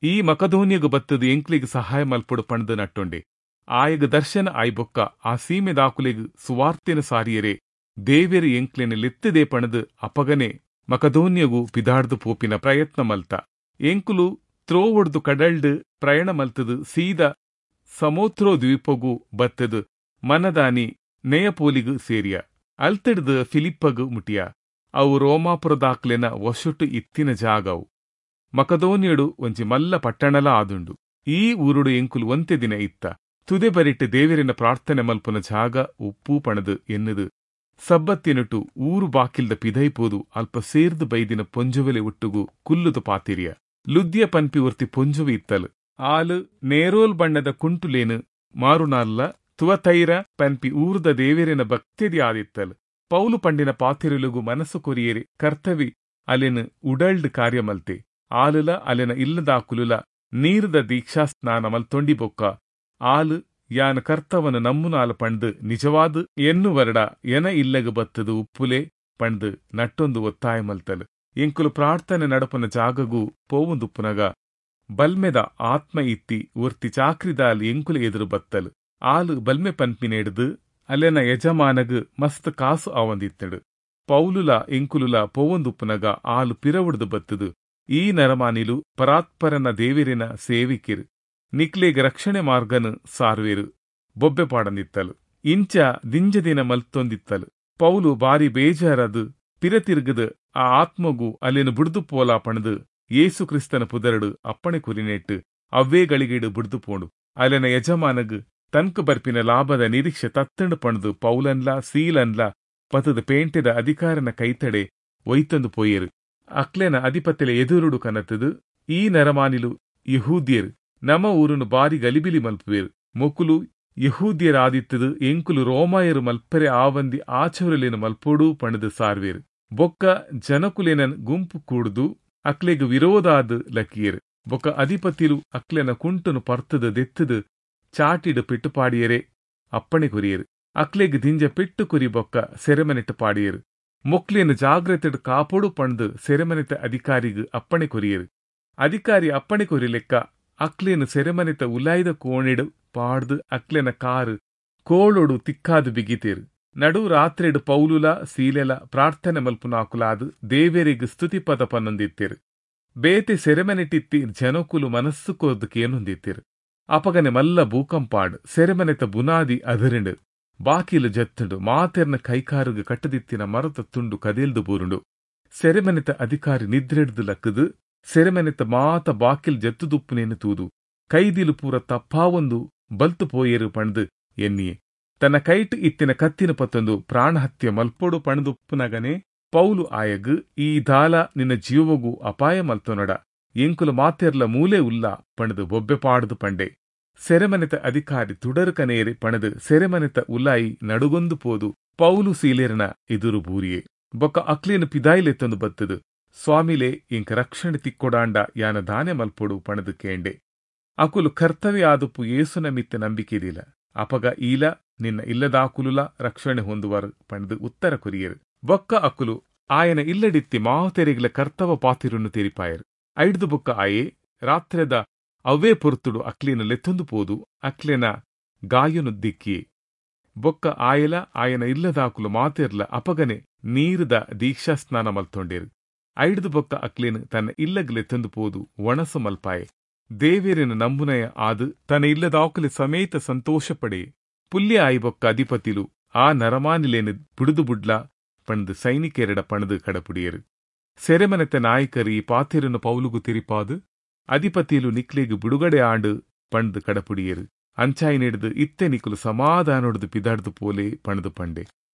ಈ ಮಕದೋನಿಯಗು ಬತ್ತದು ಎಂಕ್ಲೆಗ್ ಸಹಾಯ ಮಲ್ಪೊಡು ಪಂಡ್ದು ನಟ್ಟೊಂಡೆ. ಆಯಗ ದರ್ಶನ ಆಯ್ಬೊಕ್ಕ ಆ ಸೀಮೆ ದಾಕುಲೆಗ್ ಸುವಾರ್ತೆನ ಸಾರಿಯರೆ ದೇವೆರು ಎಂಕ್ಲೆನ ಲೆತ್ತದೇ ಪಣದು ಅಪಗನೆ ಮಕದೋನಿಯಗು ಪಿದಾಡ್ದು ಪೋಪಿನ ಪ್ರಯತ್ನ ಮಲ್ತ. ಎಂಕುಲು ತ್ರೋವೊಡ್ದು ಕಡಲ್ಡ್ ಪ್ರಯಾಣ ಮಲ್ತದು ಸೀದಾ ಸಮೋತ್ರೋ ದ್ವೀಪಗು ಬತ್ತದು ಮನದಾನಿ ನೆಯಪೋಲಿಗು ಸೇರಿಯ. ಅಲ್ತಡ್ದು ಫಿಲಿಪ್ಪಗು ಮುಟಿಯ. ಅವು ರೋಮಾಪುರದಾಕ್ಲೆನ ವಶೊಟ್ಟು ಇತ್ತಿನ ಜಾಗವು. ಮಕದೋನಿಯಡು ಒಂಜಿ ಮಲ್ಲ ಪಟ್ಟಣಲ ಆದುಂಡು. ಈ ಊರುಡು ಎಂಕುಲು ಒಂತೆ ದಿನ ಇತ್ತ. ತುದೆ ಬರಿಟ್ಟು ದೇವರಿನ ಪ್ರಾರ್ಥನೆ ಮಲ್ಪುನ ಜಾಗ ಉಪ್ಪು ಪಣದು ಎನ್ನುದು ಸಬ್ಬತ್ತಿನಟು ಊರು ಬಾಕಿಲ್ದ ಪಿದೈಪೋದು ಅಲ್ಪ ಸೇರ್ದು ಬೈದಿನ ಪೊಂಜುವೆಲೆ ಒಟ್ಟುಗು ಕುಲ್ಲುದು ಪಾತಿರಿಯ. ಲುದ್ಯ ಪನ್ಪಿ ಒರ್ತಿ ಪೊಂಜುವೆ ಇತ್ತಲು. ಆಲು ನೇರೋಲ್ ಬಣ್ಣದ ಕುಂಟುಲೇನು ಮಾರುನಾಲ್ಲ ತುವತೈರ ಪನ್ಪಿ ಊರುದ ದೇವರಿನ ಭಕ್ತಿದಿ ಆದಿತ್ತಲು. ಪೌಲು ಪಂಡಿನ ಪಾತಿರುಲುಗು ಮನಸ್ಸು ಕೊರಿಯೇರಿ ಕರ್ತವಿ ಅಲೆನು ಉಡಲ್ಡ್ ಕಾರ್ಯ ಮಲ್ತೆ. ಆಲುಲ ಅಲೆನ ಇಲ್ಲದಾಕುಲುಲ ನೀರುದ ದೀಕ್ಷಾ ಸ್ನಾನ ಮಲ್ತೊಂಡಿ ಬೊಕ್ಕ ಆಲು ಯಾನ ಕರ್ತವನ ನಮ್ಮುನಾಲ ಪಂಡ್ದು ನಿಜವಾದ ಎನ್ನುವರಡ ಎನ ಇಲ್ಲಗು ಬತ್ತದು ಉಪ್ಪುಲೆ ಪಂಡ್ದು ನಟ್ಟೊಂದು ಒತ್ತಾಯ ಮಲ್ತಲು. ಎಂಕುಲು ಪ್ರಾರ್ಥನೆ ನಡಪನ ಜಾಗಗೂ ಪೋವುಂದುಪ್ಪುನಗ ಬಲ್ಮೆದ ಆತ್ಮ ಇತ್ತಿ ಒರ್ತಿ ಚಾಕ್ರಿದಾಲ್ ಎಂಕುಲು ಎದುರು ಬತ್ತಲು. ಆಲು ಬಲ್ಮೆ ಪನ್ಪಿನೆಡ್ದು ಅಲೆನ ಯಜಮಾನಗು ಮಸ್ತ್ ಕಾಸು ಆವಂದಿತ್ತಡು. ಪೌಲುಲ ಎಂಕುಲುಲ ಪೋವೊಂದುಪ್ಪುನಗ ಆಲು ಪಿರವುಡ್ದು ಬತ್ತದು ಈ ನರಮಾನಿಲು ಪರಾತ್ಪರನ ದೇವಿರಿನ ಸೇವಿಕಿರು, ನಿಕ್ಲೇಗ್ ರಕ್ಷಣೆ ಮಾರ್ಗನು ಸಾರುವೆರು ಬೊಬ್ಬೆ ಪಾಡಂದಿತ್ತಲು. ಇಂಚ ದಿಂಜ ದಿನ ಮಲ್ತೊಂದಿತ್ತಲು. ಪೌಲು ಬಾರಿ ಬೇಜಾರದು ಪಿರತಿರುಗದು ಆ ಆತ್ಮಗು ಅಲ್ಲೇನು ಬುಡ್ದು ಪೋಲಾ ಪಣದು ಯೇಸು ಕ್ರಿಸ್ತನ ಪುದರಡು ಅಪ್ಪಣೆ ಕುರಿನೆಟ್ಟು ಅವ್ವೇ ಗಳಿಗೇಡು ಬುಡ್ದು ಪೋಂಡು. ಅಲೆನ ಯಜಮಾನಗು ತನ್ಕು ಬರ್ಪಿನ ಲಾಭದ ನಿರೀಕ್ಷೆ ತತ್ತಂಡು ಪಣದು ಪೌಲನ್ಲ ಸೀಲನ್ಲ ಪತದ ಪೇಂಟೆದ ಅಧಿಕಾರನ ಕೈತಡೆ ಒಯ್ತಂದು ಪೋಯೇರು. ಅಕ್ಲೆನ ಅಧಿಪತಿಲೆ ಎದುರುಡು ಕನತದು ಈ ನರಮಾನಿಲು ಯೆಹೂದ್ಯೆರ್ ನಮ ಊರುನು ಬಾರಿ ಗಲಿಬಿಲಿ ಮಲ್ಪುವೆರ್ ಮೊಕುಲು ಯೆಹೂದ್ಯರಾದಿತ್ತದು ಎಂಕುಲು ರೋಮಾಯರು ಮಲ್ಪೆರೆ ಆವಂದಿ ಆಚರಣೆಲೆನ್ ಮಲ್ಪೊಡು ಪಂಡ್ದ್ ಸಾರ್ವೇರ್. ಬೊಕ್ಕ ಜನಕುಲೆನನ್ ಗುಂಪು ಕೂಡ್ದು ಅಕ್ಲೆಗ್ ವಿರೋಧಾದ್ ಲಕಿಯೆರ್. ಬೊಕ್ಕ ಅಧಿಪತಿಲು ಅಕ್ಲೆನ ಕುಂಟುನು ಪರ್ತುದು ದೆತ್ತುದು ಚಾಟಿಡ್ ಪೆಟ್ಟು ಪಾಡಿಯೆರೆ ಅಪ್ಪಣೆ ಕೊರಿಯೆರ್. ಅಕ್ಲೆಗ್ ದಿಂಜ ಪೆಟ್ಟು ಕೊರಿ ಬೊಕ್ಕ ಸೆರೆಮನೆಟ್ ಪಾಡಿಯೆರ್. ಮೊಕ್ಲೆನ್ ಜಾಗ್ರತೆಡ್ ಕಾಪೊಡು ಪಂಡ್ದ್ ಸೆರೆಮನೆತ ಅಧಿಕಾರಿಗ್ ಅಪ್ಪಣೆ ಕೊರಿಯೆರ್. ಅಧಿಕಾರಿ ಅಪ್ಪಣೆ ಕೊರಿಲೆಕ್ಕ ಅಕ್ಲೆನ್ ಸೆರೆಮನೆತ ಉಲಾಯಿದ ಕೋಣೆಡ್ ಪಾಡ್ದ್ ಅಕ್ಲೆನ ಕಾರ್ ಕೋಳೊಡು ತಿಕ್ಕಾದ್ ಬಿಗಿತೆರ್. ನಡು ರಾತ್ರೆಡ್ ಪೌಲುಲಾ ಸೀಲೆಲಾ ಪ್ರಾರ್ಥನೆ ಮಲ್ಪುನಾಕುಲಾದ್ ದೇವೆರೆಗ್ ಸ್ತುತಿಪದ ಪನೊಂದಿತ್ತೆರ್. ಬೇತೆ ಸೆರೆಮನೆಟಿತ್ತಿ ಜನೊಕುಲು ಮನಸ್ ಕೊರ್ದು ಕೇನೊಂದಿತ್ತೆರ್. ಅಪಗನೆ ಮಲ್ಲ ಭೂಕಂಪ ಆಂಡ್, ಸೆರೆಮನೆತ ಬುನಾದಿ ಅದ್ರ್ಂಡ್, ಬಾಕಿಲ್ ಜತ್ತ್ಂಡ್, ಮಾತೆರ್ನ ಕೈಕಾರ್ಗ್ ಕಟ್ಟ್ದಿತ್ತಿನ ಮರತ ತುಂಡು ಕದೆಲ್ದ್ ಬೂರುಂಡು. ಸೆರೆಮನೆತ ಅಧಿಕಾರಿ ನಿದ್ರೆಡ್ದ್ ಲಕ್ಕ್ದ್ ಸೆರೆಮನೆತ ಮಾತ ಬಾಕಿಲ್ ಜತ್ತ್ದುಪ್ಪುನೆನ್ ತೂದು ಕೈದಿಲು ಪೂರ ತಪ್ಪಾವೊಂದು ಬಲ್ತ್ ಪೋಯೆರ್ ಪಂಡ್ದ್ ಎನ್ನಿಯೆ. ತನ ಕೈಟ್ ಇತ್ತಿನ ಕತ್ತಿನ್ ಪತ್ತೊಂದು ಪ್ರಾಣಹತ್ಯ ಮಲ್ಪೊಡು ಪಂಡ್ದುಪ್ಪುನಗನೇ ಪೌಲು ಆಯಗ್, ಈ ದಾಲ ನಿನ ಜೀವೊಗು ಅಪಾಯ ಮಲ್ತೊನಡ, ಎಂಕುಲು ಮಾತೆರ್ಲಾ ಮೂಲೇ ಉಲ್ಲ, ಪಂಡ್ದ್ ಬೊಬ್ಬೆ ಪಾಡ್ದ್ ಪಂಡೆ. ಸೆರೆಮನೆತ ಅಧಿಕಾರಿ ತುಡರ್ ಕನಯೆರೆ ಪಂಡ್ದ್ ಸೆರೆಮನೆತ ಉಲಯಿ ನಡುಗೊಂದು ಪೋದು ಪೌಲು ಸೀಲೆರೆನ ಎದುರು ಬೂರಿಯೆ. ಬೊಕ್ಕ ಅಕ್ಲೆನ್ ಪಿದಾಯಿ ಲೆತ್ತೊಂದು ಬತ್ತ್ದ್, ಸ್ವಾಮಿಲೇ, ಎಂಕ್ ರಕ್ಷಣೆ ತಿಕ್ಕೊಡಾಂಡ ಯಾನ್ ದಾನೆ ಮಲ್ಪೊಡು? ಪಂಡ್ದ್ ಕೇಂಡೆ. ಅಕುಲು, ಕರ್ತವೆ ಆದುಪ್ಪು ಯೇಸುನ ಮಿತ್ತ್ ನಂಬಿಕೆ ದೀಲ, ಅಪಗ ಈಲಾ ನಿನ್ನ ಇಲ್ಲದಾಕುಲುಲಾ ರಕ್ಷಣೆ ಹೊಂದುವರ್, ಪಂಡ್ದ್ ಉತ್ತರ ಕೊರಿಯೆರ್. ಬೊಕ್ಕ ಅಕುಲು ಆಯನ ಇಲ್ಲಡಿತ್ತಿ ಮಾತೆರೆಗ್ಲಾ ಕರ್ತವ ಪಾತೆರೊನು ತೆರಿಪಾಯೆರ್. ಐಡ್ದ್ ಬೊಕ್ಕ ಆಯೆ ರಾತ್ರೆದ ಅವ್ವೇ ಪೊರ್ತುಡು ಅಕ್ಲೆನ್ ಲೆತ್ತೊಂದು ಪೋದು ಅಕ್ಲೆನ ಗಾಯೊನು ದೆಕ್ಕಿಯೆ. ಬೊಕ್ಕ ಆಯೆಲಾ ಆಯನ ಇಲ್ಲದಾಕುಲು ಮಾತೆರ್ಲಾ ಅಪಗನೆ ನೀರ್ದ ದೀಕ್ಷಾಸ್ನಾನ ಮಲ್ತೊಂಡೆರ್. ಐಡ್ದ್ ಬೊಕ್ಕ ಅಕ್ಲೆನ್ ತನ ಇಲ್ಲಗ್ ಲೆತ್ತೊಂದು ಪೋದು ವಣಸ್ ಮಲ್ಪಾಯೆ. ದೇವೆರೆನ್ ನಂಬುನಾಯೆ ಆದ್ ತನ ಇಲ್ಲದಾಕುಲೆ ಸಮೇತ ಸಂತೋಷ ಪಡೆಯೆ. ಪುಲ್ಯ ಆಯಿ ಬೊಕ್ಕ ಅಧಿಪತಿಲು ಆ ನರಮಾನಿಲೆನ್ ಬುಡುದು ಬುಡ್ಲ ಪಂಡ್ದ್ ಸೈನಿಕೆರೆಡ ಪಂಡ್ದ್ ಕಡಪುಡಿಯೆರ್. ಸೆರೆಮನೆತ ನಾಯಕರ್ ಈ ಪಾತೆರೊನು ಪೌಲುಗು ತೆರಿಪಾದ್, ಅಧಿಪತಿಲು ನಿಕ್ಲೆಗ್ ಬಿಡುಗಡೆ ಆಂಡ್ ಪಂಡ್ದ್ ಕಡಪುಡಿಯೆರ್. ಅಂಚಾಯಿನೆಡ್ದ್ ಇತ್ತೆ ನಿಕುಲು ಸಮಾಧಾನೊಡ್ದು ಪಿದಾಡ್ದ್ ಪೋಲೆ ಪಂಡ್ದ್ ಪಂಡೆ.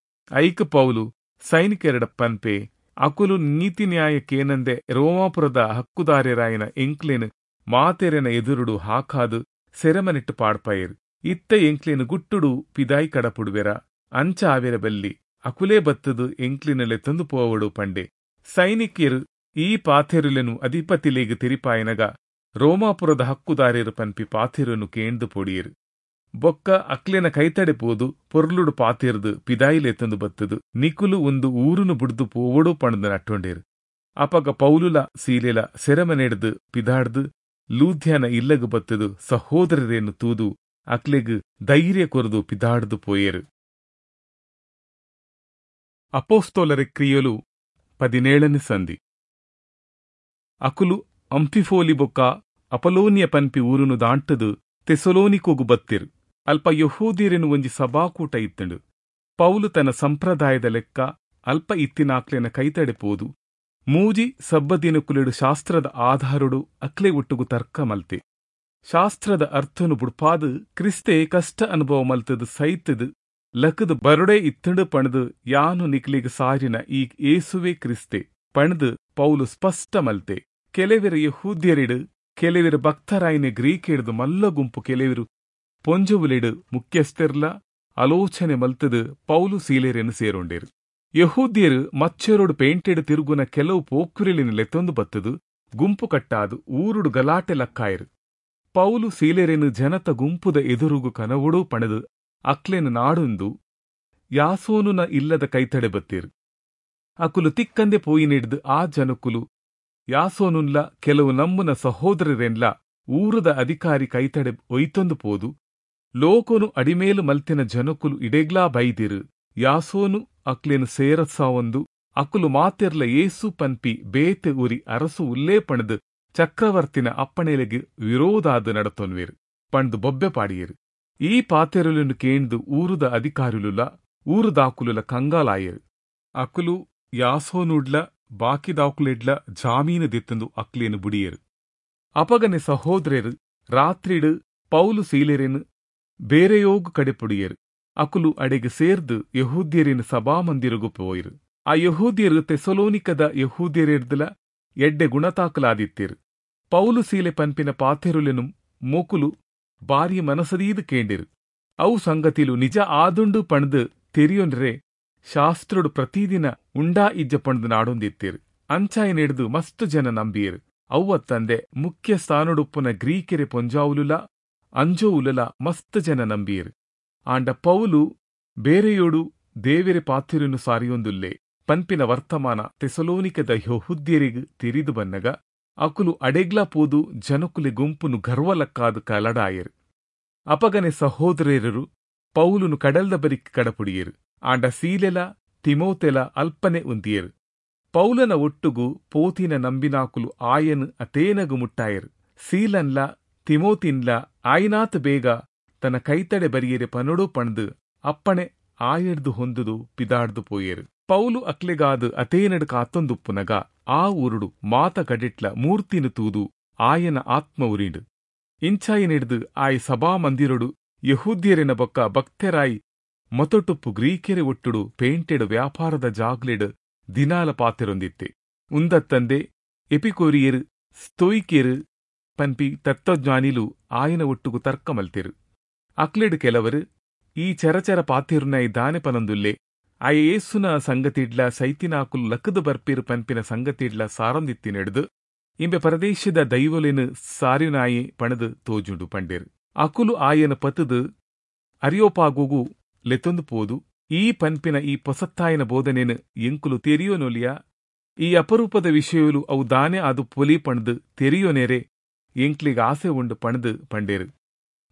ಐಕ್ ಪೌಲು ಸೈನಿಕೆರೆಡ ಪನ್ಪೆ, ಅಕುಲು ನೀತಿ ನ್ಯಾಯ ಕೇನಂದೆ ರೋಮಾಪುರದ ಹಕ್ಕುದಾರೆರಾಯಿನ ಎಂಕ್ಲೆನ್ ಮಾತೆರೆನ ಎದುರುಡು ಹಾಕಾದ್ ಸೆರೆಮನೆಟ್ ಪಾಡ್ಪಾಯೆರ್. ಇತ್ತೆ ಎಂಕ್ಲೆನ್ ಗುಟ್ಟುಡು ಪಿದಾಯಿ ಕಡಪುಡುವೆರಾ? ಅಂಚ ಆವೆರೆ ಬಲ್ಲಿ, ಅಕುಲೇ ಬತ್ತುದು ಎಂಕ್ಲೆನ್ ಲೆತ್ತೊಂದು ಪೋವೊಡು ಪಂಡೆ. ಸೈನಿಕೆರ್ ಈ ಪಾತೆರೊಲೆನ್ ಅಧಿಪತಿಲೆಗ್ ತೆರಿಪಾಯನಗ ರೋಮಾಪುರದ ಹಕ್ಕುದಾರೆರ್ ಪನ್ಪಿ ಪಾತೆರೊನು ಕೇಂಡ್ದ್ ಪೋಡಿಯೆರ್. ಬೊಕ್ಕ ಅಕ್ಲೆನ ಕೈತಡೆ ಪೋದು ಪೊರ್ಲುಡು ಪಾತೆರ್ದ್ ಪಿದಾಯಿ ಲೆತ್ತೊಂದು ಬತ್ತುದು ನಿಕುಲು ಉಂದು ಊರುನು ಬುಡ್ದು ಪೋವೊಡು ಪಂಡ್ದ್ ನಟ್ಟೊಂಡೆರ್. ಅಪಗ ಪೌಲುಲಾ ಸೀಲೆಲಾ ಸೆರೆಮನೆಡ್ದ್ ಪಿದಾಡ್ದ್ ಲೂದ್ಯನ ಇಲ್ಲಗ್ ಬತ್ತುದು ಸಹೋದರೆರೆನ್ ತೂದು ಅಕ್ಲೆಗ್ ಧೈರ್ಯ ಕೊರ್ದು ಪಿದಾಡ್ದ್ ಪೋಯೆರ್. ಅಪೊಸ್ತಲರ ಕ್ರಿಯೆಲು ಪದಿನೇಳನೇ ಸಂಧಿ. ಅಕುಲು ಅಂಫಿಫೋಲಿ ಬೊಕ್ಕ ಅಪೊಲೋನಿಯ ಪನ್ಪಿ ಊರುನು ದಾಂಟುದು ಥೆಸಲೋನಿಕೊಗು ಬತ್ತೆರ್. ಅಲ್ಪ ಯೆಹೂದ್ಯೆರೆನ ಒಂಜಿ ಸಭಾಕೂಟ ಇತ್ತ್ಂಡ್. ಪೌಲು ತನ್ನ ಸಂಪ್ರದಾಯದ ಲೆಕ್ಕ ಅಲ್ಪ ಇತ್ತಿನಾಕ್ಲೆನ ಕೈತಡೆ ಪೋದು ಮೂಜಿ ಸಬ್ಬದಿನಕುಲೆಡು ಶಾಸ್ತ್ರದ ಆಧಾರೊಡು ಅಕ್ಲೆ ಒಟ್ಟುಗು ತರ್ಕ ಮಲ್ತೆ. ಶಾಸ್ತ್ರದ ಅರ್ಥನು ಬುಡ್ಪಾದ್ ಕ್ರಿಸ್ತೆ ಕಷ್ಟ ಅನುಭವ ಮಲ್ತದ್ ಸೈತದ್ ಲಕುದು ಬರೊಡೇ ಇತ್ತ್ಂಡ್ ಪಂಡ್ದ್ ಯಾನು ನಿಕ್ಲೆಗ್ ಸಾರಿನ ಈ ಯೇಸುವೇ ಕ್ರಿಸ್ತೆ ಪಂಡ್ದ್ ಪೌಲು ಸ್ಪಷ್ಟ ಮಲ್ತೆ. ಕೆಲವೆರ್ ಯೆಹೂದ್ಯೆರೆಡ್, ಕೆಲವೆರ್ ಭಕ್ತರಾಯಿನ ಗ್ರೀಕೆಡ್ದ್ ಮಲ್ಲ ಗುಂಪು, ಕೆಲವೆರ್ ಪೊಂಜೊವುಲೆಡ್ ಮುಖ್ಯಸ್ಥೆರ್ಲ ಆಲೋಚನೆ ಮಲ್ತದ್ ಪೌಲು ಸೀಲೆರೆನ್ ಸೇರೊಂಡೆರ್. ಯೆಹೂದ್ಯೆರ್ ಮಚ್ಚರೊಡು ಪೇಂಟೆಡ್ ತಿರುಗುನ ಕೆಲವು ಪೋಕ್ರಿಲೆನ್ ಲೆತ್ತೊಂದು ಬತ್ತುದು ಗುಂಪು ಕಟ್ಟಾದ್ ಊರುಡು ಗಲಾಟೆ ಲಕ್ಕಾಯೆರ್. ಪೌಲು ಸೀಲೆರೆನ್ ಜನತ ಗುಂಪುದ ಎದುರುಗು ಕನವೊಡು ಪಂಡ್ದ್ ಅಕ್ಲೆನ್ ನಾಡೊಂದು ಯಾಸೋನುನ ಇಲ್ಲದ ಕೈತಡೆ ಬತ್ತೆರ್. ಅಕುಲು ತಿಕ್ಕಂದೆ ಪೋಯಿನೆಡ್ದ್ ಆ ಜನಕುಲು ಯಾಸೋನುನ್ಲ ಕೆಲವು ನಂಬುನ ಸಹೋದರರೆನ್ಲ ಊರುದ ಅಧಿಕಾರಿ ಕೈತಡೆ ಒಯ್ತೊಂದು ಪೋದು, ಲೋಕೊನು ಅಡಿಮೇಲು ಮಲ್ತಿನ ಜನಕುಲು ಇಡೆಗ್ಲಾ ಬೈದಿರು, ಯಾಸೋನು ಅಕ್ಲೆನ್ ಸೇರಸಾವೊಂದು ಅಕುಲು ಮಾತೆರ್ಲ ಯೇಸು ಪನ್ಪಿ ಬೇತೆ ಉರಿ ಅರಸು ಉಲ್ಲೇ ಪಂಡ್ದ್ ಚಕ್ರವರ್ತಿನ ಅಪ್ಪಣೆಲೆಗ್ ವಿರೋಧಾದ್ ನಡತೊನ್ವೆರ್ ಪಂಡ್ದ್ ಬೊಬ್ಬೆ ಪಾಡಿಯೆರ್. ಈ ಪಾತೆರೊಲೆನ್ ಕೇಂದ್ ಊರುದ ಅಧಿಕಾರಿಲುಲ ಊರುದಾಕುಲುಲ ಕಂಗಾಲಾಯೆರ್. ಅಕುಲು ಯಾಸೋನುಡ್ಲ ಬಾಕಿದಾಕುಲೆಡ್ಲ ಜಾಮೀನು ದೆತ್ತೊಂದು ಅಕ್ಲೆನ್ ಬುಡಿಯೆರ್. ಅಪಗನೆ ಸಹೋದ್ರೆರ್ ರಾತ್ರಿಡ್ ಪೌಲು ಸೀಲೆರೆನ್ ಬೇರೆಯೋಗು ಕಡೆಪುಡಿಯೆರ್. ಅಕುಲು ಅಡೆಗ್ ಸೇರ್ದ್ ಯೆಹೂದ್ಯೆರೆನ ಸಭಾಮಂದಿರೊಗು ಪೋಯೆರ್. ಆ ಯೆಹೂದ್ಯೆರ್ ಥೆಸಲೋನಿಕದ ಯೆಹೂದ್ಯೆರೆಡ್ದ್ಲ ಎಡ್ಡೆ ಗುಣತಾಕಲಾದಿತ್ತೀರ್. ಪೌಲು ಸೀಲೆ ಪನ್ಪಿನ ಪಾತೆರುಲೆನು ಮೋಕುಲು ಬಾರಿ ಮನಸದೀದು ಕೇಂಡಿರು. ಅವು ಸಂಗತಿಲು ನಿಜ ಆದುಂಡು ಪಣ್ದು ತೆರಿಯೊನ್ರೆ ಶಾಸ್ತ್ರೋಡು ಪ್ರತಿದಿನ ಉಂಡಾ ಇಜ್ಜ ಪಣ್ದು ನಾಡೊಂದಿತ್ತೀರ್. ಅಂಚಾಯನೆಡ್ದು ಮಸ್ತು ಜನ ನಂಬಿಯರು. ಅವ್ವತ್ತಂದೆ ಮುಖ್ಯ ಸ್ಥಾನೊಡುಪ್ಪುನ ಗ್ರೀಕೆರೆ ಪೊಂಜಾವುಲುಲ ಅಂಜೋವುಲುಲ ಮಸ್ತ್ ಜನ ನಂಬಿಯರು. ಆಂಡ ಪೌಲು ಬೇರೆಯೋಡು ದೇವೆರೆ ಪಾತೆರುನು ಸಾರಿಯೊಂದುಲ್ಲೆ ಪನ್ಪಿನ ವರ್ತಮಾನ ತೆಸಲೋನಿಕದ ಯೆಹೂದ್ಯರಿಗ್ ತೆರಿದು ಬನ್ನಗ ಅಕುಲು ಅಡೆಗ್ಲ ಪೋದು ಜನಕುಲೆ ಗುಂಪುನು ಗರ್ವಲಕ್ಕಾದು ಕಲಡಾಯರು. ಅಪಗನೆ ಸಹೋದರರು ಪೌಲುನು ಕಡಲ್ದ ಬರಿಕ್ ಕಡಪುಡಿಯರು. ಆಂಡ ಸೀಲೆಲ ತಿಮೋತೆಲ ಅಲ್ಪನೆ ಉಂತಿಯರು. ಪೌಲನ ಒಟ್ಟುಗು ಪೋತಿನ ನಂಬಿನಾಕುಲು ಆಯನ್ ಅತೇನಗು ಮುಟ್ಟಾಯರು. ಸೀಲನ್ಲ ತಿಮೋತಿನ್ಲ ಆಯಿನಾತ್ ಬೇಗ ತನ್ನ ಕೈತಡೆ ಬರಿಯರೆ ಪನೊಡು ಪಣ್ದು ಅಪ್ಪಣೆ ಆಯಡ್ದು ಹೊಂದುದು ಪಿದಾಡ್ದು ಪೋಯೆರು. ಪೌಲು ಅಕ್ಲೆಗಾದು ಅತೇನಡು ಕಾತೊಂದುಪ್ಪುನಗ ಆ ಊರುಡು ಮಾತ ಕಡೆಟ್ಲ ಮೂರ್ತಿನು ತೂದು ಆಯನ ಆತ್ಮ ಉರಿಂಡು. ಇಂಚಾಯನಿಡ್ದು ಆಯ್ ಸಭಾ ಮಂದಿರೊಡು ಯಹೂದ್ಯರೆನ ಬೊಕ್ಕ ಭಕ್ತೆರಾಯಿ ಮೊತೊಟುಪ್ಪು ಗ್ರೀಕೆರೆ ಒಟ್ಟುಡು ಪೇಂಟೆಡು ವ್ಯಾಪಾರದ ಜಾಗ್ಲೆಡು ದಿನಾಲ ಪಾತೆರೊಂದಿತ್ತೆ. ಉಂದತ್ತಂದೆ ಎಪಿಕೋರಿಯರು ಸ್ತೋಯಿಕೆರು ಪನ್ಪಿ ತತ್ವಜ್ಞಾನಿಲು ಆಯನ ಒಟ್ಟುಗು ತರ್ಕ ಮಲ್ತೆರು. ಅಕ್ಲೆಡು ಕೆಲವರು ಈ ಚರಚರ ಪಾತೆರುನೈ ದಾನೆ ಪನಂದುಲ್ಲೆ, ಆಯ ಏಸುನ ಸಂಗತಿಡ್ಲ ಸೈತಿನಾಕುಲು ಲಕ್ಕದು ಬರ್ಪಿರು ಪನ್ಪಿನ ಸಂಗತಿಡ್ಲ ಸಾರಂದಿತ್ತಿನೆಡ್ದು ಇಂಬೆ ಪರದೇಶದ ದೈವೊಲೆನು ಸಾರಿನಾಯಿ ಪಣದು ತೋಜುಂಡು ಪಂಡೇರು. ಅಕುಲು ಆಯನ ಪತದು ಅರಿಯೋಪಾಗುಗು ಲೆತ್ತೊಂದು ಪೋದು ಈ ಪನ್ಪಿನ ಈ ಪೊಸತ್ತಾಯನ ಬೋಧನೆನು ಎಂಕುಲು ತೆರಿಯೋನೊಲಿಯ, ಈ ಅಪರೂಪದ ವಿಷಯಲು ಅವು ದಾನೆ ಅದು ಪೊಲಿ ಪಣದು ತೆರಿಯೋನೆರೆ ಎಂಕ್ಲಿಗ ಆಸೆ ಉಂಡು ಪಣದು ಪಂಡೇರು.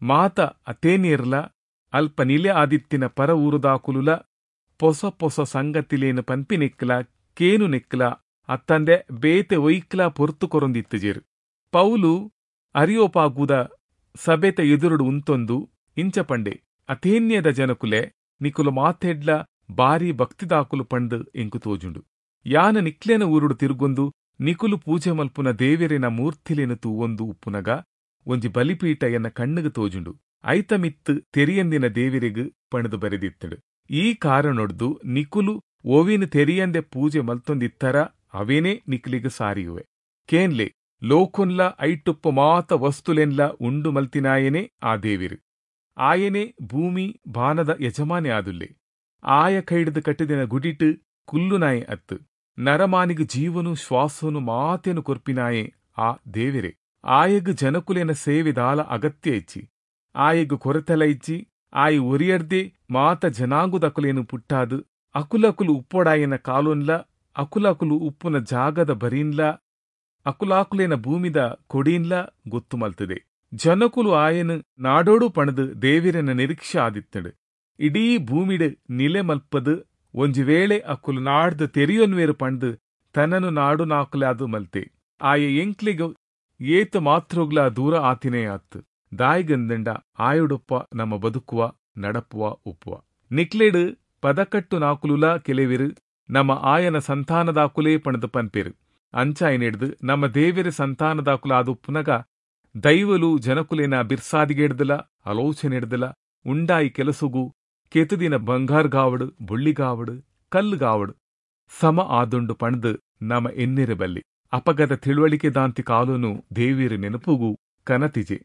ಮಾತ ಅತೇನೇರ್ಲ ಅಲ್ಪ ನಿಲೆ ಆದಿತ್ತಿನ ಪರ ಊರುದಾಕುಲುಲ ಪೊಸ ಪೊಸ ಸಂಗತಿಲೇನು ಪನ್ಪಿನೆಕ್ಲ ಕೇನು ನೆಕ್ಲ ಅತ್ತಂದೆ ಬೇತೆ ಒಯ್ಕ್ಲ ಪೊರ್ತು ಕೊರೊಂದಿತ್ತುಜೇರು. ಪೌಲು ಅರಿಯೋಪಾಗುದ ಸಭೆತ ಎದುರುಡು ಉಂತೊಂದು ಇಂಚ ಪಂಡೆ, ಅಥೇನ್ಯದ ಜನಕುಲೆ ನಿಕುಲು ಮಾತೆಡ್ಲ ಬಾರಿ ಭಕ್ತಿದಾಕುಲು ಪಂಡು ಎಂಕು ತೋಜುಂಡು. ಯಾನ ನಿಕ್ಲೆನ ಊರುಡು ತಿರುಗೊಂದು ನಿಕುಲು ಪೂಜೆ ಮಲ್ಪುನ ದೇವೆರೆನ ಮೂರ್ತಿಲೆನು ತೂವೊಂದು ಉಪ್ಪುನಗ ಒಂಜಿ ಬಲಿಪೀಠ ಎನ್ನ ಕಣ್ಣುಗು ತೋಜುಂಡು. ಐತ ಮಿತ್ತು ತೆರಿಯಂದಿನ ದೇವೆರೆಗ್ ಪಣದು ಬರೆದಿತ್ತಡು. ಈ ಕಾರಣೊಡ್ದು ನಿಕುಲು ಓವಿನ ತೆರಿಯಂದೆ ಪೂಜೆ ಮಲ್ತೊಂದಿತ್ತರ ಅವೇನೇ ನಿಕ್ಲಿಗ್ ಸಾರಿಯುವೆ. ಕೇನ್ಲೆ ಲೋಕೊನ್ಲ ಐಟುಪ್ಪ ಮಾತ ವಸ್ತುಲೆನ್ಲ ಉಂಡು ಮಲ್ತಿನಾಯನೇ ಆ ದೇವಿರು. ಆಯನೇ ಭೂಮಿ ಬಾನದ ಯಜಮಾನೆ ಆದುಲ್ಲೆ. ಆಯ ಕೈಡ್ದು ಕಟ್ಟಿದಿನ ಗುಡಿಟು ಕುಲ್ಲುನಾಯೆ ಅತ್ತು. ನರಮಾನಿಗೆ ಜೀವನು ಶ್ವಾಸನು ಮಾತೇನು ಕೊರ್ಪಿನಾಯೆ ಆ ದೇವಿರೆ. ಆಯಗ್ ಜನಕುಲೆನ ಸೇವೆದಾಲ ಅಗತ್ಯ ಇಚ್ಚಿ, ಆಯಗ್ ಕೊರತೆಲ ಇಚ್ಚಿ, ಆಯ್ ಒರಿಯರ್ದೆ ಮಾತ ಜನಾಂಗುದಕುಲೇನು ಪುಟ್ಟಾದು ಅಕುಲಕುಲು ಉಪ್ಪೊಡಾಯನ ಕಾಲೊನ್ಲ ಅಕುಲಕುಲು ಉಪ್ಪುನ ಜಾಗದ ಬರೀನ್ಲ ಅಕುಲಾಕುಲೇನ ಭೂಮಿದ ಕೊಡೀನ್ಲ ಗೊತ್ತು ಮಲ್ತದೆ. ಜನಕುಲು ಆಯನು ನಾಡೋಡು ಪಣದು ದೇವಿರನ ನಿರೀಕ್ಷೆ ಆದಿತ್ತಡು. ಇಡೀ ಭೂಮಿಡು ನಿಲೆ ಮಲ್ಪದು ಒಂಜಿ ವೇಳೆ ಅಕುಲು ನಾಡ್ದು ತೆರಿಯೊನ್ವೇರು ಪಣದು ತನ್ನನು ನಾಡು ನಾಕುಲಾದು ಮಲ್ತೆ. ಆಯ ಎಂಕ್ಲಿಗ ಏತು ಮಾತ್ರೊಗ್ಲ ದೂರ ಆತಿನೇ ಆತ್ತು. ದಾಯಿಗಂದಂಡ ಆಯುಡೊಪ್ಪ ನಮ್ಮ ಬದುಕುವ ನಡಪುವ ಉಪ್ಪುವ ನಿಕ್ಲೆಡು ಪದಕಟ್ಟು ನಾಕುಲುಲ ಕೆಲವಿರು ನಮ್ಮ ಆಯನ ಸಂತಾನದಾಕುಲೇ ಪಣದು ಪನ್ಪೇರು. ಅಂಚಾಯನೆಡ್ದು ನಮ್ಮ ದೇವಿರ ಸಂತಾನದಾಕುಲ ಆದುಪ್ಪುನಗ ದೈವಲು ಜನಕುಲೇನ ಬಿರ್ಸಾದಿಗೆಡ್ದಲ ಆಲೋಚನೆಡ್ದಲ ಉಂಡಾಯಿ ಕೆಲಸುಗು ಕೆತುದಿನ ಬಂಗಾರ್ಗಾವಡು ಬುಳ್ಳಿಗಾವಡು ಕಲ್ಲುಗಾವಡು ಸಮ ಆದುಂಡು ಪಣದು ನಮ ಎನ್ನಿರಬಲ್ಲಿ. ಅಪಗದ ತಿಳುವಳಿಕೆ ದಾಂತಿ ಕಾಲುನು ದೇವಿರ ನೆನಪುಗು ಕನತಿಜೆ.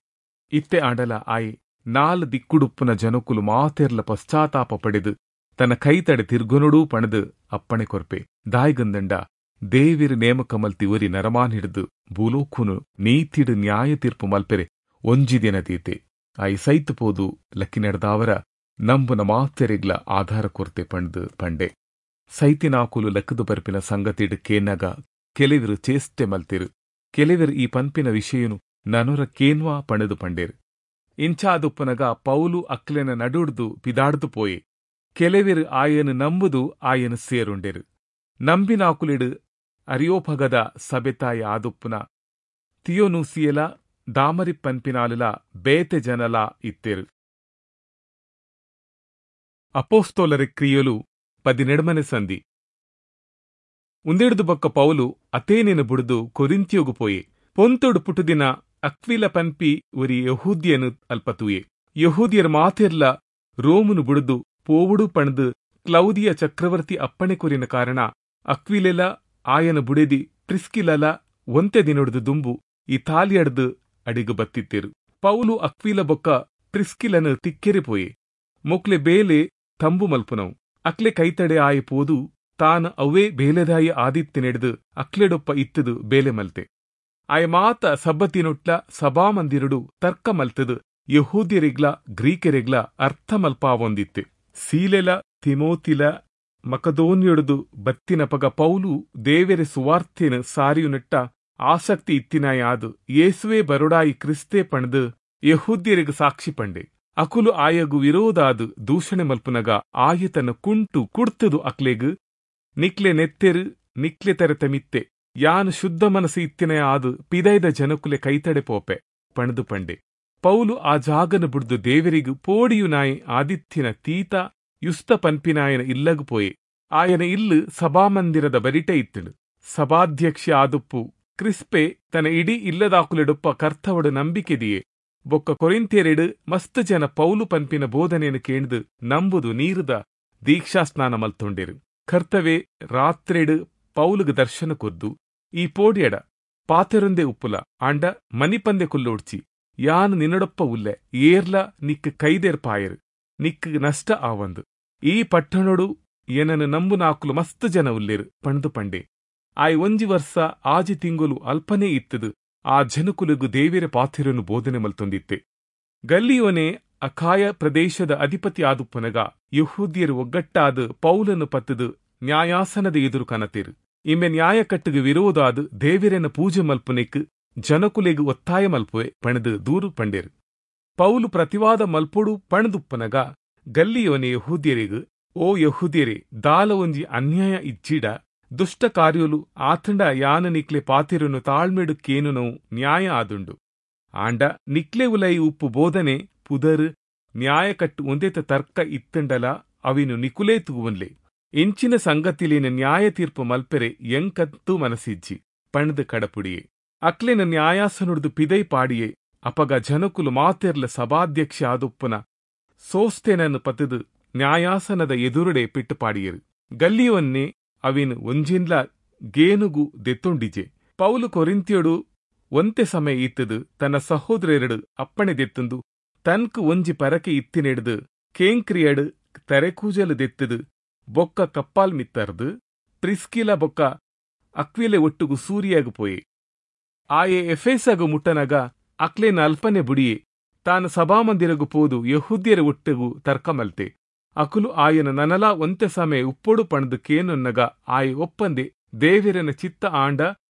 ಇತ್ತೆ ಆಂಡಲ ಆಯೆ ನಾಲ್ ದಿಕ್ಕುಡುಪ್ಪುನ ಜನಕುಲು ಮಾತೆರ್ಲ ಪಶ್ಚಾತ್ತಾಪ ಪಡೆದು ತನ್ನ ಕೈತಡೆ ತಿರ್ಗುನುಡೂ ಪಣದು ಅಪ್ಪಣೆ ಕೊರ್ಪೆ. ದಾಯಿಗಂದಂಡ ದೇವಿರ ನೇಮಕ ಮಲ್ತಿ ಒರಿ ನರಮಾನ್ ಹಿಡಿದು ಭೂಲೋಕುನು ನೀತಿಡು ನ್ಯಾಯ ತೀರ್ಪು ಮಲ್ಪೆರೆ ಒಂಜಿ ದಿನ ತೀತೆ. ಆಯಿ ಸೈತು ಪೋದು ಲಕ್ಕಿ ನಡೆದಾವರ ನಂಬುನ ಮಾತೆರೆಗ್ಲ ಆಧಾರ ಕೊರ್ತೆ ಪಂಡ್ದು ಪಂಡೆ. ಸೈತಿನಾಕುಲು ಲಕ್ಕದು ಬರ್ಪಿನ ಸಂಗತಿಡು ಕೇನಗ ಕೆಲವರು ಚೇಷ್ಟೆ ಮಲ್ತಿರು, ಕೆಲವರು ಈ ಪನ್ಪಿನ ವಿಷಯನು ನನೊರ ಕೇನ್ವಾ ಪಣದು ಪಂಡೇರು. ಇಂಚಾದುಪ್ಪನಗ ಪೌಲು ಅಕ್ಲೆನ ನಡುಡ್ದು ಪಿದಾಡ್ದು ಪೋಯೆ. ಕೆಲವರು ಆಯನು ನಂಬುದು ಆಯನು ಸೇರುಂಡೆರು. ನಂಬಿನಾಕುಲಿಡು ಅರಿಯೋಪಗದ ಸಬೆತಾಯ ಆದುಪ್ಪುನ ತಿಯೋನೂಸಿಯಲ ದಾಮರಿ ಪನ್ಪಿನಾಲುಲ ಬೇತೆ ಜನಲ ಇತ್ತೆರು. ಅಪೋಸ್ತೋಲರ ಕ್ರಿಯಲು ಪದಿನೆಡ್ಮನೆ ಸಂಧಿ. ಉಂದೆಡ್ದು ಬೊಕ್ಕ ಪೌಲು ಅತೇನೆನು ಬುಡ್ದು ಕೊರಿಂತಿಯೋಗು ಪೋಯೆ. ಪೊಂತೊಡು ಪುಟುದಿನ ಅಕ್ವಿಲ ಪನ್ಪಿ ಒರಿ ಯಹೂದ್ಯನು ಅಲ್ಪತೂಯೆ. ಯಹೂದ್ಯರ ಮಾತೆರ್ಲ ರೋಮನು ಬುಡ್ದು ಪೋವುಡು ಪಣ್ದು ಕ್ಲೌದಿಯ ಚಕ್ರವರ್ತಿ ಅಪ್ಪಣೆ ಕೊರಿನ ಕಾರಣ ಅಕ್ವಿಲೆಲ ಆಯನ ಬುಡೆದಿ ಪ್ರಿಸ್ಕಿಲಲ ಒಂತೆ ದಿನೊಡ್ದು ದುಂಬು ಇತಾಲಿಯಡ್ದು ಅಡಿಗು ಬತ್ತಿತ್ತೇರು. ಪೌಲು ಅಕ್ವಿಲ ಬೊಕ್ಕ ಪ್ರಿಸ್ಕಿಲನು ತಿಕ್ಕೆರೆ ಪೋಯೆ. ಮೊಕ್ಲೆ ಬೇಲೆ ತಂಬು ಮಲ್ಪುನವು. ಅಕ್ಲೆ ಕೈತಡೆ ಆಯಿ ಪೋದು ತಾನು ಅವೇ ಬೇಲೆದಾಯಿ ಆದಿತ್ತಿನೆಡ್ದು ಅಕ್ಲೆಡೊಪ್ಪ ಇತ್ತದು ಬೇಲೆ ಮಲ್ತೆ. ಆಯ ಮಾತ ಸಬ್ಬತಿನೊಟ್ಲ ಸಭಾಮಂದಿರುಡು ತರ್ಕ ಮಲ್ತದು ಯಹೂದ್ಯರಿಗ್ಲ ಗ್ರೀಕರಿಗ್ಲ ಅರ್ಥ ಮಲ್ಪಾವೊಂದಿತ್ತೆ. ಸೀಲೆಲ ತಿಮೋತಿಲ ಮಕದೋನ್ಯೊಡುದು ಬತ್ತಿನಪಗ ಪೌಲು ದೇವೆರೆ ಸುವಾರ್ಥೆನು ಸಾರಿಯುನೆಟ್ಟ ಆಸಕ್ತಿ ಇತ್ತಿನಾಯಾದು ಯೇಸುವೆ ಬರೊಡಾಯಿ ಕ್ರಿಸ್ತೆ ಪಣ್ದು ಯಹೂದ್ಯರಿಗೆ ಸಾಕ್ಷಿ ಪಂಡೆ. ಅಕುಲು ಆಯಗು ವಿರೋಧಾದು ದೂಷಣೆ ಮಲ್ಪುನಗ ಆಯ ತನ್ನ ಕುಂಟು ಕುಡ್ತದು ಅಕ್ಲೆಗು ನಿಕ್ಲೆ ನೆತ್ತೆರು ನಿಕ್ಲೆ ತೆರೆತ ಮಿತ್ತೆ ಯಾನು ಶುದ್ಧ ಮನಸ್ಸು ಇತ್ತಿನ ಆದು ಪಿದೈದ ಜನಕುಲೆ ಕೈತಡೆ ಪೋಪೆ ಪಣದು ಪಂಡೆ. ಪೌಲು ಆ ಜಾಗನ ಬುಡ್ದು ದೇವರಿಗು ಪೋಡಿಯು ನಾಯಿ ಆದಿತ್ಯನ ತೀತ ಯುಸ್ತ ಪನ್ಪಿನಾಯನ ಇಲ್ಲಗು ಪೋಯೆ. ಆಯನ ಇಲ್ಲು ಸಭಾಮಂದಿರದ ಬರಿಟೆ ಇತ್ತಳು. ಸಭಾಧ್ಯಕ್ಷ ಆದುಪ್ಪು ಕ್ರಿಸ್ಪೆ ತನ್ನ ಇಡೀ ಇಲ್ಲದಾಕುಲೆಡೊಪ್ಪ ಕರ್ತವಡು ನಂಬಿಕೆದಿಯೇ. ಬೊಕ್ಕ ಕೊರಿಂಥ್ಯರೆಡು ಮಸ್ತ್ ಜನ ಪೌಲು ಪನ್ಪಿನ ಬೋಧನೆಯನ್ನು ಕೇಂದು ನಂಬುದು ನೀರುದ ದೀಕ್ಷಾಸ್ನಾನ ಮಲ್ತೊಂಡೇರು. ಕರ್ತವೆ ರಾತ್ರೆಡು ಪೌಲುಗು ದರ್ಶನ ಕೊರ್ದು ಈ ಪೋಡಿಯಡ ಪಾತೆರೊಂದೇ ಉಪ್ಪುಲ ಆಂಡ ಮನಿಪಂದೆ ಕುಲ್ಲೋಡ್ಚಿ ಯಾನು ನಿನ್ನಡೊಪ್ಪ ಉಲ್ಲೆ ಏರ್ಲ ನಿಕ್ಕು ಕೈದೇರ್ಪಾಯರು ನಿಕ್ಕು ನಷ್ಟ ಆವಂದು ಈ ಪಟ್ಟಣೊಡು ಏನನು ನಂಬು ನಾಕುಲು ಮಸ್ತ್ ಜನ ಉಲ್ಲೇರು ಪಂಡು ಪಂಡೆ. ಆಯ್ ಒಂಜಿ ವರ್ಷ ಆಜಿ ತಿಂಗುಲು ಅಲ್ಪನೇ ಇತ್ತದು ಆ ಜನಕುಲುಗು ದೇವಿರ ಪಾಥಿರನು ಬೋಧನೆ ಮಲ್ತೊಂದಿತ್ತೆ. ಗಲ್ಲಿಯೋನೆ ಅಖಾಯ ಪ್ರದೇಶದ ಅಧಿಪತಿ ಆದುಪ್ಪನಗ ಯಹೂದ್ಯರು ಒಗ್ಗಟ್ಟಾದ ಪೌಲನ್ನು ಪತ್ತದು ನ್ಯಾಯಾಸನದ ಎದುರು ಕನತೇರು. ಇಮ್ಮೆ ನ್ಯಾಯಕಟ್ಟುಗು ವಿರೋಧಾದು ದೇವಿರನ ಪೂಜೆ ಮಲ್ಪುನೆಕ್ ಜನಕುಲೆಗು ಒತ್ತಾಯ ಮಲ್ಪುವೆ ಪಣದು ದೂರು ಪಂಡೇರು. ಪೌಲು ಪ್ರತಿವಾದ ಮಲ್ಪೊಡು ಪಣದುಪ್ಪನಗ ಗಲ್ಲಿಯೋನೆ ಯಹೂದ್ಯರಿಗು ಓ ಯಹೂದ್ಯರೇ ದಾಲ ಒಂಜಿ ಅನ್ಯಾಯ ಇಜ್ಜಿಡ ದುಷ್ಟ ಕಾರ್ಯಲು ಆತಂಡ ಯಾನ ನಿಕ್ಲೆ ಪಾತಿರನು ತಾಳ್ಮೆಡು ಕೇನುನವು ನ್ಯಾಯ ಆದುಂಡು. ಆಂಡ ನಿಕ್ಲೆ ಉಲೈ ಉಪ್ಪು ಬೋಧನೆ ಪುದರ್ ನ್ಯಾಯಕಟ್ಟು ಒಂದೇತ ತರ್ಕ ಇತ್ತಂಡಲ ಅವಿನು ನಿಕುಲೇ ತೂವನ್ಲೆ ಇಂಚಿನ ಸಂಗತಿಲೇನ ನ್ಯಾಯ ತೀರ್ಪು ಮಲ್ಪೆರೆ ಎಂಕತ್ತು ಮನಸಿಜ್ಜಿ ಪಣದು ಕಡಪುಡಿಯೆ. ಅಕ್ಲೆನ ನ್ಯಾಯಾಸನುಡ್ದು ಪಿದೈ ಪಾಡಿಯೆ. ಅಪಗ ಜನಕುಲು ಮಾತೆರ್ಲ ಸಭಾಧ್ಯಕ್ಷ ಆದುಪ್ಪನ ಸೋಸ್ತೆನನ್ನು ಪತದು ನ್ಯಾಯಾಸನದ ಎದುರುಡೆ ಪಿಟ್ಟು ಪಾಡಿಯರು. ಗಲ್ಲಿಯವನ್ನೇ ಅವಿನ್ ಒಂಜಿನ್ಲ ಗೇನುಗು ದೆತ್ತೊಂಡಿಜೆ. ಪೌಲು ಕೊರಿಂತಿಯೊಡು ಒಂತೆ ಸಮಯ ಇತ್ತದು ತನ್ನ ಸಹೋದರೆರಡು ಅಪ್ಪಣೆ ದೆತ್ತಂದು ತನ್ಕು ಒಂಜಿ ಪರಕೆ ಇತ್ತಿನೆಡ್ದು ಕೇಂಕ್ರಿಯಡು ತರೆಕೂಜಲು ದೆತ್ತದು ಬೊಕ್ಕ ಕಪ್ಪಾಲ್ ಮಿತ್ತರ್ದು ಪ್ರಿಸ್ಕಿಲ ಬೊಕ್ಕ ಅಕ್ವಿಲೆ ಒಟ್ಟುಗು ಸೂರಿಯಾಗು ಪೋಯೆ. ಆಯೆ ಎಫೇಸಗು ಮುಟ್ಟನಗ ಅಕ್ಲೇನ ಅಲ್ಪನೆ ಬುಡಿಯೆ. ತಾನು ಸಭಾಮಂದಿರಗು ಪೋದು ಯಹೂದ್ಯರ ಒಟ್ಟುಗು ತರ್ಕಮಲ್ತೆ. ಅಕುಲು ಆಯನ ನನಲಾ ಒಂತೆ ಸಮಯ ಉಪ್ಪೊಡು ಪಣದು ಕೇನೊನ್ನಗ ಆಯೆ ಒಪ್ಪಂದೆ ದೇವಿರನ ಚಿತ್ತ ಆಂಡ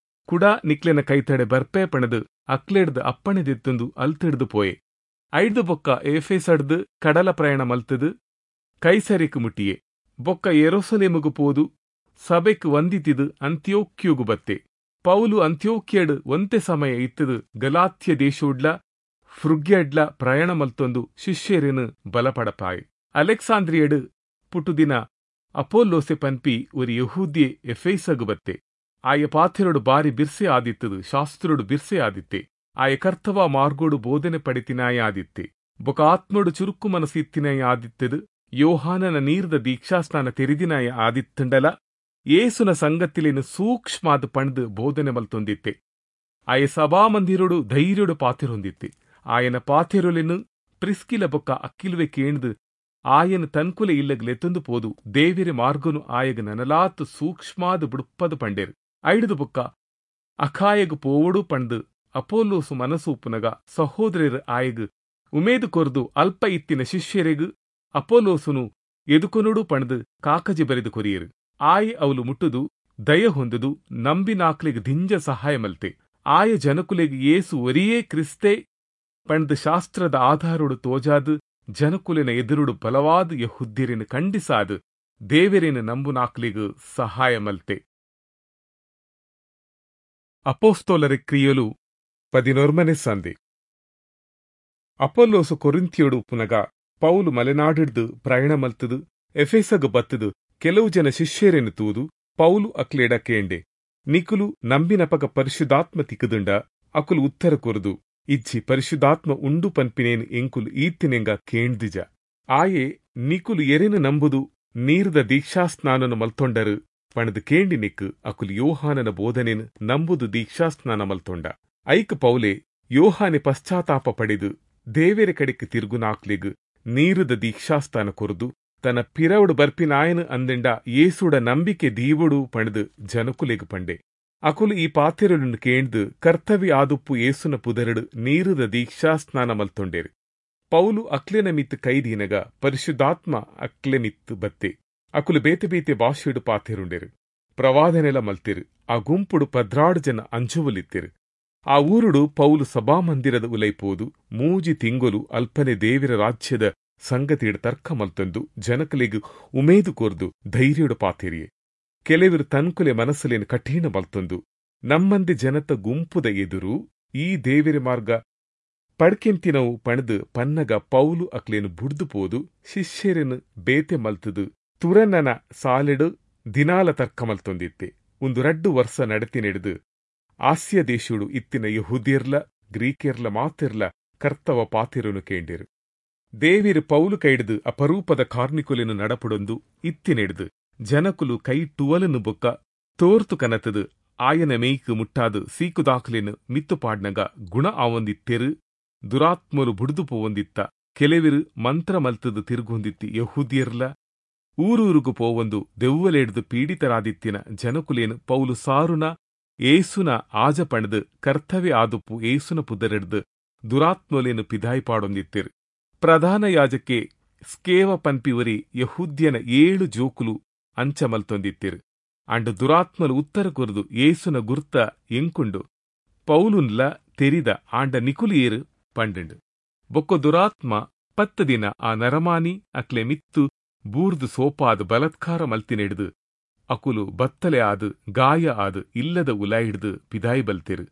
ಕುಡ ನಿಕ್ಲೆನ ಕೈತಡೆ ಬರ್ಪೆ ಪಣದು ಅಕ್ಲೆಡ್ದು ಅಪ್ಪಣೆ ದೆತ್ತಂದು ಅಲ್ತಿಡ್ದು ಪೋಯೆ. ಐದು ಬೊಕ್ಕ ಎಫೇಸಡ್ದು ಕಡಲ ಪ್ರಯಾಣ ಮಲ್ತದು ಕೈಸರಿಕು ಮುಟ್ಟಿಯೆ. ಬೊಕ್ಕ ಯೆರೂಸಲೇಮುಗು ಪೋದು ಸಭೆಕ್ ವಂದಿತಿದು ಅಂತ್ಯೋಕ್ಯುಗು ಬತ್ತೆ. ಪೌಲು ಅಂತ್ಯೋಕ್ಯಡ್ ಒಂತೆ ಸಮಯ ಇತ್ತದು ಗಲಾತ್ಯ ದೇಶೋಡ್ಲ ಫ್ರುಗ್ಯಡ್ಲ ಪ್ರಯಾಣ ಮಲ್ತೊಂದು ಶಿಷ್ಯರೇನು ಬಲಪಡಪಾಯ್. ಅಲೆಕ್ಸಾಂದ್ರಿಯಡ್ ಪುಟುದಿನ ಅಪೋಲ್ಲೋಸೆ ಪನ್ಪಿ ಒರಿ ಯಹೂದ್ಯೆ ಎಫೇಸಗು ಬತ್ತೆ. ಆಯ ಪಾಥೆರೊಡು ಬಾರಿ ಬಿರ್ಸೆ ಆದಿತ್ತದು ಶಾಸ್ತ್ರೊಡು ಬಿರ್ಸೆ ಆದಿತ್ತೆ. ಆಯ ಕರ್ತವ ಮಾರ್ಗೋಡು ಬೋಧನೆ ಪಡಿತಿನಾಯ ಆದಿತ್ತೆ. ಬೊಕ ಆತ್ಮೊಡು ಚುರುಕು ಮನಸ್ಸು ಇತ್ತಿನಾಯ ಆದಿತ್ತದು ಯೋಹಾನನ ನೀರ್ದ ದೀಕ್ಷಾಸ್ನಾನ ತೆರಿದಿನಾಯ ಆದಿತ್ತಂಡಲ ಏಸುನ ಸಂಗತಿಲೇನು ಸೂಕ್ಷ್ಮಾದ ಪಣ್ದು ಬೋಧನೆ ಮಲ್ತೊಂದಿತ್ತೆ. ಆಯ ಸಭಾಮಂದಿರೊಡು ಧೈರ್ಯೊಡು ಪಾತಿರೊಂದಿತ್ತೆ. ಆಯನ ಪಾತಿರೊಲೆನು ಪ್ರಿಸ್ಕಿಲ ಬೊಕ್ಕ ಅಕ್ಕಿಲುವೆ ಕೇಣ್ದು ಆಯನ ತನ್ಕುಲೆ ಇಲ್ಲಗ್ಲೆತ್ತೊಂದು ಪೋದು ದೇವಿರ ಮಾರ್ಗನು ಆಯಗ ನನಲಾತು ಸೂಕ್ಷ್ಮಾದ ಬುಡುಪ್ಪದು ಪಂಡೇರು. ಐಡುದು ಬೊಕ್ಕ ಅಖಾಯಗು ಪೋವಡು ಪಂಡು ಅಪೋಲ್ಲೋಸು ಮನಸ್ಸು ಉಪ್ಪುನಗ ಸಹೋದರರು ಆಯಗು ಉಮೇದು ಕೊರ್ದು ಅಲ್ಪ ಇತ್ತಿನ ಶಿಷ್ಯರಿಗು ಅಪೋಲೋಸುನು ಎದುಕೊನುಡು ಪಣದು ಕಾಕಜಿ ಬರೆದು ಕೊರಿಯರು. ಆಯೆ ಅವಲು ಮುಟ್ಟುದು ದಯ ಹೊಂದುದು ನಂಬಿನಾಕ್ಲೆಗ್ ದಿಂಜ ಸಹಾಯ ಮಲ್ತೆ. ಆಯ ಜನಕುಲೆಗ್ ಏಸು ಒರಿಯೇ ಕ್ರಿಸ್ತೆ ಪಣದು ಶಾಸ್ತ್ರದ ಆಧಾರೊಡು ತೋಜಾದು ಜನಕುಲೆನ ಎದುರುಡು ಬಲವಾದ ಯಹುದ್ಯರಿನ ಖಂಡಿಸಾದು ದೇವರೇನ ನಂಬುನಾಕ್ಲೆಗ್ ಸಹಾಯ ಮಲ್ತೆ. ಅಪೋಸ್ತೋಲರ ಕ್ರಿಯಲು ಪದಿನೊರ್ಮನೆ ಸಂಧಿ. ಅಪೊಲ್ಲೋಸು ಕೊರಿಂಥಿಯೊಡು ಉಪ್ಪುನಗ ಪೌಲು ಮಲೆನಾಡಿಡ್ದು ಪ್ರಯಾಣ ಮಲ್ತದು ಎಫೆಸಗು ಬತ್ತದು ಕೆಲವು ಜನ ಶಿಷ್ಯರೇನು ತೂದು ಪೌಲು ಅಕ್ಲೇಡ ಕೇಂಡೆ, ನಿಕುಲು ನಂಬಿನಪಗ ಪರಿಶುದ್ಧಾತ್ಮ ತಿಕ್ಕದುಂಡ? ಅಕುಲು ಉತ್ತರ ಕೊರುದು, ಇಜ್ಜಿ ಪರಿಶುದ್ಧಾತ್ಮ ಉಂಡು ಪನ್ಪಿನೇನು ಎಂಕುಲು ಈತಿನೆಂಗ ಕೇಂದಿಜ. ಆಯೆ ನಿಕುಲು ಎರೆನು ನಂಬುದು ನೀರ್ದ ದೀಕ್ಷಾಸ್ನಾನನು ಮಲ್ತೊಂಡರು ಪಣದು ಕೇಂಡಿನಿಕ್ ಅಕುಲು ಯೋಹಾನನ ಬೋಧನೆನ್ ನಂಬುದು ದೀಕ್ಷಾಸ್ನಾನ ಮಲ್ತೊಂಡ. ಐಕ್ ಪೌಲೆ ಯೋಹಾನೆ ಪಶ್ಚಾತ್ತಾಪ ಪಡೆದು ದೇವೆರೆ ಕಡೆಕ್ ತಿರುಗುನಾಕ್ಲೆಗ್ ನೀರುದ ದೀಕ್ಷಾಸ್ತಾನ ಕೊರ್ದು ತನ್ನ ಪಿರವುಡು ಬರ್ಪಿನಾಯನು ಅಂದಿಂಡ ಯೇಸುಡ ನಂಬಿಕೆ ದೀವೊಡು ಪಣದು ಜನಕುಲೆಗ್ ಪಂಡೆ. ಅಕುಲು ಈ ಪಾತೆರೊಲುನು ಕೇಂದು ಕರ್ತವ್ಯ ಆದುಪ್ಪು ಯೇಸುನ ಪುದರುಡು ನೀರುದ ದೀಕ್ಷಾಸ್ನಾನ ಮಲ್ತೊಂಡೇರು. ಪೌಲು ಅಕ್ಲೆನ ಮಿತ್ತು ಕೈದೀನಗ ಪರಿಶುದ್ಧಾತ್ಮ ಅಕ್ಲೆ ಮಿತ್ತು ಬತ್ತೆ. ಅಕುಲು ಬೇತೆ ಬೇತೆ ಭಾಷೆಡು ಪಾತೆರುಂಡೇರು, ಪ್ರವಾದನೆಲ ಮಲ್ತೆರು. ಆ ಗುಂಪುಡು ಪದ್ರಾಡು ಜನ ಅಂಜುವಲಿತ್ತೆರು. ಆ ಊರುಡು ಪೌಲು ಸಭಾಮಂದಿರದ ಉಲೈಪೋದು ಮೂಜಿ ತಿಂಗೊಲು ಅಲ್ಪನೆ ದೇವಿರ ರಾಜ್ಯದ ಸಂಗತಿಡು ತರ್ಕ ಮಲ್ತೊಂದು ಜನಕಲೆಗ್ ಉಮೇದು ಕೊರ್ದು ಧೈರ್ಯಡು ಪಾತೆರಿಯೆ. ಕೆಲವರು ತನ್ಕುಲೆ ಮನಸ್ಸುಲೇನು ಕಠಿಣ ಮಲ್ತೊಂದು ನಮ್ಮಂದಿ ಜನತ ಗುಂಪುದ ಎದುರು ಈ ದೇವಿರ ಮಾರ್ಗ ಪಡ್ಕೆಂತಿನವು ಪಣದು ಪನ್ನಗ ಪೌಲು ಅಕ್ಲೇನು ಬುಡ್ದು ಪೋದು ಶಿಷ್ಯರೆನು ಬೇತೆ ಮಲ್ತದು ತುರನನ ಸಾಲೆಡು ದಿನಾಲ ತರ್ಕ ಮಲ್ತೊಂದಿತ್ತೆ. ಒಂದು ರಡ್ಡು ವರ್ಷ ನಡತಿ ನೆಡೆದು ಆಸ್ಯ ದೇಶುಡು ಇತ್ತಿನ ಯಹೂದ್ಯರ್ಲ ಗ್ರೀಕೆರ್ಲ ಮಾತೆರ್ಲ ಕರ್ತವ ಪಾತಿರನು ಕೇಂಡಿರು. ದೇವಿರು ಪೌಲು ಕೈಡ್ದು ಅಪರೂಪದ ಕಾರ್ನಿಕುಲೆನು ನಡಪುಡೊಂದು ಇತ್ತಿನೆಡ್ದು ಜನಕುಲು ಕೈ ಟುವಲನು ಬೊಕ್ಕ ತೋರ್ತು ಕನತದು ಆಯನ ಮೇಯ್ಕು ಮುಟ್ಟಾದು ಸೀಕುದಾಖಲೆನು ಮಿತ್ತುಪಾಡ್ನಗ ಗುಣ ಆವೊಂದಿತ್ತೆರು, ದುರಾತ್ಮಲು ಬುಡ್ದು ಪೋವೊಂದಿತ್ತ. ಕೆಲವಿರು ಮಂತ್ರ ಮಲ್ತದು ತಿರುಗೊಂದಿತ್ತಿ ಯಹೂದ್ಯರ್ಲ ಊರೂರುಗು ಪೋವೊಂದು ದೆವ್ವಲೆಡ್ದು ಪೀಡಿತರಾದಿತ್ತಿನ ಜನಕುಲೇನು ಪೌಲು ಸಾರುನ ಏಸುನ ಆಜ ಪಣದು ಕರ್ತವ್ಯ ಆದುಪ್ಪು ಏಸುನ ಪುದರೆಡ್ದು ದುರಾತ್ಮಲೇನು ಪಿದಾಯಿಪಾಡೊಂದಿತ್ತೆರು. ಪ್ರಧಾನ ಯಾಜಕೆ ಸ್ಕೇವ ಪನ್ಪಿವರಿ ಯಹೂದ್ಯನ ಏಳು ಜೋಕುಲು ಅಂಚ ಮಲ್ತೊಂದಿತ್ತೆರು. ಅಂಡ ದುರಾತ್ಮಲು ಉತ್ತರ ಕೊರ್ದು ಏಸುನ ಗುರ್ತ ಎಂಕುಂಡು ಪೌಲುನ್ಲ ತೆರಿದ ಆಂಡ ನಿಕುಲಿಯೇರು ಪಂಡಂಡು. ಬೊಕ್ಕ ದುರಾತ್ಮ ಪತ್ತು ದಿನ ಆ ನರಮಾನಿ ಅಕ್ಲೆ ಮಿತ್ತು ಬೂರ್ದು ಸೋಪಾದು ಬಲತ್ಕಾರ ಮಲ್ತಿನೆಡ್ದು ಅಕುಲು ಬತ್ತಲೆ ಆದು ಗಾಯ ಆದು ಇಲ್ಲದ ಉಲಾಯಿಡ್ದು ಪಿದಾಯಿ ಬಲ್ತೆರು.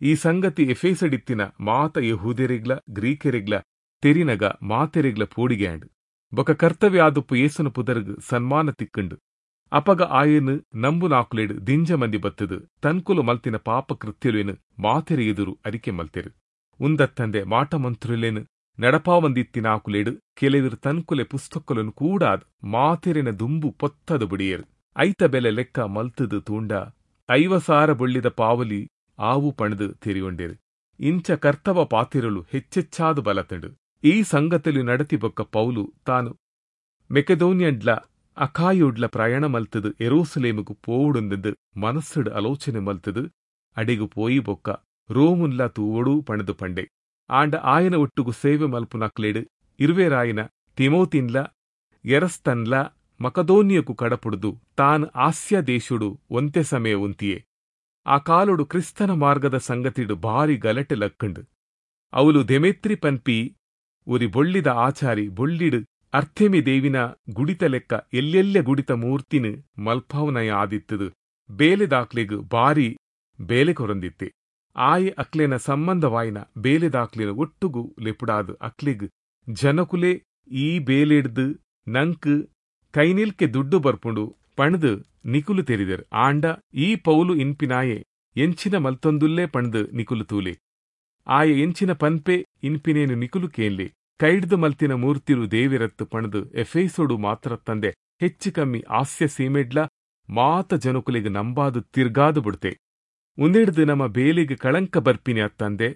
ಈ ಸಂಗತಿ ಎಫೇಸಡಿತ್ತಿನ ಮಾತ ಯಹೂದೆರೆಗ್ಲ ಗ್ರೀಕೆರೆಗ್ಲ ತೆರಿನಗ ಮಾತೆರೆಗ್ಲ ಪೋಡಿಗ್ಯಾಂಡ್. ಬೊಕ ಕರ್ತವ್ಯ ಆದುಪ್ಪು ಏಸುನ ಪುದರ್ಗ್ ಸನ್ಮಾನ ತಿಕ್ಕಂಡು. ಅಪಗ ಆಯನು ನಂಬುನಾಕುಲೆಡ್ ದಿಂಜ ಮಂದಿ ಬತ್ತದು ತನ್ಕುಲು ಮಲ್ತಿನ ಪಾಪ ಕೃತ್ಯಲೇನು ಮಾತೆರೆ ಎದುರು ಅರಿಕೆ ಮಲ್ತೆರು. ಉಂದತ್ತಂದೆ ಮಾಟಮಂತ್ರುಲೇನು ನಡಪಾವಂದಿತ್ತಿನಾಕುಲೆಡ್ ಕೆಲವಿರು ತನ್ಕುಲೆ ಪುಸ್ತಕలను ಕೂಡಾದ್ ಮಾತೆರೆನ ದುಂಬು ಪೊತ್ತದು ಬುಡಿಯರು. ಐತ ಬೆಲೆ ಲೆಕ್ಕ ಮಲ್ತದು ತೂಂಡ ಐವಸಾರ ಬೊಳ್ಳಿದ ಪಾವಲಿ ಆವು ಪಣದು ತೆರಿಯೊಂಡೇರು. ಇಂಚ ಕರ್ತವ ಪಾತಿರಲು ಹೆಚ್ಚೆಚ್ಚಾದು ಬಲತಂಡು. ಈ ಸಂಗತಿಲು ನಡತಿ ಬೊಕ್ಕ ಪೌಲು ತಾನು ಮೆಕೆದೋನಿಯಡ್ಲ ಅಖಾಯುಡ್ಲ ಪ್ರಯಾಣ ಮಲ್ತದು ಎರೋಸಲೇಮುಗು ಪೋವುಡುಂದು ಮನಸ್ಸುಡು ಆಲೋಚನೆ ಮಲ್ತದು ಅಡಿಗು ಪೋಯಿ ಬೊಕ್ಕ ರೋಮುನ್ಲ ತೂವೊಡು ಪಣದು ಪಂಡೆ. ಆಂಡ ಆಯನ ಒಟ್ಟುಗು ಸೇವೆ ಮಲ್ಪುನಕ್ಲೇಡು ಇರುವೆರಾಯಿನ ತಿಮೋತಿನ್ಲ ಎರಸ್ತನ್ಲ ಮಕದೋನಿಯಕು ಕಡಪುಡುದು ತಾನು ಆಸ್ಯ ದೇಶುಡು ಒಂತೆ ಸಮಯ ಉಂತಿಯೇ. ಆ ಕಾಲುಡು ಕ್ರಿಸ್ತನ ಮಾರ್ಗದ ಸಂಗತಿಡು ಭಾರಿ ಗಲಟೆ ಲಕ್ಕಂಡು. ಅವಲು ದೆಮೆತ್ರಿ ಪನ್ಪಿ ಉರಿ ಬೊಳ್ಳಿದ ಆಚಾರಿ ಬೊಳ್ಳಿಡು ಅರ್ಥೆಮಿ ದೇವಿನ ಗುಡಿತ ಲೆಕ್ಕ ಎಲ್ಲೆಲ್ಲೆ ಗುಡಿತ ಮೂರ್ತಿನ ಮಲ್ಪಾವನಯ ಆದಿತ್ತದು ಬೇಲೆದಾಕ್ಲೆಗ್ ಬಾರಿ ಬೇಲೆ ಕೊರಂದಿತ್ತೆ. ಆಯೆ ಅಕ್ಲೆನ ಸಂಬಂಧವಾಯಿನ ಬೇಲೆದಾಕ್ಲೆನ ಒಟ್ಟುಗು ಲೆಪುಡಾದು ಅಕ್ಲೆಗ್ ಜನಕುಲೆ ಈ ಬೇಲೆಡ್ದು ನಂಕ್ ಕೈನಿಲ್ಕೆ ದುಡ್ಡು ಬರ್ಪುಂಡು ಪಣದು ನಿಕುಲು ತೆರಿದರ್. ಆಂಡ ಈ ಪೌಲು ಇನ್ಪಿನಾಯೆ ಎಂಚಿನ ಮಲ್ತೊಂದುಲ್ಲೇ ಪಣದು ನಿಕುಲು ತೂಲೆ. ಆಯೆ ಎಂಚಿನ ಪನ್ಪೆ ಇನ್ಪಿನೇನು ನಿಕುಲು ಕೇನ್ಲೆ. ಕೈಡ್ದು ಮಲ್ತಿನ ಮೂರ್ತಿರು ದೇವಿರತ್ತು ಪಣದು ಎಫೇಸೋಡು ಮಾತ್ರ ತಂದೆ ಹೆಚ್ಚು ಕಮ್ಮಿ ಆಸ್ಯ ಸೀಮೆಡ್ಲ ಮಾತ ಜನಕುಲೆಗ್ ನಂಬಾದು ತಿರ್ಗಾದು ಬಿಡ್ತೆ. ಉಂದೆಡ್ದು ನಮ್ಮ ಬೇಲೆಗ್ ಕಳಂಕ ಬರ್ಪಿನಿ ಅತ್ತಂದೆ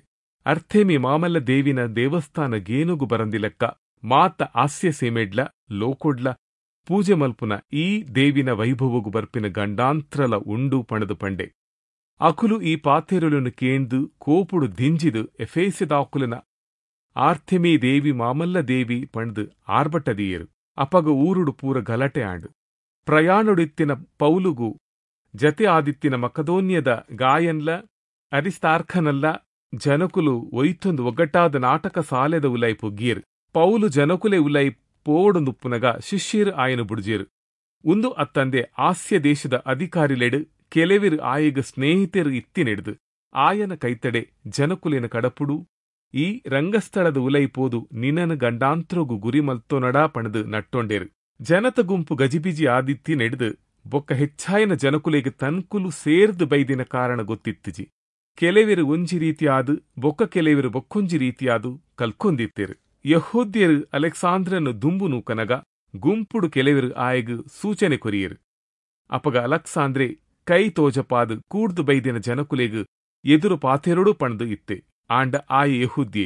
ಅರ್ಥೇಮಿ ಮಾಮಲ್ಲ ದೇವಿನ ದೇವಸ್ಥಾನ ಗೇನುಗು ಬರಂದಿಲಕ್ಕ ಮಾತ ಆಸ್ಯ ಸೀಮೆಡ್ಲ ಲೋಕೊಡ್ಲ ಪೂಜೆ ಮಲ್ಪುನ ಈ ದೇವಿನ ವೈಭವಗು ಬರ್ಪಿನ ಗಂಡಾಂತ್ರಲ ಉಂಡು ಪಣದು ಪಂಡೆ. ಅಕುಲು ಈ ಪಾತೆರುలను ಕೇಂದು ಕೋಪುಡು ದಿಂಜಿದು ಎಫೇಸಿದಾಕುಲನ ಆರ್ಥೆಮಿ ದೇವಿ ಮಾಮಲ್ಲ ದೇವಿ ಪಣದು ಆರ್ಭಟದೀಯರು. ಅಪಗ ಊರುಡು ಪೂರ ಗಲಟೆ ಆಂಡು. ಪ್ರಯಾಣುಡಿತ್ತಿನ ಪೌಲುಗು ಜತೆ ಆದಿತ್ತಿನ ಮಕದೋನ್ಯದ ಗಾಯನ್ಲ ಅರಿಸ್ತಾರ್ಖನಲ್ಲ ಜನಕುಲು ಒಯ್ತೊಂದು ಒಗ್ಗಟ್ಟಾದ ನಾಟಕ ಸಾಲೆದ ಉಲೈ ಪೊಗ್ಗಿಯರು. ಪೌಲು ಜನಕುಲೆ ಉಲೈ ಪೋವೊಡುಂದುಪ್ಪುನಗ ಶಿಷ್ಯರು ಆಯನು ಬುಡ್ಜೇರು. ಉಂದು ಅತ್ತಂದೆ ಆಸ್ಯ ದೇಶದ ಅಧಿಕಾರಿಲೆಡು ಕೆಲವಿರು ಆಯಗ ಸ್ನೇಹಿತರು ಇತ್ತಿನೆಡ್ದು ಆಯನ ಕೈತಡೆ ಜನಕುಲೆನ ಕಡಪುಡು ಈ ರಂಗಸ್ಥಳದ ಉಲೈ ಪೋದು ನಿನನ ಗಂಡಾಂತ್ರಗು ಗುರಿ ಮಲ್ತೊನಡಾ ಪಣದು ನಟ್ಟೊಂಡೇರು. ಜನತ ಗುಂಪು ಗಜಿಬಿಜಿ ಆದಿತ್ತಿ ನೆಡ್ದು ಬೊಕ್ಕ ಹೆಚ್ಚಾಯನ ಜನಕುಲೆಗ್ ತನ್ಕುಲು ಸೇರ್ದು ಬೈದಿನ ಕಾರಣ ಗೊತ್ತಿತ್ತಿಜಿ. ಕೆಲವಿರು ಒಂಜಿ ರೀತಿಯಾದು ಬೊಕ್ಕ ಕೆಲವಿರು ಬೊಕ್ಕೊಂಜಿ ರೀತಿಯಾದು ಕಲ್ಕೊಂದಿತ್ತೇರು. ಯಹೂದ್ಯರು ಅಲೆಕ್ಸಾಂದ್ರನು ದುಂಬು ನೂಕನಗ ಗುಂಪುಡು ಕೆಲವಿರು ಆಯಗ್ ಸೂಚನೆ ಕೊರಿಯರು. ಅಪಗ ಅಲಕ್ಸಾಂದ್ರೆ ಕೈ ತೋಜಪಾದ್ ಕೂಡ್ದು ಬೈದಿನ ಜನಕುಲೆಗ್ ಎದುರು ಪಾತೆರೊಡು ಪಂಡ್ದು ಇತ್ತೆ. ಆಂಡ ಆಯೆ ಯೆಹೂದ್ಯೆ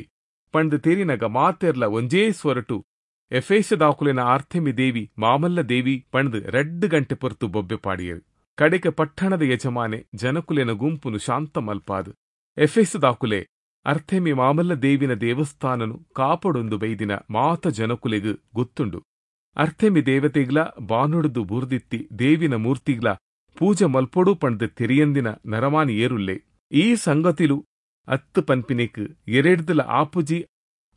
ಪಂಡ್ದು ತೆರಿನಗ ಮಾತೆರ್ಲ ಒಂಜೇ ಸ್ವರಟು ಎಫೇಸದಾಕುಲೆನ ಆರ್ಥೆಮಿ ದೇವಿ ಮಾಮಲ್ಲ ದೇವಿ ಪಂಡ್ದು ರಡ್ಡು ಗಂಟೆ ಪೊರ್ತು ಬೊಬ್ಬೆ ಪಾಡಿಯರು. ಕಡೆಕ ಪಟ್ಟಣದ ಯಜಮಾನೆ ಜನಕುಲೆನ ಗುಂಪುನು ಶಾಂತ ಮಲ್ಪಾದ್ ಎಫೇಸದಾಕುಲೆ ಅರ್ಥೆಮಿ ಮಾಮಲ್ಲ ದೇವಿನ ದೇವಸ್ಥಾನನು ಕಾಪಡೊಂದು ಬೈದಿನ ಮಾತ ಜನಕುಲೆಗ್ ಗೊತ್ತುಂಡು. ಅರ್ಥೆಮಿ ದೇವತೆಗ್ಲ ಬಾನುಡ್ದು ಬೂರ್ದಿತ್ತಿ ದೇವಿನ ಮೂರ್ತಿಗ್ಲ ಪೂಜೆ ಮಲ್ಪೊಡು ಪಂಡ್ದು ತೆರಿಯಂದಿನ ನರಮಾನಿ ಏರುಲ್ಲೆ. ಈ ಸಂಗತಿಲು ಅತ್ತು ಪನ್ಪಿನೆಕ್ ಎರೆಡ್ದಲ ಆಪುಜಿ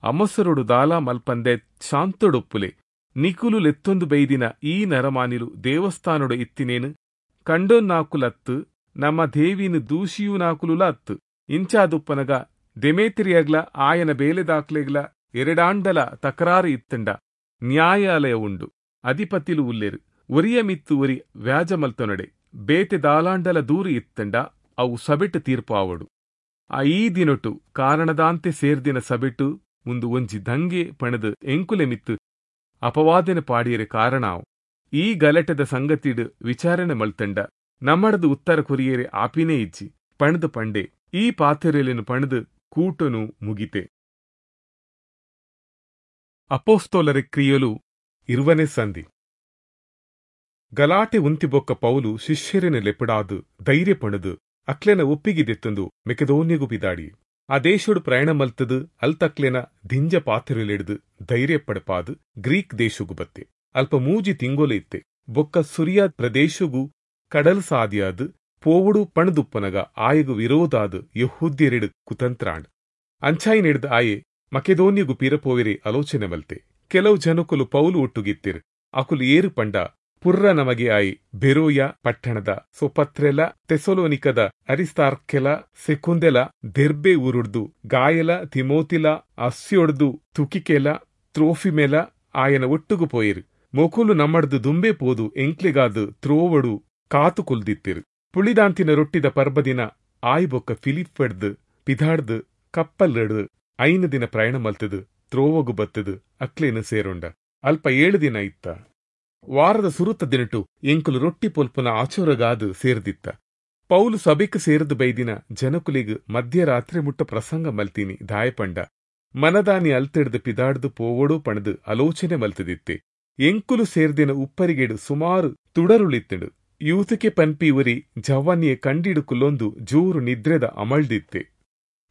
ಅಮಸರೊಡು ದಾಲಾ ಮಲ್ಪಂದೆ ಶಾಂತೊಡೊಪ್ಪುಲೆ. ನಿಕುಲು ಲೆತ್ತೊಂದು ಬೈದಿನ ಈ ನರಮಾನಿಲು ದೇವಸ್ಥಾನೊಡು ಇತ್ತಿನೇನು ಕಂಡೊನ್ನಾಕುಲತ್ತು, ನಮ್ಮ ದೇವಿನ ದೂಷಿಯೂನಾಕುಲುಲ ಅತ್ತು. ಇಂಚಾದುಪ್ಪನಗ ದೆಮೇತ್ರಿಯಗ್ಲ ಆಯನ ಬೇಲೆದಾಕ್ಲೆಗ್ಲ ಎರಡಾಂಡಲ ತಕರಾರು ಇತ್ತಂಡ ನ್ಯಾಯಾಲಯ ಉಂಡು, ಅಧಿಪತಿಲು ಉಲ್ಲೇರು. ಒರಿಯ ಮಿತ್ತು ಒರಿ ವ್ಯಾಜ ಮಲ್ತೊನಡೆ ಬೇತೆ ದಾಲಾಂಡಲ ದೂರು ಇತ್ತಂಡ ಅವು ಸಬೆಟ್ಟು ತೀರ್ಪು ಆವಡು. ಆ ಈ ದಿನೊಟು ಕಾರಣದಾಂತೆ ಸೇರ್ದಿನ ಸಬೆಟ್ಟು ಮುಂದು ಒಂಜಿ ದಂಗೆ ಪಣದು ಎಂಕುಲೆ ಮಿತ್ತು ಅಪವಾದನೆ ಪಾಡಿಯರೆ ಕಾರಣ ಆವು. ಈ ಗಲಟೆದ ಸಂಗತಿಡು ವಿಚಾರಣೆ ಮಲ್ತಂಡ ನಮ್ಮಡದು ಉತ್ತರ ಕೊರಿಯರೆ ಆಪಿನೇ ಇಜ್ಜಿ ಪಣದು ಪಂಡೆ. ಈ ಪಾತೆರೆಲೆನು ಪಣದು ಕೂಟನು ಮುಗಿತೆ. ಅಪೋಸ್ತೋಲರ ಕ್ರಿಯಲು ಇರುವನೆ ಸಂಧಿ. ಗಲಾಟೆ ಉಂತಿಬೊಕ್ಕ ಪೌಲು ಶಿಷ್ಯರೆನ ಲೆಪಡಾದು ಧೈರ್ಯ ಪಣದು ಅಕ್ಲೆನ ಒಪ್ಪಿಗಿದೆತ್ತೊಂದು ಮೆಕೆದೋನ್ಯಗು ಪಿದಾಡಿ. ಆ ದೇಶೋಡು ಪ್ರಯಾಣ ಮಲ್ತದು ಅಲ್ತಕ್ಲೆನ ದಿಂಜ ಪಾತೆರೆಲೆಡ್ದು ಧೈರ್ಯ ಪಡಪಾದು ಗ್ರೀಕ್ ದೇಶಗು ಬತ್ತೆ. ಅಲ್ಪ ಮೂಜಿ ತಿಂಗೊಲು ಇತ್ತೆ. ಬೊಕ್ಕ ಸುರಿಯ ಪ್ರದೇಶಗು ಕಡಲ್ ಸಾದಿಯಾದು ಪೋವುಡು ಪಣದುಪ್ಪನಗ ಆಯಗು ವಿರೋಧಾದು ಯಹೂದ್ಯರೆಡು ಕುತಂತ್ರಾಂಡ್. ಅಂಚಾಯಿನೆಡ್ದು ಆಯೆ ಮಕೆದೋನ್ಯಗು ಪಿರಪೋವೆರೆ ಆಲೋಚನೆ ಮಲ್ತೆ. ಕೆಲವು ಜನಕುಲು ಪೌಲು ಒಟ್ಟುಗಿತ್ತಿರು. ಅಕುಲು ಏರು ಪಂಡ ಪುರ್ರ ನಮಗೆ ಆಯಿ ಬೆರೋಯ ಪಟ್ಟಣದ ಸೊಪತ್ರೆಲ, ತೆಸೊಲೋನಿಕದ ಅರಿಸ್ತಾರ್ಕೆಲ, ಸೆಕುಂದೆಲ, ದೆರ್ಬೆ ಊರುಡ್ದು ಗಾಯಲ, ತಿಮೋತಿಲ, ಅಸ್ಯೊಡ್ದು ತುಕಿಕೆಲ, ತ್ರೋಫಿಮೆಲ ಆಯನ ಒಟ್ಟುಗು ಪೋಯಿರು. ಮೊಕುಲು ನಮ್ಮಡ್ದು ದುಂಬೆ ಪೋದು ಎಂಕ್ಲೆಗಾದು ತ್ರೋವಡು ಕಾತು ಕುಲ್ದಿತ್ತಿರು. ಪುಳಿದಾಂತಿನ ರೊಟ್ಟಿದ ಪರ್ಬದಿನ ಆಯ್ ಬೊಕ್ಕ ಫಿಲಿಪ್ಪೆಡ್ದು ಪಿದಾಡ್ದು ಕಪ್ಪಲ್ಲೆಡ್ದು ಐನು ದಿನ ಪ್ರಯಾಣ ಮಲ್ತದು ತ್ರೋವಗು ಬತ್ತದು ಅಕ್ಲೇನು ಸೇರೊಂಡ. ಅಲ್ಪ ಏಳು ದಿನ ಇತ್ತ. ವಾರದ ಸುರುತ ದಿನಟು ಎಂಕುಲು ರೊಟ್ಟಿ ಪೊಲ್ಪುನ ಆಚೋರಗಾದು ಸೇರ್ದಿತ್ತ. ಪೌಲು ಸಭೆಕ್ ಸೇರ್ದು ಬೈದಿನ ಜನಕುಲಿಗ್ ಮಧ್ಯರಾತ್ರಿ ಮುಟ್ಟ ಪ್ರಸಂಗ ಮಲ್ತೀನಿ ದಾಯಪಂಡ ಮನದಾನಿ ಅಲ್ತೆಡ್ದು ಪಿದಾಡ್ದು ಪೋವಡು ಪಣದು ಆಲೋಚನೆ ಮಲ್ತದಿತ್ತೆ. ಎಂಕುಲು ಸೇರ್ದಿನ ಉಪ್ಪರಿಗೆಡು ಸುಮಾರು ತುಡರುಳಿತ್ತಡು. ಯೂತಕೆ ಪನ್ಪಿ ಉರಿ ಜವಾನಿಯ ಕಂಡಿಡುಕುಲೊಂದು ಜೋರು ನಿದ್ರೆದ ಅಮಳ್ದಿತ್ತೆ.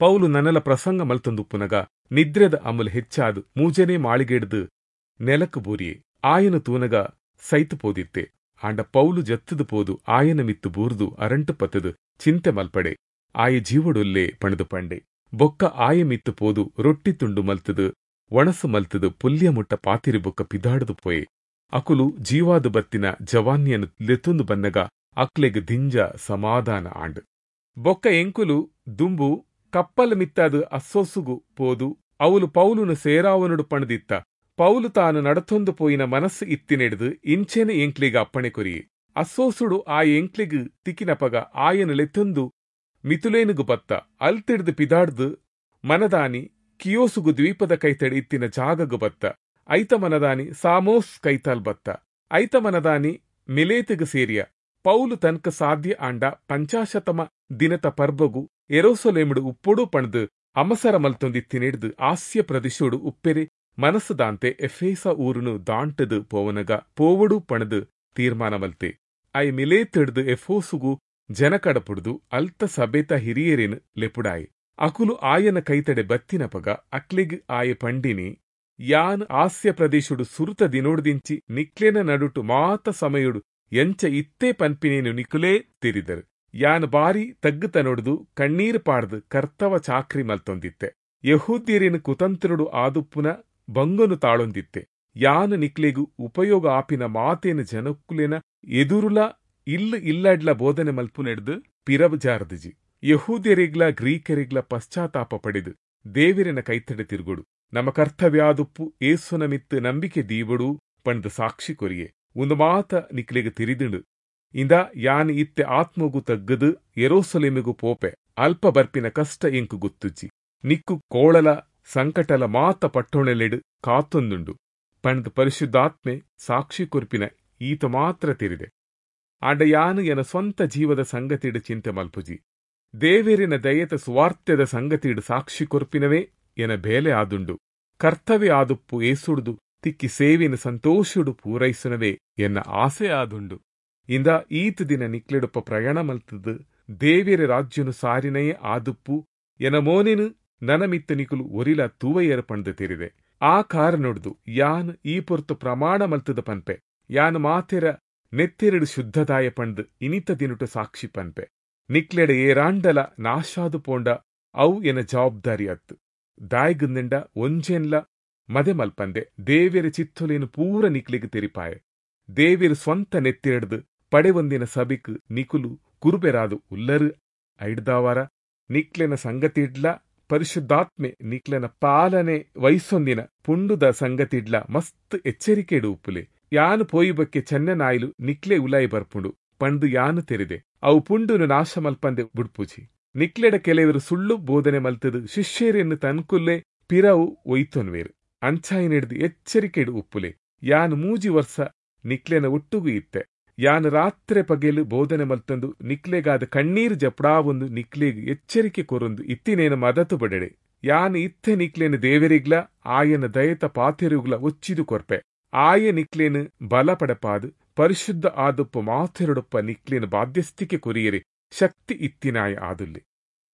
ಪೌಲು ನನಲ ಪ್ರಸಂಗ ಮಲ್ತೊಂದುಪ್ಪುನಗ ನಿದ್ರೆದ ಅಮಲ್ ಹೆಚ್ಚಾದು ಮೂಜನೇ ಮಾಳಿಗೆಡ್ದು ನೆಲಕು ಬೂರಿಯೆ. ಆಯನ ತೂನಗ ಸೈತು ಪೋದಿತ್ತೆ. ಆಂಡ ಪೌಲು ಜತ್ತದು ಪೋದು ಆಯನ ಮಿತ್ತು ಬೂರ್ದು ಅರಂಟು ಪತ್ತದು ಚಿಂತೆ ಮಲ್ಪಡೆ ಆಯ ಜೀವಡೊಲ್ಲೆ ಪಣದು ಪಂಡೆ. ಬೊಕ್ಕ ಆಯ ಮಿತ್ತು ಪೋದು ರೊಟ್ಟಿ ತುಂಡು ಮಲ್ತದು ಒಣಸು ಮಲ್ತದು ಪುಲ್ಯ ಮುಟ್ಟ ಪಾತಿರಿ ಬೊಕ್ಕ ಪಿದಾಡದು ಪೋಯೆ. ಅಕುಲು ಜೀವಾದು ಬತ್ತಿನ ಜವಾನ್ಯನು ಲೆತ್ತೊಂದು ಬನ್ನಗ ಅಕ್ಲೆಗ್ ದಿಂಜ ಸಮಾಧಾನ ಆಂಡ್. ಬೊಕ್ಕ ಎಂಕುಲು ದುಂಬು ಕಪ್ಪಲ್ ಮಿತ್ತಾದು ಅಸ್ಸೋಸುಗು ಪೋದು ಅವಲು ಪೌಲುನು ಸೇರಾವನುಡು ಪಣದಿತ್ತ. ಪೌಲು ತಾನು ನಡತೊಂದು ಪೋಯಿನ ಮನಸ್ಸು ಇತ್ತಿನೆಡ್ದು ಇಂಚೆನೆ ಎಂಕ್ಲಿಗ ಅಪ್ಪಣೆ ಕೊರಿಯೆ. ಅಸ್ಸೋಸುಡು ಆ ಎಂಕ್ಲಿಗ್ ತಿಕ್ಕಿನಪಗ ಆಯನು ಲೆತ್ತೊಂದು ಮಿತುಲೇನುಗು ಬತ್ತ. ಅಲ್ತಿಡ್ದು ಪಿದಾಡ್ದು ಮನದಾನಿ ಕಿಯೋಸುಗು ದ್ವೀಪದ ಕೈತಡಿ ಇತ್ತಿನ ಜಾಗಗು ಬತ್ತ. ಐತ ಮನದಾನಿ ಸಾಮೋಸ್ ಕೈತಾಲ್ ಬತ್ತ. ಐತ ಮನದಾನಿ ಮಿಲೇತುಗು ಸೇರಿಯ. ಪೌಲು ತನ್ಕ ಸಾಧ್ಯ ಆಂಡ ಪಂಚಾಶತಮ ದಿನತ ಪರ್ಬಗು ಎರೋಸೊಲೇಮಿಡು ಉಪ್ಪೊಡು ಪಣದು ಅಮಸರ ಮಲ್ತೊಂದಿತ್ತಿನೆಡ್ದು ಆಸ್ಯ ಪ್ರದೇಶೋಡು ಉಪ್ಪೆರೆ ಮನಸ್ಸುದಾಂತೆ ಎಫೇಸ ಊರುನು ದಾಂಟದು ಪೋವನಗ ಪೋವಡು ಪಣದು ತೀರ್ಮಾನ ಮಲ್ತೆ. I ಮಿಲೇತಿಡ್ದು ಎಫೋಸುಗು ಜನಕಡಪುಡ್ದು ಅಲ್ತ ಸಬೇತ ಹಿರಿಯರೇನು ಲೆಪುಡಾಯಿ. ಅಕುಲು ಆಯನ ಕೈತಡೆ ಬತ್ತಿನಪಗ ಅಕ್ಲೆಗ್ ಆಯ ಪಂಡಿನಿ, ಯಾನ್ ಆಸ್ಯ ಪ್ರದೇಶುಡು ಸುರುತ ದಿನೋಡ್ದಿಂಚಿ ನಿಕ್ಲೆನ ನಡುಟು ಮಾತ ಸಮಯುಡು ಎಂಚ ಇತ್ತೇ ಪನ್ಪಿನೇನು ನಿಕುಲೇ ತಿರಿದರು. ಯಾನ್ ಬಾರಿ ತಗ್ಗುತನೊಡ್ದು ಕಣ್ಣೀರು ಪಾಡ್ದು ಕರ್ತವ ಚಾಕ್ರಿ ಮಲ್ತೊಂದಿತ್ತೆ. ಯಹೂದ್ಯರೇನು ಕುತಂತ್ರಡು ಆದುಪ್ಪುನ ಬಂಗನು ತಾಳೊಂದಿತ್ತೆ. ಯಾನು ನಿಕ್ಲೆಗು ಉಪಯೋಗ ಆಪಿನ ಮಾತೇನ ಜನಕ್ಕುಲೇನ ಎದುರುಲ ಇಲ್ಲು ಇಲ್ಲಡ್ಲ ಬೋಧನೆ ಮಲ್ಪುನೆಡ್ದು ಪಿರಬಜಾರದಿಜಿ. ಯಹೂದ್ಯರಿಗ್ಲ ಗ್ರೀಕರಿಗ್ಲ ಪಶ್ಚಾತ್ತಾಪ ಪಡೆದು ದೇವಿರನ ಕೈತಡೆ ತಿರುಗುಡು, ನಮ್ಮ ಕರ್ತವ್ಯಾದುಪ್ಪು ಏಸುನ ಮಿತ್ತು ನಂಬಿಕೆ ದೀವಡು ಪಂಡ್ದು ಸಾಕ್ಷಿ ಕೊರಿಯೆ. ಒಂದು ಮಾತ ನಿಕ್ಲೆಗು ತಿರಿದಿಂಡು. ಇಂದ ಯಾನ್ ಇತ್ತೆ ಆತ್ಮಗು ತಗ್ಗದು ಎರೋಸಲೇಮಿಗು ಪೋಪೆ. ಅಲ್ಪ ಬರ್ಪಿನ ಕಷ್ಟ ಎಂಕು ಗೊತ್ತುಜ್ಜಿ. ನಿಕ್ಕು ಕೋಳಲ ಸಂಕಟಲ ಮಾತ ಪಟ್ಟೊಣೆಲೆಡು ಕಾತೊಂದುಂಡು ಪಂಡ್ದು ಪರಿಶುದ್ಧಾತ್ಮೆ ಸಾಕ್ಷಿ ಕೊರ್ಪಿನ ಈತ ಮಾತ್ರ ತೆರಿದೆ. ಆಂಡ ಯಾನು ಎನ ಸ್ವಂತ ಜೀವದ ಸಂಗತಿಡು ಚಿಂತೆ ಮಲ್ಪುಜಿ. ದೇವೆರಿನ ದಯೆತ ಸುವಾರ್ತೆದ ಸಂಗತಿಡು ಸಾಕ್ಷಿ ಕೊರ್ಪಿನವೇ ಎನ ಬೇಲೆ ಆದುಂಡು. ಕರ್ತವ್ಯ ಆದುಪ್ಪು ಏಸುಡ್ದು ತಿಕ್ಕಿ ಸೇವಿನ ಸಂತೋಷುಡು ಪೂರೈಸುನವೇ ಎನ್ನ ಆಸೆ ಆದುಂಡು. ಇಂದ ಈತ್ ದಿನ ನಿಕ್ಲೆಡೊಪ್ಪ ಪ್ರಯಾಣ ಮಲ್ತದು ದೇವೆರ ರಾಜ್ಯನು ಸಾರಿನಯೇ ಆದುಪ್ಪು ಎನ ಮೋನೆನು ನನ ಮಿತ್ತ ನಿಕುಲು ಒರಿಲ ತೂವಯ್ಯರ ಪಂಡ್ದು ತೆರಿದೆ. ಆ ಕಾರಣೊಡ್ದು ಯಾನ್ ಈ ಪೊರ್ತು ಪ್ರಮಾಣ ಮಲ್ತದ ಪನ್ಪೆ, ಯಾನ್ ಮಾತೆರ ನೆತ್ತೆರಡು ಶುದ್ಧದಾಯ ಪಂಡ್ದು ಇನಿತ ದಿನಟು ಸಾಕ್ಷಿ ಪನ್ಪೆ. ನಿಕ್ಲೆಡ ಏರಾಂಡಲ ನಾಶಾದು ಪೋಂಡ ಅವು ಎನ ಜವಾಬ್ದಾರಿ ಅತ್ತು. ದಾಯ್ಗುಂದಿಂಡ ಒಂಜೆನ್ಲ ಮದೆ ಮಲ್ಪಂದೆ ದೇವೆರ ಚಿತ್ತೊಲೇನು ಪೂರ ನಿಕ್ಲೆಗ್ ತೆರಿಪಾಯೆ. ದೇವೆರು ಸ್ವಂತ ನೆತ್ತಿರಡ್ದು ಪಡೆವೊಂದಿನ ಸಬಿಕ್ ನಿಕುಲು ಕುರುಬೆರಾದು ಉಲ್ಲರು. ಐಡ್ದಾವಾರ ನಿಕ್ಲೆನ ಸಂಗತಿಡ್ಲ ಪರಿಶುದ್ಧಾತ್ಮೆ ನಿಕ್ಲೆನ ಪಾಲನೆ ವಯಸ್ಸೊಂದಿನ ಪುಂಡುದ ಸಂಗತಿಡ್ಲ ಮಸ್ತ್ ಎಚ್ಚರಿಕೆಡು ಉಪ್ಪುಲೆ. ಯಾನು ಪೋಯಿಬಕ್ಕೆ ಚೆನ್ನನಾಯ್ಲು ನಿಕ್ಲೆ ಉಲಾಯಿ ಬರ್ಪುಂಡು ಪಂಡು ಯಾನು ತೆರಿದೆ. ಅವು ಪುಂಡುನು ನಾಶ ಮಲ್ಪಂದೆ ಬುಡ್ಪುಜಿ. ನಿಕ್ಲೆಡ ಕೆಲವರು ಸುಳ್ಳು ಬೋಧನೆ ಮಲ್ತದು ಶಿಷ್ಯರೆನ್ನು ತನ್ಕುಲ್ಲೆ ಪಿರವು ಒಯ್ತೊನ್ವೇರು. ಅಂಚಾಯಿನೆಡ್ದು ಎಚ್ಚರಿಕೆಡು ಉಪ್ಪುಲೆ. ಯಾನು ಮೂಜಿ ವರ್ಷ ನಿಕ್ಲೆನ ಒಟ್ಟುಗು ಇತ್ತೆ. ಯಾನು ರಾತ್ರೆ ಪಗೆಲು ಬೋಧನೆ ಮಲ್ತಂದು ನಿಕ್ಲೆಗಾದ ಕಣ್ಣೀರು ಜಪ್ಡಾವೊಂದು ನಿಕ್ಲೆಗ್ ಎಚ್ಚರಿಕೆ ಕೊರೊಂದು ಇತ್ತಿನೇನು ಮದತು ಬಡೆಡೆ. ಯಾನು ಇತ್ತೆ ನಿಕ್ಲೇನು ದೇವರಿಗ್ಲ ಆಯನ ದಯತ ಪಾತೆರುಗ್ಲ ಒಚ್ಚಿದು ಕೊರ್ಪೆ. ಆಯ ನಿಕ್ಲೇನು ಬಲ ಪಡಪಾದು ಪರಿಶುದ್ಧ ಆದುಪ್ಪ ಮಾತೆರೊಡಪ್ಪ ನಿಕ್ಲೇನು ಬಾಧ್ಯಸ್ಥಿಕೆ ಕೊರಿಯರೆ ಶಕ್ತಿ ಇತ್ತಿನಾಯ ಆದುಲ್ಲೆ.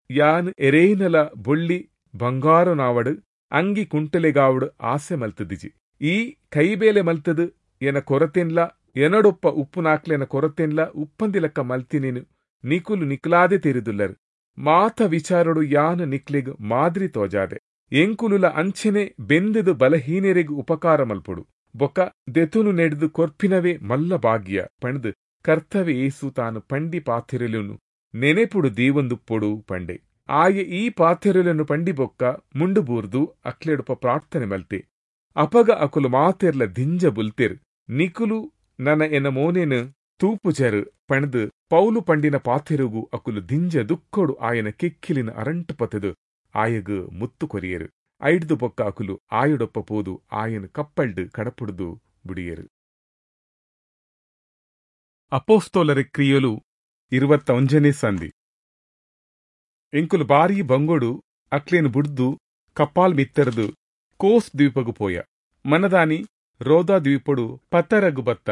ಯಾನ್ ಎರೇನಲ ಬೊಳ್ಳಿ ಬಂಗಾರನಾವಡು ಅಂಗಿ ಕುಂಟಲೆಗಾವಡು ಆಸೆ ಮಲ್ತದಿಜಿ. ಈ ಕೈಬೇಲೆ ಮಲ್ತದು ಎನ ಕೊರತೆನ್ಲ ಎನಡೊಪ್ಪ ಉಪ್ಪು ನಾಕ್ಲೆನ ಕೊರತೆನ್ಲ ಉಪ್ಪಂದಿಲಕ್ಕ ಮಲ್ತಿನೇನು ನಿಕುಲು ನಿಕ್ಲಾದೆ ತೆರಿದುಲ್ಲರು. ಮಾತ ವಿಚಾರಡು ಯಾನು ನಿಕ್ಲೆಗ್ ಮಾದ್ರಿ ತೋಜಾದೆ. ಎಂಕುಲುಲ ಅಂಚೆನೆ ಬೆಂದದು ಬಲಹೀನರೆಗ್ ಉಪಕಾರ ಮಲ್ಪೊಡು. ಬೊಕ್ಕ ದೆತುನು ನೆಡ್ದು ಕೊರ್ಪಿನವೇ ಮಲ್ಲ ಭಾಗ್ಯ ಪಂಡ್ದು ಕರ್ತವ್ಯ ಏಸು ತಾನು ಪಂಡಿ ಪಾಥೆರಲುನು ನೆನೆಪುಡು ದೇವೊಂದುಪ್ಪೊಡು ಪಂಡೆ. ಆಯೆ ಈ ಪಾಥೆರಲನ್ನು ಪಂಡಿ ಬೊಕ್ಕ ಮುಂಡುಬೂರ್ದು ಅಕ್ಲೆಡುಪ ಪ್ರಾರ್ಥನೆ ಮಲ್ತೆ. ಅಪಗ ಅಕುಲು ಮಾತೆರ್ಲ ದಿಂಜ ಬುಲ್ತೆರ್. ನಿಕುಲು ನನ ಎನ ಮೋನೆನು ತೂಪುಜರು ಪಂಡ್ದು ಪೌಲು ಪಂಡಿನ ಪಾಥೆರುಗು ಅಕುಲು ದಿಂಜ ದುಕ್ಕೊಡು ಆಯನ ಕೆಕ್ಕಿಲಿನ ಅರಂಟು ಪತದು ಆಯಗು ಮುತ್ತು ಕೊರಿಯರು. ಐಡ್ದು ಬೊಕ್ಕ ಅಕುಲು ಆಯುಡೊಪ್ಪ ಪೋದು ಆಯನ ಕಪ್ಪಲ್ಡು ಕಡಪುಡ್ದು ಬುಡಿಯರು. ಅಪೋಸ್ತೋಲರ ಕ್ರಿಯಲು ಇರುವತ್ತ ಒಂಜನೇ ಸಂಧಿ. ಎಂಕುಲು ಬಾರಿ ಬಂಗೋಡು ಅಕ್ಲೇನು ಬುಡ್ದು ಕಪ್ಪಾಲ್ ಮಿತ್ತರ್ದು ಕೋಸ್ ದ್ವೀಪಗು ಪೋಯ. ಮನದಾನಿ ರೋದಾ ದ್ವೀಪಡು ಪತ್ತರಗು ಬತ್ತ.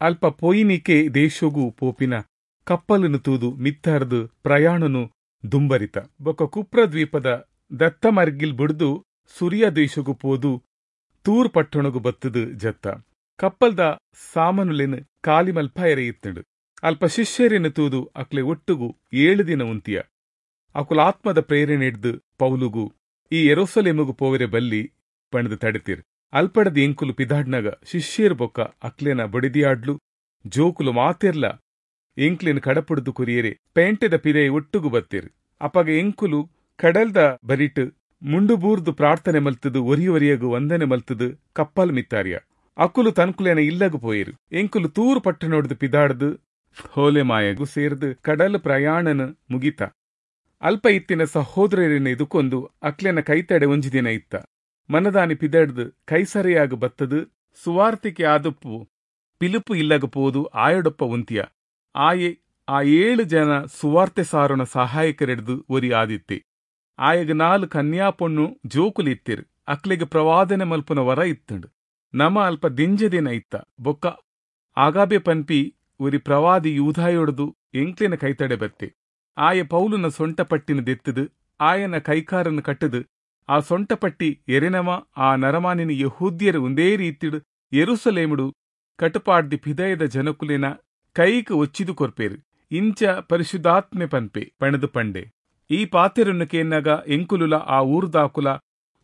ಅಲ್ಪ ಪೋಯಿನಿಕೆ ದೇಶೋಗು ಪೋಪಿನ ಕಪ್ಪಲನ್ನು ತೂದು ಮಿತ್ತರ್ದು ಪ್ರಯಾಣನು ದುಂಬರಿತ. ಬೊಕ್ಕ ಕುಪ್ರ ದ್ವೀಪದ ದತ್ತಮರ್ಗಿಲ್ ಬುಡ್ದು ಸೂರ್ಯ ದೇಶಗು ಪೋದು ತೂರ್ ಪಟ್ಟಣಗು ಬತ್ತದು ಜತ್ತ. ಕಪ್ಪಲ್ದ ಸಾಮನುಲೆನು ಕಾಲಿಮಲ್ಪ ಎರೆಯಿತ್ತಂಡು. ಅಲ್ಪ ಶಿಷ್ಯರೆನು ತೂದು ಅಕ್ಲೆ ಒಟ್ಟುಗು ಏಳು ದಿನ ಉಂತಿಯ. ಅಕುಲಾತ್ಮದ ಪ್ರೇರಣೆ ಹಿಡ್ದು ಪೌಲುಗು ಈ ಎರೋಸಲೇಮುಗು ಪೋವೆರೆ ಬಲ್ಲಿ ಪಣದು ತಡೆತಿರ್. ಅಲ್ಪಡದ ಎಂಕುಲು ಪಿದಾಡ್ನಾಗ ಶಿಷ್ಯರು ಬೊಕ್ಕ ಅಕ್ಲೆನ ಬಡಿದಿಯಾಡ್ಲು ಜೋಕುಲು ಮಾತೆರ್ಲ ಎಂಕ್ಲೆನ ಕಡಪುಡ್ದು ಕುರಿಯರೆ ಪೇಂಟೆದ ಪಿದೆ ಒಟ್ಟುಗು ಬತ್ತಿರ್. ಅಪಗ ಎಂಕುಲು ಕಡಲ್ದ ಬರಿಟ್ ಮುಂಡುಬೂರ್ದು ಪ್ರಾರ್ಥನೆ ಮಲ್ತದು ಒರಿ ಒರಿಯಗು ವಂದನೆ ಮಲ್ತದು ಕಪ್ಪಲ್ ಮಿತ್ತಾರಿಯ. ಅಕುಲು ತನ್ಕುಲೇನ ಇಲ್ಲಗು ಪೋಯಿರು. ಎಂಕುಲು ತೂರು ಪಟ್ಟಣೊಡ್ದು ಪಿದಾಡ್ದು ಹೋಲೆಮಾಯಗು ಸೇರ್ದು ಕಡಲ್ ಪ್ರಯಾಣನ ಮುಗಿತ. ಅಲ್ಪ ಇತ್ತಿನ ಸಹೋದರರಿನ ಇದುಕೊಂದು ಅಕ್ಲೆನ ಕೈತಡೆ ಒಂಜಿ ದಿನ ಇತ್ತ. ಮನದಾನಿ ಪಿದಡ್ದು ಕೈಸರಿಯಾಗ ಬತ್ತದು ಸುವಾರ್ತಿಕೆ ಆದುಪ್ಪು ಪಿಲುಪು ಇಲ್ಲಗ ಪೋದು ಆಯೊಡಪ್ಪ ಉಂತಿಯ. ಆಯೆ ಆ ಏಳು ಜನ ಸುವಾರ್ತೆ ಸಾರೋಣ ಸಹಾಯಕರೆಡ್ದು ಒರಿ ಆದಿತ್ತೆ. ಆಯಗ ನಾಲ್ ಕನ್ಯಾ ಪೊಣ್ಣು ಜೋಕುಲು ಇತ್ತಿರು. ಅಕ್ಲೆಗ್ ಪ್ರವಾದನೆ ಮಲ್ಪುನ ವರ ಇತ್ತಂಡು. ನಮ ಅಲ್ಪ ದಿಂಜ ದಿನ ಇತ್ತ. ಬೊಕ್ಕ ಆಗಾಬೆ ಪನ್ಪಿ ಒರಿ ಪ್ರವಾದಿ ಯೂಧಾಯೊಡ್ದು ಎಂಕ್ಲೆನ ಕೈತಡೆ ಬತ್ತೆ. ಆಯ ಪೌಲುನ ಸೊಂಟಪಟ್ಟಿನ ದೆತ್ತದು ಆಯನ ಕೈಕಾರನ್ನು ಕಟ್ಟದು ಆ ಸೊಂಟಪಟ್ಟಿ ಎರೆನಮ ಆ ನರಮಾನಿನ ಯಹೂದ್ಯರು ಒಂದೇ ರೀತಿಡು ಯೆರೂಸಲೇಮುಡು ಕಟುಪಾಡ್ದಿ ಪಿದಯದ ಜನಕುಲಿನ ಕೈಕ್ ಒಚ್ಚಿದು ಕೊರ್ಪೇರು. ಇಂಚ ಪರಿಶುದ್ಧಾತ್ಮೆ ಪನ್ಪೆ ಪಣದು ಪಂಡೆ. ಈ ಪಾತೆರನ್ನು ಕೇನ್ನಾಗ ಎಂಕುಲುಲ ಆ ಊರುದಾಕುಲ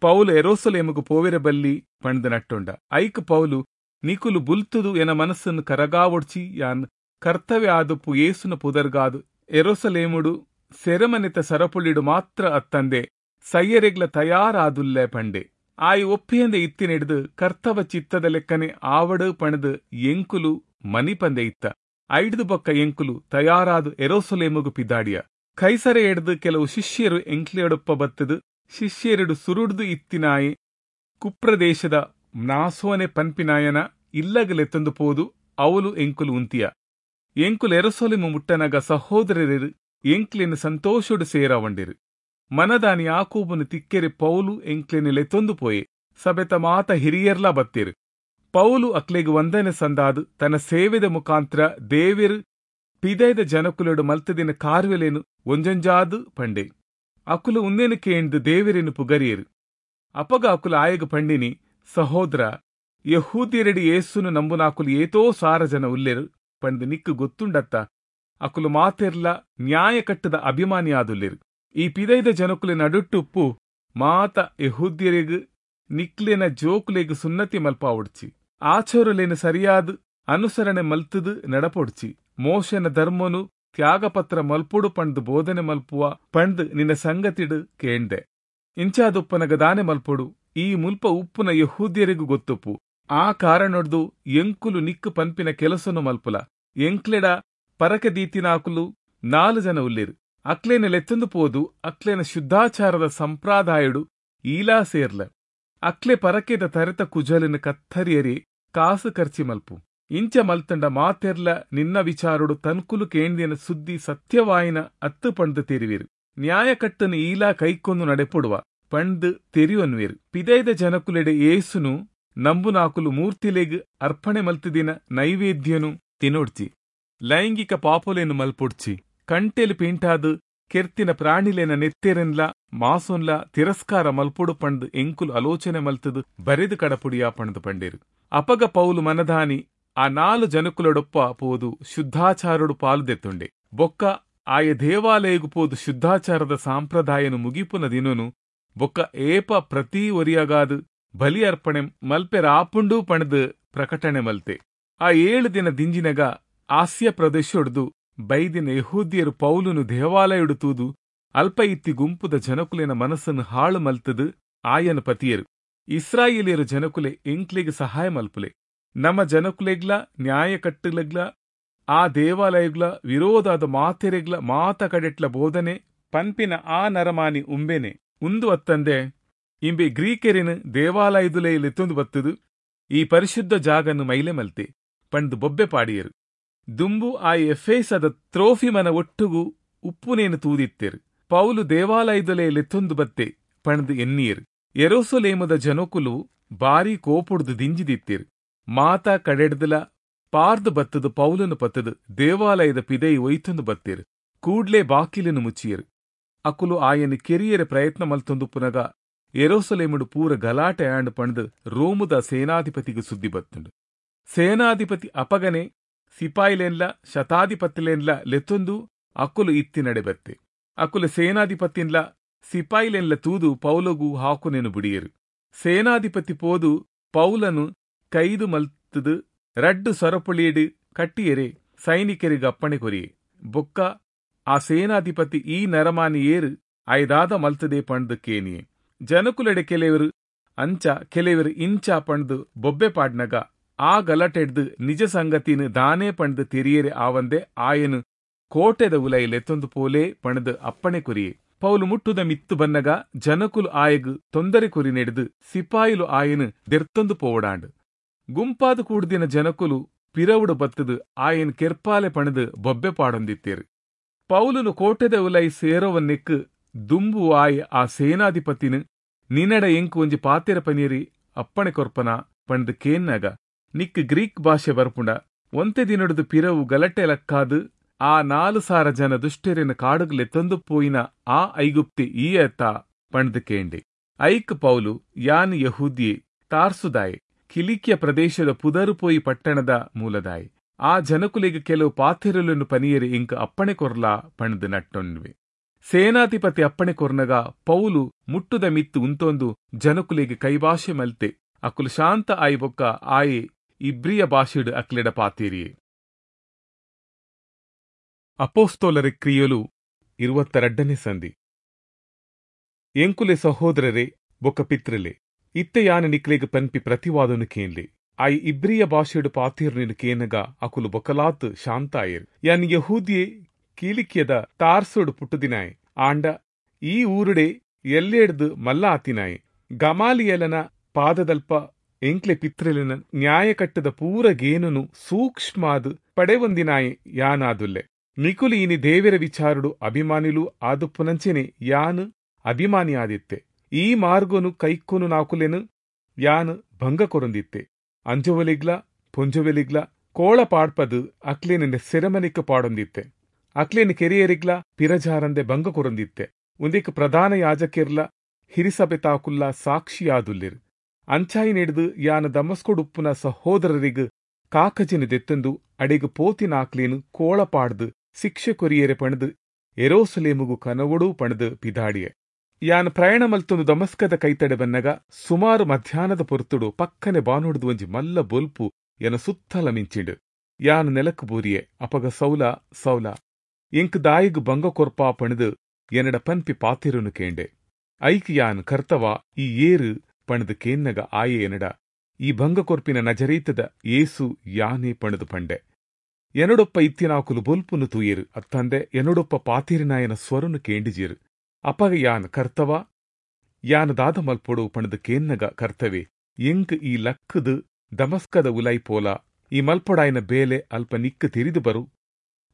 ಪೌಲು ಎರೋಸಲೇಮುಗು ಪೋವೆರ ಬಲ್ಲಿ ಪಣದು ನಟ್ಟೊಂಡ. ಐಕ್ ಪೌಲು ನಿಕುಲು ಬುಲ್ತುದು ಎನ ಮನಸ್ಸನ್ನು ಕರಗಾವೊಡ್ಚಿ ಯಾನ್ ಕರ್ತವ್ಯ ಆದುಪ್ಪು ಏಸುನ ಪುದರ್ಗಾದು ಎರೋಸಲೇಮುಡು ಸೆರೆಮನೆತ ಸರಪುಳಿಡು ಮಾತ್ರ ಅತ್ತಂದೆ ಸಯ್ಯರೆಗ್ಲ ತಯಾರಾದುಲ್ಲೆ ಪಂಡೆ. ಆಯಿ ಒಪ್ಪಿಯಂದೆ ಇತ್ತಿನೆಡ್ದು ಕರ್ತವ ಚಿತ್ತದ ಲೆಕ್ಕನೆ ಆವಡು ಪಣದು ಎಂಕುಲು ಮನಿಪಂದೆ ಇತ್ತ. ಐಡ್ದು ಬೊಕ್ಕ ಎಂಕುಲು ತಯಾರಾದು ಎರೋಸಲೇಮುಗು ಪಿದಾಡಿಯ. ಕೈಸರೆ ಎಡ್ದು ಕೆಲವು ಶಿಷ್ಯರು ಎಂಕ್ಲೆಯೊಡಪ್ಪ ಬತ್ತದು ಶಿಷ್ಯರೆಡು ಸುರುಡ್ದು ಇತ್ತಿನಾಯಿ ಕುಪ್ರದೇಶದ ನಾಸೋನೆ ಪನ್ಪಿನಾಯನ ಇಲ್ಲಗಲೆತ್ತಂದು ಪೋದು ಅವಲು ಎಂಕುಲು ಉಂತಿಯ. ಎಂಕುಲು ಯೆರೂಸಲೇಮು ಮುಟ್ಟನಗ ಸಹೋದರರು ಎಂಕ್ಲೆನ್ ಸಂತೋಷೊಡು ಸೇರಾವಂಡಿರು. ಮನದಾನಿ ಯಾಕೋಬನು ತಿಕ್ಕೆರೆ ಪೌಲು ಎಂಕ್ಲೆನ್ ಲೆತ್ತೊಂದು ಪೋಯೆ. ಸಭೆತ ಮಾತ ಹಿರಿಯರ್ಲಾ ಬತ್ತೇರು. ಪೌಲು ಅಕ್ಲೆಗ್ ವಂದನೆ ಸಂದಾದು ತನ್ನ ಸೇವೆದ ಮುಖಾಂತರ ದೇವೆರು ಪಿದೈದ ಜನಕುಲೆಡು ಮಲ್ತದಿನ ಕಾರ್ಯಲೇನು ಒಂಜೊಂಜಾದು ಪಂಡೆ. ಅಕುಲು ಉಂದೇನು ಕೇಂದು ದೇವರೇನು ಪುಗರಿಯರು. ಅಪಗ ಅಕುಲು ಆಯಗ ಪಂಡಿನಿ, ಸಹೋದರ, ಯಹೂದ್ಯರೆಡಿ ಯೇಸುನು ನಂಬುನಾಕುಲು ಏತೋ ಸಾರ ಜನ ಉಲ್ಲೆರು ಪಂದು ನಿಕ್ಕು ಗೊತ್ತುಂಡತ್ತ. ಅಕುಲು ಮಾತೆರ್ಲ ನ್ಯಾಯ ಕಟ್ಟದ ಅಭಿಮಾನಿ ಆದುಲ್ಲೆರು. ಈ ಪಿದೈದ ಜನಕುಲೆ ನಡುಟ್ಟುಪ್ಪು ಮಾತ ಯಹೂದ್ಯರಿಗ್ ನಿಕ್ಲೆನ ಜೋಕುಲೆಗ್ ಸುನ್ನತಿ ಮಲ್ಪಾವೊಡ್ಚಿ, ಆಚೋರಲೇನು ಸರಿಯಾದ ಅನುಸರಣೆ ಮಲ್ತದು ನಡಪೊಡ್ಚಿ, ಮೋಶನ ಧರ್ಮನು ತ್ಯಾಗಪತ್ರ ಮಲ್ಪುಡು ಪಂಡ್ದು ಬೋಧನೆ ಮಲ್ಪುವ ಪಂಡ್ದು ನಿನ್ನ ಸಂಗತಿಡು ಕೇಂದೆ. ಇಂಚಾದುಪ್ಪನಗ ದಾನೆ ಮಲ್ಪೊಡು, ಈ ಮುಲ್ಪ ಉಪ್ಪುನ ಯಹೂದ್ಯರಿಗೂ ಗೊತ್ತುಪ್ಪು. ಆ ಕಾರಣೊಡ್ದು ಎಂಕುಲು ನಿಕ್ಕು ಪನ್ಪಿನ ಕೆಲಸನು ಮಲ್ಪುಲ. ಎಂಕ್ಲೆಡ ಪರಕೆ ದೀತಿನಾಕುಲು ನಾಲು ಜನ ಉಲ್ಲೇರು. ಅಕ್ಲೇನ ಲೆತ್ತೊಂದು ಪೋದು ಅಕ್ಲೇನ ಶುದ್ಧಾಚಾರದ ಸಂಪ್ರದಾಯಡು ಈಲಾ ಸೇರ್ಲ. ಅಕ್ಲೆ ಪರಕೆದ ತರೆತ ಕುಜಲಿನ ಕತ್ತರಿಯರಿ ಕಾಸು ಖರ್ಚಿ ಮಲ್ಪು. ಇಂಚ ಮಲ್ತಂಡ ಮಾತೆರ್ಲ ನಿನ್ನ ವಿಚಾರಡು ತನ್ಕುಲು ಕೇಂದಿನ ಸುದ್ದಿ ಸತ್ಯವಾಯಿನ ಅತ್ತು ಪಂಡ್ದು ತೆರಿವಿರು. ನ್ಯಾಯಕಟ್ಟನು ಈಲಾ ಕೈಕೊಂದು ನಡೆಪೊಡುವ ಪಂಡ್ದು ತೆರಿಯೊನ್ವಿರು. ಪಿದೈದ ಜನಕುಲೆಡೆ ಏಸುನು ನಂಬುನಾಕುಲು ಮೂರ್ತಿಲೆಗ್ ಅರ್ಪಣೆ ಮಲ್ತಿದಿನ ನೈವೇದ್ಯನು ತಿನೊಡ್ಚಿ, ಲೈಂಗಿಕ ಪಾಪೊಲೇನು ಮಲ್ಪೊಡ್ಚಿ, ಕಂಟೆಲು ಪಿಂಟಾದು ಕೆರ್ತಿನ ಪ್ರಾಣಿಲೇನ ನೆತ್ತೆರೆನ್ಲ ಮಾಸೊನ್ಲ ತಿರಸ್ಕಾರ ಮಲ್ಪೊಡು ಪಂಡ್ದು ಎಂಕುಲು ಆಲೋಚನೆ ಮಲ್ತದು ಬರೆದು ಕಡಪುಡಿಯಾ ಪಂಡ್ದು ಪಂಡೇರು. ಅಪಗ ಪೌಲು ಮನದಾನಿ ಆ ನಾಲು ಜನಕುಲೊಡೊಪ್ಪ ಪೋದು ಶುದ್ಧಾಚಾರಡು ಪಾಲುದೆತ್ತುಂಡೆ. ಬೊಕ್ಕ ಆಯ ದೇವಾಲಯಗು ಪೋದು ಶುದ್ಧಾಚಾರದ ಸಾಂಪ್ರದಾಯನು ಮುಗಿಪುನ ದಿನನು ಬೊಕ್ಕ ಏಪ ಪ್ರತಿ ಒರಿಯಗಾದು ಬಲಿ ಅರ್ಪಣೆ ಮಲ್ಪೆರಾಪುಂಡು ಪಣದು ಪ್ರಕಟಣೆ ಮಲ್ತೆ. ಆ ಏಳು ದಿನ ದಿಂಜಿನಗ ಆಸ್ಯ ಪ್ರದೇಶೊಡ್ದು ಬೈದಿನ ಯಹೂದ್ಯರು ಪೌಲುನು ದೇವಾಲಯುಡು ತೂದು ಅಲ್ಪ ಇತ್ತಿ ಗುಂಪುದ ಜನಕುಲೆನ ಮನಸ್ಸನ್ನು ಹಾಳು ಮಲ್ತದು ಆಯನ ಪತಿಯರು, ಇಸ್ರಾಯೇಲಿಯರು ಜನಕುಲೆ ಎಂಕ್ಲೆಗ್ ಸಹಾಯ ಮಲ್ಪುಲೆ, ನಮ್ಮ ಜನಕುಲೆಗ್ಲ ನ್ಯಾಯಕಟ್ಟುಲೆಗ್ಲ ಆ ದೇವಾಲಯಗ್ಲ ವಿರೋಧಾದ ಮಾತೆರೆಗ್ಲ ಮಾತ ಕಡೆಟ್ಲ ಬೋಧನೆ ಪನ್ಪಿನ ಆ ನರಮಾನಿ ಉಂಬೆನೆ ಉಂದು ಅತ್ತಂದೆ ಇಂಬೆ ಗ್ರೀಕೆರಿನ ದೇವಾಲಯದುಲೇ ಲೆತ್ತೊಂದು ಬತ್ತದು ಈ ಪರಿಶುದ್ಧ ಜಾಗನ್ನು ಮೈಲೆ ಮಲ್ತೆ ಪಂಡು ಬೊಬ್ಬೆ ಪಾಡಿಯರು. ದುಂಬು ಆ ಎಫೇಸದ ತ್ರೋಫಿಮನ ಒಟ್ಟುಗು ಉಪ್ಪುನೇನು ತೂದಿತ್ತೇರು. ಪೌಲು ದೇವಾಲಯದೊಲೆ ಲೆತ್ತೊಂದು ಬತ್ತೆ ಪಣದು ಎನ್ನಿಯರು. ಯೆರೂಸಲೇಮದ ಜನಕುಲು ಬಾರಿ ಕೋಪುಡ್ದು ದಿಂಜಿದಿತ್ತೇರು. ಮಾತಾ ಕಡೆಡ್ದಲ ಪಾರ್ದು ಬತ್ತದು ಪೌಲನು ಪತ್ತದು ದೇವಾಲಯದ ಪಿದೈ ಒಯ್ತೊಂದು ಬತ್ತೇರು. ಕೂಡ್ಲೆ ಬಾಕಿಲನು ಮುಚ್ಚಿಯರು. ಅಕುಲು ಆಯನ ಕೆರಿಯರ ಪ್ರಯತ್ನ ಮಲ್ತೊಂದು ಪುನಗ ಯೆರೂಸಲೇಮುಡು ಪೂರ ಗಲಾಟೆ ಆಂಡ್ ಪಣದು ರೋಮುದ ಸೇನಾಧಿಪತಿಗೆ ಸುದ್ದಿ ಬತ್ತುಂಡು. ಸೇನಾಧಿಪತಿ ಅಪಗನೆ ಸಿಪಾಯಿಲೆನ್ಲ ಶತಾಧಿಪತಿಲೆನ್ಲ ಲೆತ್ತೊಂದು ಅಕುಲು ಇತ್ತಿ ನಡೆ ಬತ್ತೆ. ಅಕುಲು ಸೇನಾಧಿಪತಿನ್ಲ ಸಿಪಾಯಿಲೆನ್ಲ ತೂದು ಪೌಲಗು ಹಾಕುನೆನು ಬಿಡಿಯರು. ಸೇನಾಧಿಪತಿ ಪೋದು ಪೌಲನು ಕೈದು ಮಲ್ತದು ರಡ್ಡು ಸೊರಪುಳಿಯಡು ಕಟ್ಟಿಯರೆ ಸೈನಿಕರಿಗೆ ಅಪ್ಪಣೆ ಕೊರಿಯೆ. ಬೊಕ್ಕ ಆ ಸೇನಾಧಿಪತಿ ಈ ನರಮಾನಿ ಏರು ಐದಾದ ಮಲ್ತದೆ ಪಂಡ್ದು ಕೇನಿಯೆ. ಜನಕುಲೆಡೆ ಕೆಲವರು ಅಂಚ ಕೆಲವರು ಇಂಚ ಪಂಡ್ದು ಬೊಬ್ಬೆ ಪಾಡ್ನಗ ಆ ಗಲಾಟೆಡ್ದು ನಿಜ ಸಂಗತಿನ ದಾನೇ ಪಂಡ್ದು ತೆರಿಯರೆ ಆವಂದೆ ಆಯನು ಕೋಟೆದ ಉಲೈಲೆತ್ತೊಂದು ಪೋಲೆ ಪಣದು ಅಪ್ಪಣೆ ಕೊರಿಯೆ. ಪೌಲು ಮುಟ್ಟುದ ಮಿತ್ತು ಬನ್ನಗ ಜನಕುಲು ಆಯಗ್ ತೊಂದರೆ ಕೊರಿ ನೆಡ್ದು ಸಿಪಾಯಿಲು ಆಯನು ದೆರ್ತೊಂದು ಪೋವಡಾಂಡು. ಗುಂಪಾದ ಕೂಡ್ದಿನ ಜನಕುಲು ಪಿರವುಡು ಬತ್ತದು ಆಯನ್ ಕೆರ್ಪಾಲೆ ಪಣದು ಬೊಬ್ಬೆ ಪಾಡೊಂದಿತ್ತೇರು. ಪೌಲುನು ಕೋಟೆದ ಉಲೈ ಸೇರೋವನ್ನೆಕ್ಕು ದುಂಬು ಆಯ್ ಆ ಸೇನಾಧಿಪತಿನ ನಿನ್ನಡ ಎಂಕು ಒಂಜಿ ಪಾತೆರ ಪನೀರಿ ಅಪ್ಪಣೆ ಕೊರ್ಪನ ಪಂಡ್ದು ಕೇನ್ನಾಗ ನಿಕ್ ಗ್ರೀಕ್ ಭಾಷೆ ಬರ್ಪುಂಡ ಒಂತೆ ದಿನೊಡ್ದು ಪಿರವು ಗಲಟೆ ಲಕ್ಕಾದು ಆ ನಾಲು ಸಾರ ಜನ ದುಷ್ಟೆರೆನ ಕಾಡುಗಲೆತ್ತೊಂದು ಪೋಯಿನ ಆ ಐಗುಪ್ತಿ ಈ ಅತ್ತ ಪಂಡ್ದು ಕೇಂಡೆ. ಐಕ್ ಪೌಲು ಯಾನ್ ಯಹೂದಿಯೆ ತಾರ್ಸುದಾಯೆ ಕಿಲಿಕ್ಯ ಪ್ರದೇಶದ ಪುದರುಪೋಯಿ ಪಟ್ಟಣದ ಮೂಲದಾಯೆ ಆ ಜನಕುಲೆಗ್ ಕೆಲವು ಪಾತೆರಲನ್ನು ಪನಿಯರೆ ಇಂಕ ಅಪ್ಪಣೆ ಕೊರ್ಲಾ ಪಂಡ್ದು ನಟ್ಟೊನ್ವೆ. ಸೇನಾಧಿಪತಿ ಅಪ್ಪಣೆ ಕೊರ್ನಗ ಪೌಲು ಮುಟ್ಟುದ ಮಿತ್ತು ಉಂತೊಂದು ಜನಕುಲೆಗ್ ಕೈಭಾಷೆ ಮಲ್ತೆ. ಅಕುಲು ಶಾಂತ ಆಯಿ ಬೊಕ್ಕ ಆಯೆ ಇಬ್ರಿಯ ಭಾಷೆಡು ಅಕ್ಲೆಡ ಪಾತೇರಿಯೆ. ಅಪೋಸ್ತೋಲರ ಕ್ರಿಯಲು ಇರುವತ್ತರಡ್ಡನೇ ಸಂಧಿ. ಎಂಕುಲೆ ಸಹೋದರರೇ ಬೊಕ್ಕ ಪಿತ್ರಲೆ, ಇತ್ತೆ ಯಾನ ನಿಕ್ಲೆಗ್ ಪನ್ಪಿ ಪ್ರತಿವಾದನು ಕೇನ್ಲೆ. ಆಯ್ ಇಬ್ರಿಯ ಭಾಷೆಡು ಪಾತೇರ್ನಿನು ಕೇನಗ ಅಕುಲು ಬೊಕಲಾತ್ ಶಾಂತಾಯೆರ್. ಯಾನ್ ಯಹೂದಿಯೆ ಕೀಲಿಕ್ಯದ ತಾರ್ಸೋಡು ಪುಟ್ಟುದಿನಾಯೆ, ಆಂಡ ಈ ಊರುಡೆ ಎಲ್ಲೆಡ್ದು ಮಲ್ಲ ಆತಿನಾಯೆ. ಗಮಾಲಿಯಲನ ಪಾದದಲ್ಪ ಎಂಕ್ಲೆ ಪಿತ್ರೆಲಿನ ನ್ಯಾಯಕಟ್ಟದ ಪೂರ ಗೇನನು ಸೂಕ್ಷ್ಮಾದ್ ಪಡೆವೊಂದಿನಾಯೆ ಯಾನಾದುಲ್ಲೆ. ನಿಕುಲು ಇನಿ ದೇವೆರ ವಿಚಾರುಡು ಅಭಿಮಾನಿಲು ಆದುಪ್ಪುನಂಚೆನೆ ಯಾನ್ ಅಭಿಮಾನಿ ಆದಿತ್ತೆ. ಈ ಮಾರ್ಗೊನು ಕೈಕೊನು ನಾಕುಲೆನು ಯಾನ್ ಭಂಗ ಕೊರೊಂದಿತ್ತೆ. ಅಂಜೊವಲಿಗ್ಲ ಪೊಂಜೊವೆಲಿಗ್ಲ ಕೋಳ ಪಾಡ್ಪದು ಅಕ್ಲೇನ ಸೆರೆಮನಿಕ್ ಪಾಡೊಂದಿತ್ತೆ. ಅಕ್ಲೇನ ಕೆರಿಯರಿಗ್ಲ ಪಿರಜಾರಂದೆ ಭಂಗ ಕೊರೊಂದಿತ್ತೆ. ಉಂದೆಕ್ ಪ್ರಧಾನ ಯಾಜಕಿರ್ಲ ಹಿರಿಸಭೆತಾಕುಲ್ಲ ಸಾಕ್ಷಿಯಾದುಲ್ಲೆರ್. ಅಂಚಾಯಿ ನೆಡ್ದು ಯಾನ್ ದಮಸ್ಕೊಡುಪ್ಪುನ ಸಹೋದರರಿಗ್ ಕಾಕಜಿನ ದೆತ್ತಂದು ಅಡೆಗ್ ಪೋತಿನಾಕ್ಲೇನ್ ಕೋಳ ಪಾಡ್ದು ಶಿಕ್ಷೆ ಕೊರಿಯೆರೆ ಪಣದು ಎರೋಸಲೇಮುಗು ಕನವೊಡು ಪಣದು ಪಿದಾಡಿಯೆ. ಯಾನ್ ಪ್ರಯಾಣ ಮಲ್ತೊಂದು ದಮಸ್ಕದ ಕೈತಡೆ ಬನ್ನಗ ಸುಮಾರು ಮಧ್ಯಾಹ್ನದ ಪೊರ್ತುಡು ಪಕ್ಕನೆ ಬಾನೊಡ್ದು ಒಂಜಿ ಮಲ್ಲ ಬೊಲ್ಪು ಎನ ಸುತ್ತಲ ಮಿಂಚಿಂಡು. ಯಾನ್ ನೆಲಕ್ ಬೂರಿಯೆ. ಅಪಗ ಸೌಲ ಸೌಲ ಎಂಕ್ ದಾಯಿಗ್ ಭಂಗ ಕೊರ್ಪಾ ಪಣದು ಎನ್ನಡ ಪನ್ಪಿ ಪಾತೆರುನು ಕೇಂಡೆ. ಐಕ್ ಯಾನ್ ಕರ್ತವ ಈ ಏರು ಪಣದು ಕೇನ್ನಗ ಆಯೆ ಎನ್ನಡ ಈ ಭಂಗ ಕೊರ್ಪಿನ ನಜರೀತದ ಯೇಸು ಯಾನೇ ಪಣದು ಪಂಡೆ. ಎನ್ನಡೊಪ್ಪ ಇತ್ತಿನಾಕುಲು ಬೊಲ್ಪುನು ತೂಯೆರು ಅತ್ತಂದೆ ಎನ್ನಡೊಪ್ಪ ಪಾತೆರಿನಾಯನ ಸ್ವರನು ಕೇಂಡಿಜೇರು. ಅಪಗ ಯಾನ್ ಕರ್ತವ ಯಾನ್ ದಾದ ಮಲ್ಪೊಡು ಪಣದು ಕೇನ್ನಗ ಕರ್ತವೆ ಎಂಕ್ ಈ ಲಕ್ಕದು ದಮಸ್ಕದ ಉಲೈ ಪೋಲ, ಈ ಮಲ್ಪೊಡಾಯನ ಬೇಲೆ ಅಲ್ಪ ನಿಕ್ಕು ತೆರಿದು ಬರು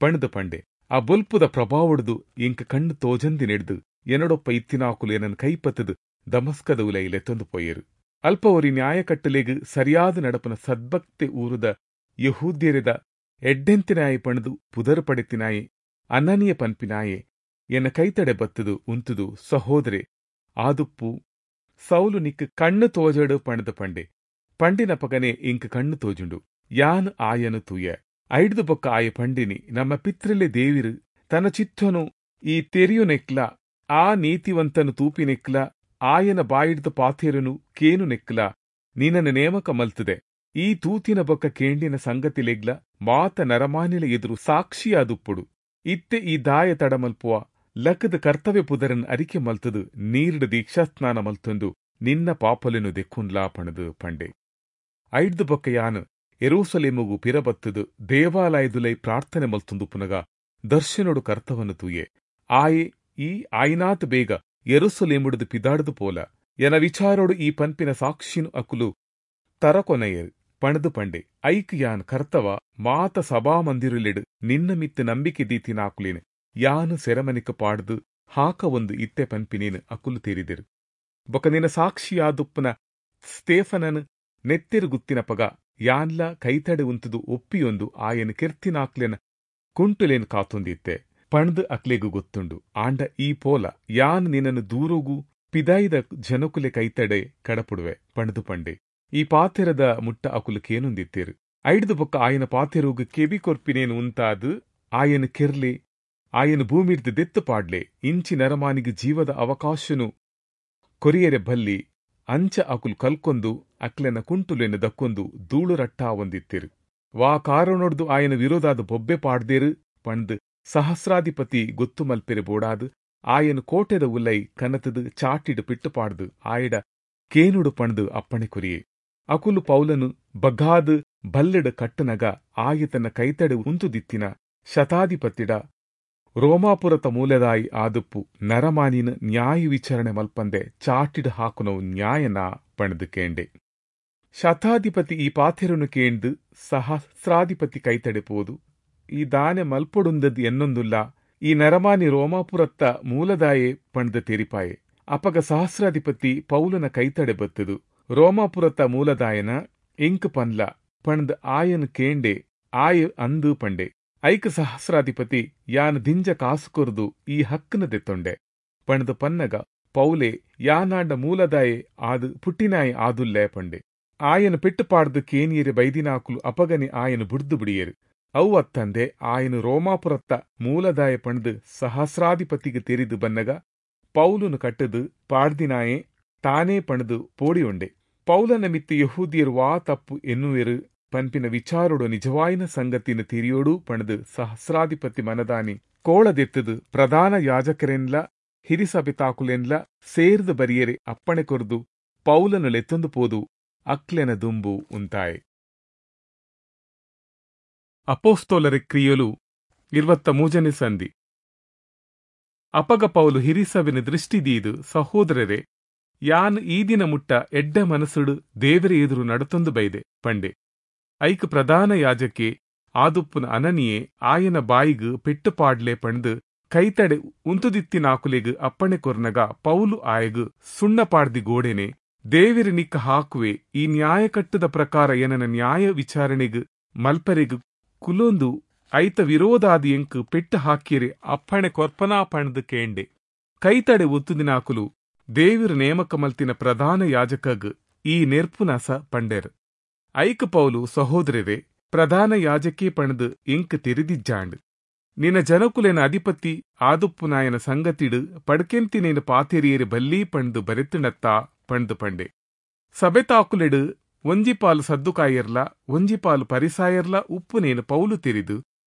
ಪಣದು ಪಂಡೆ. ಆ ಬೊಲ್ಪುದ ಪ್ರಭಾವೊಡ್ದು ಎಂಕ್ ಕಣ್ಣು ತೋಜಂದಿ ನೆಡ್ದು ಎನ್ನಡೊಪ್ಪ ಇತ್ತಿನಾಕುಲು ಎನನ್ ಕೈಪತ್ತದು ದಮಸ್ಕದ ಉಲೈ ಲೆತ್ತೊಂದು ಪೋಯೆರು. ಅಲ್ಪ ಒರಿ ನ್ಯಾಯಕಟ್ಟಲೆಗ್ ಸರಿಯಾದ ನಡಪನ ಸದ್ಭಕ್ತೆ ಊರುದ ಯಹೂದ್ಯರೆದ ಎಡ್ಡೆಂತಿನಾಯೆ ಪಣದು ಪುದರ್ ಪಡೆತಿನಾಯೆ ಅನನಿಯ ಪನ್ಪಿನಾಯೆ ಎನ್ನ ಕೈತಡೆ ಬತ್ತದು ಉಂತುದು ಸಹೋದರೆ ಆದುಪ್ಪು ಸೌಲು ನಿಕ್ಕು ಕಣ್ಣು ತೋಜಡು ಪಣದ ಪಂಡೆ. ಪಂಡಿನ ಪಗನೆ ಇಂಕ್ ಕಣ್ಣು ತೋಜುಂಡು. ಯಾನ್ ಆಯನು ತೂಯ. ಐಡ್ದು ಬೊಕ್ಕ ಆಯ ಪಂಡಿನಿ ನಮ್ಮ ಪಿತ್ರೆಲೆ ದೇವಿರು ತನ್ನ ಚಿತ್ತನು ಈ ತೆರಿಯುನೆಕ್ಲ ಆ ನೀತಿವಂತನು ತೂಪಿನೆಕ್ಲ ಆಯನ ಬಾಯಿಡ್ದು ಪಾತೆರುನು ಕೇನು ನೆಕ್ಲ ನಿನ್ನನ್ನು ನೇಮಕ ಮಲ್ತದೆ. ಈ ತೂತಿನ ಬೊಕ್ಕ ಕೇಂಡಿನ ಸಂಗತಿಲೆಗ್ಲ ಮಾತ ನರಮಾನಿಲ ಎದುರು ಸಾಕ್ಷಿಯಾದುಪ್ಪುಡು. ಇತ್ತೆ ಈ ದಾಯ ತಡಮಲ್ಪುವ ಲಕ್ಕದ ಕರ್ತವ್ಯ ಪುದರನ್ ಅರಿಕೆ ಮಲ್ತದು ನೀರ್ಡ್ ದೀಕ್ಷಾಸ್ನಾನ ಮಲ್ತೊಂದು ನಿನ್ನ ಪಾಪಲೆನು ದೆಕ್ಕುನ್ಲಾ ಪಣದು ಪಂಡೆ. ಐಡ್ದು ಬೊಕ್ಕ ಯಾನ್ ಎರೂಸಲೇಮುಗು ಪಿರಬತ್ತದು ದೇವಾಲಯದುಲೈ ಪ್ರಾರ್ಥನೆ ಮಲ್ತೊಂದು ಪುನಗ ದರ್ಶನೊಡು ಕರ್ತವನು ತೂಯೆ. ಆಯೆ ಈ ಆಯ್ನಾತ್ ಬೇಗ ಎರುಸಲೇಮುಡ್ದು ಪಿದಾಡ್ದು ಪೋಲ. ಎನ ವಿಚಾರೋಡು ಈ ಪನ್ಪಿನ ಸಾಕ್ಷಿನು ಅಕುಲು ತರಕೊನೆಯರು ಪಣದು ಪಂಡೆ. ಐಕ್ ಯಾನ್ ಕರ್ತವ ಮಾತ ಸಭಾಮಂದಿರುಲೆಡು ನಿನ್ನ ಮಿತ್ತು ನಂಬಿಕೆ ದೀತಿನಾಕುಲೇನು ಯಾನು ಸೆರಮನಿಕ ಪಾಡ್ದು ಹಾಕ ಒಂದು ಇತ್ತೆ ಪನ್ಪಿನೇನು ಅಕುಲು ತೇರಿದರು. ಬೊಕ ನಿನ್ನ ಸಾಕ್ಷಿಯಾದುಪ್ಪನ ಸ್ಟೇಫನನು ನೆತ್ತೆರು ಗುತ್ತಿನ ಪಗ ಯಾನ್ಲ ಕೈತಡೆ ಉಂತುದು ಒಪ್ಪಿಯೊಂದು ಆಯನ ಕೆರ್ತಿನಾಕ್ಲೆನ ಕುಂಟುಲೇನು ಕಾತೊಂದಿತ್ತೆ ಪಣ್ದು ಅಕ್ಲೆಗು ಗೊತ್ತುಂಡು. ಆಂಡ ಈ ಪೋಲ ಯಾನ್ ನಿನ್ನನ್ನು ದೂರೋಗು ಪಿದಾಯಿದ ಜನಕುಲೆ ಕೈತಡೆ ಕಡಪುಡುವೆ ಪಣದು ಪಂಡೆ. ಈ ಪಾತೆರದ ಮುಟ್ಟ ಅಕುಲು ಕೇನೊಂದಿತ್ತೇರು. ಐಡ್ದು ಬೊಕ್ಕ ಆಯನ ಪಾತೆರೋಗು ಕೆಬಿ ಕೊರ್ಪಿನೇನು ಉಂತಾದು ಆಯನ ಕೆರ್ಲೆ ಆಯನ ಭೂಮಿಡ್ದು ದೆತ್ತು ಪಾಡ್ಲೆ ಇಂಚಿ ನರಮಾನಿಗೆ ಜೀವದ ಅವಕಾಶನು ಕೊರಿಯರೆ ಬಲ್ಲಿ ಅಂಚ ಅಕುಲು ಕಲ್ಕೊಂದು ಅಕ್ಲೆನ ಕುಂಟುಲೆನ ದಕ್ಕೊಂದು ಧೂಳು ರಟ್ಟಾ ಒಂದಿತ್ತಿರು. ವಾ ಕಾರಣೊಡ್ದು ಆಯನ ವಿರೋಧಾದ ಬೊಬ್ಬೆ ಪಾಡ್ದೇರು ಪಂಡ್ ಸಹಸ್ರಾಧಿಪತಿ ಗೊತ್ತು ಮಲ್ಪೆರೆ ಬೋಡಾದು ಆಯನ ಕೋಟೆದ ಉಲ್ಲೈ ಕನತದು ಚಾಟಿಡು ಪಿಟ್ಟು ಪಾಡ್ದು ಆಯಡ ಕೇನುಡು ಪಂಡ್ದು ಅಪ್ಪಣೆ ಕೊರಿಯೆ. ಅಕುಲು ಪೌಲನು ಬಗ್ಗಾದು ಬಲ್ಲೆಡು ಕಟ್ಟನಗ ಆಯ ತನ್ನ ಕೈತಡೆ ಉಂತುದಿತ್ತಿನ ಶತಾಧಿಪತಿಡ ರೋಮಾಪುರತ ಮೂಲದಾಯಿ ಆದುಪ್ಪು ನರಮಾನಿನ ನ್ಯಾಯ ವಿಚಾರಣೆ ಮಲ್ಪಂದೆ ಚಾಟಿಡು ಹಾಕುನವು ನ್ಯಾಯನ ಪಣದು ಕೇಂಡೆ. ಶತಾಧಿಪತಿ ಈ ಪಾಥೆರನು ಕೇಂದು ಸಹಸ್ರಾಧಿಪತಿ ಕೈತಡೆ ಪೋದು ಈ ದಾನೆ ಮಲ್ಪೊಡುಂದದ್ ಎನ್ನೊಂದುಲ್ಲ ಈ ನರಮಾನಿ ರೋಮಾಪುರತ್ತ ಮೂಲದಾಯೆ ಪಣದ ತೆರಿಪಾಯೆ. ಅಪಗ ಸಹಸ್ರಾಧಿಪತಿ ಪೌಲನ ಕೈತಡೆ ಬತ್ತದು ರೋಮಾಪುರತ್ತ ಮೂಲದಾಯನ ಇಂಕ್ ಪನ್ಲ ಪಣದ್ ಆಯನ್ ಕೇಂಡೆ ಆಯ ಅಂದು ಪಂಡೆ. ಐಕ ಸಹಸ್ರಾಧಿಪತಿ ಯಾನ್ ದಿಂಜ ಕಾಸು ಕೊರ್ದು ಈ ಹಕ್ಕನ ದೆತ್ತೊಂಡೆ ಪಣದ ಪನ್ನಗ ಪೌಲೆ ಯಾನಾಂಡ ಮೂಲದಾಯೆ ಆದು ಪುಟ್ಟಿನಾಯೆ ಆದುಲ್ಲೆ ಪಂಡೆ. ಆಯನ ಪೆಟ್ಟು ಪಾಡ್ದು ಕೇನಿಯರೆ ಬೈದಿನಾಕುಲು ಅಪಗನೆ ಆಯನ ಬುಡ್ದು ಬಿಡಿಯರು. ಅವು ಅತ್ತಂದೆ ಆಯನು ರೋಮಾಪುರತ್ತ ಮೂಲದಾಯ ಪಣದು ಸಹಸ್ರಾಧಿಪತಿಗೆ ತೆರಿದು ಬನ್ನಗ ಪೌಲನು ಕಟ್ಟದು ಪಾಡ್ದಿನಾಯೆ ತಾನೇ ಪಣದು ಪೋಡಿಯೊಂಡೆ. ಪೌಲನ ಮಿತ್ತು ಯಹೂದಿಯರು ವಾ ತಪ್ಪು ಎನ್ನುವೆರು ಪನ್ಪಿನ ವಿಚಾರೋಡು ನಿಜವಾಯಿನ ಸಂಗತಿನ ತೆರಿಯೋಡು ಪಣದು ಸಹಸ್ರಾಧಿಪತಿ ಮನದಾನಿ ಕೋಳದೆತ್ತದು ಪ್ರಧಾನ ಯಾಜಕರೆನ್ಲ ಹಿರಿಸಭೆತಾಕುಲೆನ್ಲ ಸೇರ್ದು ಬರಿಯರೆ ಅಪ್ಪಣೆ ಕೊರ್ದು ಪೌಲನು ಲೆತ್ತೊಂದು ಪೋದು ಅಕ್ಲೆನ ದುಂಬು ಉಂತಾಯೆ. ಅಪೋಸ್ತೋಲರ ಕ್ರಿಯಲು ಇರುವತ್ತ ಮೂಜನೇ ಸಂಧಿ. ಅಪಗ ಪೌಲು ಹಿರಿಸಭೆನ ದೃಷ್ಟಿದೀದು ಸಹೋದರರೇ, ಯಾನ್ ಈ ದಿನ ಮುಟ್ಟ ಎಡ್ಡೆ ಮನಸ್ಸುಡು ದೇವರ ಎದುರು ನಡತೊಂದು ಬೈದೆ ಪಂಡೆ. ಐಕ್ ಪ್ರಧಾನ ಯಾಜಕೆ ಆದುಪ್ಪುನ ಅನನಿಯೇ ಆಯನ ಬಾಯಿಗ್ ಪೆಟ್ಟು ಪಾಡ್ಲೆ ಪಂಡ್ ಕೈತಡೆ ಉಂತುದಿತ್ತಿನಾಕುಲೆಗ್ ಅಪ್ಪಣೆ ಕೊರ್ನಗ ಪೌಲು ಆಯಗ್ ಸುಣ್ಣ ಪಾಡ್ದಿ ಗೋಡೆನೆ, ದೇವೆರ್ ನಿಕ್ಕ ಹಾಕುವೆ, ಈ ನ್ಯಾಯಕಟ್ಟದ ಪ್ರಕಾರ ಎನನ ನ್ಯಾಯ ವಿಚಾರಣೆಗ್ ಮಲ್ಪರೆಗ್ ಕುಲೊಂದು ಐತ ವಿರೋಧಾದಿ ಎಂಕ್ ಪೆಟ್ಟು ಹಾಕಿಯರೆ ಅಪ್ಪಣೆ ಕೊರ್ಪನಾ ಪಂಡ್ದ್ ಕೇಂಡೆ. ಕೈತಡೆ ಒತ್ತುದಿನಾಕುಲು ದೇವಿರ್ ನೇಮಕ ಮಲ್ತಿನ ಪ್ರಧಾನ ಯಾಜಕಗ್ ಈ ನೆರ್ಪುನಸ ಪಂಡೆರ್. ಐಕ್ ಪೌಲು, ಸಹೋದರರೇ, ಪ್ರಧಾನ ಯಾಜಕೇ ಪಂಡ್ದ್ ಎಂಕ್ ತೆರಿದಿಜ್ಜಾಂಡ್. ನಿನ ಜನಕುಲೆನ ಅಧಿಪತಿ ಆದುಪ್ಪುನಾಯನ ಸಂಗತಿಡ್ ಪಡ್ಕೆಂತಿನೇನು ಪಾತೆರಿಯರೆ ಬಲ್ಲಿ ಪಂಡ್ದ್ ಬರೆತಿಣತ್ತಾ ಪಂಡ್ದ್ ಪಂಡೆ. ಸಬೆತಾಕುಲೆಡ್ ಒಂಜಿ ಪಾಲು ಸದ್ದುಕಾಯೆರ್ಲ ಒಂಜಿ ಪಾಲು ಪರಿಸಾಯೆರ್ಲ ಉಪ್ಪುನೇನು ಪೌಲು ತೆರಿದು,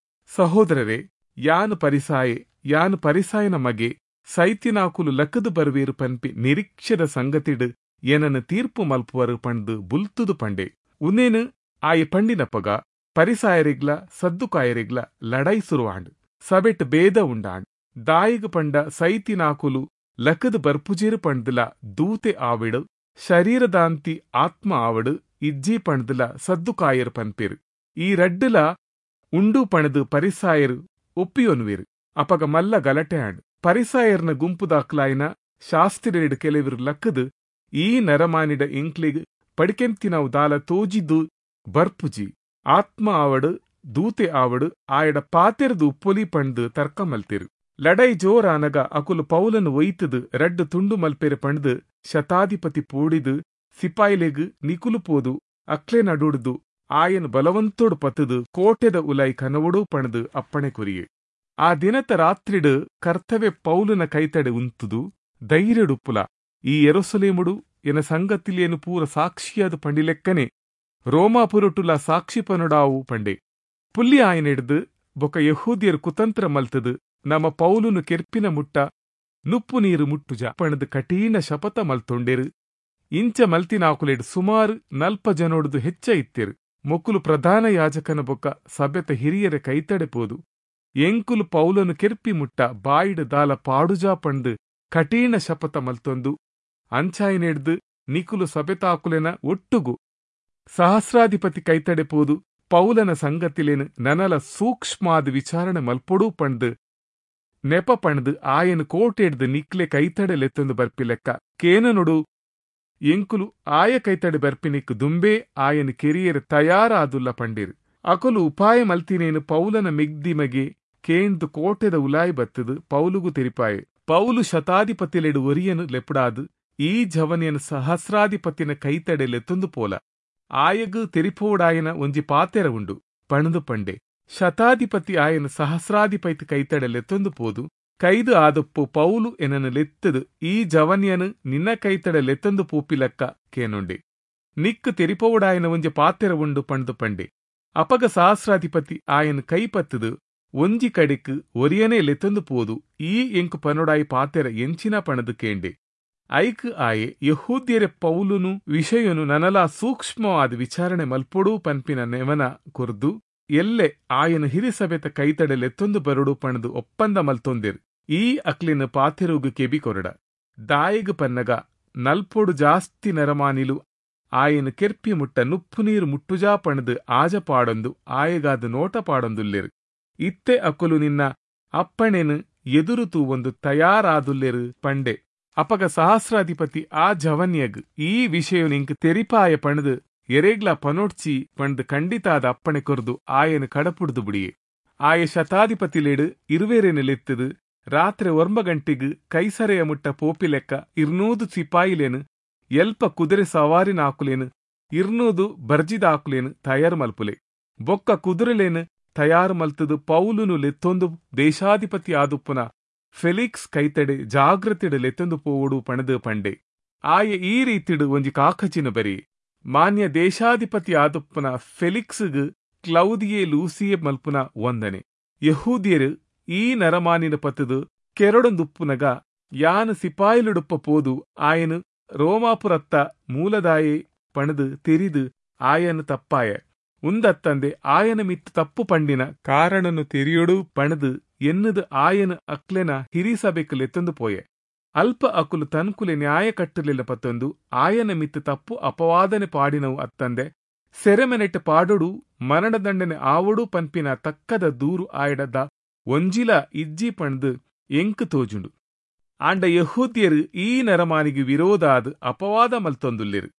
ಸಹೋದರರೇ, ಯಾನ್ ಪರಿಸಾಯೆ, ಯಾನ್ ಪರಿಸಾಯನ ಮಗೆ, ಸೈತಿನಾಕುಲು ಲಕ್ಕದು ಬರುವೇರು ಪನ್ಪಿ ನಿರೀಕ್ಷೆದ ಸಂಗತಿಡ್ ಏನನ್ನು ತೀರ್ಪು ಮಲ್ಪುವರು ಪಂಡ್ದ್ ಬುಲ್ತುದು ಪಂಡೆ. ಉನ್ನೇನು ಆಯೆ ಪಂಡಿನಪಗ ಪರಿಸಾಯರಿಗ್ಲ ಸದ್ದುಕಾಯರಿಗ್ಲ ಲಡೈ ಸುರುವಾಂಡ್. ಸಬೆಟ್ ಭೇದ ಉಂಡಾಂಡ್. ದಾಯಿಗ್ ಪಂಡ ಸೈತಿನಾಕುಲು ಲಕ್ಕದು ಬರ್ಪುಜೇರು ಪಂಡ್ದಲ ದೂತೆ ಆವಿಡು, ಶರೀರದಾಂತಿ ಆತ್ಮ ಆವಡು ಇಜ್ಜಿ ಪಂಡ್ದಲ ಸದ್ದುಕಾಯರು ಪನ್ಪೇರು. ಈ ರಡ್ಡುಲ ಉಂಡು ಪಣದು ಪರಿಸಾಯರು ಒಪ್ಪಿಯೊನುವೇರು. ಅಪಗ ಮಲ್ಲ ಗಲಟೆ ಆಂಡ್. ಪರಿಸಾಯರ್ನ ಗುಂಪುದಾಕ್ಲಾಯಿನ ಶಾಸ್ತ್ರಿಯೆರಡು ಕೆಲವರು ಲಕ್ಕದು ಈ ನರಮಾನಿಡ ಎಂಕ್ಲೆಗ್ ಪಡಿಕೆಂತಿನವು ದಾಲ ತೋಜಿದ್ದು ಬರ್ಪುಜಿ, ಆತ್ಮ ಆವಡು ದೂತೆ ಆವಡು ಆಯಡ ಪಾತೆರ್ದು ಉಪ್ಪೊಲಿ ಪಂಡ್ದು ತರ್ಕ ಮಲ್ತಿರು. ಲಡೈ ಜೋರಾನಗ ಅಕುಲು ಪೌಲನು ಒಯ್ತದು ರಡ್ಡು ತುಂಡು ಮಲ್ಪೆರೆ ಪಂಡ್ದು ಶತಾಧಿಪತಿ ಪೋಡಿದು ಸಿಪಾಯಿಲೆಗ್ ನಿಕುಲು ಪೋದು ಅಕ್ಲೆ ನಡುಡ್ದು ಆಯನ್ ಬಲವಂತೋಡು ಪತ್ತದು ಕೋಟೆದ ಉಲೈ ಕನವಡು ಪಣದು ಅಪ್ಪಣೆ ಕೊರಿಯೆ. ಆ ದಿನತ ರಾತ್ರಿಡು ಕರ್ತವ್ಯ ಪೌಲನ ಕೈತಡೆ ಉಂತುದು ಧೈರ್ಯಡುಪ್ಪುಲ, ಈ ಯೆರೂಸಲೇಮುಡು ಎನ ಸಂಗತಿಲೇನು ಪೂರ ಸಾಕ್ಷಿಯಾದ ಪಂಡಿಲೆಕ್ಕನೆ ರೋಮಾಪುರಟುಲ ಸಾಕ್ಷಿ ಪನುಡಾವು ಪಂಡೆ. ಪುಲ್ಲಿ ಆಯನೆಡ್ದು ಬೊಕ ಯಹೂದಿಯರು ಕುತಂತ್ರ ಮಲ್ತದು ನಮ್ಮ ಪೌಲುನು ಕೆರ್ಪಿನ ಮುಟ್ಟ ನುಪ್ಪು ನೀರು ಮುಟ್ಟುಜ ಪಣದು ಕಠಿಣ ಶಪಥ ಮಲ್ತೊಂಡೇರು. ಇಂಚ ಮಲ್ತಿನಾಕುಲೆಡ್ ಸುಮಾರು ನಲ್ಪ ಜನೊಡ್ದು ಹೆಚ್ಚ ಇತ್ತೆರು. ಮೊಕ್ಕುಲು ಪ್ರಧಾನ ಯಾಜಕನ ಬೊಕ್ಕ ಸಭೆತ ಹಿರಿಯರ ಕೈತಡೆ ಪೋದು ಎಂಕುಲು ಪೌಲನು ಕೆರ್ಪಿ ಮುಟ್ಟ ಬಾಯಿಡು ದಾಲ ಪಾಡುಜಾ ಪಂಡು ಕಠಿಣ ಶಪಥ ಮಲ್ತೊಂದು ಅಂಚಾಯಿನೆಡ್ದು ನಿಕುಲು ಸಭೆತಾಕುಲೆನ ಒಟ್ಟುಗು ಸಹಸ್ರಾಧಿಪತಿ ಕೈತಡೆ ಪೋದು ಪೌಲನ ಸಂಗತಿಲೇನು ನನಲ ಸೂಕ್ಷ್ಮಾದ ವಿಚಾರಣೆ ಮಲ್ಪೊಡು ಪಂಡ್ದು ನೆಪ ಪಂಡ್ದು ಆಯನ್ ಕೋಟೆಡ್ದು ನಿಕ್ಲೆ ಕೈತಡೆ ಲೆತ್ತೊಂದು ಬರ್ಪಿಲೆಕ್ಕ ಕೇನನುಡು ಎಂಕುಲು ಆಯ ಕೈತಡೆ ಬರ್ಪಿನಿಕ್ ದುಂಬೇ ಆಯನ್ ಕೆರಿಯರ್ ತಯಾರಾದುಲ್ಲ ಪಂಡಿರು. ಅಕುಲು ಉಪಾಯ ಮಲ್ತಿನೇನು ಪೌಲನ ಮಿಗ್ದಿಮಗೆ ಕೇಂದು ಕೋಟೆದ ಉಲಾಯಿ ಬತ್ತದು ಪೌಲುಗು ತೆರಿಪಾಯೆ. ಪೌಲು ಶತಾಧಿಪತಿಲೆಡು ಒರಿಯನು ಲೆಪುಡಾದು ಈ ಜವನಿಯನು ಸಹಸ್ರಾಧಿಪತಿನ ಕೈತಡೆ ಲೆತ್ತೊಂದು ಪೋಲ, ಆಯಗು ತೆರಿಪೋಡಾಯನ ಒಂಜಿ ಪಾತೆರ ಉಂಡು ಪಣದು ಪಂಡೆ. ಶತಾಧಿಪತಿ ಆಯನ ಸಹಸ್ರಾಧಿಪತಿ ಕೈತಡೆ ಲೆತ್ತೊಂದು ಪೋದು ಕೈದು ಆದಪ್ಪು ಪೌಲು ಎನನು ಲೆತ್ತದು ಈ ಜವನಿಯನು ನಿನ್ನ ಕೈತಡೆ ಲೆತ್ತೊಂದು ಪೂಪಿಲಕ್ಕ ಕೇನುಂಡೆ, ನಿಕ್ಕು ತೆರಿಪೋಡಾಯನ ಒಂಜಿ ಪಾತೆರ ಉಂಡು ಪಂಡ್ದು ಪಂಡೆ. ಅಪಗ ಸಹಸ್ರಾಧಿಪತಿ ಆಯನ ಕೈ ಪತ್ತದು ಒಂಜಿ ಕಡೆಕ್ ಒರಿಯನೇ ಲೆತ್ತೊಂದು ಪೋದು ಈ ಎಂಕು ಪನೊಡಾಯಿ ಪಾತೆರ ಎಂಚಿನ ಪಣದು ಕೇಂಡೆ. ಐಕ್ ಆಯೆ ಯಹೂದ್ಯರೆ ಪೌಲುನು ವಿಷಯನು ನನಲಾ ಸೂಕ್ಷ್ಮವಾದ ವಿಚಾರಣೆ ಮಲ್ಪೊಡು ಪನ್ಪಿನ ನೆವನ ಕೊರ್ದು ಎಲ್ಲೆ ಆಯನ ಹಿರಿಸಭೆತ ಕೈತಡೆ ಲೆತ್ತೊಂದು ಬರಡು ಪಣದು ಒಪ್ಪಂದ ಮಲ್ತೊಂದಿರು. ಈ ಅಕ್ಲಿನ ಪಾತೆರುಗು ಕೆಬಿ ಕೊರಡ. ದಾಯಿಗ್ ಪನ್ನಗ ನಲ್ಪೊಡು ಜಾಸ್ತಿ ನರಮಾನಿಲು ಆಯನ ಕೆರ್ಪಿ ಮುಟ್ಟ ನುಪ್ಪು ನೀರು ಮುಟ್ಟುಜಾ ಪಣದು ಆಜ ಪಾಡೊಂದು ಆಯಗಾದ ನೋಟ ಪಾಡೊಂದುಲ್ಲೆರು. ಇತ್ತೆ ಅಕುಲು ನಿನ್ನ ಅಪ್ಪಣೆನು ಎದುರು ತೂವೊಂದು ತಯಾರಾದುಲ್ಲೆರು ಪಂಡೆ. ಅಪಗ ಸಹಸ್ರಾಧಿಪತಿ ಆ ಜವನ್ಯಗ್ ಈ ವಿಷಯ ನಿಂಕ್ ತೆರಿಪಾಯ ಪಣದು ಎರೆಗ್ಲ ಪನೋಡ್ಚಿ ಪಂಡ್ ಖಂಡಿತಾದ ಅಪ್ಪಣೆ ಕೊರ್ದು ಆಯನ ಕಡಪುಡ್ದು ಬಿಡಿಯೆ. ಆಯ ಶತಾಧಿಪತಿಲೇಡು ಇರುವೇರೇನು ಲೆತ್ತದು ರಾತ್ರಿ ಒಂಬ ಗಂಟೆಗ್ ಕೈಸರೆಯ ಮುಟ್ಟ ಪೋಪಿಲೆಕ್ಕ ಇರ್ನೂದು ಸಿಪಾಯಿಲೇನು ಎಲ್ಪ ಕುದುರೆ ಸವಾರಿನಾಕುಲೇನು ಇರ್ನೂದು ಬರ್ಜಿದಾಕುಲೇನು ತಯಾರು ಮಲ್ಪುಲೆ. ಬೊಕ್ಕ ಕುದುರೆಲೇನು ತಯಾರು ಮಲ್ತದು ಪೌಲುನು ಲೆತ್ತೊಂದು ದೇಶಾಧಿಪತಿ ಆದುಪ್ಪುನ ಫೆಲಿಕ್ಸ್ ಕೈತಡೆ ಜಾಗೃತಿಡು ಲೆತ್ತೊಂದು ಪೋವಡು ಪಣದು ಪಂಡೆ. ಆಯ ಈ ರೀತಿಡು ಒಂಜಿ ಕಾಕಚಿನ ಬರಿ ಮಾನ್ಯ ದೇಶಾಧಿಪತಿ ಆದುಪ್ಪನ ಫೆಲಿಕ್ಸ್ಗ್ ಕ್ಲೌದಿಯೇ ಲೂಸಿಯೇ ಮಲ್ಪುನ ವಂದನೆ. ಯಹೂದಿಯರು ಈ ನರಮಾನಿನ ಪತ್ತದು ಕೆರಡೊಂದುಪ್ಪುನಗ ಯಾನು ಸಿಪಾಯಿಲುಡುಪ್ಪ ಪೋದು ಆಯನು ರೋಮಾಪುರತ್ತ ಮೂಲದಾಯೆ ಪಣದು ತೆರಿದು ಆಯನು ತಪ್ಪಾಯ ಉಂದತ್ತಂದೆ ಆಯನ ಮಿತ್ತು ತಪ್ಪು ಪಂಡಿನ ಕಾರಣನು ತೆರಿಯೊಡು ಪಣದು ಎನ್ನುದು ಆಯನು ಅಕ್ಲೆನ ಹಿರಿಸಭೆಕ್ ಲೆತ್ತೊಂದು ಪೋಯೆ. ಅಲ್ಪ ಅಕುಲು ತನ್ಕುಲೆ ನ್ಯಾಯ ಕಟ್ಟಲಿಲ್ಲ ಪತ್ತೊಂದು ಆಯನ ಮಿತ್ತು ತಪ್ಪು ಅಪವಾದನೆ ಪಾಡಿನವು ಅತ್ತಂದೆ ಸೆರೆಮನೆಟ್ ಪಾಡೊಡು ಮರಣದಂಡನೆ ಆವೊಡು ಪನ್ಪಿನ ತಕ್ಕದ ದೂರು ಆಯಡದ ಒಂಜಿಲ ಇಜ್ಜಿ ಪಂಡ್ದು ಎಂಕ್ ತೋಜುಂಡು. ಆಂಡ ಯೆಹೂದ್ಯರು ಈ ನರಮಾನಿಗೆ ವಿರೋಧಾದ್ ಅಪವಾದ ಮಲ್ತೊಂದುಲ್ಲೆರು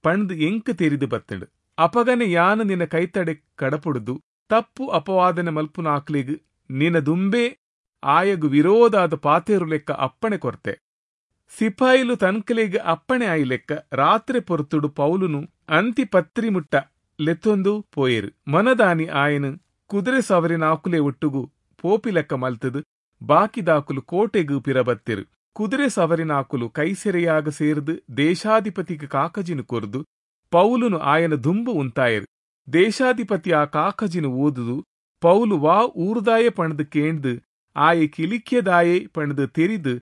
ಪಂಡ್ದು ಎಂಕ್ ತೆರಿದು ಬತ್ತಂಡು. ಅಪಗನೆ ಯಾನು ನಿನ್ನ ಕೈತಡೆ ಕಡಪುಡುದು ತಪ್ಪು ಅಪವಾದನೆ ಮಲ್ಪುನಾಕ್ಲೆಗ್ ನಿನ ದುಂಬೇ ಆಯಗು ವಿರೋಧಾದ ಪಾತೇರು ಲೆಕ್ಕ ಅಪ್ಪಣೆ ಕೊರ್ತೆ. ಸಿಪಾಯಿಲು ತನ್ಕಲೆಗ್ ಅಪ್ಪಣೆ ಆಯಿ ಲೆಕ್ಕ ರಾತ್ರಿ ಪೊರ್ತುಡು ಪೌಲುನು ಅಂತಿಪತ್ರಿ ಮುಟ್ಟ ಲೆತ್ತೊಂದು ಪೋಯೆರು. ಮನದಾನಿ ಆಯನು ಕುದುರೆ ಸವರಿನಾಕುಲೆ ಒಟ್ಟುಗು ಪೋಪಿ ಲೆಕ್ಕ ಮಲ್ತದು ಬಾಕಿದಾಕುಲು ಕೋಟೆಗು ಪಿರಬತ್ತೆರು. ಕುದುರೆ ಸವರಿನಾಕುಲು ಕೈಸೆರೆಯಾಗ ಸೇರ್ದು ದೇಶಾಧಿಪತಿಗೆ ಕಾಕಜಿನು ಕೊರ್ದು ಪೌಲುನು ಆಯನ ದುಂಬು ಉಂತಾಯೆರು. ದೇಶಾಧಿಪತಿ ಆ ಕಾಕಜಿನು ಓದುದು ಪೌಲು ವಾ ಊರುದಾಯೆ ಪಣದು ಕೇಂದು ಆಯೆ ಕಿಲಿಕ್ಯದಾಯೆ ಪಣದು ತೆರಿದು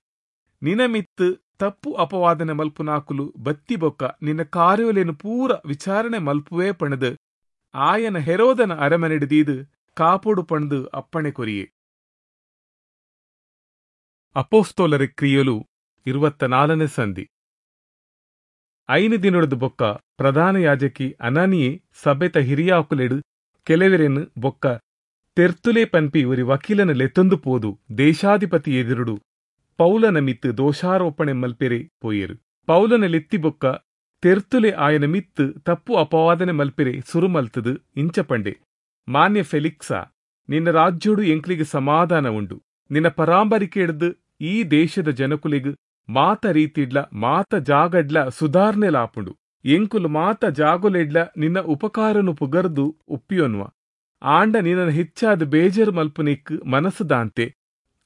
ನಿನಮಿತ್ತು ತಪ್ಪು ಅಪವಾದನೆ ಮಲ್ಪುನಾಕುಲು ಬತ್ತಿ ಬೊಕ್ಕ ನಿನ್ನ ಕಾರ್ಯೋಲೇನು ಪೂರ ವಿಚಾರಣೆ ಮಲ್ಪುವೇ ಪಣದು ಆಯನ ಹೆರೋದನ ಅರಮನೆಡಿದೀದು ಕಾಪೊಡು ಪಣದು ಅಪ್ಪಣೆ ಕೊರಿಯೆ. ಅಪೋಸ್ತೋಲರ ಕ್ರಿಯೆಲು ಇರುವತ್ತ ನಾಲ್ಕನೇ ಸಂಧಿ. ಐನು ದಿನೊಡದು ಬೊಕ್ಕ ಪ್ರಧಾನ ಯಾಜಕಿ ಅನನಿಯೇ ಸಭೆತ ಹಿರಿಯಾಕುಲೆಡು ಕೆಲವೆರೆನು ಬೊಕ್ಕ ತೆರ್ತುಲೆ ಪನ್ಪಿ ಒರಿ ವಕೀಲನ ಲೆತ್ತೊಂದು ಪೋದು ದೇಶಾಧಿಪತಿ ಎದುರುಡು ಪೌಲನ ಮಿತ್ತು ದೋಷಾರೋಪಣೆ ಮಲ್ಪೆರೆ ಪೋಯೆರು. ಪೌಲನ ಲೆತ್ತಿ ಬೊಕ್ಕ ತೆರ್ತುಲೆ ಆಯನ ಮಿತ್ತು ತಪ್ಪು ಅಪವಾದನೆ ಮಲ್ಪೆರೆ ಸುರು ಮಲ್ತದು ಇಂಚ ಪಂಡೆ, ಮಾನ್ಯ ಫೆಲಿಕ್ಸಾ, ನಿನ್ನ ರಾಜ್ಯೋಡು ಎಂಕ್ಲಿಗೆ ಸಮಾಧಾನ ಉಂಡು. ನಿನ್ನ ಪರಾಂಬರಿಕೆ ಹಿಡ್ದು ಈ ದೇಶದ ಜನಕುಲಿಗ್ ಮಾತ ರೀತಿಡ್ಲ ಮಾತ ಜಾಗಡ್ಲ ಸುಧಾರಣೆಲಾಪುಂಡು. ಎಂಕುಲು ಮಾತ ಜಾಗುಲೆಡ್ಲ ನಿನ್ನ ಉಪಕಾರನು ಪುಗರ್ದು ಒಪ್ಪಿಯೊನ್ವ. ಆಂಡ ನಿನ್ನ ಹೆಚ್ಚಾದ ಬೇಜಾರು ಮಲ್ಪುನಿಕ್ ಮನಸ್ಸುದಾಂತೆ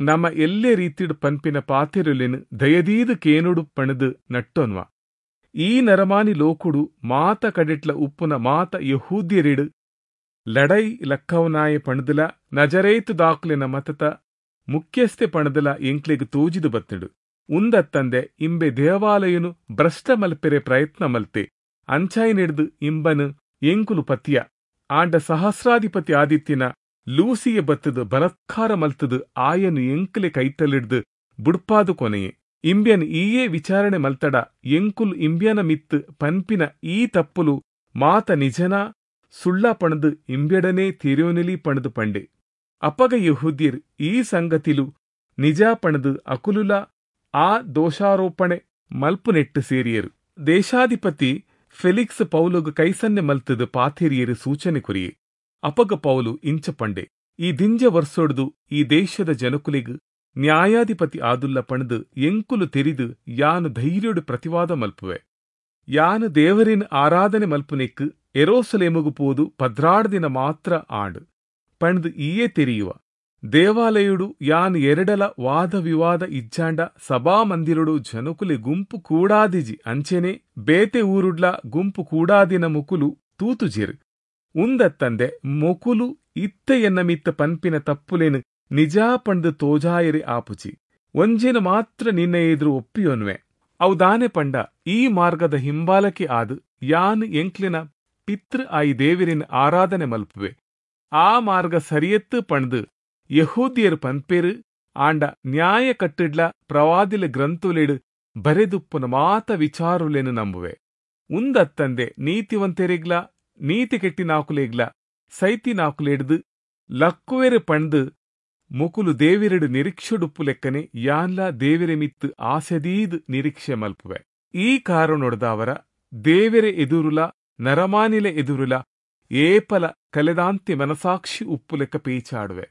ನಮ್ಮ ಎಲ್ಲೇ ರೀತಿಡ್ ಪನ್ಪಿನ ಪಾತಿರುಲೆನು ದಯದೀದು ಕೇನುಡು ಪಣದು ನಟ್ಟೊನ್ವ. ಈ ನರಮಾನಿ ಲೋಕುಡು ಮಾತ ಕಡೆಟ್ಲ ಉಪ್ಪುನ ಮಾತ ಯಹೂದ್ಯರಿಡು ಲಡೈ ಲಕ್ಕವನಾಯ ಪಣದುಲ ನಜರೇತು ದಾಕ್ಲೆನ ಮತತ ಮುಖ್ಯಸ್ಥೆ ಪಣದಲ ಎಂಕ್ಲೆಗ್ ತೋಜಿದು ಬತ್ತುಂಡು. ಉಂದತ್ತಂದೆ ಇಂಬೆ ದೇವಾಲಯನು ಭ್ರಷ್ಟ ಮಲ್ಪೆರೆ ಪ್ರಯತ್ನ ಮಲ್ತೆ ಅಂಚಾಯಿ ನಿಡ್ದು ಇಂಬನು ಎಂಕುಲು ಪತಿಯ. ಆಂಡ ಸಹಸ್ರಾಧಿಪತಿ ಆದಿತ್ಯನ ಲೂಸಿಯ ಬತ್ತದು ಬಲತ್ಕಾರ ಮಲ್ತದು ಆಯನು ಎಂಕ್ಲೆ ಕೈತಲಿಡ್ದು ಬುಡ್ಪಾದು ಕೊನೆಯೆ. ಇಂಬ್ಯನ್ ಈಯೇ ವಿಚಾರಣೆ ಮಲ್ತಡ ಎಂಕುಲು ಇಂಬ್ಯನ ಮಿತ್ತು ಪನ್ಪಿನ ಈ ತಪ್ಪುಲು ಮಾತ ನಿಜನ ಸುಳ್ಳ ಪಣದು ಇಂಬ್ಯಡನೇ ತಿರ್ಯೋನೆಲಿ ಪಣದು ಪಂಡೆ. ಅಪಗ ಯಹೂದ್ಯರ್ ಈ ಸಂಗತಿಲು ನಿಜ ಪಣದು ಅಕುಲುಲ ಆ ದೋಷಾರೋಪಣೆ ಮಲ್ಪುನೆಟ್ಟು ಸೇರಿಯರು. ದೇಶಾಧಿಪತಿ ಫೆಲಿಕ್ಸ್ ಪೌಲುಗು ಕೈಸನ್ನೆ ಮಲ್ತದು ಪಾಥೆರಿಯರು ಸೂಚನೆ ಕೊರಿಯೆ. ಅಪಗ ಪೌಲು ಇಂಚ ಪಂಡೆ, ಈ ದಿಂಜ ವರ್ಷೊಡ್ದು ಈ ದೇಶದ ಜನಕುಲಿಗ್ ನ್ಯಾಯಾಧಿಪತಿ ಆದುಲ್ಲ ಪಣದು ಎಂಕುಲು ತೆರಿದು ಯಾನು ಧೈರ್ಯೊಡು ಪ್ರತಿವಾದ ಮಲ್ಪುವೆ. ಯಾನು ದೇವರಿನ ಆರಾಧನೆ ಮಲ್ಪುನೆಕ್ ಎರೋಸಲೇಮುಗು ಪೋದು ಪದ್ರಾಡ್ ದಿನ ಮಾತ್ರ ಆಂಡು ಪಣದು ಈಯೇ ತೆರಿಯುವ. ದೇವಾಲಯುಡು ಯಾನು ಎರಡಲ ವಾದ ವಿವಾದ ಇಜ್ಜಾಂಡ ಸಭಾಮಂದಿರುಡು ಜನಕುಲೆ ಗುಂಪು ಕೂಡಾದಿಜಿ ಅಂಚೆನೆ ಬೇತೆ ಊರುಡ್ಲ ಗುಂಪು ಕೂಡಾದಿನ ಮುಕುಲು ತೂತುಜಿರು. ಉಂದತ್ತಂದೆ ಮೊಕುಲು ಇತ್ತ ಎನ್ನ ಮಿತ್ತ ಪನ್ಪಿನ ತಪ್ಪುಲೇನು ನಿಜ ಪಂಡು ತೋಜಾಯರಿ ಆಪುಜಿ. ಒಂಜೇನು ಮಾತ್ರ ನಿನ್ನ ಎದುರು ಒಪ್ಪಿಯೊನ್ವೆ. ಅವು ದಾನೆ ಪಂಡ ಈ ಮಾರ್ಗದ ಹಿಂಬಾಲಕಿ ಆದು ಯಾನು ಎಂಕ್ಲಿನ ಪಿತೃ ಆಯಿ ದೇವರಿನ ಆರಾಧನೆ ಮಲ್ಪುವೆ. ಆ ಮಾರ್ಗ ಸರಿಯತ್ತು ಪಂಡ್ದು ಯಹೂದ್ಯರು ಪನ್ಪೇರು. ಆಂಡ ನ್ಯಾಯ ಕಟ್ಟಿಡ್ಲ ಪ್ರವಾದಿಲ ಗ್ರಂಥುಲೆಡು ಬರೆದುಪ್ಪುನ ಮಾತ ವಿಚಾರುಲೆನು ನಂಬುವೆ. ಉಂದತ್ತಂದೆ ನೀತಿವಂತೆರಿಗ್ಲ ನೀತಿ ಕೆಟ್ಟಿನಾಕುಲೆಗ್ಲ ಸೈತಿನಾಕುಲೆಡ್ದು ಲಕ್ಕುವೆರು ಪಂಡ್ದು ಮುಕುಲು ದೇವಿರೆಡು ನಿರೀಕ್ಷೆಡುಪ್ಪು ಲೆಕ್ಕನೆ ಯಾನ್ಲ ದೇವಿರೆ ಮಿತ್ತು ಆಸೆದೀದ್ ನಿರೀಕ್ಷೆ ಮಲ್ಪುವೆ. ಈ ಕಾರಣೊಡ್ದವರ ದೇವಿರೆ ಎದುರುಲ ನರಮಾನಿಲೆ ಎದುರುಲ ಏಪಲ ಕಲೆದಾಂತಿ ಮನಸಾಕ್ಷಿ ಉಪ್ಪು ಲೆಕ್ಕ ಪೇಚಾಡುವೆ.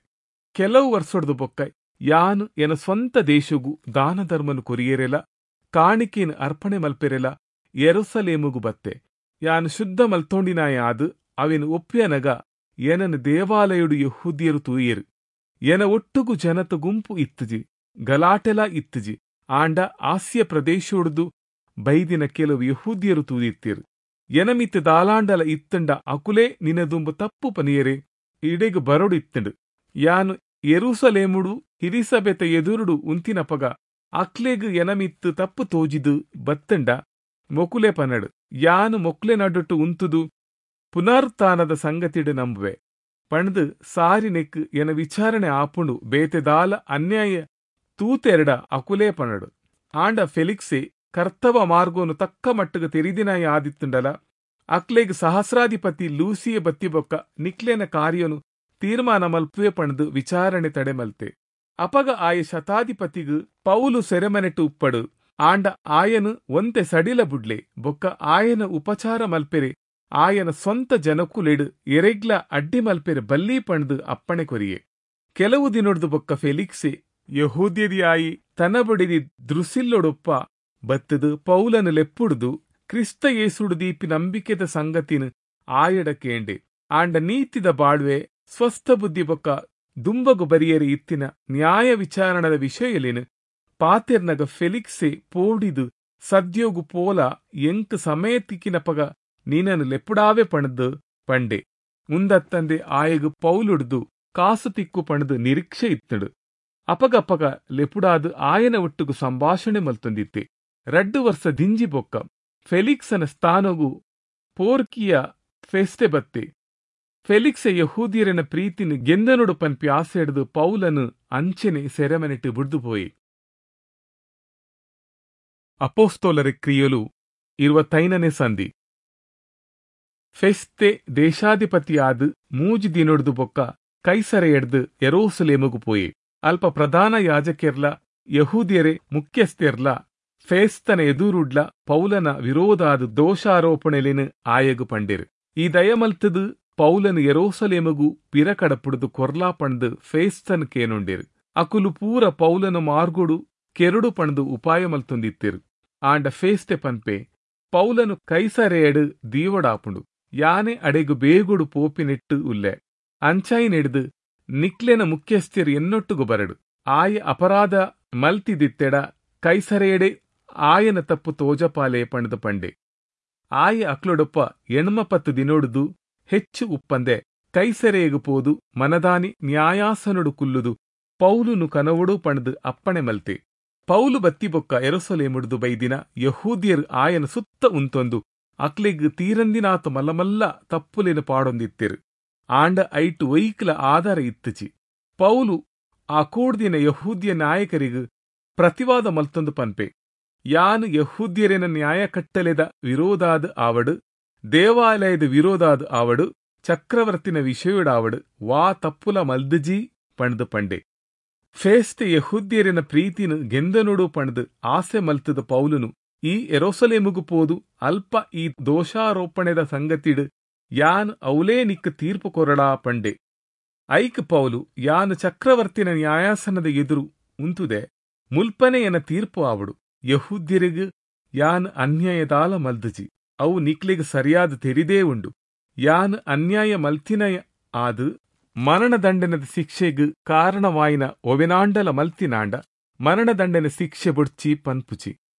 ಕೆಲವು ವರ್ಷೊಡ್ದು ಬೊಕ್ಕ ಯಾನು ಎನ ಸ್ವಂತ ದೇಶಗು ದಾನ ಧರ್ಮನು ಕೊರಿಯರೆಲ ಕಾಣಿಕೆಯನ್ನು ಅರ್ಪಣೆ ಮಲ್ಪೆರೆಲ ಯೆರೂಸಲೇಮುಗು ಬತ್ತೆ. ಯಾನು ಶುದ್ಧ ಮಲ್ತೊಂಡಿನಾಯಾದು ಅವೆನು ಒಪ್ಪಿಯನಗ ಎನನು ದೇವಾಲಯುಡು ಯಹೂದ್ಯರು ತೂಯೆರು. ಎನ ಒಟ್ಟುಗು ಜನತ ಗುಂಪು ಇತ್ತುಜಿ, ಗಲಾಟೆಲ ಇತ್ತುಜಿ. ಆಂಡ ಆಸ್ಯ ಪ್ರದೇಶೊಡ್ದು ಬೈದಿನ ಕೆಲವು ಯಹೂದ್ಯರು ತೂದಿತ್ತಿರು. ಎನಮಿತ್ತ ದಾಲಾಂಡಲ ಇತ್ತಂಡ ಅಕುಲೇ ನಿನದುಂಬು ತಪ್ಪು ಪನಿಯರೆ ಇಡೆಗು ಬರೊಡು ಇತ್ತಂಡು. ಯಾನು ಯೆರೂಸಲೇಮುಡು ಹಿರಿಸಭೆತ ಎದುರುಡು ಉಂತಿನಪಗ ಅಕ್ಲೆಗ್ ಎನಮಿತ್ತು ತಪ್ಪು ತೋಜಿದು ಬತ್ತಂಡ ಮೊಕುಲೆ ಪನಡು. ಯಾನು ಮೊಕ್ಲೆ ನಡುಟು ಉಂತುದು ಪುನರುತ್ಥಾನದ ಸಂಗತಿಡು ನಂಬುವೆ ಪಣದು ಸಾರಿ ನೆಕ್ ಎನ ವಿಚಾರಣೆ ಆಪುಂಡು. ಬೇತೆದಾಲ ಅನ್ಯಾಯ ತೂತೆರಡ ಅಕುಲೇ ಪನಡು. ಆಂಡ ಫೆಲಿಕ್ಸೆ ಕರ್ತವ ಮಾರ್ಗೋನು ತಕ್ಕ ಮಟ್ಟುಗು ತೆರಿದಿನಾಯ ಆದಿತ್ತುಂಡಲ ಅಕ್ಲೆಗ್ ಸಹಸ್ರಾಧಿಪತಿ ಲೂಸಿಯ ಬತ್ತಿಬೊಕ್ಕ ನಿಕ್ಲೆನ ಕಾರ್ಯನು ತೀರ್ಮಾನ ಮಲ್ಪುವೆ ಪಣದು ವಿಚಾರಣೆ ತಡೆಮಲ್ತೆ. ಅಪಗ ಆಯ ಶತಾಧಿಪತಿಗು ಪೌಲು ಸೆರೆಮನೆಟು ಉಪ್ಪಡು ಆಂಡ ಆಯನು ಒಂತೆ ಸಡಿಲ ಬುಡ್ಲೆ ಬೊಕ್ಕ ಆಯನ ಉಪಚಾರ ಮಲ್ಪೆರೆ ಆಯನ ಸ್ವಂತ ಜನಕುಲೆಡು ಎರೆಗ್ಲ ಅಡ್ಡಿ ಮಲ್ಪೆರೆ ಬಲ್ಲಿ ಪಣದು ಅಪ್ಪಣೆ ಕೊರಿಯೆ. ಕೆಲವು ದಿನೊಡ್ದು ಬೊಕ್ಕ ಫೆಲಿಕ್ಸೆ ಯಹೂದ್ಯದಿಯಾಯಿ ತನ ಬಡಿದಿ ದೃಸಿಲ್ಲೊಡೊಪ್ಪ ಬತ್ತದು ಪೌಲನು ಲೆಪ್ಪುಡ್ದು ಕ್ರಿಸ್ತ ಯೇಸುಡು ದೀಪಿ ನಂಬಿಕೆದ ಸಂಗತಿನ ಆಯಡ ಕೇಂಡೆ. ಆಂಡ ನೀತಿದ ಬಾಳ್ವೆ ಸ್ವಸ್ಥ ಬುದ್ಧಿ ಬೊಕ್ಕ ದುಂಬಗು ಬರಿಯರಿ ಇತ್ತಿನ ನ್ಯಾಯ ವಿಚಾರಣದ ವಿಷಯಲಿನ ಪಾತೆರ್ನಗ ಫೆಲಿಕ್ಸೆ ಪೋಡಿದು ಸದ್ಯೋಗು ಪೋಲ ಎಂಕ್ ಸಮಯ ತಿಕ್ಕಿನಪಗ ನೀನನು ಲೆಪ್ಪುಡಾವೆ ಪಣದು ಪಂಡೆ. ಉಂದತ್ತಂದೆ ಆಯಗು ಪೌಲುಡ್ದು ಕಾಸು ತಿಕ್ಕು ಪಣದು ನಿರೀಕ್ಷೆ ಇತ್ತಡು. ಅಪಗಪಗ ಲೆಪುಡಾದು ಆಯನ ಒಟ್ಟುಗು ಸಂಭಾಷಣೆ ಮಲ್ತೊಂದಿತ್ತೆ. ರಡ್ಡು ವರ್ಷ ದಿಂಜಿ ಬೊಕ್ಕ ಫೆಲಿಕ್ಸನ ಸ್ಥಾನಗು ಪೋರ್ಕಿಯ ಫೆಸ್ತೆ ಬತ್ತೆ. ಫೆಲಿಕ್ಸೆ ಯಹೂದಿಯರನ ಪ್ರೀತಿನ ಗೆಂದನುಡು ಪನ್ಪಿ ಆಸೆ ಹಿಡಿದು ಪೌಲನು ಅಂಚೆನೆ ಸೆರೆಮನೆಟ್ಟು ಬುಡ್ದು ಪೋಯಿ. ಅಪೋಸ್ತೋಲರ ಕ್ರಿಯಲು ಇರುವತ್ತೈನನೇ ಸಂಧಿ. ಫೆಸ್ತೆ ದೇಶಾಧಿಪತಿಯಾದ ಮೂಜಿ ದಿನೊಡ್ದು ಬೊಕ್ಕ ಕೈಸರೆ ಎಡ್ದು ಯೆರೂಸಲೇಮುಗು ಪೋಯೆ. ಅಲ್ಪ ಪ್ರಧಾನ ಯಾಜಕೆರ್ಲ ಯಹೂದಿಯರೇ ಮುಖ್ಯಸ್ಥೆರ್ಲ ಫೇಸ್ತನ ಎದುರುಡ್ಲ ಪೌಲನ ವಿರೋಧಾದ ದೋಷಾರೋಪಣೆಲಿನ ಆಯಗು ಪಂಡಿರು. ಈ ದಯಮಲ್ತದು ಪೌಲನು ಯೆರೂಸಲೇಮುಗು ಪಿರಕಡಪುಡ್ದು ಕೊರ್ಲಾ ಪಂಡು ಫೇಸ್ತನ್ ಕೇನುಂಡಿರು. ಅಕುಲು ಪೂರ ಪೌಲನ ಮಾರ್ಗೊಡು ಕೆರಡು ಪಂಡು ಉಪಾಯ ಮಲ್ತೊಂದಿತ್ತಿರು. ಆಂಡ ಫೇಸ್ತೆ ಪನ್ಪೆ ಪೌಲನು ಕೈಸರೆಯಡು ದೀವಡಾಪುಂಡು ಯಾನೆ ಅಡೆಗು ಬೇಗುಡು ಪೋಪಿನೆಟ್ಟು ಉಲ್ಲೆ ಅಂಚಾಯಿನೆಡ್ದು ನಿಕ್ಲೆನ ಮುಖ್ಯಸ್ಥರು ಎನ್ನೊಟ್ಟುಗು ಬರಡು ಆಯ ಅಪರಾಧ ಮಲ್ತಿದಿತ್ತೆಡ ಕೈಸರೆಯಡೆ ಆಯನ ತಪ್ಪು ತೋಜಪಾಲೆ ಪಂಡ್ದು ಪಂಡೆ. ಆಯ ಅಕ್ಲೊಡೊಪ್ಪ ಎಣ್ಮಪತ್ತು ದಿನೊಡ್ದು ಹೆಚ್ಚು ಉಪ್ಪಂದೆ ಕೈಸರೆಯಗು ಪೋದು ಮನದಾನಿ ನ್ಯಾಯಾಸನೊಡು ಕುಲ್ಲುದು ಪೌಲುನು ಕನವೊಡು ಪಂಡ್ದು ಅಪ್ಪಣೆ ಮಲ್ತೆ. ಪೌಲು ಬತ್ತಿಬೊಕ್ಕ ಯೆರೂಸಲೇಮುಡ್ದು ಬೈದಿನ ಯಹೂದ್ಯರು ಆಯನ ಸುತ್ತ ಉಂತೊಂದು ಅಕ್ಲೆಗ್ ತೀರಂದಿನಾತ ಮಲ್ಲಮಲ್ಲ ತಪ್ಪುಲೇನು ಪಾಡೊಂದಿತ್ತಿರು. ಆಂಡ ಐಟು ಒಯ್ಕ್ಲ ಆಧಾರ ಇತ್ತುಚಿ. ಪೌಲು ಆ ಕೂಡ್ದಿನ ಯಹೂದ್ಯ ನಾಯಕರಿಗು ಪ್ರತಿವಾದ ಮಲ್ತೊಂದು ಪನ್ಪೆ, ಯಾನು ಯಹೂದ್ಯರೇನ ನ್ಯಾಯ ಕಟ್ಟಲೆದ ವಿರೋಧಾದ ಆವಡು, ದೇವಾಲಯದ ವಿರೋಧಾದ ಆವಡು, ಚಕ್ರವರ್ತಿನ ವಿಷಯಡಾವಡು ವಾ ತಪ್ಪುಲ ಮಲ್ದಜಿ ಪಂಡ್ದು ಪಂಡೆ. ಫೇಸ್ತೆ ಯಹೂದ್ಯರಿನ ಪ್ರೀತಿನ ಗೆಂದನುಡು ಪಂಡ್ದು ಆಸೆ ಮಲ್ತದ ಪೌಲುನು ಈ ಯೆರೂಸಲೇಮುಗು ಪೋದು ಅಲ್ಪ ಈ ದೋಷಾರೋಪಣೆದ ಸಂಗತಿಡು ಯಾನ್ ಅವಲೇ ನಿಕ್ಕ ತೀರ್ಪು ಕೊರಡಾ ಪಂಡೆ. ಐಕ್ ಪೌಲು ಯಾನು ಚಕ್ರವರ್ತಿನ ನ್ಯಾಯಾಸನದ ಎದುರು ಉಂತುದೆ ಮುಲ್ಪನೆ ಎನ ತೀರ್ಪು ಆವಡು, ಯಹೂದ್ಯರಿಗು ಯಾನ್ ಅನ್ಯಾಯದಾಲ ಮಲ್ದಜಿ, ಅವು ನಿಕ್ಲಿಗ್ ಸರಿಯಾದ ತೆರಿದೇ ಉಂಡು, ಯಾನ್ ಅನ್ಯಾಯ ಮಲ್ತಿನ ಆದು ಮರಣದಂಡನದ ಶಿಕ್ಷೆಗ್ ಕಾರಣವಾಯಿನ ಒವೆನಾಂಡಲ ಮಲ್ತಿನಾಂಡ ಮರಣದಂಡನ ಶಿಕ್ಷೆ ಬೊಡ್ಚಿ ಪನ್ಪುಚಿ.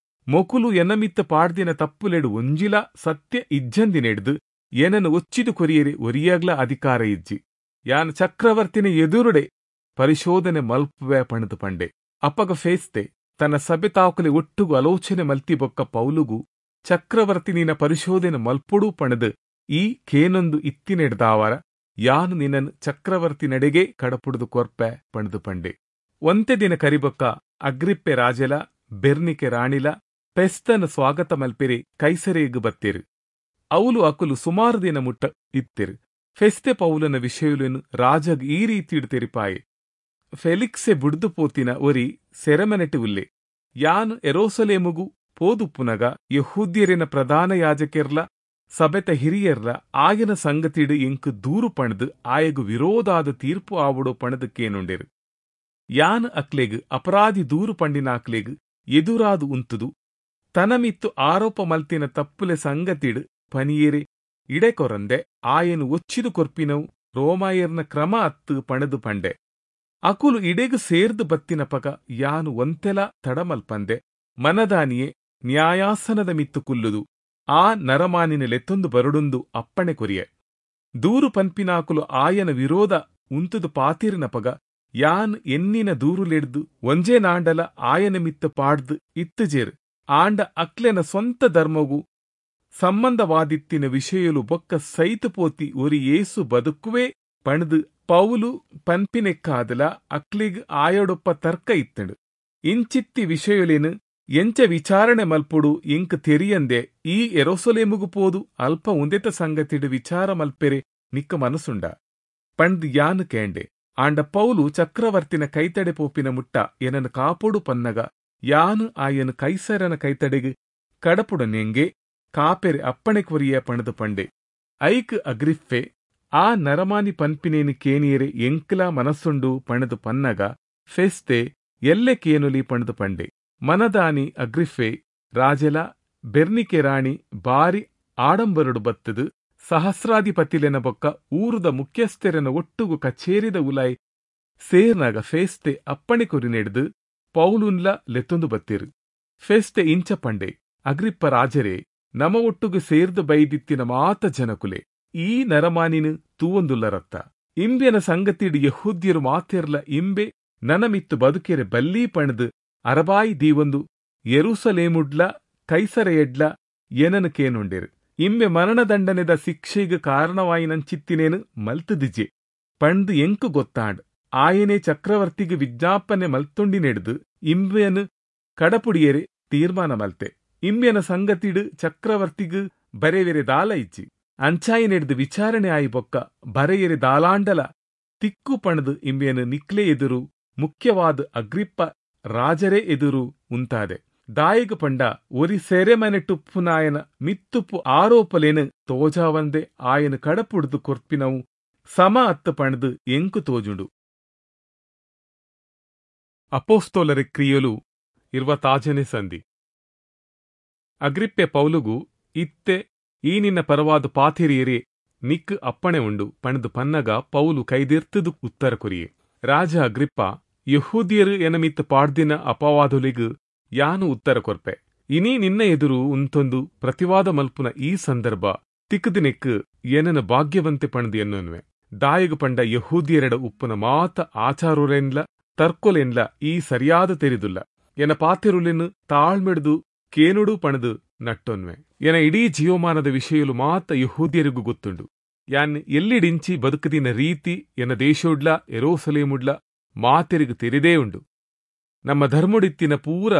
ಮೊಕುಲು ಎನಮಿತ್ತ ಪಾಡ್ದಿನ ತಪ್ಪುಲೆಡು ಒಂಜಿಲ ಸತ್ಯ ಇಜ್ಜಂದಿನೆಡ್ದು ಏನನ್ನು ಒಚ್ಚಿದು ಕೊರಿಯರೆ ಒರಿಯಾಗ್ಲ ಅಧಿಕಾರ ಇಜ್ಜಿ, ಯಾನ್ ಚಕ್ರವರ್ತಿನ ಎದುರುಡೆ ಪರಿಶೋಧನೆ ಮಲ್ಪುವೆ ಪಣದು ಪಂಡೆ. ಅಪ್ಪಗ ಫೇಸ್ತೆ ತನ್ನ ಸಭೆ ತಾಕುಲೆ ಒಟ್ಟುಗು ಆಲೋಚನೆ ಮಲ್ತಿ ಬೊಕ್ಕ ಪೌಲುಗು ಚಕ್ರವರ್ತಿನಿನ ಪರಿಶೋಧನೆ ಮಲ್ಪೊಡು ಪಣದು ಈ ಕೇನೊಂದು ಇತ್ತಿನೆಡ್ದಾವರ ಯಾನು ನಿನ್ನನ್ನು ಚಕ್ರವರ್ತಿ ನಡೆಗೆ ಕಡಪುಡ್ದು ಕೊರ್ಪೆ ಪಣದು ಪಂಡೆ. ಒಂತೆ ದಿನ ಕರಿಬೊಕ್ಕ ಅಗ್ರಿಪ್ಪೆ ರಾಜೆಲ ಬೆರ್ನಿಕೆ ರಾಣಿಲ ಪೆಸ್ತನ ಸ್ವಾಗತ ಮಲ್ಪೆರೆ ಕೈಸರೇಗು ಬತ್ತೇರು. ಅವಲು ಅಕುಲು ಸುಮಾರು ದಿನ ಮುಟ್ಟ ಇತ್ತಿರು. ಫೆಸ್ತೆ ಪೌಲನ ವಿಷಯలను ರಾಜಗ್ ಈ ರೀತಿಡು ತೆರಿಪಾಯೆ. ಫೆಲಿಕ್ಸೆ ಬುಡ್ದು ಪೋತಿನ ಒರಿ ಸೆರೆಮನೆಟು ಉಲ್ಲೆ. ಯಾನು ಯೆರೂಸಲೇಮುಗು ಪೋದುಪ್ಪುನಗ ಯಹೂದ್ಯರಿನ ಪ್ರಧಾನ ಯಾಜಕೆರ್ಲ ಸಬೆತ ಹಿರಿಯರ್ಲ ಆಯನ ಸಂಗತಿಡು ಎಂಕು ದೂರು ಪಣದು ಆಯಗು ವಿರೋಧಾದ ತೀರ್ಪು ಆವಡೋ ಪಣದಕ್ಕೇನುಂಡೆರು. ಯಾನ್ ಅಕ್ಲೆಗ್ ಅಪರಾಧಿ ದೂರು ಪಂಡಿನ ಅಕ್ಲೆಗ್ ಎದುರಾದು ಉಂತುದು ತನಮಿತ್ತು ಆರೋಪ ಮಲ್ತಿನ ತಪ್ಪುಲೆ ಸಂಗತಿಡು ಪನಿಯೇರೆ ಇಡೆ ಕೊರಂದೆ ಆಯನು ಒಚ್ಚಿದು ಕೊರ್ಪಿನವು ರೋಮಾಯರ್ನ ಕ್ರಮ ಅತ್ತು ಪಣದು ಪಂಡೆ. ಅಕುಲು ಇಡೆಗು ಸೇರ್ದು ಬತ್ತಿನ ಪಗ ಯಾನು ಒಂತೆಲ ತಡಮಲ್ಪಂದೆ ಮನದಾನಿಯೇ ನ್ಯಾಯಾಸನದ ಮಿತ್ತು ಕುಲ್ಲುದು ಆ ನರಮಾನಿನ ಲೆತ್ತೊಂದು ಬರಡುಂದು ಅಪ್ಪಣೆ ಕೊರಿಯೆ. ದೂರು ಪನ್ಪಿನಾಕುಲು ಆಯನ ವಿರೋಧ ಉಂತುದು ಪಾತಿರಿನ ಪಗ ಯಾನ್ ಎನ್ನಿನ ದೂರುಲೆಡ್ದು ಒಂಜೇ ನಾಂಡಲ ಆಯನ ಮಿತ್ತ ಪಾಡ್ದು ಇತ್ತುಜೇರು. ಆಂಡ ಅಕ್ಲೆನ ಸ್ವಂತ ಧರ್ಮಗು ಸಂಬಂಧವಾದಿತ್ತಿನ ವಿಷಯಲು ಬೊಕ್ಕ ಸೈತು ಪೋತಿ ಒರಿ ಏಸು ಬದುಕುವೆ ಪಣದು ಪೌಲು ಪನ್ಪಿನೆಕ್ಕಾದಲ ಅಕ್ಲಿಗ್ ಆಯೊಡೊಪ್ಪ ತರ್ಕ ಇತ್ತಂಡು. ಇಂಚಿತ್ತಿ ವಿಷಯಲೇನು ಎಂಚ ವಿಚಾರಣೆ ಮಲ್ಪುಡು ಎಂಕ್ ತೆರಿಯಂದೆ ಈ ಎರೋಸಲೇಮುಗು ಪೋದು ಅಲ್ಪ ಉಂದೆತ ಸಂಗತಿಡು ವಿಚಾರ ಮಲ್ಪೆರೆ ನಿಕ್ಕ ಮನಸುಂಡ ಪಂಡ್ ಯಾನು ಕೇಂಡೆ. ಆಂಡ ಪೌಲು ಚಕ್ರವರ್ತಿನ ಕೈತಡೆ ಪೋಪಿನ ಮುಟ್ಟ ಎನನು ಕಾಪೊಡು ಪನ್ನಗ ಯಾನು ಆಯನು ಕೈಸರನ ಕೈತಡೆಗೆ ಕಡಪುಡನೆಂಗೆ ಕಾಪೆರೆ ಅಪ್ಪಣೆ ಕೊರಿಯ ಪಣದು ಪಂಡೆ. ಐಕ್ ಅಗ್ರಿಫ್ಫೆ ಆ ನರಮಾನಿ ಪನ್ಪಿನೇನು ಕೇನಿಯರೆ ಎಂಕ್ಲಾ ಮನಸ್ಸುಂಡು ಪಣದು ಪನ್ನಗ ಫೆಸ್ತೆ ಎಲ್ಲೆ ಕೇನುಲಿ ಪಣದು ಪಂಡೆ. ಮನದಾನಿ ಅಗ್ರಿಫ್ಫೆ ರಾಜೆಲ ಬೆರ್ನಿಕೆ ರಾಣಿ ಬಾರಿ ಆಡಂಬರಡು ಬತ್ತದು ಸಹಸ್ರಾಧಿಪತಿಲೆನ ಬೊಕ್ಕ ಊರುದ ಮುಖ್ಯಸ್ಥೆರನ ಒಟ್ಟುಗು ಕಚೇರಿದ ಉಲಾಯ್ ಸೇರ್ನಾಗ ಫೇಸ್ತೆ ಅಪ್ಪಣೆ ಕೊರಿ ನೆಡ್ದು ಪೌಲುನ್ಲ ಲೆತ್ತೊಂದು ಬತ್ತಿರು. ಫೇಸ್ತೆ ಇಂಚ ಪಂಡೆ, ಅಗ್ರಿಪ್ಪ ರಾಜರೇ, ನಮ ಒಟ್ಟುಗು ಸೇರ್ದು ಬೈದಿತ್ತಿನ ಮಾತ ಜನಕುಲೆ ಈ ನರಮಾನಿನ ತೂವೊಂದುಲ್ಲರತ್ತ. ಇಂಬೆನ ಸಂಗತಿಡು ಯಹೂದ್ಯರು ಮಾತೆರ್ಲ ಇಂಬೆ ನನಮಿತ್ತು ಬದುಕೆರೆ ಬಲ್ಲೀ ಪಣದು ಅರಬಾಯಿ ದೀವೊಂದು ಯೆರೂಸಲೇಮುಡ್ಲ ಕೈಸರೆಯಡ್ಲ ಏನನು ಕೇನುಂಡೇರು. ಇಂಬೆ ಮರಣದಂಡನೆದ ಶಿಕ್ಷೆಗ್ ಕಾರಣವಾಯಿನಂಚಿತ್ತಿನೇನು ಮಲ್ತದಿಜೆ ಪಂಡ್ ಎಂಕು ಗೊತ್ತಾಂಡ್. ಆಯನೇ ಚಕ್ರವರ್ತಿಗೆ ವಿಜ್ಞಾಪನೆ ಮಲ್ತೊಂಡಿನೆಡ್ದು ಇಂಬೆಯನ್ನು ಕಡಪುಡಿಯರೆ ತೀರ್ಮಾನ ಮಲ್ತೆ. ಇಂಬೆನ ಸಂಗತಿಡು ಚಕ್ರವರ್ತಿಗ್ ಬರೆವೆರೆ ದಾಲ ಇಜ್ಜಿ. ಅಂಚಾಯಿನೆಡ್ದು ವಿಚಾರಣೆ ಆಯಿ ಬೊಕ್ಕ ಬರೆಯರೆ ದಾಲಾಂಡಲ ತಿಕ್ಕು ಪಣದು ಇಂಬೆಯನ್ನು ನಿಕ್ಲೆ ಎದುರು ಮುಖ್ಯವಾದ ಅಗ್ರಿಪ್ಪ ರಾಜರೇ ಎದುರು ಉಂತಾದೆ. ದಾಯಿಗ ಪಂಡ ಒರಿ ಸೆರೆಮನೆಟುಪ್ಪುನಾಯನ ಮಿತ್ತುಪ್ಪು ಆರೋಪಲೇನು ತೋಜಾವಂದೆ ಆಯನ ಕಡಪುಡ್ದು ಕೊರ್ಪಿನವು ಸಮ ಅತ್ತ ಪಣದು ಎಂಕು ತೋಜುಂಡು. ಅಪೋಸ್ತೋಲರ ಕ್ರಿಯಲು ಇರ್ವತಾಜನೆ ಸಂಧಿ. ಅಗ್ರಿಪ್ಪೆ ಪೌಲುಗು ಇತ್ತೆ ಈ ನಿನ್ನ ಪರವಾದ ಪಾಥಿರಿಯರೇ ನಿಕ್ ಅಪ್ಪಣೆ ಉಂಡು ಪಣದು ಪನ್ನಗ ಪೌಲು ಕೈದಿರ್ತದು ಉತ್ತರ ಕೊರಿಯೆ. ರಾಜ ಅಗ್ರಿಪ್ಪ, ಯಹೂದಿಯರು ಎನಮಿತ್ತ ಪಾಡ್ದಿನ ಅಪವಾದುಲಿಗು ಯಾನು ಉತ್ತರ ಕೊರ್ಪೆ. ಇನಿ ನಿನ್ನ ಎದುರು ಉಂತೊಂದು ಪ್ರತಿವಾದ ಮಲ್ಪುನ ಈ ಸಂದರ್ಭ ತಿಕ್ಕದಿನೆಕ್ ಏನನ ಭಾಗ್ಯವಂತೆ ಪಣದು ಎನ್ನುವೆ. ದಾಯಿಗು ಪಂಡ ಯಹೂದಿಯರೆಡ ಉಪ್ಪುನ ಮಾತ ಆಚಾರುಲೆನ್ಲ ತರ್ಕೊಲೆನ್ಲ ಈ ಸರಿಯಾದ ತೆರಿದುಲ್ಲ. ಎನ ಪಾತೆರುಲೆನ್ ತಾಳ್ಮೆಡ್ದು ಕೇನುಡು ಪಣದು ನಟ್ಟೊನ್ವೆ. ಎನ ಇಡೀ ಜೀವಮಾನದ ವಿಷಯಲು ಮಾತ ಯಹೂದಿಯರಿಗೂ ಗೊತ್ತುಂಡು. ಯಾನ್ ಎಲ್ಲಿಡಿಂಚಿ ಬದುಕದಿನ ರೀತಿ ಎನ ದೇಶೋಡ್ಲ ಎರೋಸಲೇಮುಡ್ಲ ಮಾತೆರಿಗು ತೆರಿದೇ ಉಂಡು. ನಮ್ಮ ಧರ್ಮುಡಿತ್ತಿನ ಪೂರ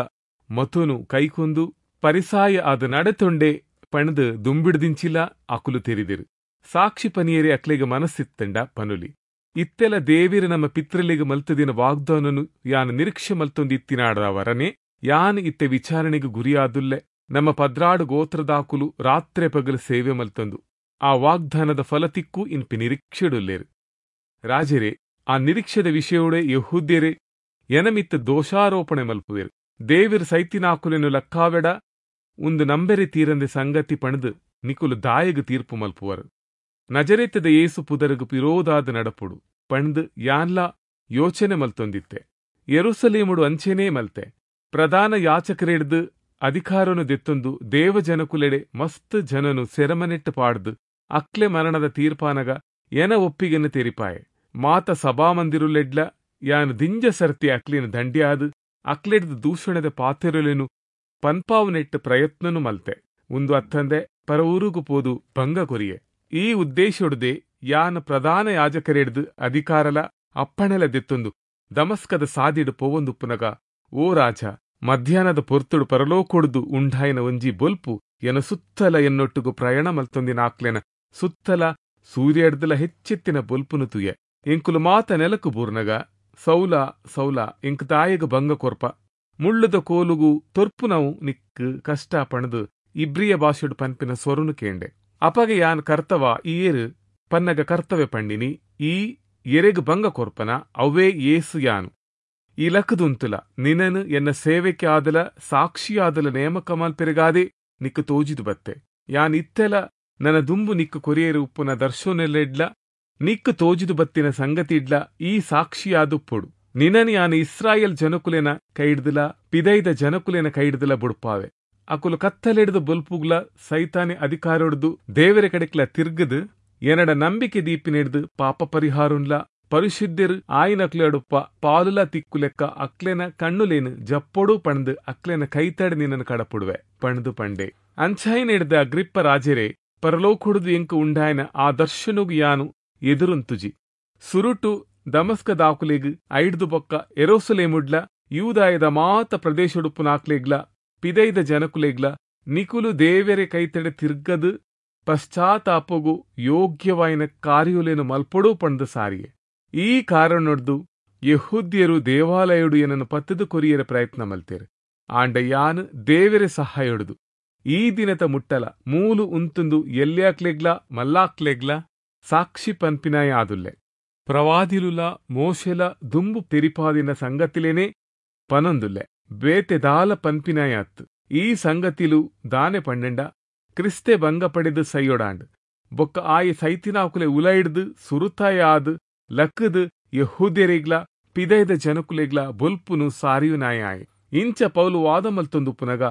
ಮತುನು ಕೈಕೊಂದು ಪರಿಸಾಯ ಆದ ನಡೆತೊಂಡೆ ಪಣದು ದುಂಬಿಡ್ದಿಂಚಿಲ ಅಕುಲು ತೆರಿದಿರು. ಸಾಕ್ಷಿ ಪನಿಯರೆ ಅಕ್ಲೆಗ ಮನಸ್ಸಿತ್ತಂಡ ಪನುಲಿ. ಇತ್ತೆಲ ದೇವಿರ ನಮ್ಮ ಪಿತ್ರಲಿಗ ಮಲ್ತದಿನ ವಾಗ್ದಾನನು ಯಾನ್ ನಿರೀಕ್ಷೆ ಮಲ್ತೊಂದಿತ್ತಿನಾಡವರನೆ ಯಾನ್ ಇತ್ತೆ ವಿಚಾರಣೆಗೆ ಗುರಿಯಾದುಲ್ಲೆ. ನಮ್ಮ ಪದ್ರಾಡು ಗೋತ್ರದಾಕುಲು ರಾತ್ರೆ ಪಗಲು ಸೇವೆ ಮಲ್ತಂದು ಆ ವಾಗ್ದಾನದ ಫಲತಿಕ್ಕೂ ಇನ್ಪಿ ನಿರೀಕ್ಷೆಡುಲ್ಲೇರು. ರಾಜರೇ, ಆ ನಿರೀಕ್ಷೆದ ವಿಷಯೋಡೆ ಯಹೂದ್ಯರೇ ಎನಮಿತ್ತ ದೋಷಾರೋಪಣೆ ಮಲ್ಪುವೆರು. ದೇವಿರ ಸೈತಿನಾಕುಲೆನು ಲಕ್ಕಾವೆಡ ಒಂದು ನಂಬೆರೆ ತೀರಂದೆ ಸಂಗತಿ ಪಣದು ನಿಕುಲು ದಾಯಗು ತೀರ್ಪು ಮಲ್ಪುವರು. ನಜರೇತದ ಏಸು ಪುದರಗು ಪಿರೋದಾದ ನಡಪುಡು ಪಣದು ಯಾನ್ಲ ಯೋಚನೆ ಮಲ್ತೊಂದಿತ್ತೆ. ಯೆರೂಸಲೇಮುಡು ಅಂಚೆನೇ ಮಲ್ತೆ. ಪ್ರಧಾನ ಯಾಚಕರೆಡ್ದು ಅಧಿಕಾರನು ದೆತ್ತೊಂದು ದೇವಜನಕುಲೆಡೆ ಮಸ್ತ್ ಜನನು ಸೆರಮನೆಟ್ಟು ಪಾಡ್ದು ಅಕ್ಲೆ ಮರಣದ ತೀರ್ಪಾನಗ ಎನ ಒಪ್ಪಿಗೆನು ತೆರಿಪಾಯೆ. ಮಾತ ಸಭಾಮಂದಿರುಲೆಡ್ಲ ಯಾನು ದಿಂಜ ಸರ್ತಿ ಅಕ್ಲಿನ ದಂಡ್ಯಾದು ಅಕ್ಲೆಡ್ದು ದೂಷಣದ ಪಾತೆರುಲೆನು ಪನ್ಪಾವುನೆಟ್ಟು ಪ್ರಯತ್ನನು ಮಲ್ತೆ. ಒಂದು ಅತ್ತಂದೆ ಪರ ಊರುಗು ಪೋದು ಭಂಗ ಕೊರಿಯೆ. ಈ ಉದ್ದೇಶೊಡ್ದೆ ಯಾನ ಪ್ರಧಾನ ಯಾಜಕರೆಡ್ದು ಅಧಿಕಾರಲ ಅಪ್ಪಣೆಲ ದೆತ್ತೊಂದು ದಮಸ್ಕದ ಸಾದಿಡು ಪೋವೊಂದುಪ್ಪುನಗ, ಓ ರಾಜ, ಮಧ್ಯಾಹ್ನದ ಪೊರ್ತುಡು ಪರಲೋಕೊಡ್ದು ಉಂಡಾಯಿನ ಒಂಜಿ ಬೊಲ್ಪು ಎನ ಸುತ್ತಲ ಎನ್ನೊಟ್ಟುಗು ಪ್ರಯಾಣ ಮಲ್ತೊಂದಿನ ಆಕ್ಲೆನ ಸುತ್ತಲ ಸೂರ್ಯಡ್ದಲ ಹೆಚ್ಚೆತ್ತಿನ ಬೊಲ್ಪುನು ತುಯೆ. ಎಂಕುಲು ಮಾತ ನೆಲಕು ಬೂರ್ನಗ, ಸೌಲ ಸೌಲ ಎಂಕ್ ದಾಯಗ ಭಂಗ ಕೊರ್ಪ, ಮುಳ್ಳುದ ಕೋಲುಗು ತೊರ್ಪುನವು ನಿಕ್ ಕಷ್ಟ ಪಣದು ಇಬ್ರಿಯ ಭಾಷೆಡು ಪನ್ಪಿನ ಸ್ವರುನು ಕೇಂಡೆ. ಅಪಗ ಯಾನ್ ಕರ್ತವ ಈ ಏರು ಪನ್ನಗ ಕರ್ತವ್ಯ ಪಂಡಿನಿ, ಈ ಎರೆಗ್ ಭಂಗ ಕೊರ್ಪನ ಅವೇ ಏಸು ಯಾನು. ಈ ಲಕ್ಕದುಂತುಲ ನಿನನು ಎನ್ನ ಸೇವೆಗೆ ಆದಲ ಸಾಕ್ಷಿಯಾದಲ ನೇಮಕ ಮಲ್ಪೆರೆಗಾದೆ ನಿಕ್ಕು ತೋಜಿದು ಬತ್ತೆ. ಯಾನ್ ಇತ್ತೆಲ ನನ್ನ ದುಂಬು ನಿಕ್ಕು ಕೊರಿಯರು ಉಪ್ಪುನ ದರ್ಶನೆಲೆಡ್ಲ ನಿಕ್ಕು ತೋಜಿದು ಬತ್ತಿನ ಸಂಗತಿ ಇಡ್ಲ ಈ ಸಾಕ್ಷಿಯಾದುಪ್ಪೊಡು. ನಿನನು ಯಾನು ಇಸ್ರಾಯೇಲ್ ಜನಕುಲೆನ ಕೈಡ್ದಲ ಪಿದೈದ ಜನಕುಲೆನ ಕೈಡ್ದಲ ಬುಡ್ಪಾವೆ. ಅಕುಲು ಕತ್ತಲೆಡ್ದು ಬೊಲ್ಪುಗ್ಲ ಸೈತಾನೆ ಅಧಿಕಾರೊಡ್ದು ದೇವರ ಕಡೆಕ್ಲ ತಿರ್ಗದು ಎನಡ ನಂಬಿಕೆ ದೀಪಿನೆಡ್ದು ಪಾಪ ಪರಿಹಾರುನ್ಲ ಪರಿಶುದ್ಧರು ಆಯಿನಕ್ಲೆಡುಪ್ಪ ಪಾಲುಲ ತಿಕ್ಕುಲೆಕ್ಕ ಅಕ್ಲೆನ ಕಣ್ಣುಲೇನು ಜಪ್ಪೊಡು ಪಣದು ಅಕ್ಲೆನ ಕೈತಡೆ ನಿನ್ನನ್ನು ಕಡಪುಡುವೆ ಪಣದು ಪಂಡೆ. ಅಂಚಾಯಿನೆಡ್ದ ಅಗ್ರಿಪ್ಪ ರಾಜರೇ, ಪರಲೋಕೊಡುದು ಎಂಕು ಉಂಡಾಯನ ಆ ದರ್ಶನುಗು ಯಾನು ಎದುರುಂತುಜಿ. ಸುರುಟು ದಮಸ್ಕದಾಕುಲೆಗ್ ಐಡ್ದು ಬೊಕ್ಕ ಎರೋಸಲೇಮುಡ್ಲ ಯೂದಾಯದ ಮಾತ ಪ್ರದೇಶೊಡುಪ್ಪುನಾಕ್ಲೆಗ್ಲ ಪಿದೈದ ಜನಕುಲೆಗ್ಲ ನಿಕುಲು ದೇವೆರೆ ಕೈತಡೆ ತಿರ್ಗದು ಪಶ್ಚಾತ್ತಾಪೊಗು ಯೋಗ್ಯವಾಯಿನ ಕಾರ್ಯೊಲೆನು ಮಲ್ಪೊಡು ಪಂದ್ ಸಾರಿಯೆ. ಈ ಕಾರಣೊಡ್ದು ಯೆಹೂದ್ಯರು ದೇವಾಲಯೊಡು ಏನನ್ನು ಪತ್ತದು ಕೊರಿಯರೆ ಪ್ರಯತ್ನ ಮಲ್ತೇರು. ಆಂಡ ಯಾನ್ ದೇವೆರೆ ಸಹಾಯೊಡುದು ಈ ದಿನತ ಮುಟ್ಟಲ ಮೂಲು ಉಂತುಂದು ಎಲ್ಯಾಕ್ಲೆಗ್ಲ ಮಲ್ಲಾಕ್ಲೆಗ್ಲ ಸಾಕ್ಷಿ ಪನ್ಪಿನಾಯ ಆದುಲ್ಲೆ. ಪ್ರವಾದಿಲುಲ ಮೋಶೆಲ ದುಂಬು ತೆರಿಪಾದಿನ ಸಂಗತಿಲೇನೆ ಪನೊಂದುಲ್ಲೆ, ಬೇತೆ ದಾಲ ಪನ್ಪಿನಾಯ ಅತ್ತು. ಈ ಸಂಗತಿಲು ದಾನೆ ಪಂಡೆಂಡ ಕ್ರಿಸ್ತೆ ಭಂಗ ಪಡೆದು ಸೈಯೊಡಾಂಡ್ ಬೊಕ್ಕ ಆಯೆ ಸೈತಿನಾಕುಲೆ ಉಲೈಡ್ದು ಸುರುತಾಯ ಆದ್ ಲಕ್ಕದು ಯೆಹೂದ್ಯರಿಗ್ಲ ಪಿದೈದ ಜನಕುಲೆಗ್ಲ ಬೊಲ್ಪುನು ಸಾರಿಯುನಾಯ ಆಯೆ. ಇಂಚ ಪೌಲು ವಾದ ಮಲ್ತೊಂದುಪ್ಪುನಗ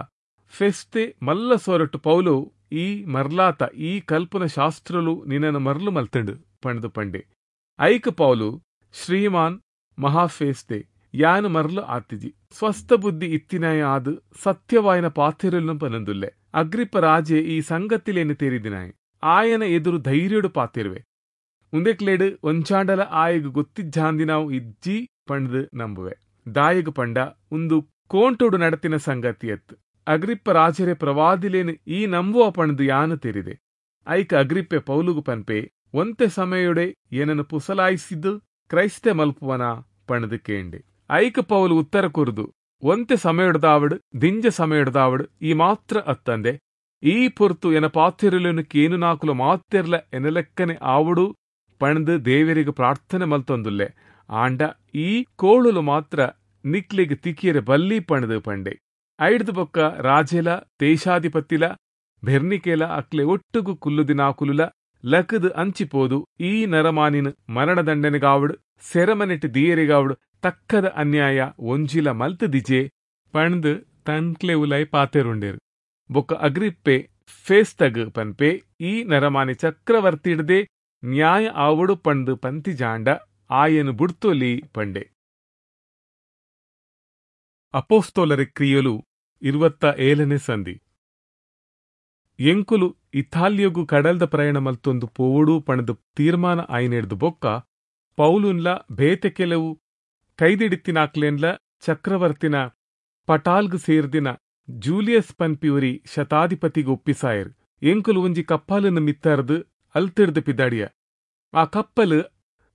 ಫೆಸ್ತೆ ಮಲ್ಲ ಸೊರಟು ಪೌಲು ಈ ಮರ್ಲಾತ ಈ ಕಲ್ಪನ ಶಾಸ್ತ್ರಲು ನಿನ್ನನ್ನು ಮರ್ಲು ಮಲ್ತಂಡು ಪಂಡ್ದು ಪಂಡೆ. ಐಕ ಪೌಲು, ಶ್ರೀಮಾನ್ ಮಹಾಫೇಸ್ತೆ, ಯಾನು ಮರ್ಲು ಆತಿಜಿ, ಸ್ವಸ್ಥ ಬುದ್ಧಿ ಇತ್ತಿನಾಯ ಆದ್ ಸತ್ಯವಾಯಿನ ಪಾತೆರಲು ಪನಂದುಲ್ಲೆ. ಅಗ್ರಿಪ್ಪ ರಾಜೆ ಈ ಸಂಗತಿಲೇನು ತೆರಿದಿನಾಯೆ, ಆಯನ ಎದುರು ಧೈರ್ಯಡು ಪಾತಿರುವೆ. ಉಂದೆಕ್ಲೇಡು ಒಂಚಾಂಡಲ ಆಯಗ್ ಗೊತ್ತಿಜ್ಜಾಂದಿನಾವು ಇಜ್ಜಿ ಪಂಡ್ದು ನಂಬುವೆ. ದಾಯಗ್ ಪಂಡ ಉಂದು ಕೋಂಟೋಡು ನಡತಿನ ಸಂಗತಿಯತ್ತು. ಅಗ್ರಿಪ್ಪ ರಾಜರೇ ಪ್ರವಾದಿಲೇನು ಈ ನಂಬುವ ಪಂಡ್ದು ಯಾನು ತೆರಿದೆ. ಐಕ ಅಗ್ರಿಪ್ಪೆ ಪೌಲುಗು ಪನ್ಪೆ, ಒಂತೆ ಸಮಯೊಡೆ ಏನನ್ನು ಪುಸಲಾಯಿಸಿದ್ದು ಕ್ರೈಸ್ತೆ ಮಲ್ಪುವನ ಪಣದು ಕೇಂಡೆ. ಐಕ ಪೌಲು ಉತ್ತರ ಕೊರುದು, ಒಂತೆ ಸಮಯೊಡ್ದಾವಡು ದಿಂಜ ಸಮಯೊಡ್ದಾವಡು ಈ ಮಾತ್ರ ಅತ್ತಂದೆ ಈ ಪೊರ್ತು ಎನ ಪಾತಿರಲೇನು ಕೇನು ನಾಕುಲು ಮಾತೆರ್ಲ ಎನಲೆಕ್ಕನೆ ಆವಡು ಪಣದು ದೇವರಿಗೆ ಪ್ರಾರ್ಥನೆ ಮಲ್ತೊಂದುಲ್ಲೆ. ಆಂಡ ಈ ಕೋಳುಲು ಮಾತ್ರ ನಿಕ್ಲೆಗ್ ತಿಕ್ಕಿಯರೆ ಬಲ್ಲಿ ಪಣದು ಪಂಡೆ. ಐಡ್ದು ಬೊಕ್ಕ ರಾಜೆಲ ದೇಶಾಧಿಪತಿಲ ಬೆರ್ನಿಕೆಲ ಅಕ್ಲೆ ಒಟ್ಟುಗು ಕುಲ್ಲುದಿನಾಕುಲುಲ ಲಕದು ಅಂಚಿಪೋದು ಈ ನರಮಾನಿನ ಮರಣದಂಡನೆಗಾವಡು ಸೆರಮನೆಟ್ ದಿಯರಿಗಾವಡು ತಕ್ಕದ ಅನ್ಯಾಯ ಒಂಜಿಲ ಮಲ್ತದಿಜೆ ಪಣ್ದು ತನ್ಕ್ಲೆ ಉಲೈ ಪಾತೆರುಂಡೇರು. ಬೊಕ್ಕ ಅಗ್ರಿಪ್ಪೆ ಫೇಸ್ತಗ್ ಪನ್ಪೆ, ಈ ನರಮಾನಿ ಚಕ್ರವರ್ತಿಡ್ದೆ ನ್ಯಾಯ ಆವಡು ಪಂಡು ಪಂತಿಜಾಂಡ ಆಯನು ಬುಡ್ತೊಲಿ ಪಂಡೆ. ಅಪೋಸ್ತೋಲರ ಕ್ರಿಯಲು ಇರುವತ್ತ ಏಳನೇ ಸಂಧಿ. ಎಂಕುಲು ಇತಾಲಿಯಗು ಕಡಲ್ದ ಪ್ರಯಾಣ ಮಲ್ತೊಂದು ಪೋವಡು ಪಣದು ತೀರ್ಮಾನ ಆಯ್ನೆಡ್ದು ಬೊಕ್ಕ ಪೌಲುನ್ಲ ಬೇತೆ ಕೆಲವು ಕೈದಿಡಿತ್ತಿನಾಕ್ಲೇನ್ಲ ಚಕ್ರವರ್ತಿನ ಪಟಾಲ್ಗ್ ಸೇರ್ದಿನ ಜೂಲಿಯಸ್ ಪನ್ಪಿಯುರಿ ಶತಾಧಿಪತಿಗೆ ಒಪ್ಪಿಸಾಯರ್. ಎಂಕುಲು ಒಂಜಿ ಕಪ್ಪಾಲನ್ನು ಮಿತ್ತರ್ದು ಅಲ್ತಿಡ್ದು ಪಿದಾಡಿಯ. ಆ ಕಪ್ಪಲು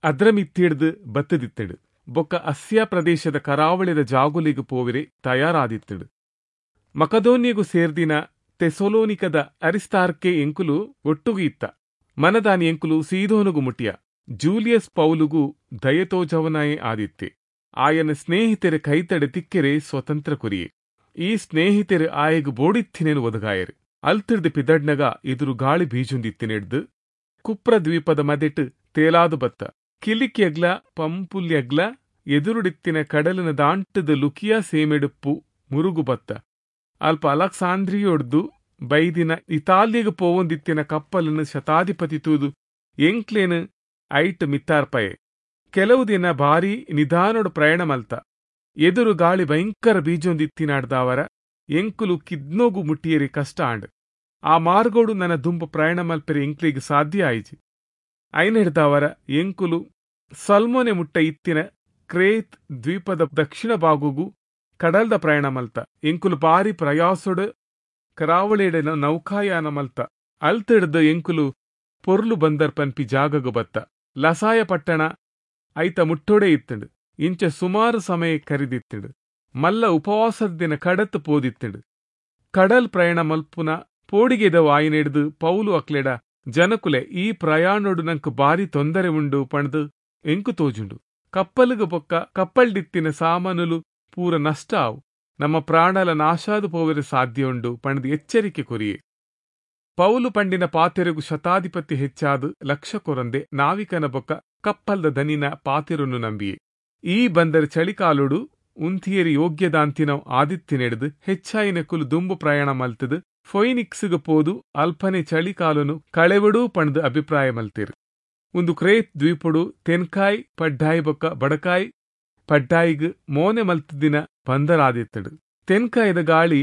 ಅದ್ರಮಿತ್ತಿಡ್ದು ಬತ್ತದಿತ್ತಡು. ಬೊಕ್ಕ ಅಸ್ಯಾ ಪ್ರದೇಶದ ಕರಾವಳಿದ ಜಾಗುಲಿಗು ಪೋವಿರೆ ತಯಾರಾದಿತ್ತಡು. ಮಕದೋನ್ಯಗು ಸೇರ್ದಿನ ತೆಸೊಲೋನಿಕದ ಅರಿಸ್ತಾರ್ಕೆ ಎಂಕುಲು ಒಟ್ಟುಗು ಇತ್ತ. ಮನದಾನಿ ಎಂಕುಲು ಸೀದೋನುಗು ಮುಟ್ಟಿಯ. ಜೂಲಿಯಸ್ ಪೌಲುಗು ದಯತೋಜವನಾಯೇ ಆದಿತ್ತೆ. ಆಯನ ಸ್ನೇಹಿತರ ಕೈತಡೆ ತಿಕ್ಕೆರೆ ಸ್ವತಂತ್ರ ಕೊರಿಯೆ. ಈ ಸ್ನೇಹಿತರು ಆಯಗು ಬೋಡಿತ್ತಿನೇನು ಒದಗಾಯರು. ಅಲ್ತಿಡ್ದು ಪಿದಡ್ನಗ ಎದುರು ಗಾಳಿ ಬೀಜುಂದಿತ್ತಿನೆಡ್ದು ಕುಪ್ರ ದ್ವೀಪದ ಮದೆಟ್ ತೇಲಾದು ಬತ್ತ. ಕಿಲಿಕ್ಯಗ್ಲ ಪಂಪುಲ್ಯಗ್ಲ ಎದುರುಡಿತ್ತಿನ ಕಡಲಿನ ದಾಂಟದ ಲುಕಿಯಾ ಸೇಮೆಡುಪ್ಪು ಮುರುಗು ಬತ್ತ. ಅಲ್ಪ ಅಲಕ್ಸಾಂದ್ರಿಯೊಡ್ದು ಬೈದಿನ ಇತಾಲಿಯಗು ಪೋವೊಂದಿತ್ತಿನ ಕಪ್ಪಲನ್ನು ಶತಾಧಿಪತಿ ತೂದು ಎಂಕ್ಲೇನು ಐಟ್ ಮಿತ್ತಾರ್ಪಯೆ. ಕೆಲವು ದಿನ ಭಾರಿ ನಿಧಾನೊಡು ಪ್ರಯಾಣ ಮಲ್ತ. ಎದುರು ಗಾಳಿ ಭಯಂಕರ ಬೀಜೊಂದಿತ್ತಿನಾಡ್ದಾವರ ಎಂಕುಲು ಕಿದ್ನೋಗು ಮುಟ್ಟಿಯರಿ ಕಷ್ಟ ಆಂಡ್. ಆ ಮಾರ್ಗೋಡು ನನ್ನ ದುಂಬ ಪ್ರಯಾಣ ಮಲ್ಪೆರೆ ಎಂಕ್ಲಿಗೆ ಸಾಧ್ಯ ಆಯಿಜಿ. ಐನೆಡ್ದಾವರ ಎಂಕುಲು ಸಲ್ಮೋನೆ ಮುಟ್ಟ ಇತ್ತಿನ ಕ್ರೇತ್ ದ್ವೀಪದ ದಕ್ಷಿಣ ಭಾಗಗೂ ಕಡಲ್ದ ಪ್ರಯಾಣ ಮಲ್ತ. ಎಂಕುಲು ಭಾರಿ ಪ್ರಯಾಸೊಡು ಕರಾವಳಿಯಡ ನೌಕಾಯಾನ ಮಲ್ತ. ಅಲ್ತಿಡ್ದು ಎಂಕುಲು ಪೊರ್ಲು ಬಂದರ್ ಪನ್ಪಿ ಜಾಗಗು ಬತ್ತ. ಲಸಾಯ ಪಟ್ಟಣ ಐತ ಮುಟ್ಟೋಡೆ ಇತ್ತಂಡು. ಇಂಚ ಸುಮಾರು ಸಮಯ ಕರಿದಿತ್ತಂಡು. ಮಲ್ಲ ಉಪವಾಸದ ದಿನ ಕಡತ್ ಪೋದಿತ್ತಂಡು. ಕಡಲ್ ಪ್ರಯಾಣ ಮಲ್ಪುನ ಪೋಡಿಗೆದ ವಾಯಿನೆಡ್ದು ಪೌಲು ಅಕ್ಲೆಡ, ಜನಕುಲೆ ಈ ಪ್ರಯಾಣೊಡು ನಂಕ್ ಬಾರಿ ತೊಂದರೆ ಉಂಡು ಪಂಡ್ದು ಎಂಕು ತೋಜುಂಡು. ಕಪ್ಪಲುಗು ಬೊಕ್ಕ ಕಪ್ಪಲ್ಡಿತ್ತಿನ ಸಾಮಾನುಲು ಪೂರ ನಷ್ಟ ಆವು, ನಮ್ಮ ಪ್ರಾಣಲ ನಾಶಾದು ಪೋವೆರೆ ಸಾಧ್ಯ ಉಂಡು ಪಂಡ್ದು ಎಚ್ಚರಿಕೆ ಕೊರಿಯೆ. ಪೌಲು ಪಂಡಿನ ಪಾತೆರುಗು ಶತಾಧಿಪತಿ ಹೆಚ್ಚಾದು ಲಕ್ಷ ಕೊರಂದೆ ನಾವಿಕನ ಬೊಕ್ಕ ಕಪ್ಪಲ್ದ ದನಿನ ಪಾತೆರುನು ನಂಬಿಯೆ. ಈ ಬಂದರ್ ಚಳಿಕಾಲುಡು ಉಂತಿಯರಿ ಯೋಗ್ಯದಾಂತಿನವ್ ಆದಿತ್ತಿನೆಡ್ದು ಹೆಚ್ಚಾಯಿನ ಕುಲು ದುಂಬು ಪ್ರಯಾಣ ಮಲ್ತದು ಫೊಯಿನಿಕ್ಸ್ಗ್ ಪೋದು ಅಲ್ಪನೆ ಚಳಿಕಾಲನು ಕಳೆವಡೂ ಪಂಡ್ದು ಅಭಿಪ್ರಾಯ ಮಲ್ತಿರು. ಒಂದು ಕ್ರೇತ್ ದ್ವೀಪುಡು ತೆನ್ಕಾಯ್ ಪಡ್ಡಾಯಿ ಬೊಕ್ಕ ಬಡಕಾಯ್ ಪಡ್ಡಾಯಿಗ್ ಮೋನೆ ಮಲ್ತದಿನ ಬಂದರಾದಿತ್ತಡು. ತೆನ್ಕಾಯ್ದ ಗಾಳಿ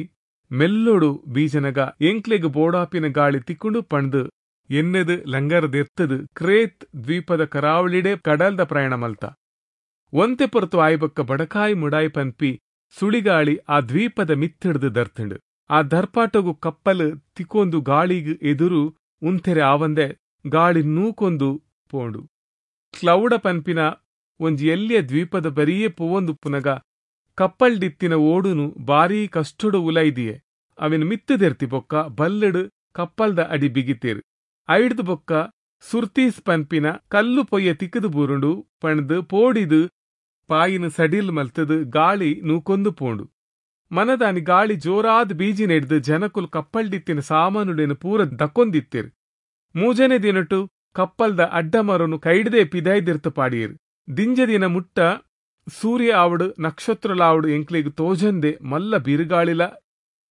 ಮೆಲ್ಲೊಡು ಬೀಜನಗ ಎಂಕ್ಲೆಗ್ ಬೋಡಾಪಿನ ಗಾಳಿ ತಿಕ್ಕುಂಡು ಪಂಡ್ದು ಎನ್ನೆದು ಲಂಗರದೆರ್ತದು ಕ್ರೇತ್ ದ್ವೀಪದ ಕರಾವಳಿಡೆ ಕಡಲ್ದ ಪ್ರಯಾಣ ಮಲ್ತ. ಒಂತೆ ಪೊರ್ತು ಆಯ್ಬೊಕ್ಕ ಬಡಕಾಯಿ ಮುಡಾಯಿ ಪನ್ಪಿ ಸುಳಿಗಾಳಿ ಆ ದ್ವೀಪದ ಮಿತ್ತಿಡ್ದು ದರ್ತುಂಡು. ಆ ದರ್ಪಾಟಗು ಕಪ್ಪಲು ತಿಕ್ಕೊಂದು ಗಾಳಿಗ್ ಎದುರು ಉಂತೆರೆ ಆವಂದೆ ಗಾಳಿ ನೂಕೊಂದು ಪೋಂಡು. ಕ್ಲೌಡ ಪನ್ಪಿನ ಒಂಜಿ ಎಲ್ಯ ದ್ವೀಪದ ಬರಿಯೇ ಪೋವೊಂದುಪ್ಪುನಗ ಕಪ್ಪಲ್ಡಿತ್ತಿನ ಓಡುನು ಬಾರೀ ಕಷ್ಟೊಡು ಉಲೈದಿಯೆ. ಅವೆನ್ ಮಿತ್ತದೆರ್ತಿ ಬೊಕ್ಕ ಬಲ್ಲಡು ಕಪ್ಪಲ್ದ ಅಡಿ ಬಿಗಿತೇರು. ಐಡ್ದು ಬೊಕ್ಕ ಸುರ್ತೀಸ್ ಪನ್ಪಿನ ಕಲ್ಲು ಪೊಯ್ಯ ತಿಕ್ಕದು ಬೂರುಂಡು ಪಂಡ್ದು ಪೋಡಿದು ಪಾಯಿನ ಸಡಿಲ್ ಮಲ್ತದು ಗಾಳಿ ನೂಕೊಂದು ಪೋಂಡು. ಮನದಾನಿ ಗಾಳಿ ಜೋರಾದ ಬೀಜಿ ನೆಡ್ದು ಜನಕುಲು ಕಪ್ಪಲ್ಡಿತ್ತಿನ ಸಾಮಾನುಲೇನು ಪೂರ ದಕ್ಕೊಂದಿತ್ತೇರು. ಮೂಜನೇ ದಿನಟು ಕಪ್ಪಲ್ದ ಅಡ್ಡಮರನು ಕೈಡ್ದೇ ಪಿದಾಯ್ದಿರ್ತು ಪಾಡಿಯರು. ದಿಂಜ ದಿನ ಮುಟ್ಟ ಸೂರ್ಯ ಆವಡು ನಕ್ಷತ್ರಲಾವಡು ಎಂಕ್ಲೆಗ್ ತೋಜಂದೆ ಮಲ್ಲ ಬಿರುಗಾಳಿಲ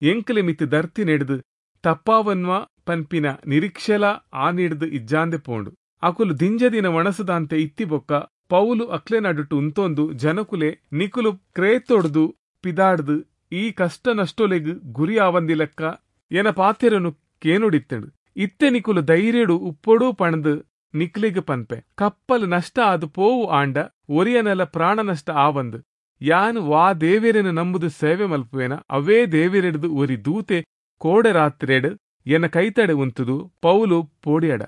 ಎಂಕ್ಲೆ ಮಿತ್ತು ದರ್ತಿ ನೆಡ್ದು ತಪ್ಪಾವನ್ವ ಪನ್ಪಿನ ನಿರೀಕ್ಷೆಲ ಆನಿಡ್ದು ಇಜ್ಜಾಂದೆ ಪೋಂಡು. ಅಕುಲು ದಿಂಜ ದಿನ ಒಣಸದಾಂತೆ ಇತ್ತಿ ಬೊಕ್ಕ ಪೌಲು ಅಕ್ಲೆ ನಡುಟು ಉಂತೊಂದು ಜನಕುಲೆ ನಿಕುಲು ಕ್ರೇತೊಡ್ದು ಪಿದಾಡ್ದು ಈ ಕಷ್ಟ ನಷ್ಟೊಲೆಗ್ ಗುರಿ ಆವಂದಿಲೆಕ್ಕ ಎನ ಪಾತೆರನು ಕೇನುಡಿತ್ತಂಡು. ಇತ್ತೆ ನಿಕುಲು ಧೈರ್ಯಡು ಉಪ್ಪೊಡು ಪಣದು ನಿಕ್ಲೆಗ್ ಪನ್ಪೆ. ಕಪ್ಪಲ್ ನಷ್ಟ ಆದ್ ಪೋವು ಆಂಡ ಒರಿಯನೆಲ ಪ್ರಾಣ ನಷ್ಟ ಆವಂದು. ಯಾನ್ ವಾ ದೇವೆರೆನು ನಂಬುದು ಸೇವೆ ಮಲ್ಪುವೇನ ಅವೇ ದೇವೆರೆಡ್ದು ಒರಿ ದೂತೆ ಕೋಡೆ ರಾತ್ರೆಡ್ ಎನ್ನ ಕೈತಡೆ ಉಂತುದು ಪೌಲು ಪೋಡಿಯಡ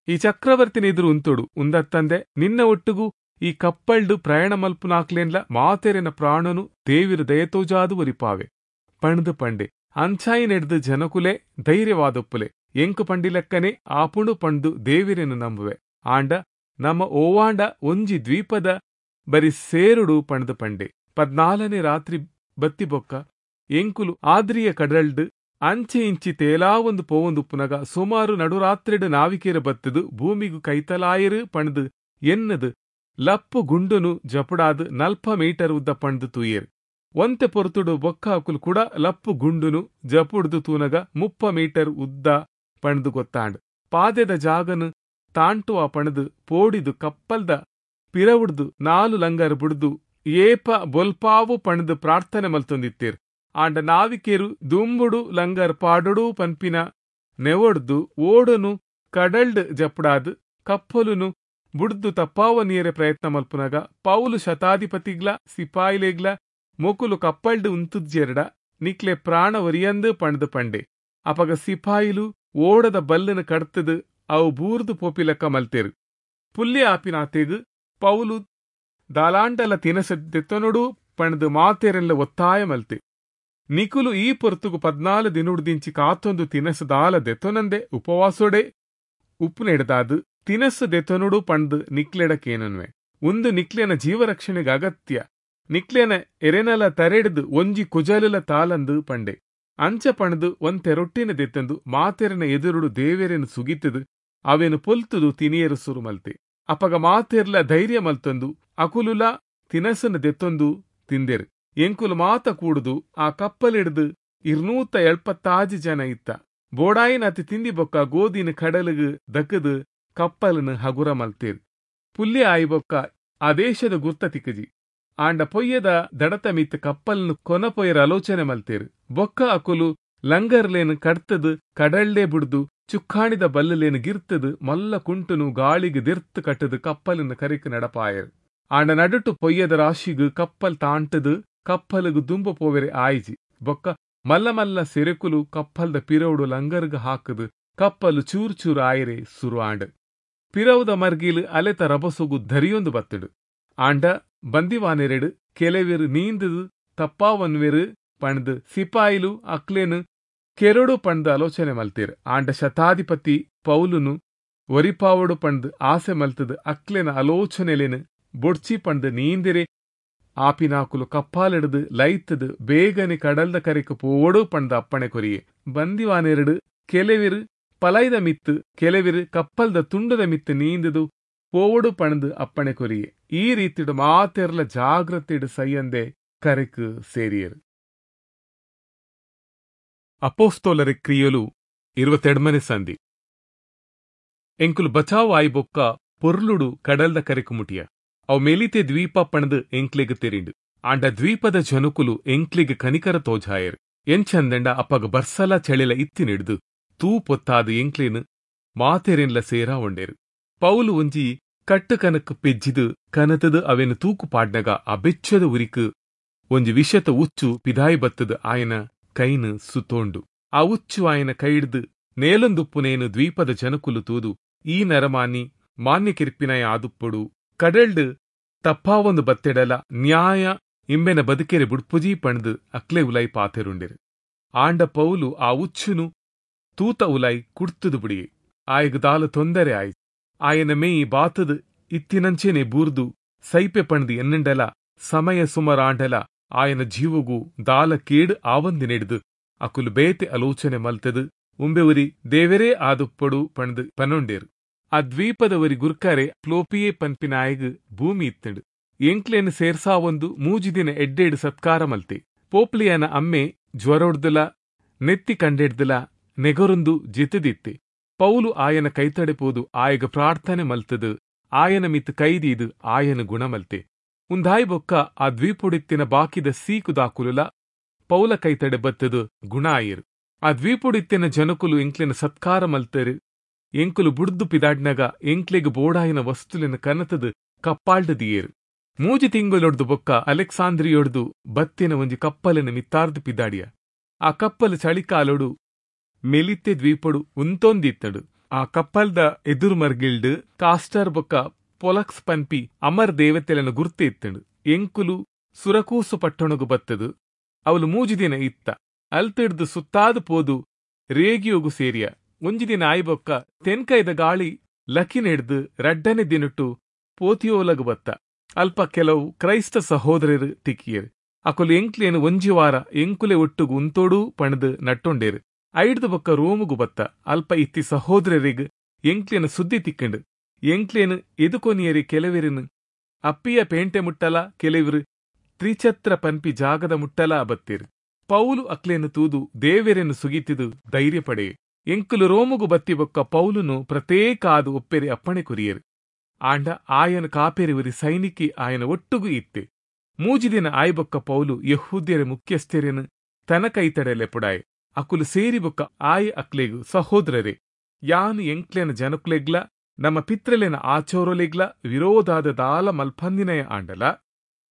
ಈ ಚಕ್ರವರ್ತಿನ ಎದುರು ಉಂತೊಡು ಉಂದತ್ತಂದೆ ನಿನ್ನ ಒಟ್ಟುಗು ಈ ಕಪ್ಪಲ್ಡು ಪ್ರಯಾಣ ಮಲ್ಪುನಾಕ್ಲೇನ್ಲ ಮಾತೆರೆನ ಪ್ರಾಣನು ದೇವಿರು ದಯತೋಜಾದು ಒರಿಪಾವೆ ಪಣ್ದು ಪಂಡೆ. ಅಂಚಾಯಿ ನೆಡ್ದು ಜನಕುಲೆ ಧೈರ್ಯವಾದೊಪ್ಪುಲೆ ಎಂಕು ಪಂಡಿಲೆಕ್ಕನೆ ಆಪುಣು ಪಂಡು ದೇವಿರೆನು ನಂಬುವೆ. ಆಂಡ ನಮ್ಮ ಓವಾಂಡ ಒಂಜಿ ದ್ವೀಪದ ಬರಿ ಸೇರುಡು ಪಂಡ್ದು ಪಂಡೆ. ಪದ್ನಾಲನೇ ರಾತ್ರಿ ಬತ್ತಿ ಬೊಕ್ಕ ಎಂಕುಲು ಆದ್ರಿಯ ಕಡಲ್ಡ್ ಅಂಚೆ ಇಂಚಿ ತೇಲಾವೊಂದು ಪೋವೊಂದುಪ್ಪುನಗ ಸುಮಾರು ನಡುರಾತ್ರಿಡು ನಾವಿಕೆರ ಬತ್ತದು ಭೂಮಿಗು ಕೈತಲಾಯಿರು ಪಂಡ್ದು ಎನ್ನದು ಲಪ್ಪು ಗುಂಡುನು ಜಪುಡಾದು ನಲ್ಪ ಮೀಟರ್ ಉದ್ದ ಪಂಡ್ದು ತೂಯೇರು. ಒಂತೆ ಪೊರ್ತುಡು ಬೊಕ್ಕ ಅಕುಲು ಕೂಡ ಲಪ್ಪು ಗುಂಡುನು ಜಪುಡ್ದು ತೂನಗ ಮುಪ್ಪ ಮೀಟರ್ ಉದ್ದ ಪಂಡ್ದು ಗೊತ್ತಾಂಡ್. ಪಾದೆದ ಜಾಗನು ತಾಂಟುವ ಪಣದು ಪೋಡಿದು ಕಪ್ಪಲ್ದ ಪಿರವುಡ್ದು ನಾಲು ಲಂಗರ್ ಬುಡ್ದು ಏಪ ಬೊಲ್ಪಾವು ಪಣದು ಪ್ರಾರ್ಥನೆ ಮಲ್ತೊಂದಿತ್ತೇರು. ಆಂಡ ನಾವಿಕೆರು ದುಂಬುಡು ಲಂಗರ್ ಪಾಡುಡು ಪನ್ಪಿನ ನೆವೊಡ್ದು ಓಡುನು ಕಡಲ್ಡ್ ಜಪುಡಾದು ಕಪ್ಪಲುನು ಬುಡ್ದು ತಪ್ಪಾವ ನೀರೆ ಪ್ರಯತ್ನ ಮಲ್ಪುನಗ ಪೌಲು ಶತಾಧಿಪತಿಗ್ಲ ಸಿಪಾಯಿಲೆಗ್ಲ ಮೊಕುಲು ಕಪ್ಪಲ್ಡ್ ಉಂತುಜ್ಜೆರಡ ನಿಕ್ಲೆ ಪ್ರಾಣ ಒರಿಯಂದು ಪಂಡ್ದು ಪಂಡೆ. ಅಪಗ ಸಿಪಾಯಿಲು ಓಡದ ಬಲ್ಲನ ಕಡ್ತದು ಅವು ಬೂರ್ದು ಪೋಪಿಲಕ್ಕ ಮಲ್ತೇರು. ಪುಲ್ಯ ಆಪಿನಾತೆಗ್ ಪೌಲು ದಾಲಾಂಡಲ ತಿನಸದೆತ್ತನೊಡು ಪಂಡ್ದು ಮಾತೇರೆಲ್ಲ ಒತ್ತಾಯ ಮಲ್ತೆ. ನಿಕುಲು ಈ ಪೊರ್ತುಗು ಪದ್ನಾಲು ದಿನುಡ್ದಿಂಚಿ ಕಾತೊಂದು ತಿನಸದಾಲ ದೆತ್ತೊನಂದೆ ಉಪವಾಸೊಡೆ ಉಪ್ಪು ನೆಡ್ದಾದು ತಿನಸು ದೆತ್ತೊನುಡು ಪಂಡ್ದು ನಿಕ್ಲೆಡಕೇನನ್ವೆ. ಒಂದು ನಿಕ್ಲೆನ ಜೀವರಕ್ಷಣೆಗೆ ಅಗತ್ಯ. ನಿಕ್ಲೆನ ಎರೆನಲ ತರೆಡ್ದು ಒಂಜಿ ಕುಜಲುಲ ತಾಲಂದು ಪಂಡೆ. ಅಂಚ ಪಣದು ಒಂತೆ ರೊಟ್ಟಿನ ದೆತ್ತಂದು ಮಾತೆರನ ಎದುರುಡು ದೇವೆರೆನು ಸುಗಿತದು ಅವೆನು ಪೊಲ್ತುದು ತಿನಿಯರು ಸುರು ಮಲ್ತೆ. ಅಪಗ ಮಾತೆರ್ಲ ಧೈರ್ಯ ಮಲ್ತಂದು ಅಕುಲುಲ ತಿನಸನ ದೆತ್ತೊಂದು ತಿಂದೆರು. ಎಂಕುಲು ಮಾತ ಕೂಡುದು ಆ ಕಪ್ಪಲಿಡ್ದು ಇರ್ನೂತ ಎಳ್ಪತ್ತಾಜಿ ಜನ ಇತ್ತ. ಬೋಡಾಯಿನ ಅತಿ ತಿಂದಿ ಬೊಕ್ಕ ಗೋದಿನ ಕಡಲುಗು ದಕ್ಕದು ಕಪ್ಪಲನು ಹಗುರ ಮಲ್ತೇರು. ಪುಲ್ಯ ಆಯಿ ಬೊಕ್ಕ ಆ ದೇಶದ ಗುರ್ತ ತಿಕ್ಕಜಿ. ಆಂಡ ಪೊಯ್ಯದ ದಡತ ಮಿತ್ತ ಕಪ್ಪಲ್ನು ಕೊನಪೊಯ್ಯರ ಆಲೋಚನೆ ಮಲ್ತೇರು. ಬೊಕ್ಕ ಅಕುಲು ಲಂಗರ್ಲೇನು ಕಡ್ತದು ಕಡಲ್ಲೆ ಬುಡ್ದು ಚುಕ್ಕಾಣಿದ ಬಲ್ಲಲೇನು ಗಿರ್ತದು ಮಲ್ಲ ಕುಂಟುನು ಗಾಳಿಗೆ ದಿರ್ತು ಕಟ್ಟದು ಕಪ್ಪಲನ್ನು ಕರಿಕ್ ನಡಪಾಯರು. ಆಂಡ ನಡುಟು ಪೊಯ್ಯದ ರಾಶಿಗು ಕಪ್ಪಲ್ ತಾಂಟದು ಕಪ್ಪಲುಗು ದುಂಬ ಪೋವೆರೆ ಆಯ್ಜಿ. ಬೊಕ್ಕ ಮಲ್ಲ ಮಲ್ಲ ಸೆರೆಕುಲು ಕಪ್ಪಲ್ದ ಪಿರವುಡು ಲಂಗರ್ಗ್ ಹಾಕದು ಕಪ್ಪಲು ಚೂರು ಚೂರು ಆಯರೆ ಸುರು ಆಂಡ್. ಪಿರವುದ ಮರ್ಗಿಲು ಅಲೆತ ರಬಸುಗು ಧರಿಯೊಂದು ಬತ್ತಡು. ಆಂಡ ಬಂದಿವಾನೆರೆಡು ಕೆಲವೆರು ನೀಂದುದು ತಪ್ಪಾವನ್ವೆರು ಪಂಡ್ದು ಸಿಪಾಯಿಲು ಅಕ್ಲೇನು ಕೆರಡು ಪಂಡ್ದು ಆಲೋಚನೆ ಮಲ್ತೇರು. ಆಂಡ ಶತಾಧಿಪತಿ ಪೌಲುನು ಒರಿಪಾವಡು ಪಂಡ್ದು ಆಸೆ ಮಲ್ತದು ಅಕ್ಲೆನ ಆಲೋಚನೆಲೇನು ಬೊಡ್ಚಿ ಪಂಡ್ದು ನೀಂದಿರೆ ಆಪಿನಾಕುಲು ಕಪ್ಪಾಲಿಡ್ದು ಲೈತದು ಬೇಗನೆ ಕಡಲ್ದ ಕರೆಕು ಪೋವಡು ಪಂಡ್ದು ಅಪ್ಪಣೆ ಕೊರಿಯೆ. ಬಂದಿವಾನೆರಡು ಕೆಲವೆರು ಪಲೈದ ಮಿತ್ತು ಕೆಲವೆರು ಕಪ್ಪಲ್ದ ತುಂಡದ ಮಿತ್ತು ನೀಂದುದು ಪೋವಡು ಪಣದು ಅಪ್ಪಣೆ ಕೊರಿಯೆ. ಈ ರೀತಿಡು ಮಾತೆರ್ಲ ಜಾಗ್ರತೆಡು ಸೈಯಂದೆ ಕರೆಕು ಸೇರಿಯರು. ಅಪೋಸ್ತೋಲರ ಕ್ರಿಯಲು ಇರುವತ್ತೆಡ್ಮನೆ ಸಂಧಿ. ಎಂಕುಲು ಬಚಾವ್ ಆಯಿ ಬೊಕ್ಕ ಪೊರ್ಲುಡು ಕಡಲ್ದ ಕರೆಕು ಮುಟಿಯ. ಅವು ಮೆಲಿತೆ ದ್ವೀಪ ಪಣದು ಎಂಕ್ಲೆಗ್ ತೆರಿಂಡು. ಆಂಡ ದ್ವೀಪದ ಜನಕುಲು ಎಂಕ್ಲೆಗ್ ಕನಿಕರ ತೋಜಾಯರು. ಎಂಚಂದಂಡ ಅಪ್ಪಗ ಬರ್ಸಲ ಚಳಿಲ ಇತ್ತಿನಿಡ್ದು ತೂ ಪೊತ್ತಾದು ಎಂಕ್ಲೇನು ಮಾತೆರೆನ್ಲ ಸೇರಾ ಒಂಡೇರು. ಪೌಲು ಒಂಜಿ ಕಟ್ಟು ಕನಕ್ ಪೆಜ್ಜಿದು ಕನತದು ಅವೆನು ತೂಕು ಪಾಡ್ನಗ ಆ ಬೆಚ್ಚದ ಉರಿಕು ಒಂಜಿ ವಿಷತ ಉಚ್ಚು ಪಿದಾಯಿ ಬತ್ತದ್ ಆಯನ ಕೈನ್ ಸುತೋಂಡು. ಆ ಉಚ್ಚು ಆಯನ ಕೈಡ್ದ್ ನೇಲೊಂದುಪ್ಪುನೇನು ದ್ವೀಪದ ಜನಕುಲು ತೂದು ಈ ನರಮಾನಿ ಮಾನ್ಯ ಕಿರ್ಪಿನಯ ಆದುಪ್ಪೊಡು, ಕಡಲ್ಡ್ ತಪ್ಪಾವೊಂದು ಬತ್ತೆಡಲ ನ್ಯಾಯ ಇಂಬೆನ ಬದುಕೆರೆ ಬುಡ್ಪುಜಿ ಪಂಡ್ದ್ ಅಕ್ಲೆ ಉಲೈ ಪಾತೆರುಂಡೆರು. ಆಂಡ ಪೌಲು ಆ ಉಚ್ಚುನು ತೂತ ಉಲೈ ಕುಡ್ತುದು ಬುಡಿಯೆ. ಆಯಗ್ ದಾಲ ತೊಂದರೆ ಆಯ್. ಆಯನ ಮೇಯಿ ಬಾತದ್ ಇತ್ತಿನಂಚೆನೆ ಬೂರ್ದು ಸೈಪೆ ಪಂಡ್ದ್ ಎನ್ನುಂಡಲ ಸಮಯ ಸುಮರಾಂಡಲ ಆಯನ ಜೀವಗು ದಾಲ ಕೇಡು ಆವಂದಿನೆಡ್ದು ಅಕುಲು ಬೇತೆ ಆಲೋಚನೆ ಮಲ್ತದು ಉಂಬೆವುರಿ ದೇವರೇ ಆದುಪ್ಪೊಡು ಪಂಡ್ದ್ ಪನೊಂಡೇರು. ಆ ದ್ವೀಪದ ಒರಿ ಗುರ್ಕಾರೆ ಪ್ಲೋಪಿಯೇ ಪನ್ಪಿನಾಯಗ್ ಭೂಮಿ ಇತ್ತಂಡು. ಎಂಕ್ಲೆನ್ ಸೇರ್ಸಾವೊಂದು ಮೂಜಿ ದಿನ ಎಡ್ಡೆಡ್ ಸತ್ಕಾರ ಮಲ್ತೆ. ಪೋಪ್ಲಿಯನ ಅಮ್ಮೆ ಜ್ವರೊಡ್ದುಲ ನೆತ್ತಿ ಕಂಡೆಡ್ದುಲ ನೆಗರೊಂದು ಜಿತದಿತ್ತೆ. ಪೌಲು ಆಯನ ಕೈತಡೆ ಪೋದು ಆಯಗ ಪ್ರಾರ್ಥನೆ ಮಲ್ತದು ಆಯನ ಮಿತ್ ಕೈದೀದು ಆಯನ ಗುಣ ಮಲ್ತೆ. ಉಂದಾಯಿ ಬೊಕ್ಕ ಆ ದ್ವೀಪೊಡಿತ್ತಿನ ಬಾಕಿದ ಸೀಕುದಾಕುಲುಲ ಪೌಲ ಕೈತಡೆ ಬತ್ತದು ಗುಣ ಆಯೆರು. ಆ ದ್ವೀಪೊಡಿತ್ತಿನ ಜನಕುಲು ಎಂಕ್ಲೆನ ಸತ್ಕಾರ ಮಲ್ತೆರು. ಎಂಕುಲು ಬುಡ್ದು ಪಿದಾಡ್ನಗ ಎಂಕ್ಲೆಗ್ ಬೋಡಾಯಿನ ವಸ್ತುಲೆನ ಕನತದು ಕಪ್ಪಾಲ್ಡ್ ದಿಯೇರು. ಮೂಜಿ ತಿಂಗಳೊಡ್ದು ಬೊಕ್ಕ ಅಲೆಕ್ಸಾಂದ್ರಿಯೊಡ್ದು ಬತ್ತಿನ ಒಂಜಿ ಕಪ್ಪಲಿನ ಮಿತ್ತಾರ್ದು ಪಿದಾಡಿಯ. ಆ ಕಪ್ಪಲು ಚಳಿಕಾಲೊಡು ಮೆಲಿತ್ತೆ ದ್ವೀಪೊಡು ಉಂತೊಂದಿತ್ತಡು. ಆ ಕಪ್ಪಲ್ದ ಎದುರು ಮರ್ಗಿಲ್ಡ್ ಕಾಸ್ಟರ್ ಬೊಕ್ಕ ಪೊಲಕ್ಸ್ ಪನ್ಪಿ ಅಮರ್ ದೇವತೆಲೆನ ಗುರ್ತೆ ಇತ್ತಂಡು. ಎಂಕುಲು ಸುರಕೂಸು ಪಟ್ಟಣಗು ಬತ್ತದು ಅವಳು ಮೂಜಿ ದಿನ ಇತ್ತ. ಅಲ್ತಿಡ್ದು ಸುತ್ತಾದು ಪೋದು ರೇಗಿಯೋಗು ಸೇರಿಯ. ಒಂಜಿ ದಿನ ಆಯ್ಬೊಕ್ಕ ತೆನ್ಕೈದ ಗಾಳಿ ಲಕಿನೆಡ್ದು ರಡ್ಡನೆ ದಿನಟ್ಟು ಪೋತಿಯೋಲಗು ಬತ್ತ. ಅಲ್ಪ ಕೆಲವು ಕ್ರೈಸ್ತ ಸಹೋದರರು ತಿಕ್ಕಿಯರು. ಅಕುಲು ಎಂಕ್ಲೇನು ಒಂಜಿ ವಾರ ಎಂಕುಲೆ ಒಟ್ಟುಗು ಉಂತೋಡು ಪಣದು ನಟ್ಟೊಂಡೇರು. ಐಡ್ದು ಬೊಕ್ಕ ರೋಮುಗು ಬತ್ತ. ಅಲ್ಪ ಇತ್ತಿ ಸಹೋದರರಿಗೆ ಎಂಕ್ಲೇನ ಸುದ್ದಿ ತಿಕ್ಕಂಡು. ಎಂಕ್ಲೇನು ಎದುಕೊನಿಯರಿ ಕೆಲವರಿನು ಅಪ್ಪಿಯ ಪೇಂಟೆ ಮುಟ್ಟಲ, ಕೆಲವರು ತ್ರಿಛತ್ರ ಪನ್ಪಿ ಜಾಗದ ಮುಟ್ಟಲ ಬತ್ತಿರು. ಪೌಲು ಅಕ್ಲೇನು ತೂದು ದೇವೆರೆನು ಸುಗಿತಿದು ಧೈರ್ಯ ಪಡೆಯೆ. ಎಂಕುಲು ರೋಮುಗು ಬತ್ತಿ ಬೊಕ್ಕ ಪೌಲುನು ಪ್ರತ್ಯೇಕ ಆದು ಒಪ್ಪೆರಿ ಅಪ್ಪಣೆ ಕೊರಿಯರು. ಆಂಡ ಆಯನ ಕಾಪೆರಿ ಒರಿ ಸೈನಿಕಿ ಆಯನ ಒಟ್ಟುಗು ಇತ್ತೆ. ಮೂಜಿ ದಿನ ಆಯ್ಬೊಕ್ಕ ಪೌಲು ಯಹೂದ್ಯರ ಮುಖ್ಯಸ್ಥೆರೆನು ತನ ಕೈತಡೆ ಲೆಪುಡಾಯೆ. ಅಕುಲು ಸೇರಿ ಬೊಕ್ಕ ಆಯ ಅಕ್ಲೆಗು, ಸಹೋದರರೇ, ಯಾನು ಎಂಕ್ಲೆನ ಜನಕುಲೆಗ್ಲ ನಮ್ಮ ಪಿತ್ರಲೆನ ಆಚೋರಲೆಗ್ಲ ವಿರೋಧಾದ ದಾಲ ಮಲ್ಪಂದಿನಯ ಆಂಡಲ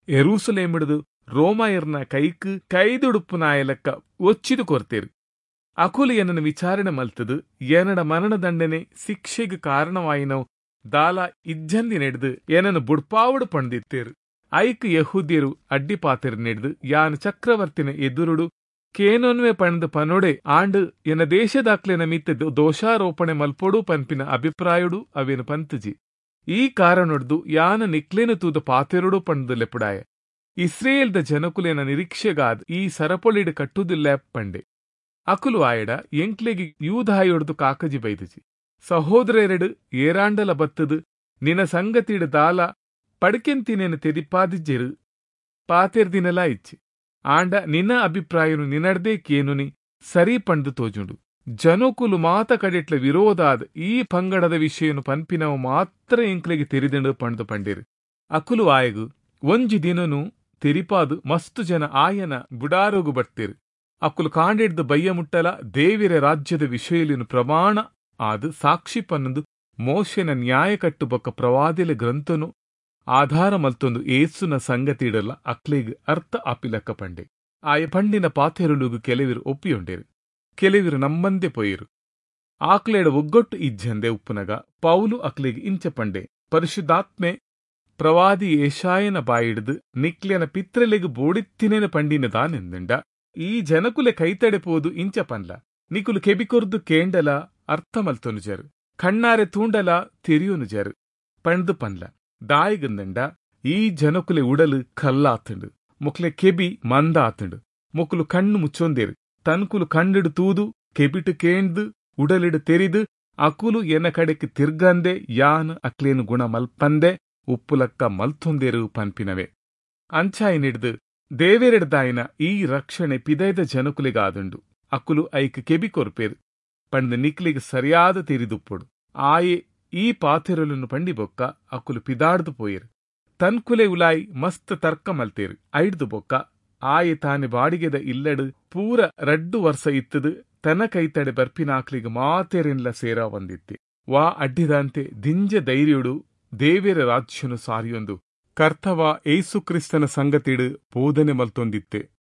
ಎರೂಸಲೇಮಿಡ್ದು ರೋಮಾಯರ್ನ ಕೈಕ್ ಕೈದುಡುಪ್ಪುನಾಯಲಕ್ಕ ಒಚ್ಚಿದು ಕೊರ್ತೇರು. ಅಕುಲು ಏನನ್ನು ವಿಚಾರಣೆ ಮಲ್ತದು ಏನಡ ಮರಣದಂಡನೆ ಶಿಕ್ಷೆಗೆ ಕಾರಣವಾಯಿನವು ದಾಲ ಇಜ್ಜಂದಿ ನೆಡ್ದು ಏನನ್ನು ಬುಡ್ಪಾವಡು ಪಂಡಿತ್ತೇರು. ಐಕ್ ಯಹೂದ್ಯರು ಅಡ್ಡಿಪಾತೆರು ನೆಡ್ದು ಯಾನು ಚಕ್ರವರ್ತಿನ ಎದುರುಡು ಕೇನೊನ್ವೆ ಪಂಡ್ ಪನೊಡೆ ಆಂಡ್ ಎನ್ನ ದೇಶದಾಕ್ಲೆನ ಮಿತ್ತ ದೋಷಾರೋಪಣೆ ಮಲ್ಪೊಡು ಪನ್ಪಿನ ಅಭಿಪ್ರಾಯಡು ಅವೇನು ಪಂತಜಿ. ಈ ಕಾರಣೊಡ್ದು ಯಾನ ನಿಕ್ಲೇನು ತೂದ ಪಾತೆರುಡು ಪಂಡ್ದು ಲೆಪುಡಾಯ. ಇಸ್ರೇಲ್ದ ಜನಕುಲೇನ ನಿರೀಕ್ಷೆಗಾದ್ ಈ ಸರಪೊಳಿಡು ಕಟ್ಟುದಿಲ್ಲ ಪಂಡೆ. ಅಕುಲು ಆಯಡ ಎಂಕ್ಲೆಗಿ ಯೂದಾಯೊಡ್ದು ಕಾಕಜಿ ಬೈದಜಿ. ಸಹೋದರೆರಡು ಏರಾಂಡಲ ಬತ್ತದು ನಿನ ಸಂಗತಿಡು ದಾಲ ಪಡ್ಕೆಂತಿನೇನು ತೆರಿಪಾದಿಜ್ಜೆರು ಪಾತೆರ್ದಿನಲಾ ಇಚ್ಚಿ. ಆಂಡ ನಿನ್ನ ಅಭಿಪ್ರಾಯನು ನಿನಡ್ದೇ ಕೇನುನಿ ಸರಿ ಪಂಡ್ದು ತೋಜುಂಡು. ಜನಕುಲು ಮಾತ ಕಡೆಟ್ಲ ವಿರೋಧಾದ ಈ ಪಂಗಡದ ವಿಷಯನು ಪನ್ಪಿನವು ಮಾತ್ರ ಎಂಕ್ಲೆಗೆ ತೆರಿದಂಡು ಪಂಡ್ದು ಪಂಡೇರು. ಅಕುಲು ಆಯಗು ಒಂಜಿ ದಿನನು ತೆರಿಪಾದು ಮಸ್ತು ಜನ ಆಯನ ಬುಡಾರೋಗು ಬರ್ತೇರು. ಅಕುಲು ಕಾಂಡಿಡ್ದು ಬಯ್ಯ ಮುಟ್ಟಲ ದೇವಿರ ರಾಜ್ಯದ ವಿಷಯಲಿನ ಪ್ರಮಾಣ ಆದು ಸಾಕ್ಷಿ ಪನ್ನೊಂದು ಮೋಶೆನ ನ್ಯಾಯ ಕಟ್ಟು ಬೊಕ್ಕ ಪ್ರವಾದಿಲ ಗ್ರಂಥನು ಆಧಾರ ಮಲ್ತೊಂದು ಏಸುನ ಸಂಗತಿಡಲ ಅಕ್ಲೆಗ್ ಅರ್ಥ ಆಪಿಲಕ್ಕ ಪಂಡೆ. ಆಯ ಪಂಡಿನ ಪಾತೆರುಲುಗು ಕೆಲವಿರು ಒಪ್ಪಿಯೊಂಡೇರು, ಕೆಲವಿರು ನಮ್ಮಂದೆ ಪೋಯಿರು. ಆಕ್ಲೇಡ ಒಗ್ಗೊಟ್ಟು ಇಜ್ಜಂದೆ ಉಪ್ಪುನಗ ಪೌಲು ಅಕ್ಲೆಗ್ ಇಂಚ ಪಂಡೆ, ಪರಿಶುದ್ಧಾತ್ಮೆ ಪ್ರವಾದಿ ಏಷಾಯನ ಬಾಯಿಡ್ದು ನಿಕ್ಲೆನ ಪಿತ್ರಲೆಗ್ ಬೋಡಿತ್ತಿನೇನ ಪಂಡಿನ ದಾನೆಂದಂಡ ಈ ಜನಕುಲೆ ಕೈತಡೆ ಪೋದು ಇಂಚ ಪನ್ಲ, ನಿಕುಲು ಕೆಬಿಕೊರ್ದು ಕೇಂಡಲ ಅರ್ಥ ಮಲ್ತೊನುಜರು, ಕಣ್ಣಾರೆ ತೂಂಡಲ ತೆರಿಯೊನುಜರು ಪಂಡ್ದು ಪನ್ಲ. ದಾಯಿಗಂದಂಡ ಈ ಜನಕುಲೆ ಉಡಲು ಕಲ್ಲಾತಂಡು, ಮೊಕ್ಲೆ ಕೆಬಿ ಮಂದ ಆತಂಡು, ಮೊಕುಲು ಕಣ್ಣು ಮುಚ್ಚೊಂದೇರು, ತನ್ಕುಲು ಕಣ್ಣಿಡು ತೂದು ಕೆಬಿಟು ಕೇಂದು ಉಡಲಿಡು ತೆರಿದು ಅಕುಲು ಎನ್ನ ಕಡೆಕ್ ತಿರ್ಗಂದೆ ಯಾನ್ ಅಕ್ಲೇನು ಗುಣ ಮಲ್ಪಂದೆ ಉಪ್ಪುಲಕ್ಕ ಮಲ್ತೊಂದೇರು ಪನ್ಪಿನವೆ. ಅಂಚಾಯಿನಿಡ್ದು ದೇವೆರೆಡ್ದಾಯಿನ ಈ ರಕ್ಷಣೆ ಪಿದೈದ ಜನಕುಲಿಗಾದುಂಡು, ಅಕುಲು ಐಕ್ ಕೆಬಿ ಕೊರ್ಪೇರು ಪಂಡ್ ನಿಕ್ಲಿಗ್ ಸರಿಯಾದ ತೆರಿದುಪ್ಪೊಡು. ಆಯೆ ಈ ಪಾತೆರಲನ್ನು ಪಂಡಿ ಬೊಕ್ಕ ಅಕುಲು ಪಿದಾಡ್ದು ಪೋಯೆರು. ತನ್ಕುಲೆ ಉಲಾಯಿ ಮಸ್ತ್ ತರ್ಕ ಮಲ್ತೇರು. ಐಡ್ದು ಬೊಕ್ಕ ಆಯೆ ತಾನೆ ಬಾಡಿಗೆದ ಇಲ್ಲಡು ಪೂರ ರಡ್ಡು ವರ್ಷ ಇತ್ತದು ತನ ಕೈತಡೆ ಬರ್ಪಿನಾಕ್ಲಿಗ್ ಮಾತೆರೆನ್ಲ ಸೇರಾ ವಂದಿತ್ತೆ. ವಾ ಅಡ್ಡಿದಾಂತೆ ದಿಂಜ ಧೈರ್ಯಡು ದೇವೆರ ರಾಜ್ಯನು ಸಾರಿಯೊಂದು ಕರ್ತವ ಯೇಸು ಕ್ರಿಸ್ತನ ಸಂಗತಿಡ್ ಬೋಧನೆ ಮಲ್ತೊಂದಿತ್ತೆ.